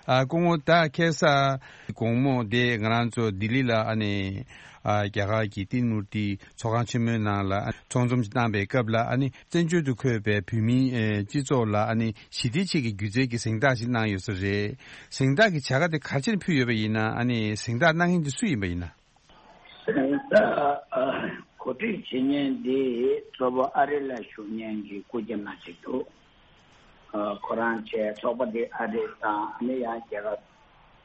ཨ་སྐུ་ངོ་ད་ཁ་སང་དགོང་མོ་དེ་ང་རང་ཚོ་ལྡི་ལི་ལ་ཨ་ནི་ཨ་རྒྱ་གར་གྱི་ཏི་མུར་ཏི་ཚོགས་ཁང་ཆེན་མོའི་ནང་ལ་ཚོགས་འཛོམས་ཤིག་བཏང་པའི་སྐབས་ལ་ཨ་ནི་བཙན་བྱོལ་དུ་འཁོད་པའི་བོད་མིའི་ཨེ་སྤྱི་ཚོགས་ལ་ཨ་ནི་ཞི་བདེའི་ཆེད་ཀྱི་སྒྱུ་རྩལ་གྱི་གཟེངས་རྟགས་ཤིག་གནང་ཡོད་ས་རེད། གཟེངས་རྟགས་ཀྱི་བྱ་དགའ་དེ་ག་རེ་བྱས་ནས་ཕུལ་ཡོད་པ་ཡིན་ན། ཨ་ནི་གཟེངས་རྟགས་གནང་མཁན་དེ་སུ་ཡིན་པ་ཡིན་ན། གཟེངས་རྟགས་གོ་སྒྲིག་བྱེད་མཁན་དེ་གཙོ་བོ་ཨ་རི་ལ་བཞུགས་མཁན་གྱི་སྐུ་སྒེར་མ་ཞིག་འདུག་ཁོ་རང་བཅས་ཚོགས་པ་དེ་ཨ་རི་དང་ཨ་ནི་ཡང་རྒྱལ་ཁབ་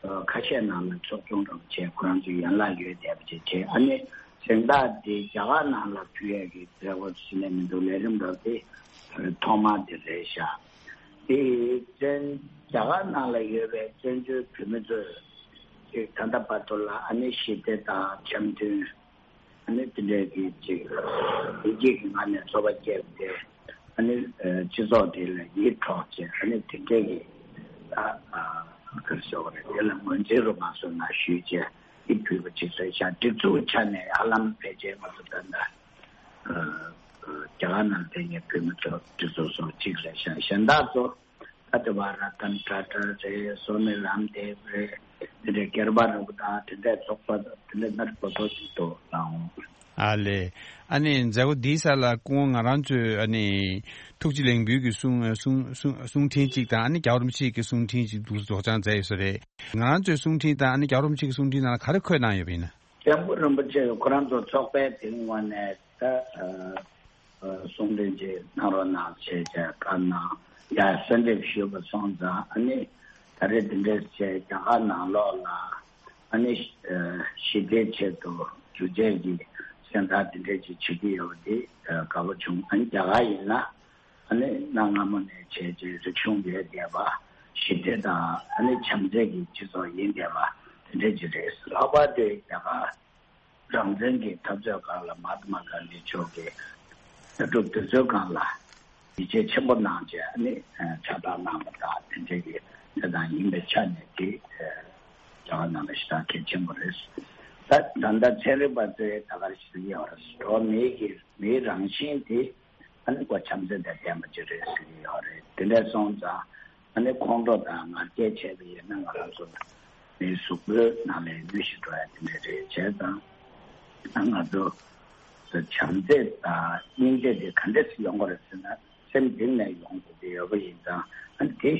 ཁ་ཤས་ནང་ལ་ཚོགས་ཆུང་འདྲ་བོ་བྱས། ཁོ་རང་ཚོའི་ཡན་ལག་ཡོད་བསྡད་པ་ཅིག་བྱས། ཨ་ནི་གཟེངས་རྟགས་དེ་རྒྱ་གར་ནང་ལ་ཕུལ་ཡས་ཀྱི་མཛད་སྒོ་ཟིན་ནས་མི་འདུག་ལས་རིམ་འདྲ་བོ་དེ་ཐོག་མ་དེ་རེད་ཤག་དེ་བཙན་རྒྱ་གར་ནང་ལ་ཡོད་པའི་བཙན་བྱོལ་བོད་མི་ཚོས་ཅིག་ད་ལྟ་བར་དུ་ལ་ཨ་ནི་ཞི་བདེ་དང་འཆམ་མཐུན། ཨ་ནི་དེ་འདྲའི་གི་ཅིག་བདེ་སྐྱིད་ཀྱི་ངང་ནས་འཚོ་བ་སྐྱེལ་ཏེ། ཨ་ནི་ཨ་སྤྱི་ཚོགས་དེ་ལ་ཡིད་འཕྲོག་བྱས། ཨ་ནི་དེ་འདྲའི་གི་ཨ་ཨ་ག་རེ་ཟེར་དགོས་རེད། དེ་ལ་ངོས་འཛིན་རུ་མ་སོང་ན་ཞུས་བྱས་ཡིད་ཕུལ་བ་ཅིག་རེད་ཤག་སྒྲིག་འཛུགས་ཆ་ནས་ཧ་ལམ་ཕལ་ཆེར་ང་ཚོ་ད་ལྟ་ཨ་རྒྱ་གར་ནང་བསྡད་མཁན་བོད་མི་ཚོ་སྒྲིག་འཛུགས་སོགས་གཅིག་རེད་ཤག་གཞན་དག་ཚོ། ད་དེ་བར་ར་ཏན་ཊ་ཊ་རེད། སོ་མི་རམ་དེབ་རེད། དེ་འདྲའི་སྐལ་པ་རིན་པོ་དང་དེ་འདྲའི་ཚོགས་པ་དང་དེ་འདྲའི་སྣ་ཚོགས་པོ་ཞིག་འདུག་ལགས། ཨ་ལེ། ཨ་ནི་མཛད་སྒོ་འདིའི་སར་ལ་སྐུ་ངོ་ང་རང་ཚོས་ཨ་ནི་ཐུགས་རྗེ་ལེགས་འབུལ་གྱི་གསུང་གསུང་གསུང་གསུང་འཕྲིན་གཅིག་དང་ཨ་ནི་རྒྱལ་བ་རིན་པོ་ཆེ་གི་གསུང་འཕྲིན་གཅིག་འདུག་སྒྲོག་སྦྱང་མཛད་ཡོད་ས་རེད། ང་རང་ཚོའི་གསུང་འཕྲིན་དང་ཨ་ནི་རྒྱལ་བ་རིན་པོ་ཆེ་གི་གསུང་འཕྲིན་ནང་ལ་ག་རེ་འཁོད་གནང་ཡོད་པ་ཡིན་ན། སྐྱབས་མགོན་རིན་པོ་ཆེ་ཁོ་རང་ཚོ་ཚོགས་པའི་དེའི་ངོས་ནས་ད་ཨ་གསུང་འཕྲིན་ཅིག་གནང་རོགས་གནང་ཞེས་བྱས་བཀའ་གནང་། ཡ་གསོལ་འདེབས་ཞུས་པ་སོང་ཙང་ཨ་ནི་ད་རེས་འདི་འདྲས་བྱས་རྒྱ་གར་ནང་ལོགས་ལ་ཨ་ནི་ཨ་ཞི་བདེའི་ཆེད་དུ་སྒྱུ་རྩལ་གྱི་གཟེངས་རྟགས་འདི་འདྲས་ཅིག་བྱེད་ཀྱི་ཡོད་པ་འདི་ཨ་དགའ་པོ་བྱུང་། ཨ་ནི་རྒྱ་གར་ཡིན་ན་ཨ་ནི་གནའ་སྔ་མོ་ནས་བྱས་རྗེས་རིག་གཞུང་ཡོད་བསྡད་པ། ཞི་བདེ་དང་ཨ་ནི་བྱམས་བརྩེ་གི་སྤྱི་ཚོགས་ཡིན་བསྡད་པ་དེ་འདྲ་ཅིག་རེད། ལྷག་པར་དུ་རྒྱ་གར་རང་བཙན་གྱི་འཐབ་རྩོད་སྒང་ལ་མ་ཧཱ་ཏ་མ་གྷན་དྷི་མཆོག་གིས་ལྟ་གྲུབ་དེ་ཚོའི་སྒང་ལ་ཡིད་ཆེས་ཆེན་པོ་གནང་བྱས་ཨ་ནི་ཕྱག་རྟགས་གནང་པ་དང་དེ་འདྲ་གི་གནས་སྟངས་ཡིན་པའི་ཆ་ནས་དེ་རྒྱ་གར་ནང་ལ་ཞེ་དྲག་གལ་ཆེན་པོ་རེད། ད་ད་ལྟ་ཚན་རིག་པ་ཚོས་ད་ག་རེ་ཞིག་ཡོད་རེད། འགྲོ་བ་མིའི་གི་མིའི་རང་བཞིན་དེ་ཨ་ནི་ཁོ་བྱམས་བརྩེ་དང་ལྡན་པ་ཅིག་རེད་ཟེར་གྱི་ཡོད་རེད། དེ་འདྲ་སོང་ཙང་ཨ་ནི་ཁོང་ཁྲོ་དང་ང་རྒྱལ་བྱས་པ་ཡིན་ན་ང་རང་ཚོ་མིའི་གཟུགས་པོའི་ནང་ལ་མྱུར་ཞིག་འགྲོ་ཡ་དེ་འདྲ་རེད། བྱས་ཙང་ང་ཚོ་བྱམས་བརྩེ་དང་སྙིང་རྗེ་དེ་ག་འདྲས་སེ་ཡོང་གི་རེད་ཟེར་ན་སེམས་གཏིང་ནས་ཡོང་དགོས་ཀྱི་ཡོད་པ་ཡིན་ཙང་ཨ་ནི་དེ་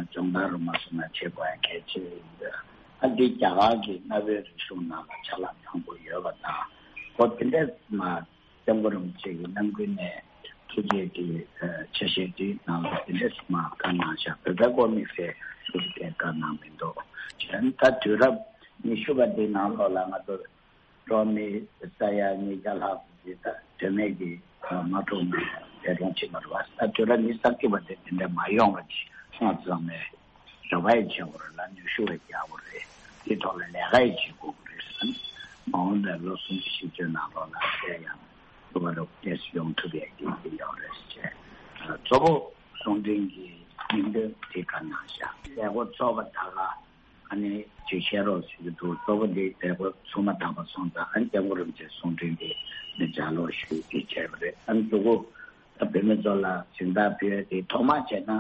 སྦྱོང་བརྡར་རུ་མ་སོང་ན་བྱེད་དགོས་ཡ་གལ་ཆེ་ཡིན། ཨ་འདི་རྒྱ་གར་གྱི་གནའ་བོའི་རིག་གཞུང་ནང་ལ་ཆ་ལག་མང་པོ་ཡོད་པ་དང་ཁོ་དེ་འདྲས་མ། སྐྱབས་མགོན་རིན་པོ་ཆེ་གི་རྣམ་ཀུན་ནས་ཐུགས་རྗེ་གི་ཆ་ཤས་དེའི་ནང་ལ་དེ་འདྲས་མ་བཀའ་གནང་བཞག་བོད་པའི་སྐོར་དམིགས་བསལ་ཐུགས་རྗེ་བཀའ་གནང་མི་འདུག་བྱས་ན་ད་དུས་རབས་ཉི་ཤུ་པ་འདིའི་ནང་ལོགས་ལ་ང་ཚོ་འགྲོ་བ་མི་ས་ཡ་ཉིས་བརྒྱ་ལྷག་ཅིག་ད་དོན་མེད་ཀྱི་མ་འཁྲུག་ནས་འདས་གྲོངས་ཕྱིན་པ་རེད་བ། ད་དུས་རབས་ཉི་ཤུ་རྩ་གཅིག་པ་དེ་དེ་འདྲ་མ་ཡོང་བ་ཅིག་སྔ་ཙམ་ནས། རེ་བ་ཡང་བྱེད་དགོས་རེད་ལ། ནུས་ཤུགས་ཡང་རྒྱག་དགོས་རེད། དེ་ཐོག་ལ་ལས་ཀ་ཡང་བྱེད་དགོས་ཀྱི་རེད་ཟེར། མ་འོངས་པའི་ལོ་སུམ་ཅུ་བཞི་བཅུ་ནང་ལོགས་ལ་དེ་ཡང་ཐུབ་པ་རུ་ཏོག་ཙམ་ཡོང་ཐུབ་ཡག་གི་ཡིད་ཡོད་རེད་ཟེར་བྱས། གཙོ་བོ་གསུང་འཕྲིན་གྱི་སྙིང་དོན་དེ་ག་ནང་བཞག་མཛད་སྒོ་ཚོགས་པ་དག་ལ་ཨ་ནི་ཅིག་བཤད་རོགས་ཟེར་གྱི་འདུག་གཙོ་བོ་དེ་མཛད་སྒོ་ཚུགས་མ་ཐག་པ་སོང་ཙང་ཨ་ནི་སྐྱབས་མགོན་རིན་པོ་ཆེའི་གསུང་འཕྲིན་དེ་ནི་ལྗགས་ཀློག་ཞུས་ཏེ་བྱས་པ་རེད། ཨ་ནི་མཛད་སྒོ་ད་བོད་མི་ཚོ་ལ་གཟེངས་རྟགས་ཕུལ་ཡག་དེ་ཐོག་མ་བྱས་ན།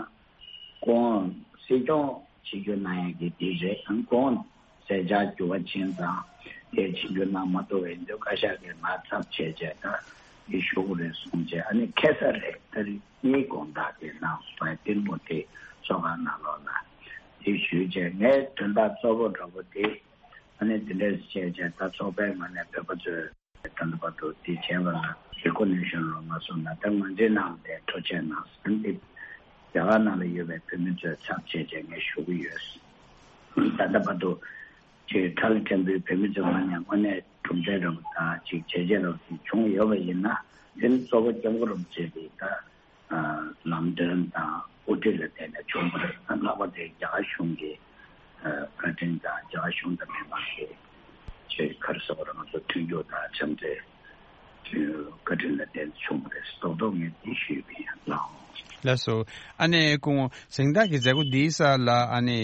ཁོང་སྲིད་སྐྱོང་བྱེད་རྒྱུ་གནང་ཡག་གི་དེ་རེད། ཁོང་མཛད་འཆར་འགྱུར་བ་ཕྱིན་ཙང་དེ་བྱེད་རྒྱུ་གནང་མ་ཐུབ་པ་ཡིན་དུས་བཀའ་ཤག་གིས་ང་ཚབ་བྱས་བྱས་ད་དེ་ཞུ་དགོས་རེད་གསུངས་བྱས་ཨ་ནི་ཁ་སང་རེད། ཏ་རིག་གཉིས་དགོང་དག་དེ་གནང་སོང་བས་ཏིལ་མོ་དེ་ཚོགས་ཁང་ནང་ལོགས་ལ་དེ་ཞུས་བྱས་ངའི་དོན་དག་གཙོ་བོ་འདྲ་པོ་དེ་ཨ་ནི་དེ་འདྲས་བྱས་བྱས་ད་ཚོགས་པའི་ངོས་ནས་བོད་པ་ཚོས། ད་ལྟ་བར་དུ་དེ་བྱས་པ་ལ་རེ་ཀོ་ནེ་ཤན་རོགས་མ་སོང་ན་ད་ང་ཚོའི་ནང་ལ་དེ་ཐུགས་རྗེ་གནང་ཟེར་ཏེ་རྒྱ་གར་ནང་ལ་ཡོད་པའི་བོད་མི་ཚོའི་ཚབ་བྱས་བྱས་ངས་ཞུ་གི་ཡོད། ད་ལྟ་བར་དུ་ཅིག་ཁྲ་ལ་ཕྲན་བུའི་བོད་མི་ཚོའི་ངོས་ནས་དངོས་གནས་གྲུབ་འབྲས་རབ་དང་ཅིག་བྱས་རྗེས་རབ་ཅིག་བྱུང་ཡོད་པ་ཡིན་ན་དེ་ནི་གཙོ་བོ་སྐྱབས་མགོན་རིན་པོ་ཆེ་གི་ད་ལམ་སྟོན་དང་ དབུ་ཁྲིད་ལ་བརྟེན་ནས་བྱུང་བ་རེད། ལྷག་པར་དུ་རྒྱ་གར་གཞུང་གི་ཨ་བཀའ་དྲིན་དང་རྒྱ་གར་གཞུང་དང་མི་མང་གི་ཆེས་ག་རེ་ཟེར་བ་རེད། ང་ཚོ་མཐུན་འགྱུར་དང་འཆམ་མཐུན་བཀའ་དྲིན་ལ་བརྟེན་བྱུང་བ་རེད། རྡོག་རྡོག་ངས་འདི་ཞུས་པ་ཡིན། ལགས་སོ། ལགས་སོ། ཨ་ནི་སྐུ་ངོ་གཟེངས་རྟགས་ཀྱི་མཛད་སྒོ་འདིའི་སར་ལ་ཨ་ནི་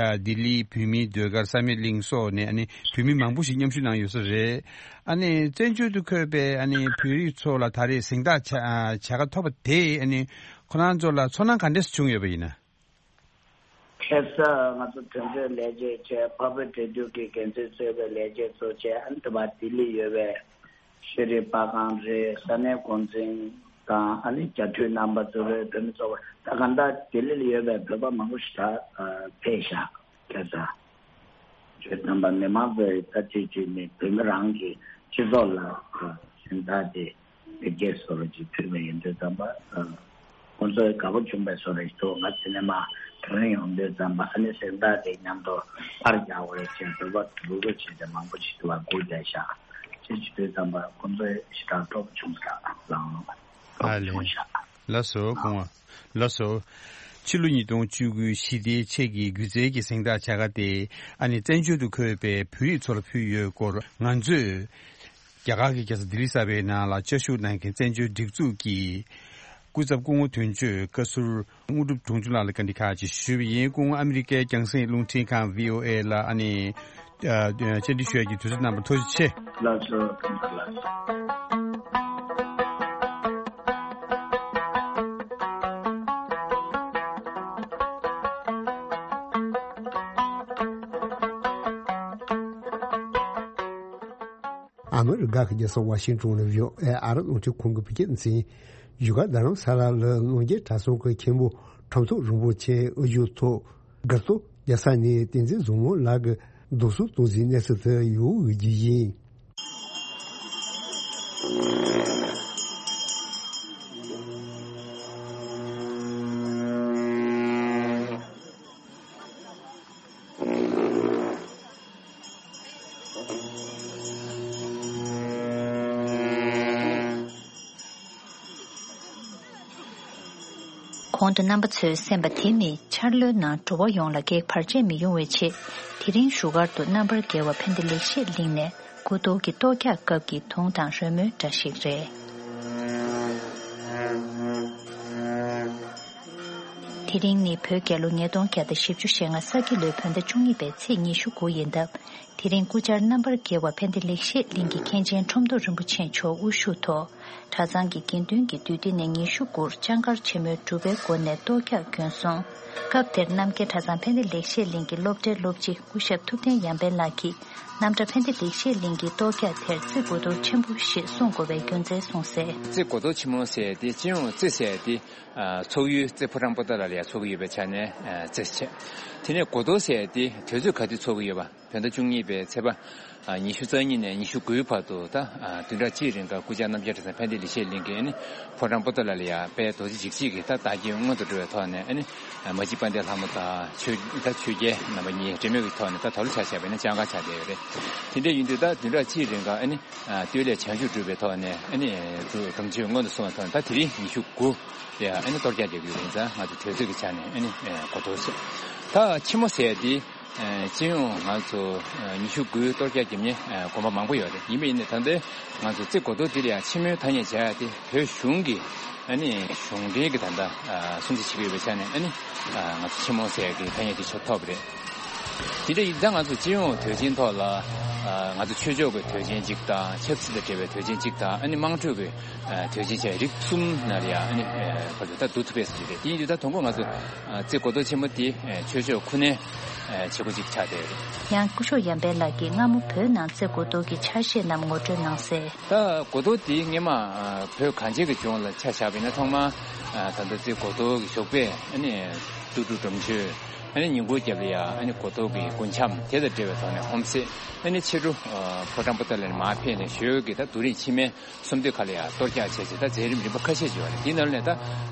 ཨ་ལྡི་ལིའི་བོད་མིའི་ཟློས་གར་བསམ་ཡས་གླིང་སོགས་ནས་ཨ་ནི་བོད་མི་མང་པོ་ཞིག་མཉམ་ཞུགས་གནང་ཡོད་ས་རེད། ཨ་ནི་བཙན་བྱོལ་དུ་འཁོད་པའི་ཨ་ནི་བོད་རིགས་ཚོ་ལ་ད་རེས་གཟེངས་རྟགས་བྱ་ཨ་བྱ་དགའ་ཐོབ་པ་དེས་ཨ་ནི་ཁོ་རང་ཚོ་ལ་ཚོར་སྣང་ག་འདྲས་བྱུང་ཡོད་པ་ཡིན་ན། ཁ་སང་ང་ཚོ་དོན་གཅོད་ལས་བྱེད་བྱས། འཕགས་བོད་འབྲེལ་མཐུད་ཀྱི་འགན་འཛིན་གཙོས་པའི་ལས་བྱེད་ཚོ་བྱས། ཨ་ནི་དེ་བ་ལྡི་ལི་ཡོད་པའི་ཤེས་རིག་པར་ཁང་རེད། ས་གནས་འགོ་འཛིན་དང་ཨ་ནི་རྒྱ་འཐུས་རྣམ་པ་ཚོ་རེད། བོད་མི་ཚོ་བ་ད་གང་ལྟར་ལྡི་ལི་ལ་ཡོད་པའི་བོད་པ་མང་པོ་ཞིག་ད་ཕེབས་ཤག་ཁ་སང་ཁྱོད་རྣམ་པ་མི་མང་ཚོས་ད་དུས་ཚོད་ནས་བོད་མི་རང་གི་སྤྱི་ཚོགས་ལ་གཟེངས་རྟགས་དེ་བེད་སྤྱད་བཟོ་འདྲ་ཅིག་ཕུལ་བ་ཡིན་དུས་ཙམ་པ། ཁོང་ཚོས་དགའ་པོ་བྱུང་བའི་བཟོ་འདྲ་ཞིག་འདུག་ང་ཚོ་ནས་མ་དེ་རིང་ཡོང་དུས་ཙམ་པ་ཨ་ནི་གཟེངས་རྟགས་དེ་མཉམ་དུ་པར་རྒྱག་དགོས་རེད་ཅེས་འབོད་པ་འབོད་སྐུལ་བྱས་ཏེ་མང་པོ་ཞིག་འདུག་པ་སྒུག་བསྡད་ཤག་ཅེས་བྱེད་དུས་ཙམ་པ་ཁོང་ཚོས་ཞེ་དྲག་སྤྲོ་པོ་བྱུང་ཤག་ལགས། སྤྲོ་པོ་བྱུང་ཤག་ལགས་སོ། སྐུ་ངོ། ལགས་སོ། ཕྱི་ལོ་ཉིས་སྟོང་བཅུ་དགུ་ཞི་བདེའི་ཆེད་ཀྱི་སྒྱུ་རྩལ་གྱི་གཟེངས་རྟགས་བྱ་དགའ་དེ་ཨ་ནི་བཙན་བྱོལ་དུ་འཁོད་པའི་བོད་རིགས་ཚོར་ཕུལ་ཡོད་སྐོར་ང་ཚོས་རྒྱ་གར་གྱི་རྒྱལ་ས་ལྡི་ལི་གསར་པའི་ནང་ལ་བཅའ་བཞུགས་གནང་མཁན་བཙན་བྱོལ་སྒྲིག་འཛུགས་ཀྱི་སྐུ་ཚབ་སྐུ་ངོ་དོན་གཅོད་བཀའ་ཟུར་དངོས་གྲུབ་དོན་གཅོད་ལགས་ལ་བཀའ་འདྲི་ཁག་ཅིག་ཞུས་པ་ཡིན། སྐུ་ངོ་ཨ་མི་རི་ཀའི་རྒྱང་སྲིང་རླུང་འཕྲིན་ཁང་བྷི་ཨོ་ཨེ་ལ་ཨ་ནི་ཨ་བཅར་འདྲི་ཞུ་ཡག་གི་དུས་ཚོད་གནང་བར་ཐུགས་རྗེ་ཆེ། ལགས་སོ། ཐུགས་རྗེ་ཆེ། ཨ་མི་རི་ཀ་གི་རྒྱལ་ས་ཝ་ཤིང་ཏོན་ནས་བྷི་ཨོ་ཨེ་ཨ་རི་རླུང་འཕྲིན་ཁང་གི་བོད་སྐད་སྡེ་ཚན། བཞུགས་སྒར་རྡ་རམ་ས་ལ་ལ་གློ་རྒྱལ་གྲྭ་ཚང་གི་མཁན་པོ་ཁྲོམ་ཐོག་རིན་པོ་ཆེ་དབུ་བཞུགས་ཐོག་སྒར་གཙོ་རྒྱལ་ས་ནས་བསྟན་འཛིན་བཟང་མོ་ལགས་ཀྱིས་རྡོ་སོལ་གཏོང་རྩིས་གནས་ཚུལ་དུ་ཡོད་འོས་ཀྱི་ཡིན། གོང་དུ་རྣམ་པ་ཚོས་གསན་པ་དེ་ནི་འཆར་ལོའི་ནང་འགྲོ་བ་ཡོངས་ལ་གེགས་བར་ཆད་མི་ཡོང་བའི་ཆེད། དེ་རིང་བཞུགས་སྒར་དུ་རྣམ་པར་རྒྱལ་བ་ཕན་བདེ་ལེགས་བཤད་གླིང་ནས་སྐུ་གཏོར་གྱི་གཏོར་རྒྱག་སྐབས་ཀྱི་དུང་དང་རོལ་མོའི་སྒྲ་ཞིག་རེད། དེ་རིང་ནི་བོད་རྒྱལ་ལོ་ཉིས་སྟོང་བརྒྱ་དང་བཞི་བཅུ་ཞེ་ལྔ་ས་ཁྱི་ལོའི་བོད་ཟླ་བཅུ་གཉིས་པའི་ཚེས་ཉི་ཤུ་དགུ་ཡིན་སྟབས། དེ་རིང་སྐུ་བཅར་རྣམ་པར་རྒྱལ་བ་ཕན་བདེ་ལེགས་བཤད་གླིང་གི་མཁན་ཆེན་ཁྲོམ་ཐོག་རིན་པོ་ཆེ་མཆོག་དབུ་བཞུགས་ཐོག་གྲྭ་ཚང་གི་དགེ་འདུན་གྱི་འདུས་སྡེ་ནས་ཉི་ཤུ་དགུར་ལྕང་མཁར་ཆེན་མོའི་སྒྲུབ་པའི་སྒོ་ནས་གཏོར་རྒྱག་བརྒྱུད་སོང་། སྐབས་དེར་རྣམ་རྒྱལ་གྲྭ་ཚང་ཕན་བདེ་ལེགས་བཤད་གླིང་གི་སློབ་གྲྭའི་སློབ་སྤྱི་སྐུ་ཞབས་ཐུབ་བསྟན་ཡར་འཕེལ་ལགས་ཀྱིས། རྣམ་གྲྭ་ཕན་བདེ་ལེགས་བཤད་གླིང་གི་གཏོར་རྒྱག་དེར་རྩེ་དགུ་གཏོར་ཆེན་པོ་ཞེས་གསུང་དགོས་པའི་རྒྱུ་མཚན་གསུངས་གསལ། རྩེ་དགུ་གཏོར་ཆེན་མོ་ཟེར་ཏེ་སྤྱི་ཡོངས་རྩེ་ཟེར་ཏེ་ཚོགས་ཡུལ་རྩེ་ཕོ་བྲང་པོ་ཏ་ལ་ལ་ཡ་ཚོགས་ཀྱི་ཡོད་པའི་ཆ་ནས་རྩེ་ཟེར། དེ་ནས་དགུ་གཏོར་ཟེར་ཏེ་དུས་ཚོད་ག་དུས་ཚོགས་ཀྱི་ཡོད་པ། བོད་ཟླ་བཅུ་གཉིས་པའི་ཚེས་པ་ཉི་ཤུ་རྩ་གཉིས་ནས་ཉི་ཤུ་དགུའི་བར་དུ་ད་བདུན་ཕྲག་གཅིག་རིང་ག་སྐུ་བཅར་རྣམ་རྒྱལ་གྲྭ་ཚང་ཕན་བདེ་ལེགས་བཤད་གླིང་གི་ནི་ཕོ་བྲང་པོ་ཏ་ལ་ལ་ཡ་དཔལ་རྡོ་རྗེ་འཇིགས་བྱེད་ཀྱི་ད་བདག་རྐྱེན་མངོན་དུ་འགྲོ་བའི་ཐོག་ནས་ནི་མ་གཅིག་དཔལ་ལྡན་ལྷ་མོ་དང་ཆོས་ད་ཆོས་རྒྱལ་རྣམ་པ་གཉིས་འབྲེལ་མོལ་གྱི་ཐོག་ནས་ད་ད་ལོ་ཆ་བཞག་པ་ཡིན་ན་ལྕང་མཁར་ཆགས་བསྡད་ཡོད་རེད། དེ་འདྲ་ཡིན་དུས་ད་བདུན་ཕྲག་གཅིག་རིང་ག་ནི་སྟོད་ལས་བྱང་ཆུབ་སྒྲུབ་པའི་ཐོག་ནས་ནི་སྒྲུབ་སྒྲུབ་མཆོད་མངོན་དུ་སོང་བའི་ཐོག་ནས་ད་དེ་རིང་ཉི་ཤུ་དགུ་ལ་ཡ་ནི་གཏོར་རྒྱག་རྒྱག་གི་ཡོད་པ་ཡིན་ཙང་ང་ཚོ་དུས་ཚོད་ཀྱི་ཆ་ནས་ནི་གོ་ཐོས་སོང་། ད་ཆེན་མོ་ཟེར་ཡ་དེ། སྤྱི་ཡོངས་ང་ཚོ་ཉི་ཤུ་དགུའི་གཏོར་རྒྱག་རྒྱབ་མཁན་དགོན་པ་མང་པོ་ཡོད་རེད། ཡིན་པ་ཡིན་ནའི་ད་ལྟའི་ང་ཚོ་རྩེ་དགུ་གཏོར་འདི་ལ་ཡང་ཆེན་མོའི་ཐ་སྙད་བྱ་ཡ་དེ་བོད་གཞུང་གི་ཨ་ནི་གཞུང་འབྲེལ་གྱི་ད་ལྟ་སྲུང་བརྩི་བྱེད་ཀྱི་ཡོད་པའི་ཆ་ནས་ཨ་ནི་ང་ཚོ་ཆེན་མོ་ཟེར་ཡ་གི་ཐ་སྙད་དེ་ཆོད་ཐོབ་རེད། དེ་འདྲ་ཡིན་ཙང་ང་ཚོ་སྤྱི་ཡོངས་དུས་ཆེན་ཐོག་ལ་ང་ཚོ་ཆོས་ཕྱོགས་ཀྱི་དུས་ཆེན་གཅིག་དང་ཆབ་སྲིད་དང་འབྲེལ་བའི་དུས་ཆེན་གཅིག་དང་ཨ་ནི་དམངས་ཁྲོད་ཀྱི་དོན་ཆེན་བྱས་རིགས་གསུམ་ནང་ལ་ཡང་ཨ་ནི་བར་དུ་ད་བསྡུ་ཐུབ་པས་ཟེར་གྱི་རེད། དེ་ཡིན་དུས་ད་དང་པོ་ང་ཚོ་རྩེ་དགུ་གཏོར་ཆེན་མོ་དེ་ཆོས་ཕྱོགས་ཁོ་ནའི་བྱེད་སྒོ་ཅིག་ཆགས་བསྡད་ཡོད་རེད། ཡང་སྐུ་ཞབས་ཡར་འཕེལ་ལགས་ཀྱིས་སྔ་མོ་བོད་ནང་རྩེ་དགུ་གཏོར་གྱི་ཆ་ཤས་རྣམས་ངོ་སྤྲོད་གནང་གསལ། ད་དགུ་གཏོར་དེ་སྔོན་མ་བོད་གངས་ཅན་གྱི་ལྗོངས་ལ་ཆ་བཞག་པ་ཡིན་ན་ཚང་མ་ད་ལྟ་རྩེ་དགུ་གཏོར་གྱི་ཞོགས་པས་ཨ་ནི་སྟོད་འབྲུ་སྒྲོམ་མཆོད། ཨ་ནི་ཉིན་གུང་རྒྱབ་ལ་ཡང་ཨ་ནི་དགུ་གཏོར་གྱི་རྒུན་འབྲུམ་དེ་དང་འབྲེལ་བའི་ཐོག་ནས་ཧོམ་བསྲེགས། ཨ་ནི་ཕྱི་དྲོ་ཕོ་བྲང་པོ་ཏ་ལ་ནས་མར་ཕེབས་ནས་ཞོལ་གྱི་ད་རྡོ་རིང་ཕྱི་མའི་གསུམ་སྟོད་ཁ་ལ་ཡང་གཏོར་རྒྱག་བྱས་རྗེས་ད་མཛད་རིམ་རིམ་པ་ཁ་ཤས་ཅིག་ཡོད་རེད། དེའི་ནང་ནས་ད་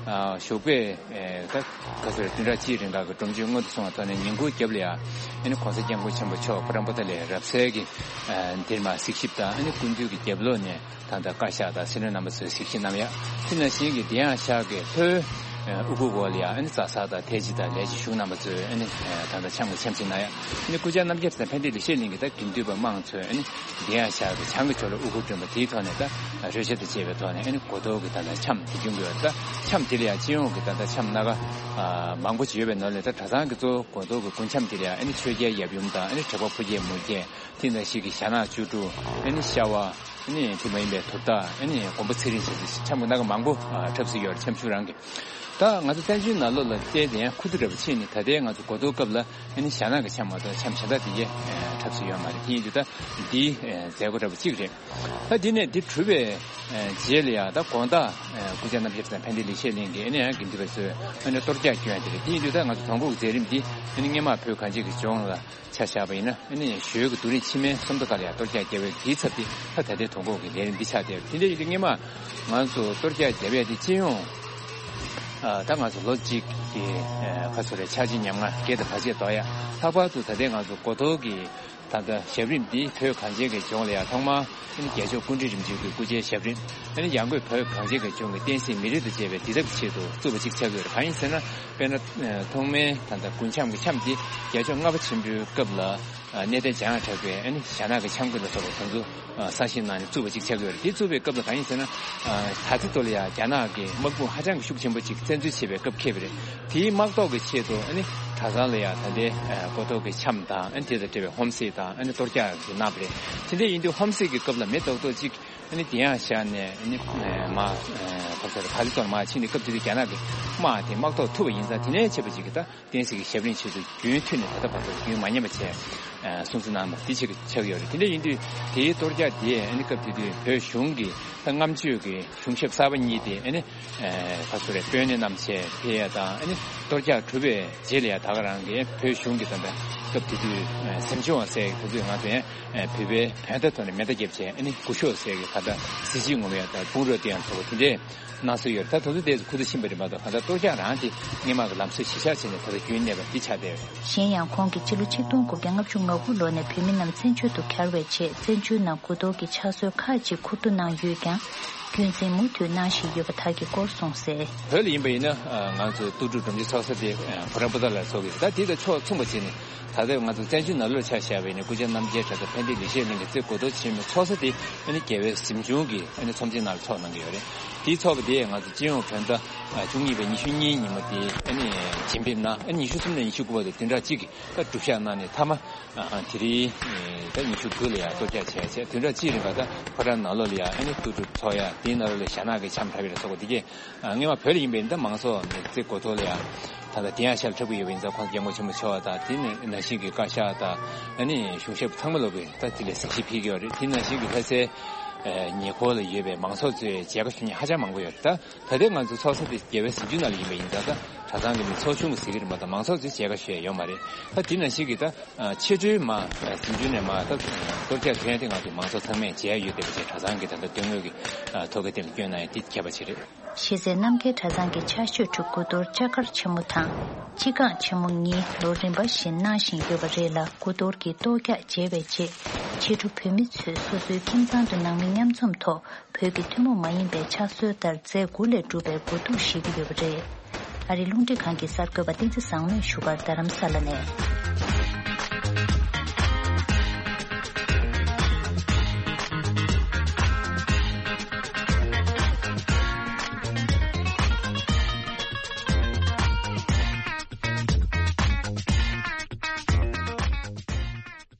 ཞོགས་པའི་ད་ག་ཚོད་རེད། བདུན་ཕྲག་གཅིག་རིང་ག་གི་སྒྲོམ་མཆོད་སྔོན་དུ་སོང་བའི་ཐོག་ནས་ཉིན་གུང་རྒྱབ་ལ་ཡང་ཨ་ནི་གོང་ས་སྐྱབས་མགོན་ཆེན་པོ་མཆོག་ཕོ་བྲང་པོ་ཏ་ལའི་རབ་གསལ་གྱི་འདིར་མར་གཟིགས་ཞིབ་དང་ཨ་ནི་སྐུ་མདུན་གྱི་རྒྱབ་ལོགས་ནས་ད་ལྟ་བཀའ་ཤག་དང་སྲིད་བློན་རྣམ་པ་ཚོའི་གཟིགས་ཞིབ་གནང་ཡ། དེ་ནང་བཞིན་གྱི་འདི་ཡང་ཤག་གི་ལྷོའི་ ཨ་དབུ་གུར་འོག་ལ་ཡང་ཨ་ནི་རྩྭ་ས་དང་ཐའེ་ཅི་དང་ལས་བྱེད་གཞུང་རྣམ་པ་ཚོས་ཨ་ནི་ཨ་ད་ལྟ་འཆམ་གྱི་འཆམ་གཞིས་གནང་ཡ། ཨ་ནི་སྐུ་བཅར་རྣམ་རྒྱལ་དང་ཕན་བདེ་ལེགས་བཤད་གླིང་གི་ད་དགེ་འདུན་པ་མང་ཚོས་ཨ་ནི་འདི་ཡང་ཤར་གྱི་བྱང་གི་ཕྱོགས་ལ་དབུ་གུར་བསྒྲོན་པ་དེའི་ཐོག་ནས་ད་རོལ་ཆ་དང་བཅས་པའི་ཐོག་ནས་ཨ་ནི་གོ་ཐོག་གི་ད་ལྟ་འཆམ་དེ་བྱུང་གི་ཡོད། ད་འཆམ་དེ་ལ་ཡང་སྤྱི་ཡོངས་ཀྱི་ད་ལྟ་འཆམ་སྣ་ཁ་ཨ་མང་པོ་ཅིག་ཡོད་པའི་ནང་ལས་ད་གྲྭ་ཚང་གི་གཙོ་བོ་གོ་ཐོག་གི་དགུན་འཆམ་དེ་ལ་ཡང་ཨ་ནི་ཆོས་རྒྱལ་ཡབ་ཡུམ་དང་ཨ་ནི་དྲེགས་པ་ཕོ་རྒྱས་མོ་རྒྱས་དེ་ནང་བཞིན་གྱི་ཞྭ་ནག་བཅུ་དྲུག་ཨ་ནི་ཤ་བ་ཨ་ནི་དེ་མ་ཡིན་པའི་དུར་བདག་ཨ་ནི་མགོན་པོ་ཚེ་རིང་བཅས་ཀྱི་འཆམ་གྱི་སྣ་ཁ་མང་པོ་ཨ་འཁྲབ་སྲོལ་ཡོད་རེད། འཆམ་ཆུང་རང་གི། ད་ང་ཚོ་བཙན་བྱོལ་ནང་ལོགས་ལ་བལྟས་ཏེ་ཡང་ཁུ་བསྡུ་འདྲ་པོ་ཕྱིན་ནས་ད་ལྟའི་ང་ཚོ་གོ་ཐོག་སྐབས་ལ་ཨ་ནི་ཞྭ་ནག་གི་འཆམ་མ་གཏོགས་འཆམ་གཞན་དག་དེ་གའི་འཁྲབ་སྲོལ་ཡོད་མ་རེད། དེ་ཡིན་དུས་ད་འདི་མཛད་སྒོ་འདྲ་པོ་གཅིག་རེད། ད་འདི་ནས་འདི་གྲུབ་པའི་རྗེས་ལ་ཡང་ད་དགོང་དག་སྐུ་བཅར་རྣམ་རྒྱལ་དང་ཕན་བདེ་ལེགས་བཤད་གླིང་གི་ཨ་ནི་ཡང་དགེ་འདུན་པ་ཚོས་ཨ་ནི་གཏོར་རྒྱག་སྐྱོན་དེ་རེད། དེ་ཡིན་དུས་ད་ང་ཚོ་དོང་སྐོར་གྱི་མཛད་རིམ་འདི་ཨ་ནི་སྔོན་མ་བོད་གངས་ཅན་གྱི་ལྗོངས་ལ་ཆ་བཞག་པ་ཡིན་ན་ཨ་ནི་ཞོལ་གྱི་རྡོ་རིང་ཕྱི་མའི་སུམ་མདོ་ཁ་ལ་ཡང་གཏོར་རྒྱག་བརྒྱབ་པའི་དེའི་ཚབ་དེ་ད་ད་ལྟའི་དོ་དགོང་གི་ལས་རིམ་འདི་ཆགས་བསྡད་པ་དེ་འདྲ་ཡིན་དུས་སྔོན་མ་ང་ཚོ་གཏོར་རྒྱག་བརྒྱབ་ཡས་དེ་སྤྱི་ཡོངས་ཨ་ད་ང་ཚོ་ལོ་གཅིག་གི་ཨ་ཁ་སོ་རེ་འཆར་གཞི་ཉམས་མྱོང་བརྒྱད་དང་བར་ཆད་དོ་ཡ། ལྷག་པར་དུ་ད་ལྟའི་ང་ཚོ་གོ་ཐོག་གི་ད་ལྟ་ཞབས་རིམ་འདི་བོད་གངས་ཅན་གྱི་ལྗོངས་ལ་ཡང་ཐོག་མར་ཨ་ནི་རྒྱལ་མཆོག་སྐུ་ཕྲེང་རིམ་བྱོན་གྱི་སྐུ་ཕྱྭའི་ཞབས་རིམ་ཨ་ནི་ཡང་སྒོས་བོད་གངས་ཅན་གྱི་ལྗོངས་ཀྱི་བསྟན་སྲིད་མི་རིགས་དང་བཅས་པའི་འདི་ཐབས་ཀྱི་ཆེད་དུ་བཙུགས་པ་ཅིག་ཆགས་ཀྱི་ཡོད་རེད། གང་ཡིན་ཟེར་ན་དཔེར་ན་ཐོག་མའི་ད་ལྟ་དགུན་འཆམ་གྱི་འཆམ་འདི་རྒྱལ་མཆོག་ལྔ་པ་ཆེན་པོའི་སྐབས་ལ་གནས་བརྟན་འཇམ་དབྱངས་གྲགས་པས་ཨ་ནི་ཞྭ་ནག་གི་འཆམ་གྱི་ལ་སོགས་པ་དེ་ཚོ་གསར་བཞེངས་གནང་ནས་བཙུགས་པ་ཅིག་ཆགས་ཀྱི་ཡོད་རེད། དེ་བཙུགས་པའི་སྐབས་ལ་གང་ཡིན་ཟེར་ན་ད་ལྟའི་ཐོག་ལ་ཡང་རྒྱ་ནག་གི་དམག་དཔུང་ཧ་ཅང་གི་ཤུགས་ཆེན་པོ་ཅིག་བཙན་འཛུལ་བྱེད་པའི་སྐབས་འཁེལ་བ་རེད། དེའི་དམག་ཐོག་གི་ཆེད་དུ་ཨ་ནི་གྲྭ་ཚང་ལ་ཡང་ད་ལྟའི་གོ་ཐོག་གི་འཆམ་དང་ཨ་ནི་དེ་དང་འབྲེལ་བའི་ཧོམ་སེ་དང་ཨ་ནི་གཏོར་རྒྱག་གི་གནང་བ་རེད། དེ་འདྲ་ཡིན་དུས་ཧོམ་སེ་གི་སྐབས་ལ་མི་རྡོག་རྡོག་ཅིག་ཨ་ནི་དེ་ཡང་བཞག་ནས་ཨ་ནི་མ་ཕར་ཚུར་ཕར་ཚུར་མར་ཕྱིན་ནས་སྐབས་དེ་དུས་རྒྱ་ནག་གི་དམག་དེ་དམག་ཐོག་ཐུག་པ་ཡིན་ཙང་དེ་ནས་བྱས་པ་ཅིག་གིས་ད་བསྟན་སྲིད་ཀྱི་ཞབས་རིམ་ཆེད་དུ་རྒྱུན་མཐུད་ནས་ད་ལྟ་བར་དུ་རྒྱུན་མ་ཉམས་པ་བྱས་སྲུང་བརྩི་གནང་བ་འདི་ཆེད་ཀྱི་ཆགས་ཡོད་རེད། དེ་འདྲ་ཡིན་དུས་དེའི་གཏོར་རྒྱག་དེ་ཨ་ནི་སྐབས་དེ་དུས་བོད་གཞུང་གི་ད་སྔ་མ་ཆོས་ཀྱི་གཞུང་ཞབས་གསར་པ་གཉིས་དེ་ཨ་ནི་ཕར་ཚུར་རེ་དཔོན་གནས་རྣམས་བྱས་ཕེབས་ཡ་དང་ཨ་ནི་གཏོར་རྒྱག་གྲུབ་པའི་རྗེས་ལ་ཡང་ད་ག་རང་གི་བོད་གཞུང་གི་ད་ལྟ་སྐབས་དེ་དུས་གཟིམ་ཆུང་བ་ཟེར་གི་དུས་ང་ཚོ་ཡང་བོད་པའི་བོན་ད་ཐོག་ནས་མེ་མདའ་བརྒྱབ་བྱས་ཨ་ནི་སྐུ་ཞབས་ཟེར་གི་ད་ལྟ་གཟི་བརྗིད་ངོམ་ཡ་དང་དཔུང་རོགས་དེ་ཡང་ཚོགས་པ་དེ་འདྲས་གནང་སྲོལ་ཡོད། ད་དེ་ཚོ་དེ་ཚོ་ཁུ་ཚུར་ཕྱིན་པ་རེད་མ་གཏོགས་གང་ལྟར་གཏོར་རྒྱག་རང་དེ་སྔོན་མ་གི་ལམ་སྲོལ་གཞི་བཞག་བྱས་ནས་ད་ལྟ་རྒྱུན་གནས་པ་འདི་ཆགས་བསྡད་ཡོད། གཞན་ཡང་ཁོང་གིས་ཕྱི་ལོ་ཆིག་སྟོང་དགུ་བརྒྱ་ལྔ་བཅུ་ང་དགུ་ལོ་ནས་བོད་མི་རྣམས་བཙན་བྱོལ་དུ་གྱར་བའི་རྗེས་བཙན་བྱོལ་ནང་དགུ་གཏོར་གྱི་ཕྱག་སྲོལ་ཁག་ཅིག་མཁོ་སྤྲོད་གནང་ཡོད་ཀྱང་རྒྱུན་འཛིན་མུ་མཐུད་གནང་བཞིན་ཡོད་པ་དག་གི་སྐོར་གསུངས་གསལ། བོད་ལ་ཡིན་པ་ཡིན་ན་ང་ཚོ་ལྟོ་གྲུབ་སྒྲོམ་གྱི་ཚོགས་ས་དེ་ཕོ་བྲང་པོ་ཏ་ལར་ཚོགས་ཀྱི་རེད། ད་དེ་དང་ཕྱོགས་མཚུངས་པ་བྱས་ནས་ད་ལྟ་ང་ཚོ་བཙན་བྱོལ་ནང་ལོགས་ཆ་བཞག་པ་ཡིན་ན་སྐུ་བཅར་རྣམ་རྒྱལ་གྲྭ་ཚང་ཕན་བདེ་ལེགས་བཤད་གླིང་གི་རྩེ་དགུ་གཏོར་ཆེན་མོའི་ཚོགས་ས་དེ་ཨ་ནི་རྒྱལ་བའི་གཟིམ་ཆུང་གི་ཨ་ནི་ཚོམས་ཆེན་ནང་ལ་ཚོགས་གནང་གི་ཡོད་རེད། དེའི་ཚོགས་པ་དེ་ང་ཚོ་སྤྱི་ཡོངས་བོད་ཟླ་བཅུ་གཉིས་པའི་ཉི་ཤུ་གཉིས་ཉིན་མོ་དེ་ཨ་ནི་བྱིན་འབེབས་གནང་། ཨ་ནི་ཉི་ཤུ་གསུམ་ནས་ཉི་ཤུ་དགུ་བར་དུ་བདུན་ཕྲག་གཅིག་གི་ད་སྒྲུབ་བཞག་གནང་ནས་མཐའ་མ་དེ་རིང་ད་ཉི་ཤུ་དགུ་ལ་ཡང་གཏོར་རྒྱག་བྱས་བྱས་བདུན་ཕྲག་གཅིག་རིང་ག་ད་ཕོ་བྲང་ནང་ལོགས་ལ་ཡང་ཨ་ནི་ལྟོ་གྲུབ་ཚོགས་ཡ། དེའི་ནང་ལོགས་ལ་ཞྭ་ནག་གི་འཆམ་འཁྲབ་ཡ་ལ་སོགས་པ་དེ་གས་སྔོན་མ་བོད་ལ་ཡིན་པའི་ད་མང་ཚོགས་ནས་རྩེ་དགུ་གཏོར་ལ་ཡང་ད་ལྟ་དེ་ཡང་ཞབས་འཁྲབ་ཀྱི་ཡོད་པ་ཡིན་ཙང་ཁོང་སྐྱབས་མགོན་ཆེན་པོ་མཆོག་དང་དེ་ནས་ནང་བཞིན་གྱི་བཀའ་ཤག་དང་ཨ་ནི་གཞུང་ཞབས་ཚང་མ་ལོག་གིས་ད་དེ་ལ་གཟིགས་ཞིབ་ཕེབས་ཀྱི་ཡོད་རེད། དེ་ནང་བཞིན་གྱི་ལྷ་སའི་ཉེ་འཁོར་ལ་ཡོད་པའི་མང་ཚོགས་ཚོས་མཇལ་ཁ་ཞུ་མཁན་ཧ་ཅང་མང་པོ་ཡོད་རེད། ད་ད་ལྟའི་ང་ཚོ་ཚོགས་ས་དེ་རྒྱལ་བའི་གཟིམ་ཆུང་ནང་ལ་ཡིན་པ་ཡིན་ཙང་ད་གྲྭ་ཚང་གི་མི་ཚོགས་ཆུང་གི་ཟེར་གྱི་རེད་མ་གཏོགས་མང་ཚོགས་ཚོས་མཇལ་ཁ་ཞུ་ཡ་ཡོད་མ་རེད། ད་དེ་ནང་བཞིན་གྱི་ད་ཕྱི་དྲོའི་མ་གཟིམ་ཆུང་ནས་མ་ད་གཏོར་རྒྱག་ཐོན་ཡ་དེ་ང་ཚོ་མང་ཚོགས་ཚང་མས་མཇལ་ཡ་ཡོད་བསྡད་པ་བྱས་གྲྭ་ཚང་གི་ད་ལྟ་དོན་དངོས་ཀྱི་ཐོག་ཁ་དེ་ལ་བསྐྱོན་གནང་ཡ་དེ་ཁྱད་པར་ཅིག་རེད། གཞི་རྩའི་རྣམ་རྒྱལ་གྲྭ་ཚང་གི་ཕྱག་ཤོག་ཁྲི་དགུ་གཏོར་ལྕགས་མཁར་ཆེན་མོ་དང་སྤྱི་ཁང་ཆེན་མོ་གཉིས་ལོ་རིམ་པ་བཞིན་གནང་བཞིན་ཡོད་པ་རེད་ལ། དགུ་གཏོར་གྱི་གཏོར་རྒྱག་མཇལ་བའི་རྗེས་ཕྱི་དྲོ་བོད་མི་ཚོས་སོ་སོའི་ཁྱིམ་ཚང་དུ་ནང་མི་མཉམ་འཛོམས་ཐོག་བོད་ཀྱི་ཐུན་མོང་མ་ཡིན་པའི་ཕྱག་སྲོལ་ལྟར་རྫས་དགུ་ལས་གྲུབ་པའི་གོས་ཐུག་བཞེས་ཀྱི་ཡོད་པ་རེད། ཨ་རིའི་རླུང་འཕྲིན་ཁང་གི་གསར་འགོད་པ་བསྟན་འཛིན་བཟང་མོས་བཞུགས་སྒར་རྡ་རམ་ས་ལ་ནས།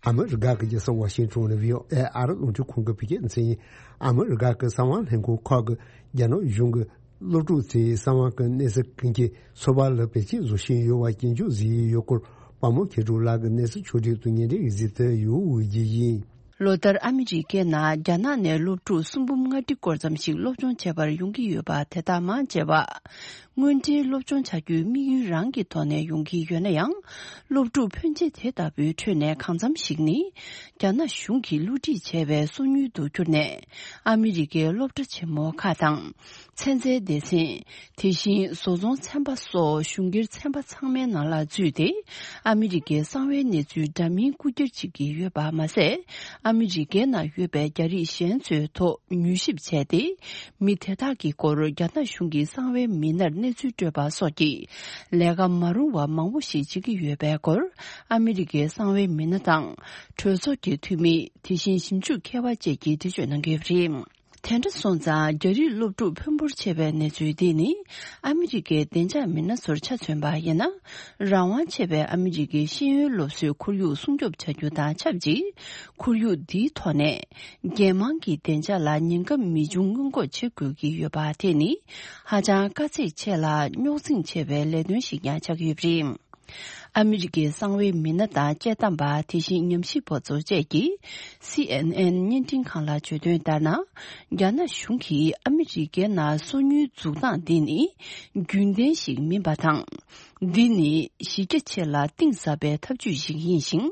ཨ་མི་རི་ཀ་གི་རྒྱལ་ས་ཝ་ཤིང་ཊོན་ནས་བྷི་ཨོ་ཨེ་ཨ་རི་རླུང་འཕྲིན་ཁང་གི་བོད་སྐད་སྡེ་ཚན་ཡིན། ཨ་མི་རི་ཀ་གི་གསང་བ་ལྷན་ཁང་ཁག་གིས་རྒྱ་ནག་གཞུང་གིས་སློབ་ཕྲུག་ཚོའི་གསང་བ་གི་གནས་ཚུལ་ཀུན་གྱི་ཚོད་དཔག་ལ་བེད་སྤྱོད་བཟོ་བཞིན་ཡོད་པ་སྐྱོན་བརྗོད་བཟོས་ཡོད་སྐོར་དཔའ་མོ་མཁས་གྲུབ་ལགས་ཀྱིས་གནས་ཚུལ་ཕྱོགས་སྒྲིག་ཏུ་སྙན་སྒྲོན་ཡིག་གཟིགས་དོན་ཡོད་འོས་ཀྱི་ཡིན། ལོ་ལྟར་ཨ་མི་རི་ཀའི་ནང་རྒྱ་ནག་ནས་སློབ་ཕྲུག་སུམ་འབུམ་ལྔ་ཁྲི་སྐོར་ཙམ་ཞིག་སློབ་སྦྱོང་བྱེད་པར་ཡོང་གི་ཡོད་པ། དེ་དག་མང་ཆེ་བ་དངོས་འབྲེལ་སློབ་སྦྱོང་བྱ་རྒྱུའི་དམིགས་ཡུལ་རང་གི་ཐོག་ནས་ཡོང་གི་ཡོད་ན་ཡང་། སློབ་ཕྲུག་ཕོན་ཆེ་དེ་ལྟ་བུའི་ཁྲོད་ནས་གང་འཚམ་ཞིག་ནི་རྒྱ་ནག་གཞུང་གིས་བསླུ་བྲིད་བྱས་པའི་སོ་ཉུལ་དུ་གྱུར་ནས་ཨ་མི་རི་ཀའི་སློབ་གྲྭ་ཆེན་མོ་ཁག་དང་། ཚན་རྩལ་སྡེ་ཚན། དེ་བཞིན་བཟོ་ཚོང་ཚན་པ་སོགས་གཞུང་སྒེར་ཚན་པ་ཚང་མའི་ནང་ལ་འཛུལ་ཏེ། ཨ་མི་རི་ཀའི་གསང་བའི་གནས་ཚུལ་འདྲ་མིན་རྐུ་འཁྱེར་བྱེད་ཀྱི་ཡོད་པ་མ་ཟད། ཨ་མི་རི་ཀའི་ནང་ཡོད་པའི་རྒྱ་རིགས་གཞན་ཚོའི་ཐོག་མྱུལ་ཞིབ་བྱས་ཏེ། མི་དེ་དག་གི་སྐོར་རྒྱ་ནག་གཞུང་གི་གསང་བའི་མི་སྣར་གནས་ཚུལ་སྤྲོད་པ་སོགས་ཀྱི་ལས་ཀ་མ་རུང་བ་མང་པོ་ཞིག་བྱེད་ཀྱི་ཡོད་པའི་སྐོར། ཨ་མི་རི་ཀའི་གསང་བའི་མི་སྣ་དང་། གྲོས་ཚོགས་ཀྱི་འཐུས་མི། དེ་བཞིན་ཞིབ་འཇུག་མཁས་པ་བཅས་ཀྱིས་འགྲེལ་བརྗོད་གནང་གི་ཡོད་པ་རེད། དེ་འདྲ་སོང་ཙང་། རྒྱ་རིགས་སློབ་ཕྲུག་འཕོན་པོར་ཆེ་བའི་གནས་ཚུལ་འདི་ནི། ཨ་མི་རི་ཀའི་བདེ་འཇགས་མི་སྣ་ཚོར་ཆ་མཚོན་པ་ཡིན་ན། རང་དབང་ཆེ་བའི་ཨ་མི་རི་ཀའི་ཤེས་ཡོན་སློབ་གསོའི་ཁོར་ཡུག་སྲུང་སྐྱོབ་བྱ་རྒྱུ་དང་ཆབས་ཅིག་ཁོར་ཡུག་འདིའི་ཐོག་ནས། རྒྱལ་དམངས་ཀྱི་བདེ་འཇགས་ལ་ཉེན་ཁ་མི་འབྱུང་སྔོན་འགོག་བྱེད་དགོས་ཀྱི་ཡོད་པ་དེ་ནི། ཧ་ཅང་དཀའ་ཚེགས་ཆེ་ལ་རྙོག་འཛིང་ཆེ་བའི་ལས་དོན་ཞིག་ཀྱང་ཆགས་ཀྱི་ཡོད་པ་རེད། ཨ་མི་རི་ཀའི་གསང་བའི་མི་སྣ་དང་དཔྱད་གཏམ་པ། དེ་བཞིན་ཉམས་ཞིབ་པ་ཚོ་བཅས་ཀྱིས། སི་ཨེན་ཨེན་བརྙན་འཕྲིན་ཁང་ལ་བརྗོད་དོན་ལྟར་ན། རྒྱ་ནག་གཞུང་གིས་ཨ་མི་རི་ཀའི་ནང་སོ་ཉུལ་འཛུགས་སྟངས་འདི་ནི་རྒྱུན་ལྡན་ཞིག་མིན་པ་དང་། འདི་ནི་གཞི་རྒྱ་ཆེ་ལ་གཏིང་ཟབ་པའི་ཐབས་ཇུས་ཤིག་ཡིན་ཞིང་།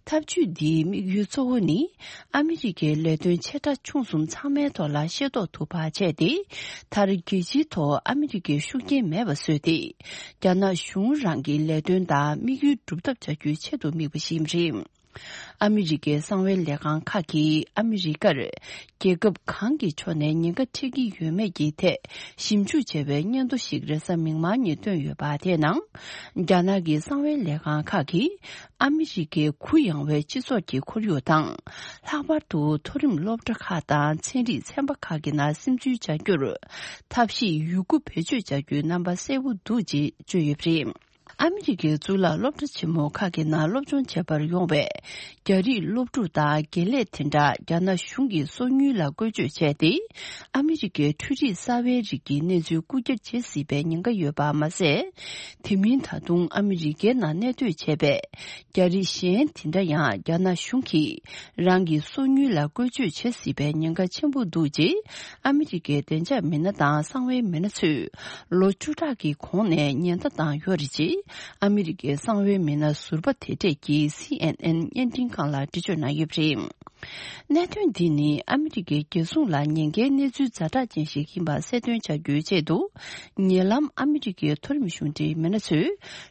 ཐབས་ཇུས་འདིའི་དམིགས་ཡུལ་གཙོ་བོ་ནི། ཨ་མི་རི་ཀའི་ལས་དོན་ཆེ་ཕྲ་ཆུང་གསུམ་ཚང་མའི་ཐོག་ལ་ཤེས་རྟོགས་ཐུབ་པ་བྱས་ཏེ། མཐར་རྒྱལ་སྤྱིའི་ཐོག་ཨ་མི་རི་ཀའི་ཤུགས་རྐྱེན་མེད་པ་བཟོས་ཏེ། རྒྱ་ནག་གཞུང་རང་གི་ལས་དོན་དང་དམིགས་ཡུལ་སྒྲུབ་ཐབས་བྱ་རྒྱུའི་ཆེད་དུ་དམིགས་པ་ཞིག་ཡིན་པ་རེད། ཨ་མི་རི་ཀའི་གསང་བའི་ལས་ཁང་ཁག་གིས་ཨ་མི་རི་ཀར་རྒྱལ་ཁབ་གང་གི་ཕྱོགས་ནས་ཉེན་ཁ་འཕྲད་ཀྱི་ཡོད་མེད་ཀྱི་ཐད་ཞིབ་འཇུག་བྱས་པའི་སྙན་ཐོ་ཞིག་རེས་གཟའ་མིག་དམར་ཉིན་བཏོན་ཡོད་པ། དེའི་ནང་། རྒྱ་ནག་གི་གསང་བའི་ལས་ཁང་ཁག་གིས་ཨ་མི་རི་ཀའི་གུ་ཡངས་པའི་སྤྱི་ཚོགས་ཀྱི་ཁོར་ཡུག་དང་། ལྷག་པར་དུ་མཐོ་རིམ་སློབ་གྲྭ་ཁག་དང་ཚན་རིག་ཚན་པ་ཁག་གི་ནང་སིམ་འཛུལ་བྱ་རྒྱུར་ཐབས་ཤེས་ཡོད་རྒུ་བེད་སྤྱོད་བྱ་རྒྱུའི་རྣམ་པ་གསལ་པོ་འདུག་ཅེས་བརྗོད་ཡོད་པ་རེད། ཨ་མི་རི་ཀའི་གཙུག་ལག་སློབ་གྲྭ་ཆེན་མོ་ཁག་གི་ནང་སློབ་སྦྱོང་བྱེད་པར་ཡོང་བའི་རྒྱ་རིགས་སློབ་ཕྲུག་དང་དགེ་ལས་དེ་འདྲ་རྒྱ་ནག་གཞུང་གིས་སོ་ཉུལ་ལ་བཀོལ་སྤྱོད་བྱས་ཏེ། ཨ་མི་རི་ཀའི་འཕྲུལ་རིག་གསར་པའི་རིགས་ཀྱི་གནས་ཚུལ་རྐུ་འཁྱེར་བྱེད་སྲིད་པའི་ཉེན་ཁ་ཡོད་པ་མ་ཟད། དེ་མིན་ད་དུང་ཨ་མི་རི་ཀའི་ནང་གནས་སྡོད་བྱས་པའི་རྒྱ་རིགས་གཞན་དེ་འདྲ་ཡང་རྒྱ་ནག་གཞུང་གིས་རང་གི་སོ་ཉུལ་ལ་བཀོལ་སྤྱོད་བྱེད་སྲིད་པའི་ཉེན་ཁ་ཆེན་པོ་འདུག་ཅེས། ཨ་མི་རི་ཀའི་བདེ་འཇགས་མི་སྣ་དང་གསང་བའི་མི་སྣ་ཚོས་ལོ་བཅུ་ཕྲག་གི་གོང་ནས་ཉེན་བརྡ་བཏང་ཡོད་རེད་ཅེས། ཨ་མི་རི་ཀའི་གསང་བའི་མི་སྣ་ཟུར་པ་དེ་གྲས་ཀྱིས་སི་ཨེན་ཨེན་བརྙན་འཕྲིན་ཁང་ལ་འགྲེལ་བརྗོད་གནང་ཡོད་པ་རེད། གནད་དོན་འདི་ནི་ཨ་མི་རི་ཀའི་རྒྱལ་སྲུང་ལ་ཉེན་ཁའི་གནས་ཚུལ་ཛ་དྲག་ཅན་ཞིག་ཡིན་པ་གསལ་སྟོན་བྱ་རྒྱུའི་ཆེད་དུ། ཉེ་ལམ་ཨ་མི་རི་ཀའི་མཐོ་རིམ་གཞུང་འབྲེལ་མི་སྣ་ཚོས་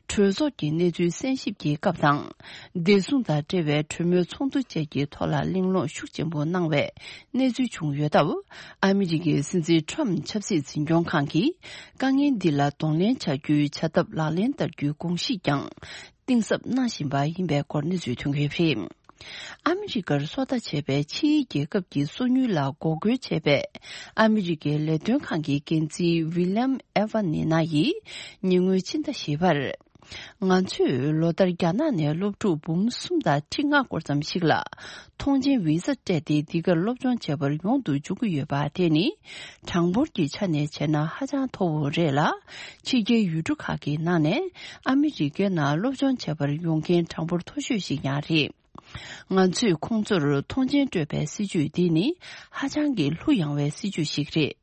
གྲོས་ཚོགས་ཀྱི་གནས་ཚུལ་གསན་ཞིབ་ཀྱི་སྐབས་དང་། བདེ་སྲུང་དང་འབྲེལ་བའི་གྲོས་མོལ་ཚོགས་འདུ་བཅས་ཀྱི་ཐོག་ལ་གླེང་སློང་ཤུགས་ཆེན་པོ་གནང་བའི་གནས་ཚུལ་བྱུང་ཡོད་སྟབས། ཨ་མི་རི་ཀའི་སྲིད་འཛིན་ཁྲོམ་ཆབ་སྲིད་འཛིན་སྐྱོང་ཁང་གིས་དཀའ་ངལ་འདི་ལ་གདོང་ལེན་བྱ་རྒྱུའི་བྱ་ཐབས་ལག་ལེན་བསྟར་རྒྱུའི་དགོངས་གཞི་ཀྱང་གཏིང་ཟབ་གནང་བཞིན་པ་ཡིན་པའི་སྐོར་གནས་ཚུལ་ཐོན་གྱི་ཡོད་པ་རེད། ཨ་མི་རི་ཀར་སོ་ལྟ་བྱས་པའི་ཕྱིའི་རྒྱལ་ཁབ་ཀྱི་སོ་ཉུལ་ལ་འགོག་རྒོལ་བྱས་པའི་ཨ་མི་རི་ཀའི་ལས་དོན་ཁང་གི་འགན་འཛིན་ཝི་ལི་ཡམ་ཨེ་ཝ་ནི་ན་ཡིས་ཉེ་སྔོན་ཕྱི་ཟླ་བཞི་པར། ང་ཚོས་ལོ་ལྟར་རྒྱ་ནག་ནས་སློབ་ཕྲུག་འབུམ་གསུམ་དང་ཁྲི་ལྔ་སྐོར་ཙམ་ཞིག་ལ་ཐོངས་མཆན་ཝི་ས་སྤྲད་དེ་འདི་གར་སློབ་སྦྱོང་བྱེད་པར་ཡོང་དུ་འཇུག་གི་ཡོད་པ། དེ་ནི་གྲངས་འབོར་གྱི་ཆ་ནས་བྱས་ན་ཧ་ཅང་མཐོ་བོ་རེད་ལ། ཕྱི་རྒྱལ་ཡུལ་གྲུ་ཁག་གི་ནང་ནས་ཨ་མི་རི་ཀའི་ནང་སློབ་སྦྱོང་བྱེད་པར་ཡོང་མཁན་གྲངས་འབོར་མཐོ་ཤོས་ཤིག་ཡང་རེད། ང་ཚོས་ཁོང་ཚོར་ཐོངས་མཆན་སྤྲོད་པའི་སྲིད་ཇུས་འདི་ནི་ཧ་ཅང་གི་གླུ་ཡངས་པའི་སྲིད་ཇུས་ཤིག་རེད།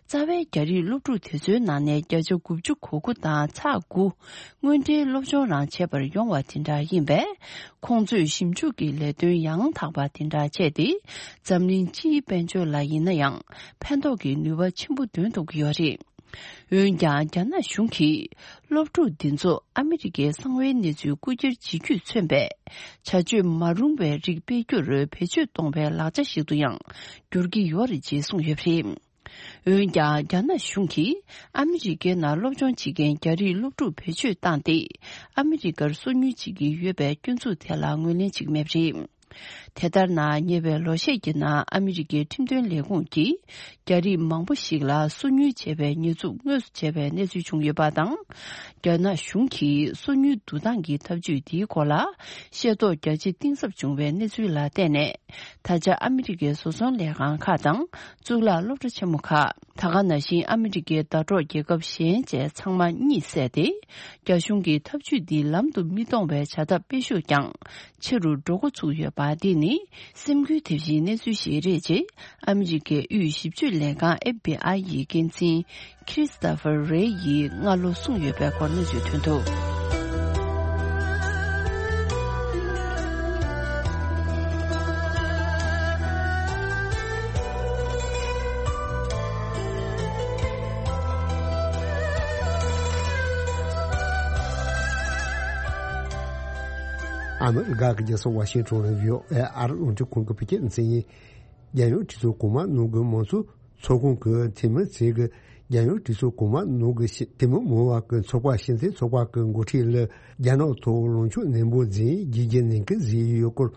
རྩ་བའི་རྒྱ་རིགས་སློབ་ཕྲུག་དེ་ཚོའི་ནང་ནས་བརྒྱ་ཆ་དགུ་བཅུ་གོ་དགུ་དང་ཚེག་དགུ་དངོས་འབྲེལ་སློབ་སྦྱོང་རང་བྱེད་པར་ཡོང་བ་དེ་འདྲ་ཡིན་པས། ཁོང་ཚོས་ཞིབ་འཇུག་གི་ལས་དོན་ཡང་དག་པ་དེ་འདྲ་བྱས་ཏེ། འཛམ་གླིང་སྤྱིའི་དཔལ་འབྱོར་ལ་ཡིན་ན་ཡང་ཕན་ཐོགས་ཀྱི་ནུས་པ་ཆེན་པོ་འདོན་ཐུབ་ཀྱི་ཡོད་རེད། འོན་ཀྱང་། རྒྱ་ནག་གཞུང་གིས་སློབ་ཕྲུག་འདི་ཚོ་ཨ་མི་རི་ཀའི་གསང་བའི་གནས་ཚུལ་རྐུ་འཁྱེར་བྱེད་རྒྱུས་མཚོན་པའི་བྱ་སྤྱོད་མ་རུང་བའི་རིགས་སྤེལ་རྒྱུར་བེད་སྤྱོད་གཏོང་བའི་ལག་ཆ་ཞིག་ཏུ་ཡང་འགྱུར་གྱི་ཡོད་རེད་ཅེས་གསུངས་ཡོད་པ་རེད། འོན་ཀྱང་། རྒྱ་ནག་གཞུང་གིས་ཨ་མི་རི་ཀའི་ནང་སློབ་སྦྱོང་བྱེད་མཁན་རྒྱ་རིགས་སློབ་ཕྲུག་བེད་སྤྱོད་བཏང་སྟེ། ཨ་མི་རི་ཀར་སོ་ཉུལ་བྱེད་ཀྱི་ཡོད་པའི་སྐྱོན་འཛུགས་དེ་ལ་ངོས་ལེན་བྱེད་ཀྱི་མེད་པ་རེད། དེ་ལྟར་ན། ཉེ་བའི་ལོ་ཤས་ཀྱི་ནང་ཨ་མི་རི་ཀའི་ཁྲིམས་དོན་ལས་ཁུངས་ཀྱིས་རྒྱ་རིགས་མང་པོ་ཞིག་ལ་སོ་ཉུལ་བྱས་པའི་ཉེས་འཛུགས་དངོས་སུ་བྱས་པའི་གནས་ཚུལ་བྱུང་ཡོད་པ་དང་། རྒྱ་ནག་གཞུང་གིས་སོ་ཉུལ་བསྡུ་སྟངས་ཀྱི་ཐབས་ཇུས་འདིའི་སྐོར་ལ་ཤེས་རྟོགས་རྒྱ་ཆེ་གཏིང་ཟབ་བྱུང་བའི་གནས་ཚུལ་ལ་བརྟེན་ནས། ད་ཆ་ཨ་མི་རི་ཀའི་བཟོ་ཚོང་ལས་ཁང་ཁག་དང་གཙུག་ལག་སློབ་གྲྭ་ཆེན་མོ་ཁག་ད་ག་ནང་བཞིན་ཨ་མི་རི་ཀའི་ཟླ་གྲོགས་རྒྱལ་ཁབ་གཞན་བཅས་ཚང་མ་གཉིད་སད་དེ། རྒྱ་གཞུང་གི་ཐབས་ཇུས་འདི་ལམ་དུ་མི་གཏོང་བའི་བྱ་ཐབས་སྤེལ་ཤུགས་ཀྱང་ཆེ་རུ་འགྲོ་འགོ་ཚུགས་ཡོད་པ་འདི་ནི་སེམས་འགུལ་ཐེབས་གཞིའི་གནས་ཚུལ་ཞིག་རེད་ཅེས་ཨ་མི་རི་ཀའི་དབུས་ཞིབ་དཔྱོད་ལས་ཁང་ཨེཕ་བི་ཨའི་ཡི་འགན་འཛིན་ཁྲི་སི་ཏོ་ཕར་རེ་ཡིས་སྔ་ལོ་གསུངས་ཡོད་པའི་སྐོར་གནས་ཚུལ་ཐོན་འདུག་ཨ། ཨ་མི་རི་ཀ་གི་རྒྱལ་ས་ཝ་ཤིང་ཊོན་ལ་བྷི་ཨོ་ཨེ་ཨ་རི་རླུང་འཕྲིན་ཁང་གི་བོད་སྐད་སྡེ་ཚན་ཡིན། རྒྱལ་ཡོངས་གྲོས་ཚོགས་གོང་མ་ནང་གི་མང་གཙོ་ཚོགས་ཁང་གི་འཐུས་མི་ཚོས་ཀྱི་རྒྱལ་ཡོངས་གྲོས་ཚོགས་གོང་མ་ནང་གི་ཤི་འཐུས་མི་མང་བ་གི་ཚོགས་པ་ཕྱི་འཐེན་ཚོགས་པ་གི་འགོ་ཁྲིད་ལ་རྒྱ་ནག་ཐོག་ལངས་ཕྱོགས་ནན་པོ་འཛིན་རྒྱུ་རྒྱུ་ནན་སྐུལ་བཟོས་ཡོད་སྐོར།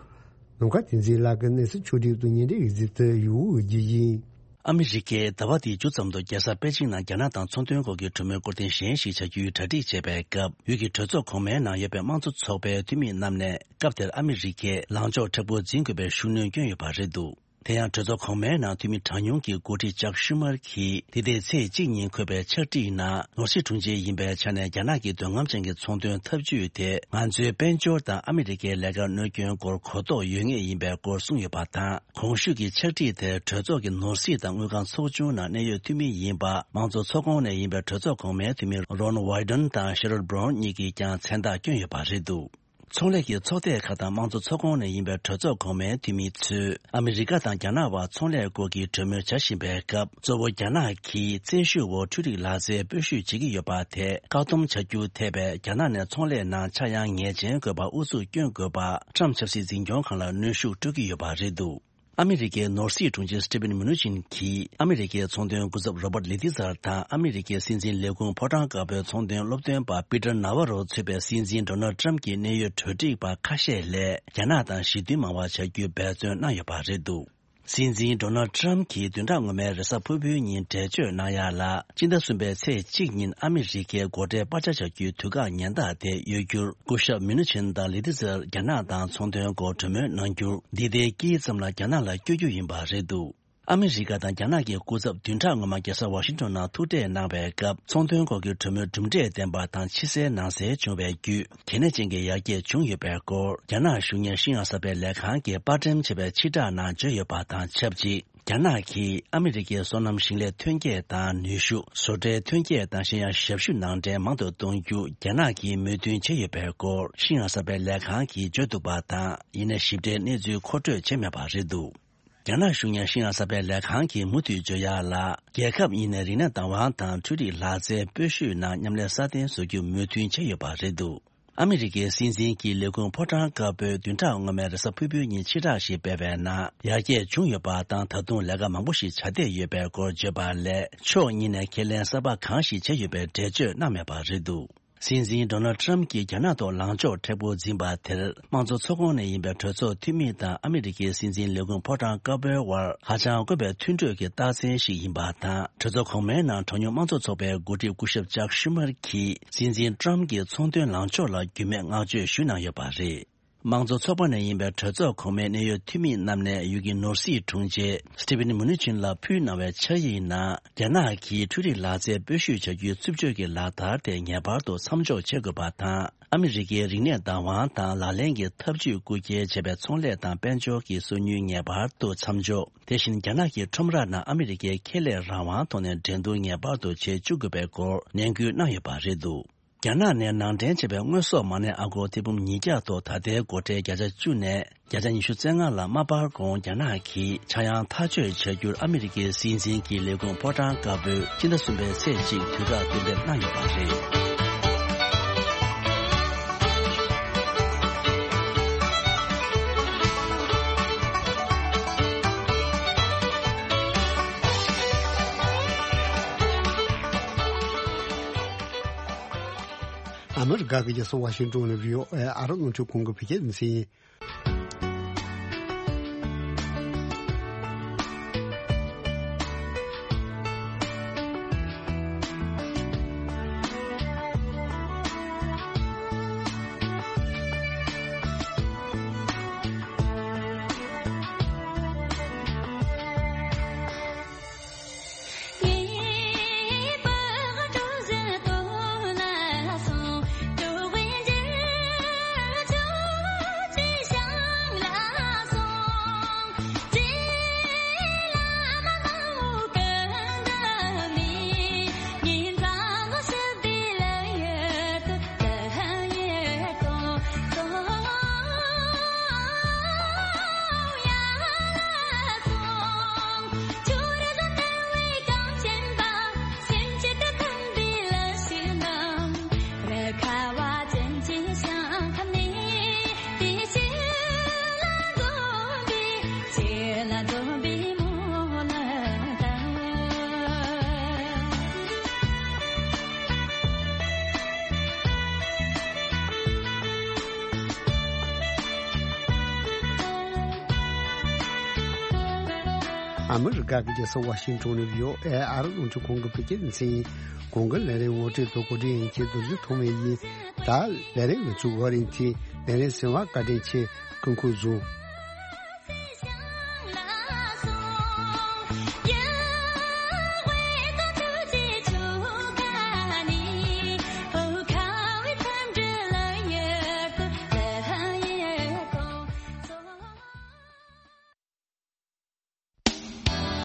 ནམ་མཁའ་བསྟན་འཛིན་ལགས་ཀྱིས་གནས་ཚུལ་ཕྱོགས་སྒྲིག་ཏུ་སྙན་སྒྲོན་ཡིག་ཚིག་ཏུ་ཡོད་རྒྱུ་ཡིན། ཨ་མི་རི་ཀས་ཟླ་བ་འདིའི་མཇུག་ཙམ་དུ་རྒྱལ་ས་པེ་ཅིང་ནང་རྒྱ་ནག་དང་ཚོང་དོན་སྐོར་གྱི་གྲོས་མོལ་སྐོར་ཐེངས་གཞན་ཞིག་བྱ་རྒྱུའི་གྲ་སྒྲིག་བྱེད་པའི་སྐབས། ཡུལ་གྱི་གྲོས་ཚོགས་གོང་མའི་ནང་ཡོད་པའི་དམངས་གཙོ་ཚོགས་པའི་འཐུས་མི་རྣམས་ནས་སྐབས་དེར་ཨ་མི་རི་ཀས་ལངས་ཕྱོགས་མཁྲེགས་པོ་འཛིན་དགོས་པའི་ཤུགས་སྣོན་བསྐྱོན་ཡོད་པ་རེད་འདུག་དེ་ཡང་གྲོས་ཚོགས་གོང་མའི་ནང་འཐུས་མི་གྲངས་ཉུང་གི་འགོ་ཁྲིད་ཅག་ཤུ་མར་གྱིས་འདི་ཟླའི་ཚེས་གཅིག་ཉིན་འཁོད་པའི་ཕྱག་བྲིས་ནང་ནོར་སྲིད་དྲུང་ཆེ་ཡིན་པའི་ཆ་ནས་རྒྱ་ནག་གི་འདོད་རྔམ་ཅན་གྱི་ཚོང་དོན་འཐབ་ཇུས་དེ་ང་ཚོའི་དཔལ་འབྱོར་དང་ཨ་མི་རི་ཀའི་ལས་ཀར་གནོད་སྐྱོན་སྐོར་གོ་རྟོགས་ཡོད་ངེས་ཡིན་པའི་སྐོར་གསུངས་ཡོད་པ་དང་། གོང་ཞུས་ཀྱི་ཕྱག་བྲིས་དེར་གྲོས་ཚོགས་ཀྱི་ནོར་སྲིད་དང་དངུལ་ཁང་ཚོགས་ཆུང་ནང་གནད་ཡོད་འཐུས་མི་ཡིན་པ་དམངས་གཙོ་ཚོགས་ཁོངས་ནས་ཡིན་པའི་གྲོས་ཚོགས་གོང་མའི་འཐུས་མི་Ron Wyden དང་Sherrod Brown གཉིས་ཀྱིས་ཀྱང་མཚན་རྟགས་བསྐྱོན་ཡོད་པ་རེད་འདུག་ཚོང་ལས་ཀྱི་ཚོགས་སྡེ་ཁག་དང་དམངས་གཙོ་ཚོགས་ཁོངས་ནས་ཡིན་པའི་གྲོས་ཚོགས་གོང་མའི་འཐུས་མི་ཚོས་ཨ་མི་རི་ཀ་དང་རྒྱ་ནག་དབར་ཚོང་ལས་སྐོར་གྱི་གྲོས་མོལ་བྱ་བཞིན་པའི་སྐབས། གཙོ་བོ་རྒྱ་ནག་གིས་བཙན་ཤུགས་འོག་འཕྲུལ་རིག་ལག་རྩལ་སྤོ་བཤུད་བྱེད་ཀྱི་ཡོད་པ་དེ་བཀག་སྡོམ་བྱ་རྒྱུ་ཐད་པའི་རྒྱ་ནག་ནས་ཚོང་ལས་ནང་ཆག་ཡང་ངེས་ཅན་དགོས་པར་ཨུ་ཚུགས་སྐྱོན་དགོས་པར་ཊམ་ཕྱི་སྲིད་འཛིན་སྐྱོང་ཁང་ལ་གནོན་ཤུགས་སྤྲོད་ཀྱི་ཡོད་པ་རེད་འདུག་ཨ་མི་རི་ཀའི་ནོར་སྲིད་དྲུང་ཆེ་Steven Mnuchin གྱིས་ཨ་མི་རི་ཀའི་ཚོང་དོན་སྐུ་ཚབ་Robert Lighthizer དང་ཨ་མི་རི་ཀའི་སྲིད་འཛིན་ལས་ཁུངས་ཕོ་བྲང་དཀར་པོའི་ཚོང་དོན་སློབ་སྟོན་པ་Peter Navarro གཙོས་པའི་སྲིད་འཛིན་Donald Trump གྱི་གནད་ཡོད་གྲོས་སྒྲིག་པ་ཁ་ཤས་ལ་རྒྱ་ནག་དང་ཞི་མཐུན་མང་བ་བྱ་རྒྱུའི་འབད་བརྩོན་གནང་ཡོད་པ་རེད་འདུག་སྲིད་འཛིན་Donald Trump གྱིས་བདུན་ཕྲག་སྔོན་མའི་རེས་གཟའ་ཕུར་བུའི་ཉིན་འགྲེལ་བརྗོད་གནང་ཡ་ལ། སྤྱི་ཟླ་གསུམ་པའི་ཚེས་གཅིག་ཉིན་ཨ་མི་རི་ཀའི་སྒོ་ཁྲལ་སྤར་ཆ་བྱ་རྒྱུའི་དུས་བཀག་ཉེན་བརྡ་དེ་གཡོལ་རྒྱུར། སྐུ་ཞབས་Mnuchin དང་Lighthizer རྒྱ་ནག་དང་ཚོང་དོན་སྐོར་གྲོས་མོལ་གནང་རྒྱུར། འདི་ཟླའི་དཀྱིལ་ཙམ་ལ་རྒྱ་ནག་ལ་བསྐྱོད་རྒྱུ་ཡིན་པ་རེད་འདུག་ཨ་མི་རི་ཀ་དང་རྒྱ་ནག་གི་སྐུ་ཚབ་བདུན་ཕྲག་སྔོན་མ་རྒྱལ་ས་ཝ་ཤིང་ཊོན་ནང་ཐུག་འཕྲད་གནང་བའི་སྐབས། ཚོང་དོན་སྐོར་གྱི་གྲོས་མོལ་གྲུབ་འབྲས་ལྡན་པ་དང་ཕྱི་གསལ་ནང་གསལ་བྱུང་བའི་བརྒྱུད། གལ་གནད་ཅན་གྱི་ཡར་རྒྱས་བྱུང་ཡོད་པའི་སྐོར། རྒྱ་ནག་གཞུང་གཉེར་ཤིན་ཡང་གསར་སྤེལ་ལས་ཁང་གིས་པར་སྐྲུན་བྱས་པའི་ཕྱིར་བསྒྲགས་ནང་བརྗོད་ཡོད་པ་དང་ཆབས་ཅིག་རྒྱ་ནག་གིས་ཨ་མི་རི་ཀའི་སོ་ནམ་ཞིང་ལས་ཐོན་སྐྱེད་དང་ནུས་ཤུགས། བཟོ་གྲྭའི་ཐོན་སྐྱེད་དང་གཞན་ཡང་ཞབས་ཞུ་ནང་འདྲེན་མང་དུ་གཏོང་རྒྱུ་རྒྱ་ནག་གིས་མོས་མཐུན་བྱས་ཡོད་པའི་སྐོར། ཤིན་ཡང་གསར་སྤེལ་ལས་ཁང་གིས་བརྗོད་འདུག་པ་དང་། ཡིན་ནའི་ཞིབ་ཕྲའི་གནས་ཚུལ་མཁོ་སྤྲོད་བྱས་མེད་པ་རེད་འདུག་རྒྱ་ནག་གཞུང་གཉེར་ཤིན་ཡང་གསར་སྤེལ་ལས་ཁང་གིས་མུ་མཐུད་བརྗོད་ཡག་ལ། རྒྱལ་ཁབ་གཉིས་ནས་རིག་གནས་བདག་དབང་དང་འཕྲུལ་རིག་ལག་རྩལ་སྤོ་བཤུད་ནང་མཉམ་ལས་སྲ་བརྟན་བཟོ་རྒྱུར་མོས་མཐུན་བྱས་ཡོད་པ་རེད་འདུག་ཨ་མི་རི་ཀའི་སྲིད་འཛིན་གྱི་ལས་ཁུངས་ཕོ་བྲང་དཀར་པོས་བདུན་ཕྲག་སྔོན་མའི་རེས་གཟའ་ཕུར་བུའི་ཉིན་ཕྱིར་བསྒྲགས་ཤིག་སྤེལ་བའི་ནང་། ཡར་རྒྱས་བྱུང་ཡོད་པ་དང་། ད་དུང་ལས་ཀ་མང་པོ་ཞིག་བྱ་བསྡད་ཡོད་པའི་སྐོར་བརྗོད་པ་ལས། ཕྱོགས་གཉིས་ནས་ཁས་ལེན་གསར་པ་གང་ཞིག་བྱས་ཡོད་པའི་འགྲེལ་བརྗོད་གནང་མེད་པ་རེད་འདུག་སྲིད་འཛིན་Donald Trump གྱིས་རྒྱ་ནག་ཐོག་ལངས་ཕྱོགས་མཁྲེགས་པོ་འཛིན་པ་དེར། དམངས་གཙོ་ཚོགས་ཁོངས་ནས་ཡིན་པའི་གྲོས་ཚོགས་འཐུས་མི་དང་ཨ་མི་རི་ཀའི་སྲིད་འཛིན་ལས་ཁུངས་ཕོ་བྲང་དཀར་པོའི་དབར་ཧ་ཅང་དཀོན་པའི་མཐུན་གྲོས་ཀྱི་རྟགས་མཚན་ཞིག་ཡིན་པ་དང་། གྲོས་ཚོགས་གོང་མའི་ནང་གྲངས་ཉུང་དམངས་གཙོ་ཚོགས་པའི་འགོ་ཁྲིད་སྐུ་ཞབས་ཅག་ཤུ་མར་གྱིས་སྲིད་འཛིན་Trump གྱི་ཚོང་དོན་ལངས་ཕྱོགས་ལ་རྒྱུས་མེད་བསྔགས་བརྗོད་ཞུས་གནང་ཡོད་པ་རེད། དམངས་གཙོ་ཚོགས་པ་ནས་ཡིན་པའི་གྲོས་ཚོགས་གོང་མའི་གནད་ཡོད་འཐུས་མི་རྣམས་ནས་ཡུལ་གྱི་ནོར་སྲིད་དྲུང་ཆེ་Steven Mnuchin ལ་ཕུལ་གནང་བའི་ཕྱག་ཡིག་ནང་། རྒྱ་ནག་གིས་འཕྲུལ་རིག་ལག་རྩལ་སྤོ་བཤུད་བྱ་རྒྱུའི་རྩུབ་སྤྱོད་ཀྱི་ལག་བསྟར་དེ་ངེས་པར་དུ་མཚམས་འཇོག་བྱེད་དགོས་པ་དང་། ཨ་མི་རི་ཀའི་རིག་གནས་བདག་དབང་དང་ལག་ལེན་གྱི་ཐབས་ཇུས་རྐུ་འཁྱེར་བྱས་པའི་ཚོང་ལས་དང་དཔལ་འབྱོར་གྱི་སོ་ཉུལ་ངེས་པར་དུ་མཚམས་འཇོག་དེ་བཞིན་རྒྱ་ནག་གི་ཁྲོམ་ར་ནང་ཨ་མི་རི་ཀའི་ཁེ་ལས་རང་དབང་ཐོག་ནས་འགྲན་བསྡུར་ངེས་པར་དུ་བྱེད་བཅུག་དགོས་པའི་སྐོར་ནན་སྐུལ་གནང་ཡོད་པ་རེད་འདུག་རྒྱ་ནག་ནས་ནང་འདྲེན་བྱས་པའི་དངོས་ཟོག་མ་གནས་ཨ་སྒོར་ཐེར་འབུམ་ཉིས་བརྒྱ་ཐོག་ད་ལྟའི་སྒོ་ཁྲལ་བརྒྱ་ཆ་བཅུ་ནས་བརྒྱ་ཆ་ཉི་ཤུ་རྩ་ལྔ་ལ་མ་སྤར་གོང་རྒྱ་ནག་གིས་ཆག་ཡང་ཐག་གཅོད་བྱ་རྒྱུར་ཨ་མི་རི་ཀའི་སྲིད་འཛིན་གྱི་ལས་ཁུངས་ཕོ་བྲང་དཀར་པོས་སྤྱི་ཟླ་གསུམ་པའི་ཚེས་གཅིག་དུས་བཀག་གཏན་འབེབས་གནང་ཡོད་པ་རེད། ཨ་མི་རི་ཀ་གི་རྒྱལ་ས་ཝ་ཤིང་ཏོན་ནས་བྷི་ཨོ་ཨེ་ཨ་རི་རླུང་འཕྲིན་ཁང་གི་བོད་སྐད་སྡེ་ཚན་ཡིན། ཨ་མི་རི་ཀ་གི་རྒྱལ་ས་ཝ་ཤིང་ཊོན་ནས་བྷི་ཨོ་ཨེ་ཨ་རི་རླུང་འཕྲིན་ཁང་གི་བོད་སྐད་སྡེ་ཚན་ཡིན། གོང་གི་ལས་རིམ་ངོ་སྤྲོད་དང་གོ་སྒྲིག་ཡིན་གྱི་རྡོ་རྗེ་ཐོགས་མེད་ཡིན། ད་ལས་རིམ་ང་ཚོའི་འགོ་རིམ་གྱི་ལས་རིམ་ཟིན་པ་བཀའ་དྲིན་ཆེ། སྐུ་ཁམས་བཟང་།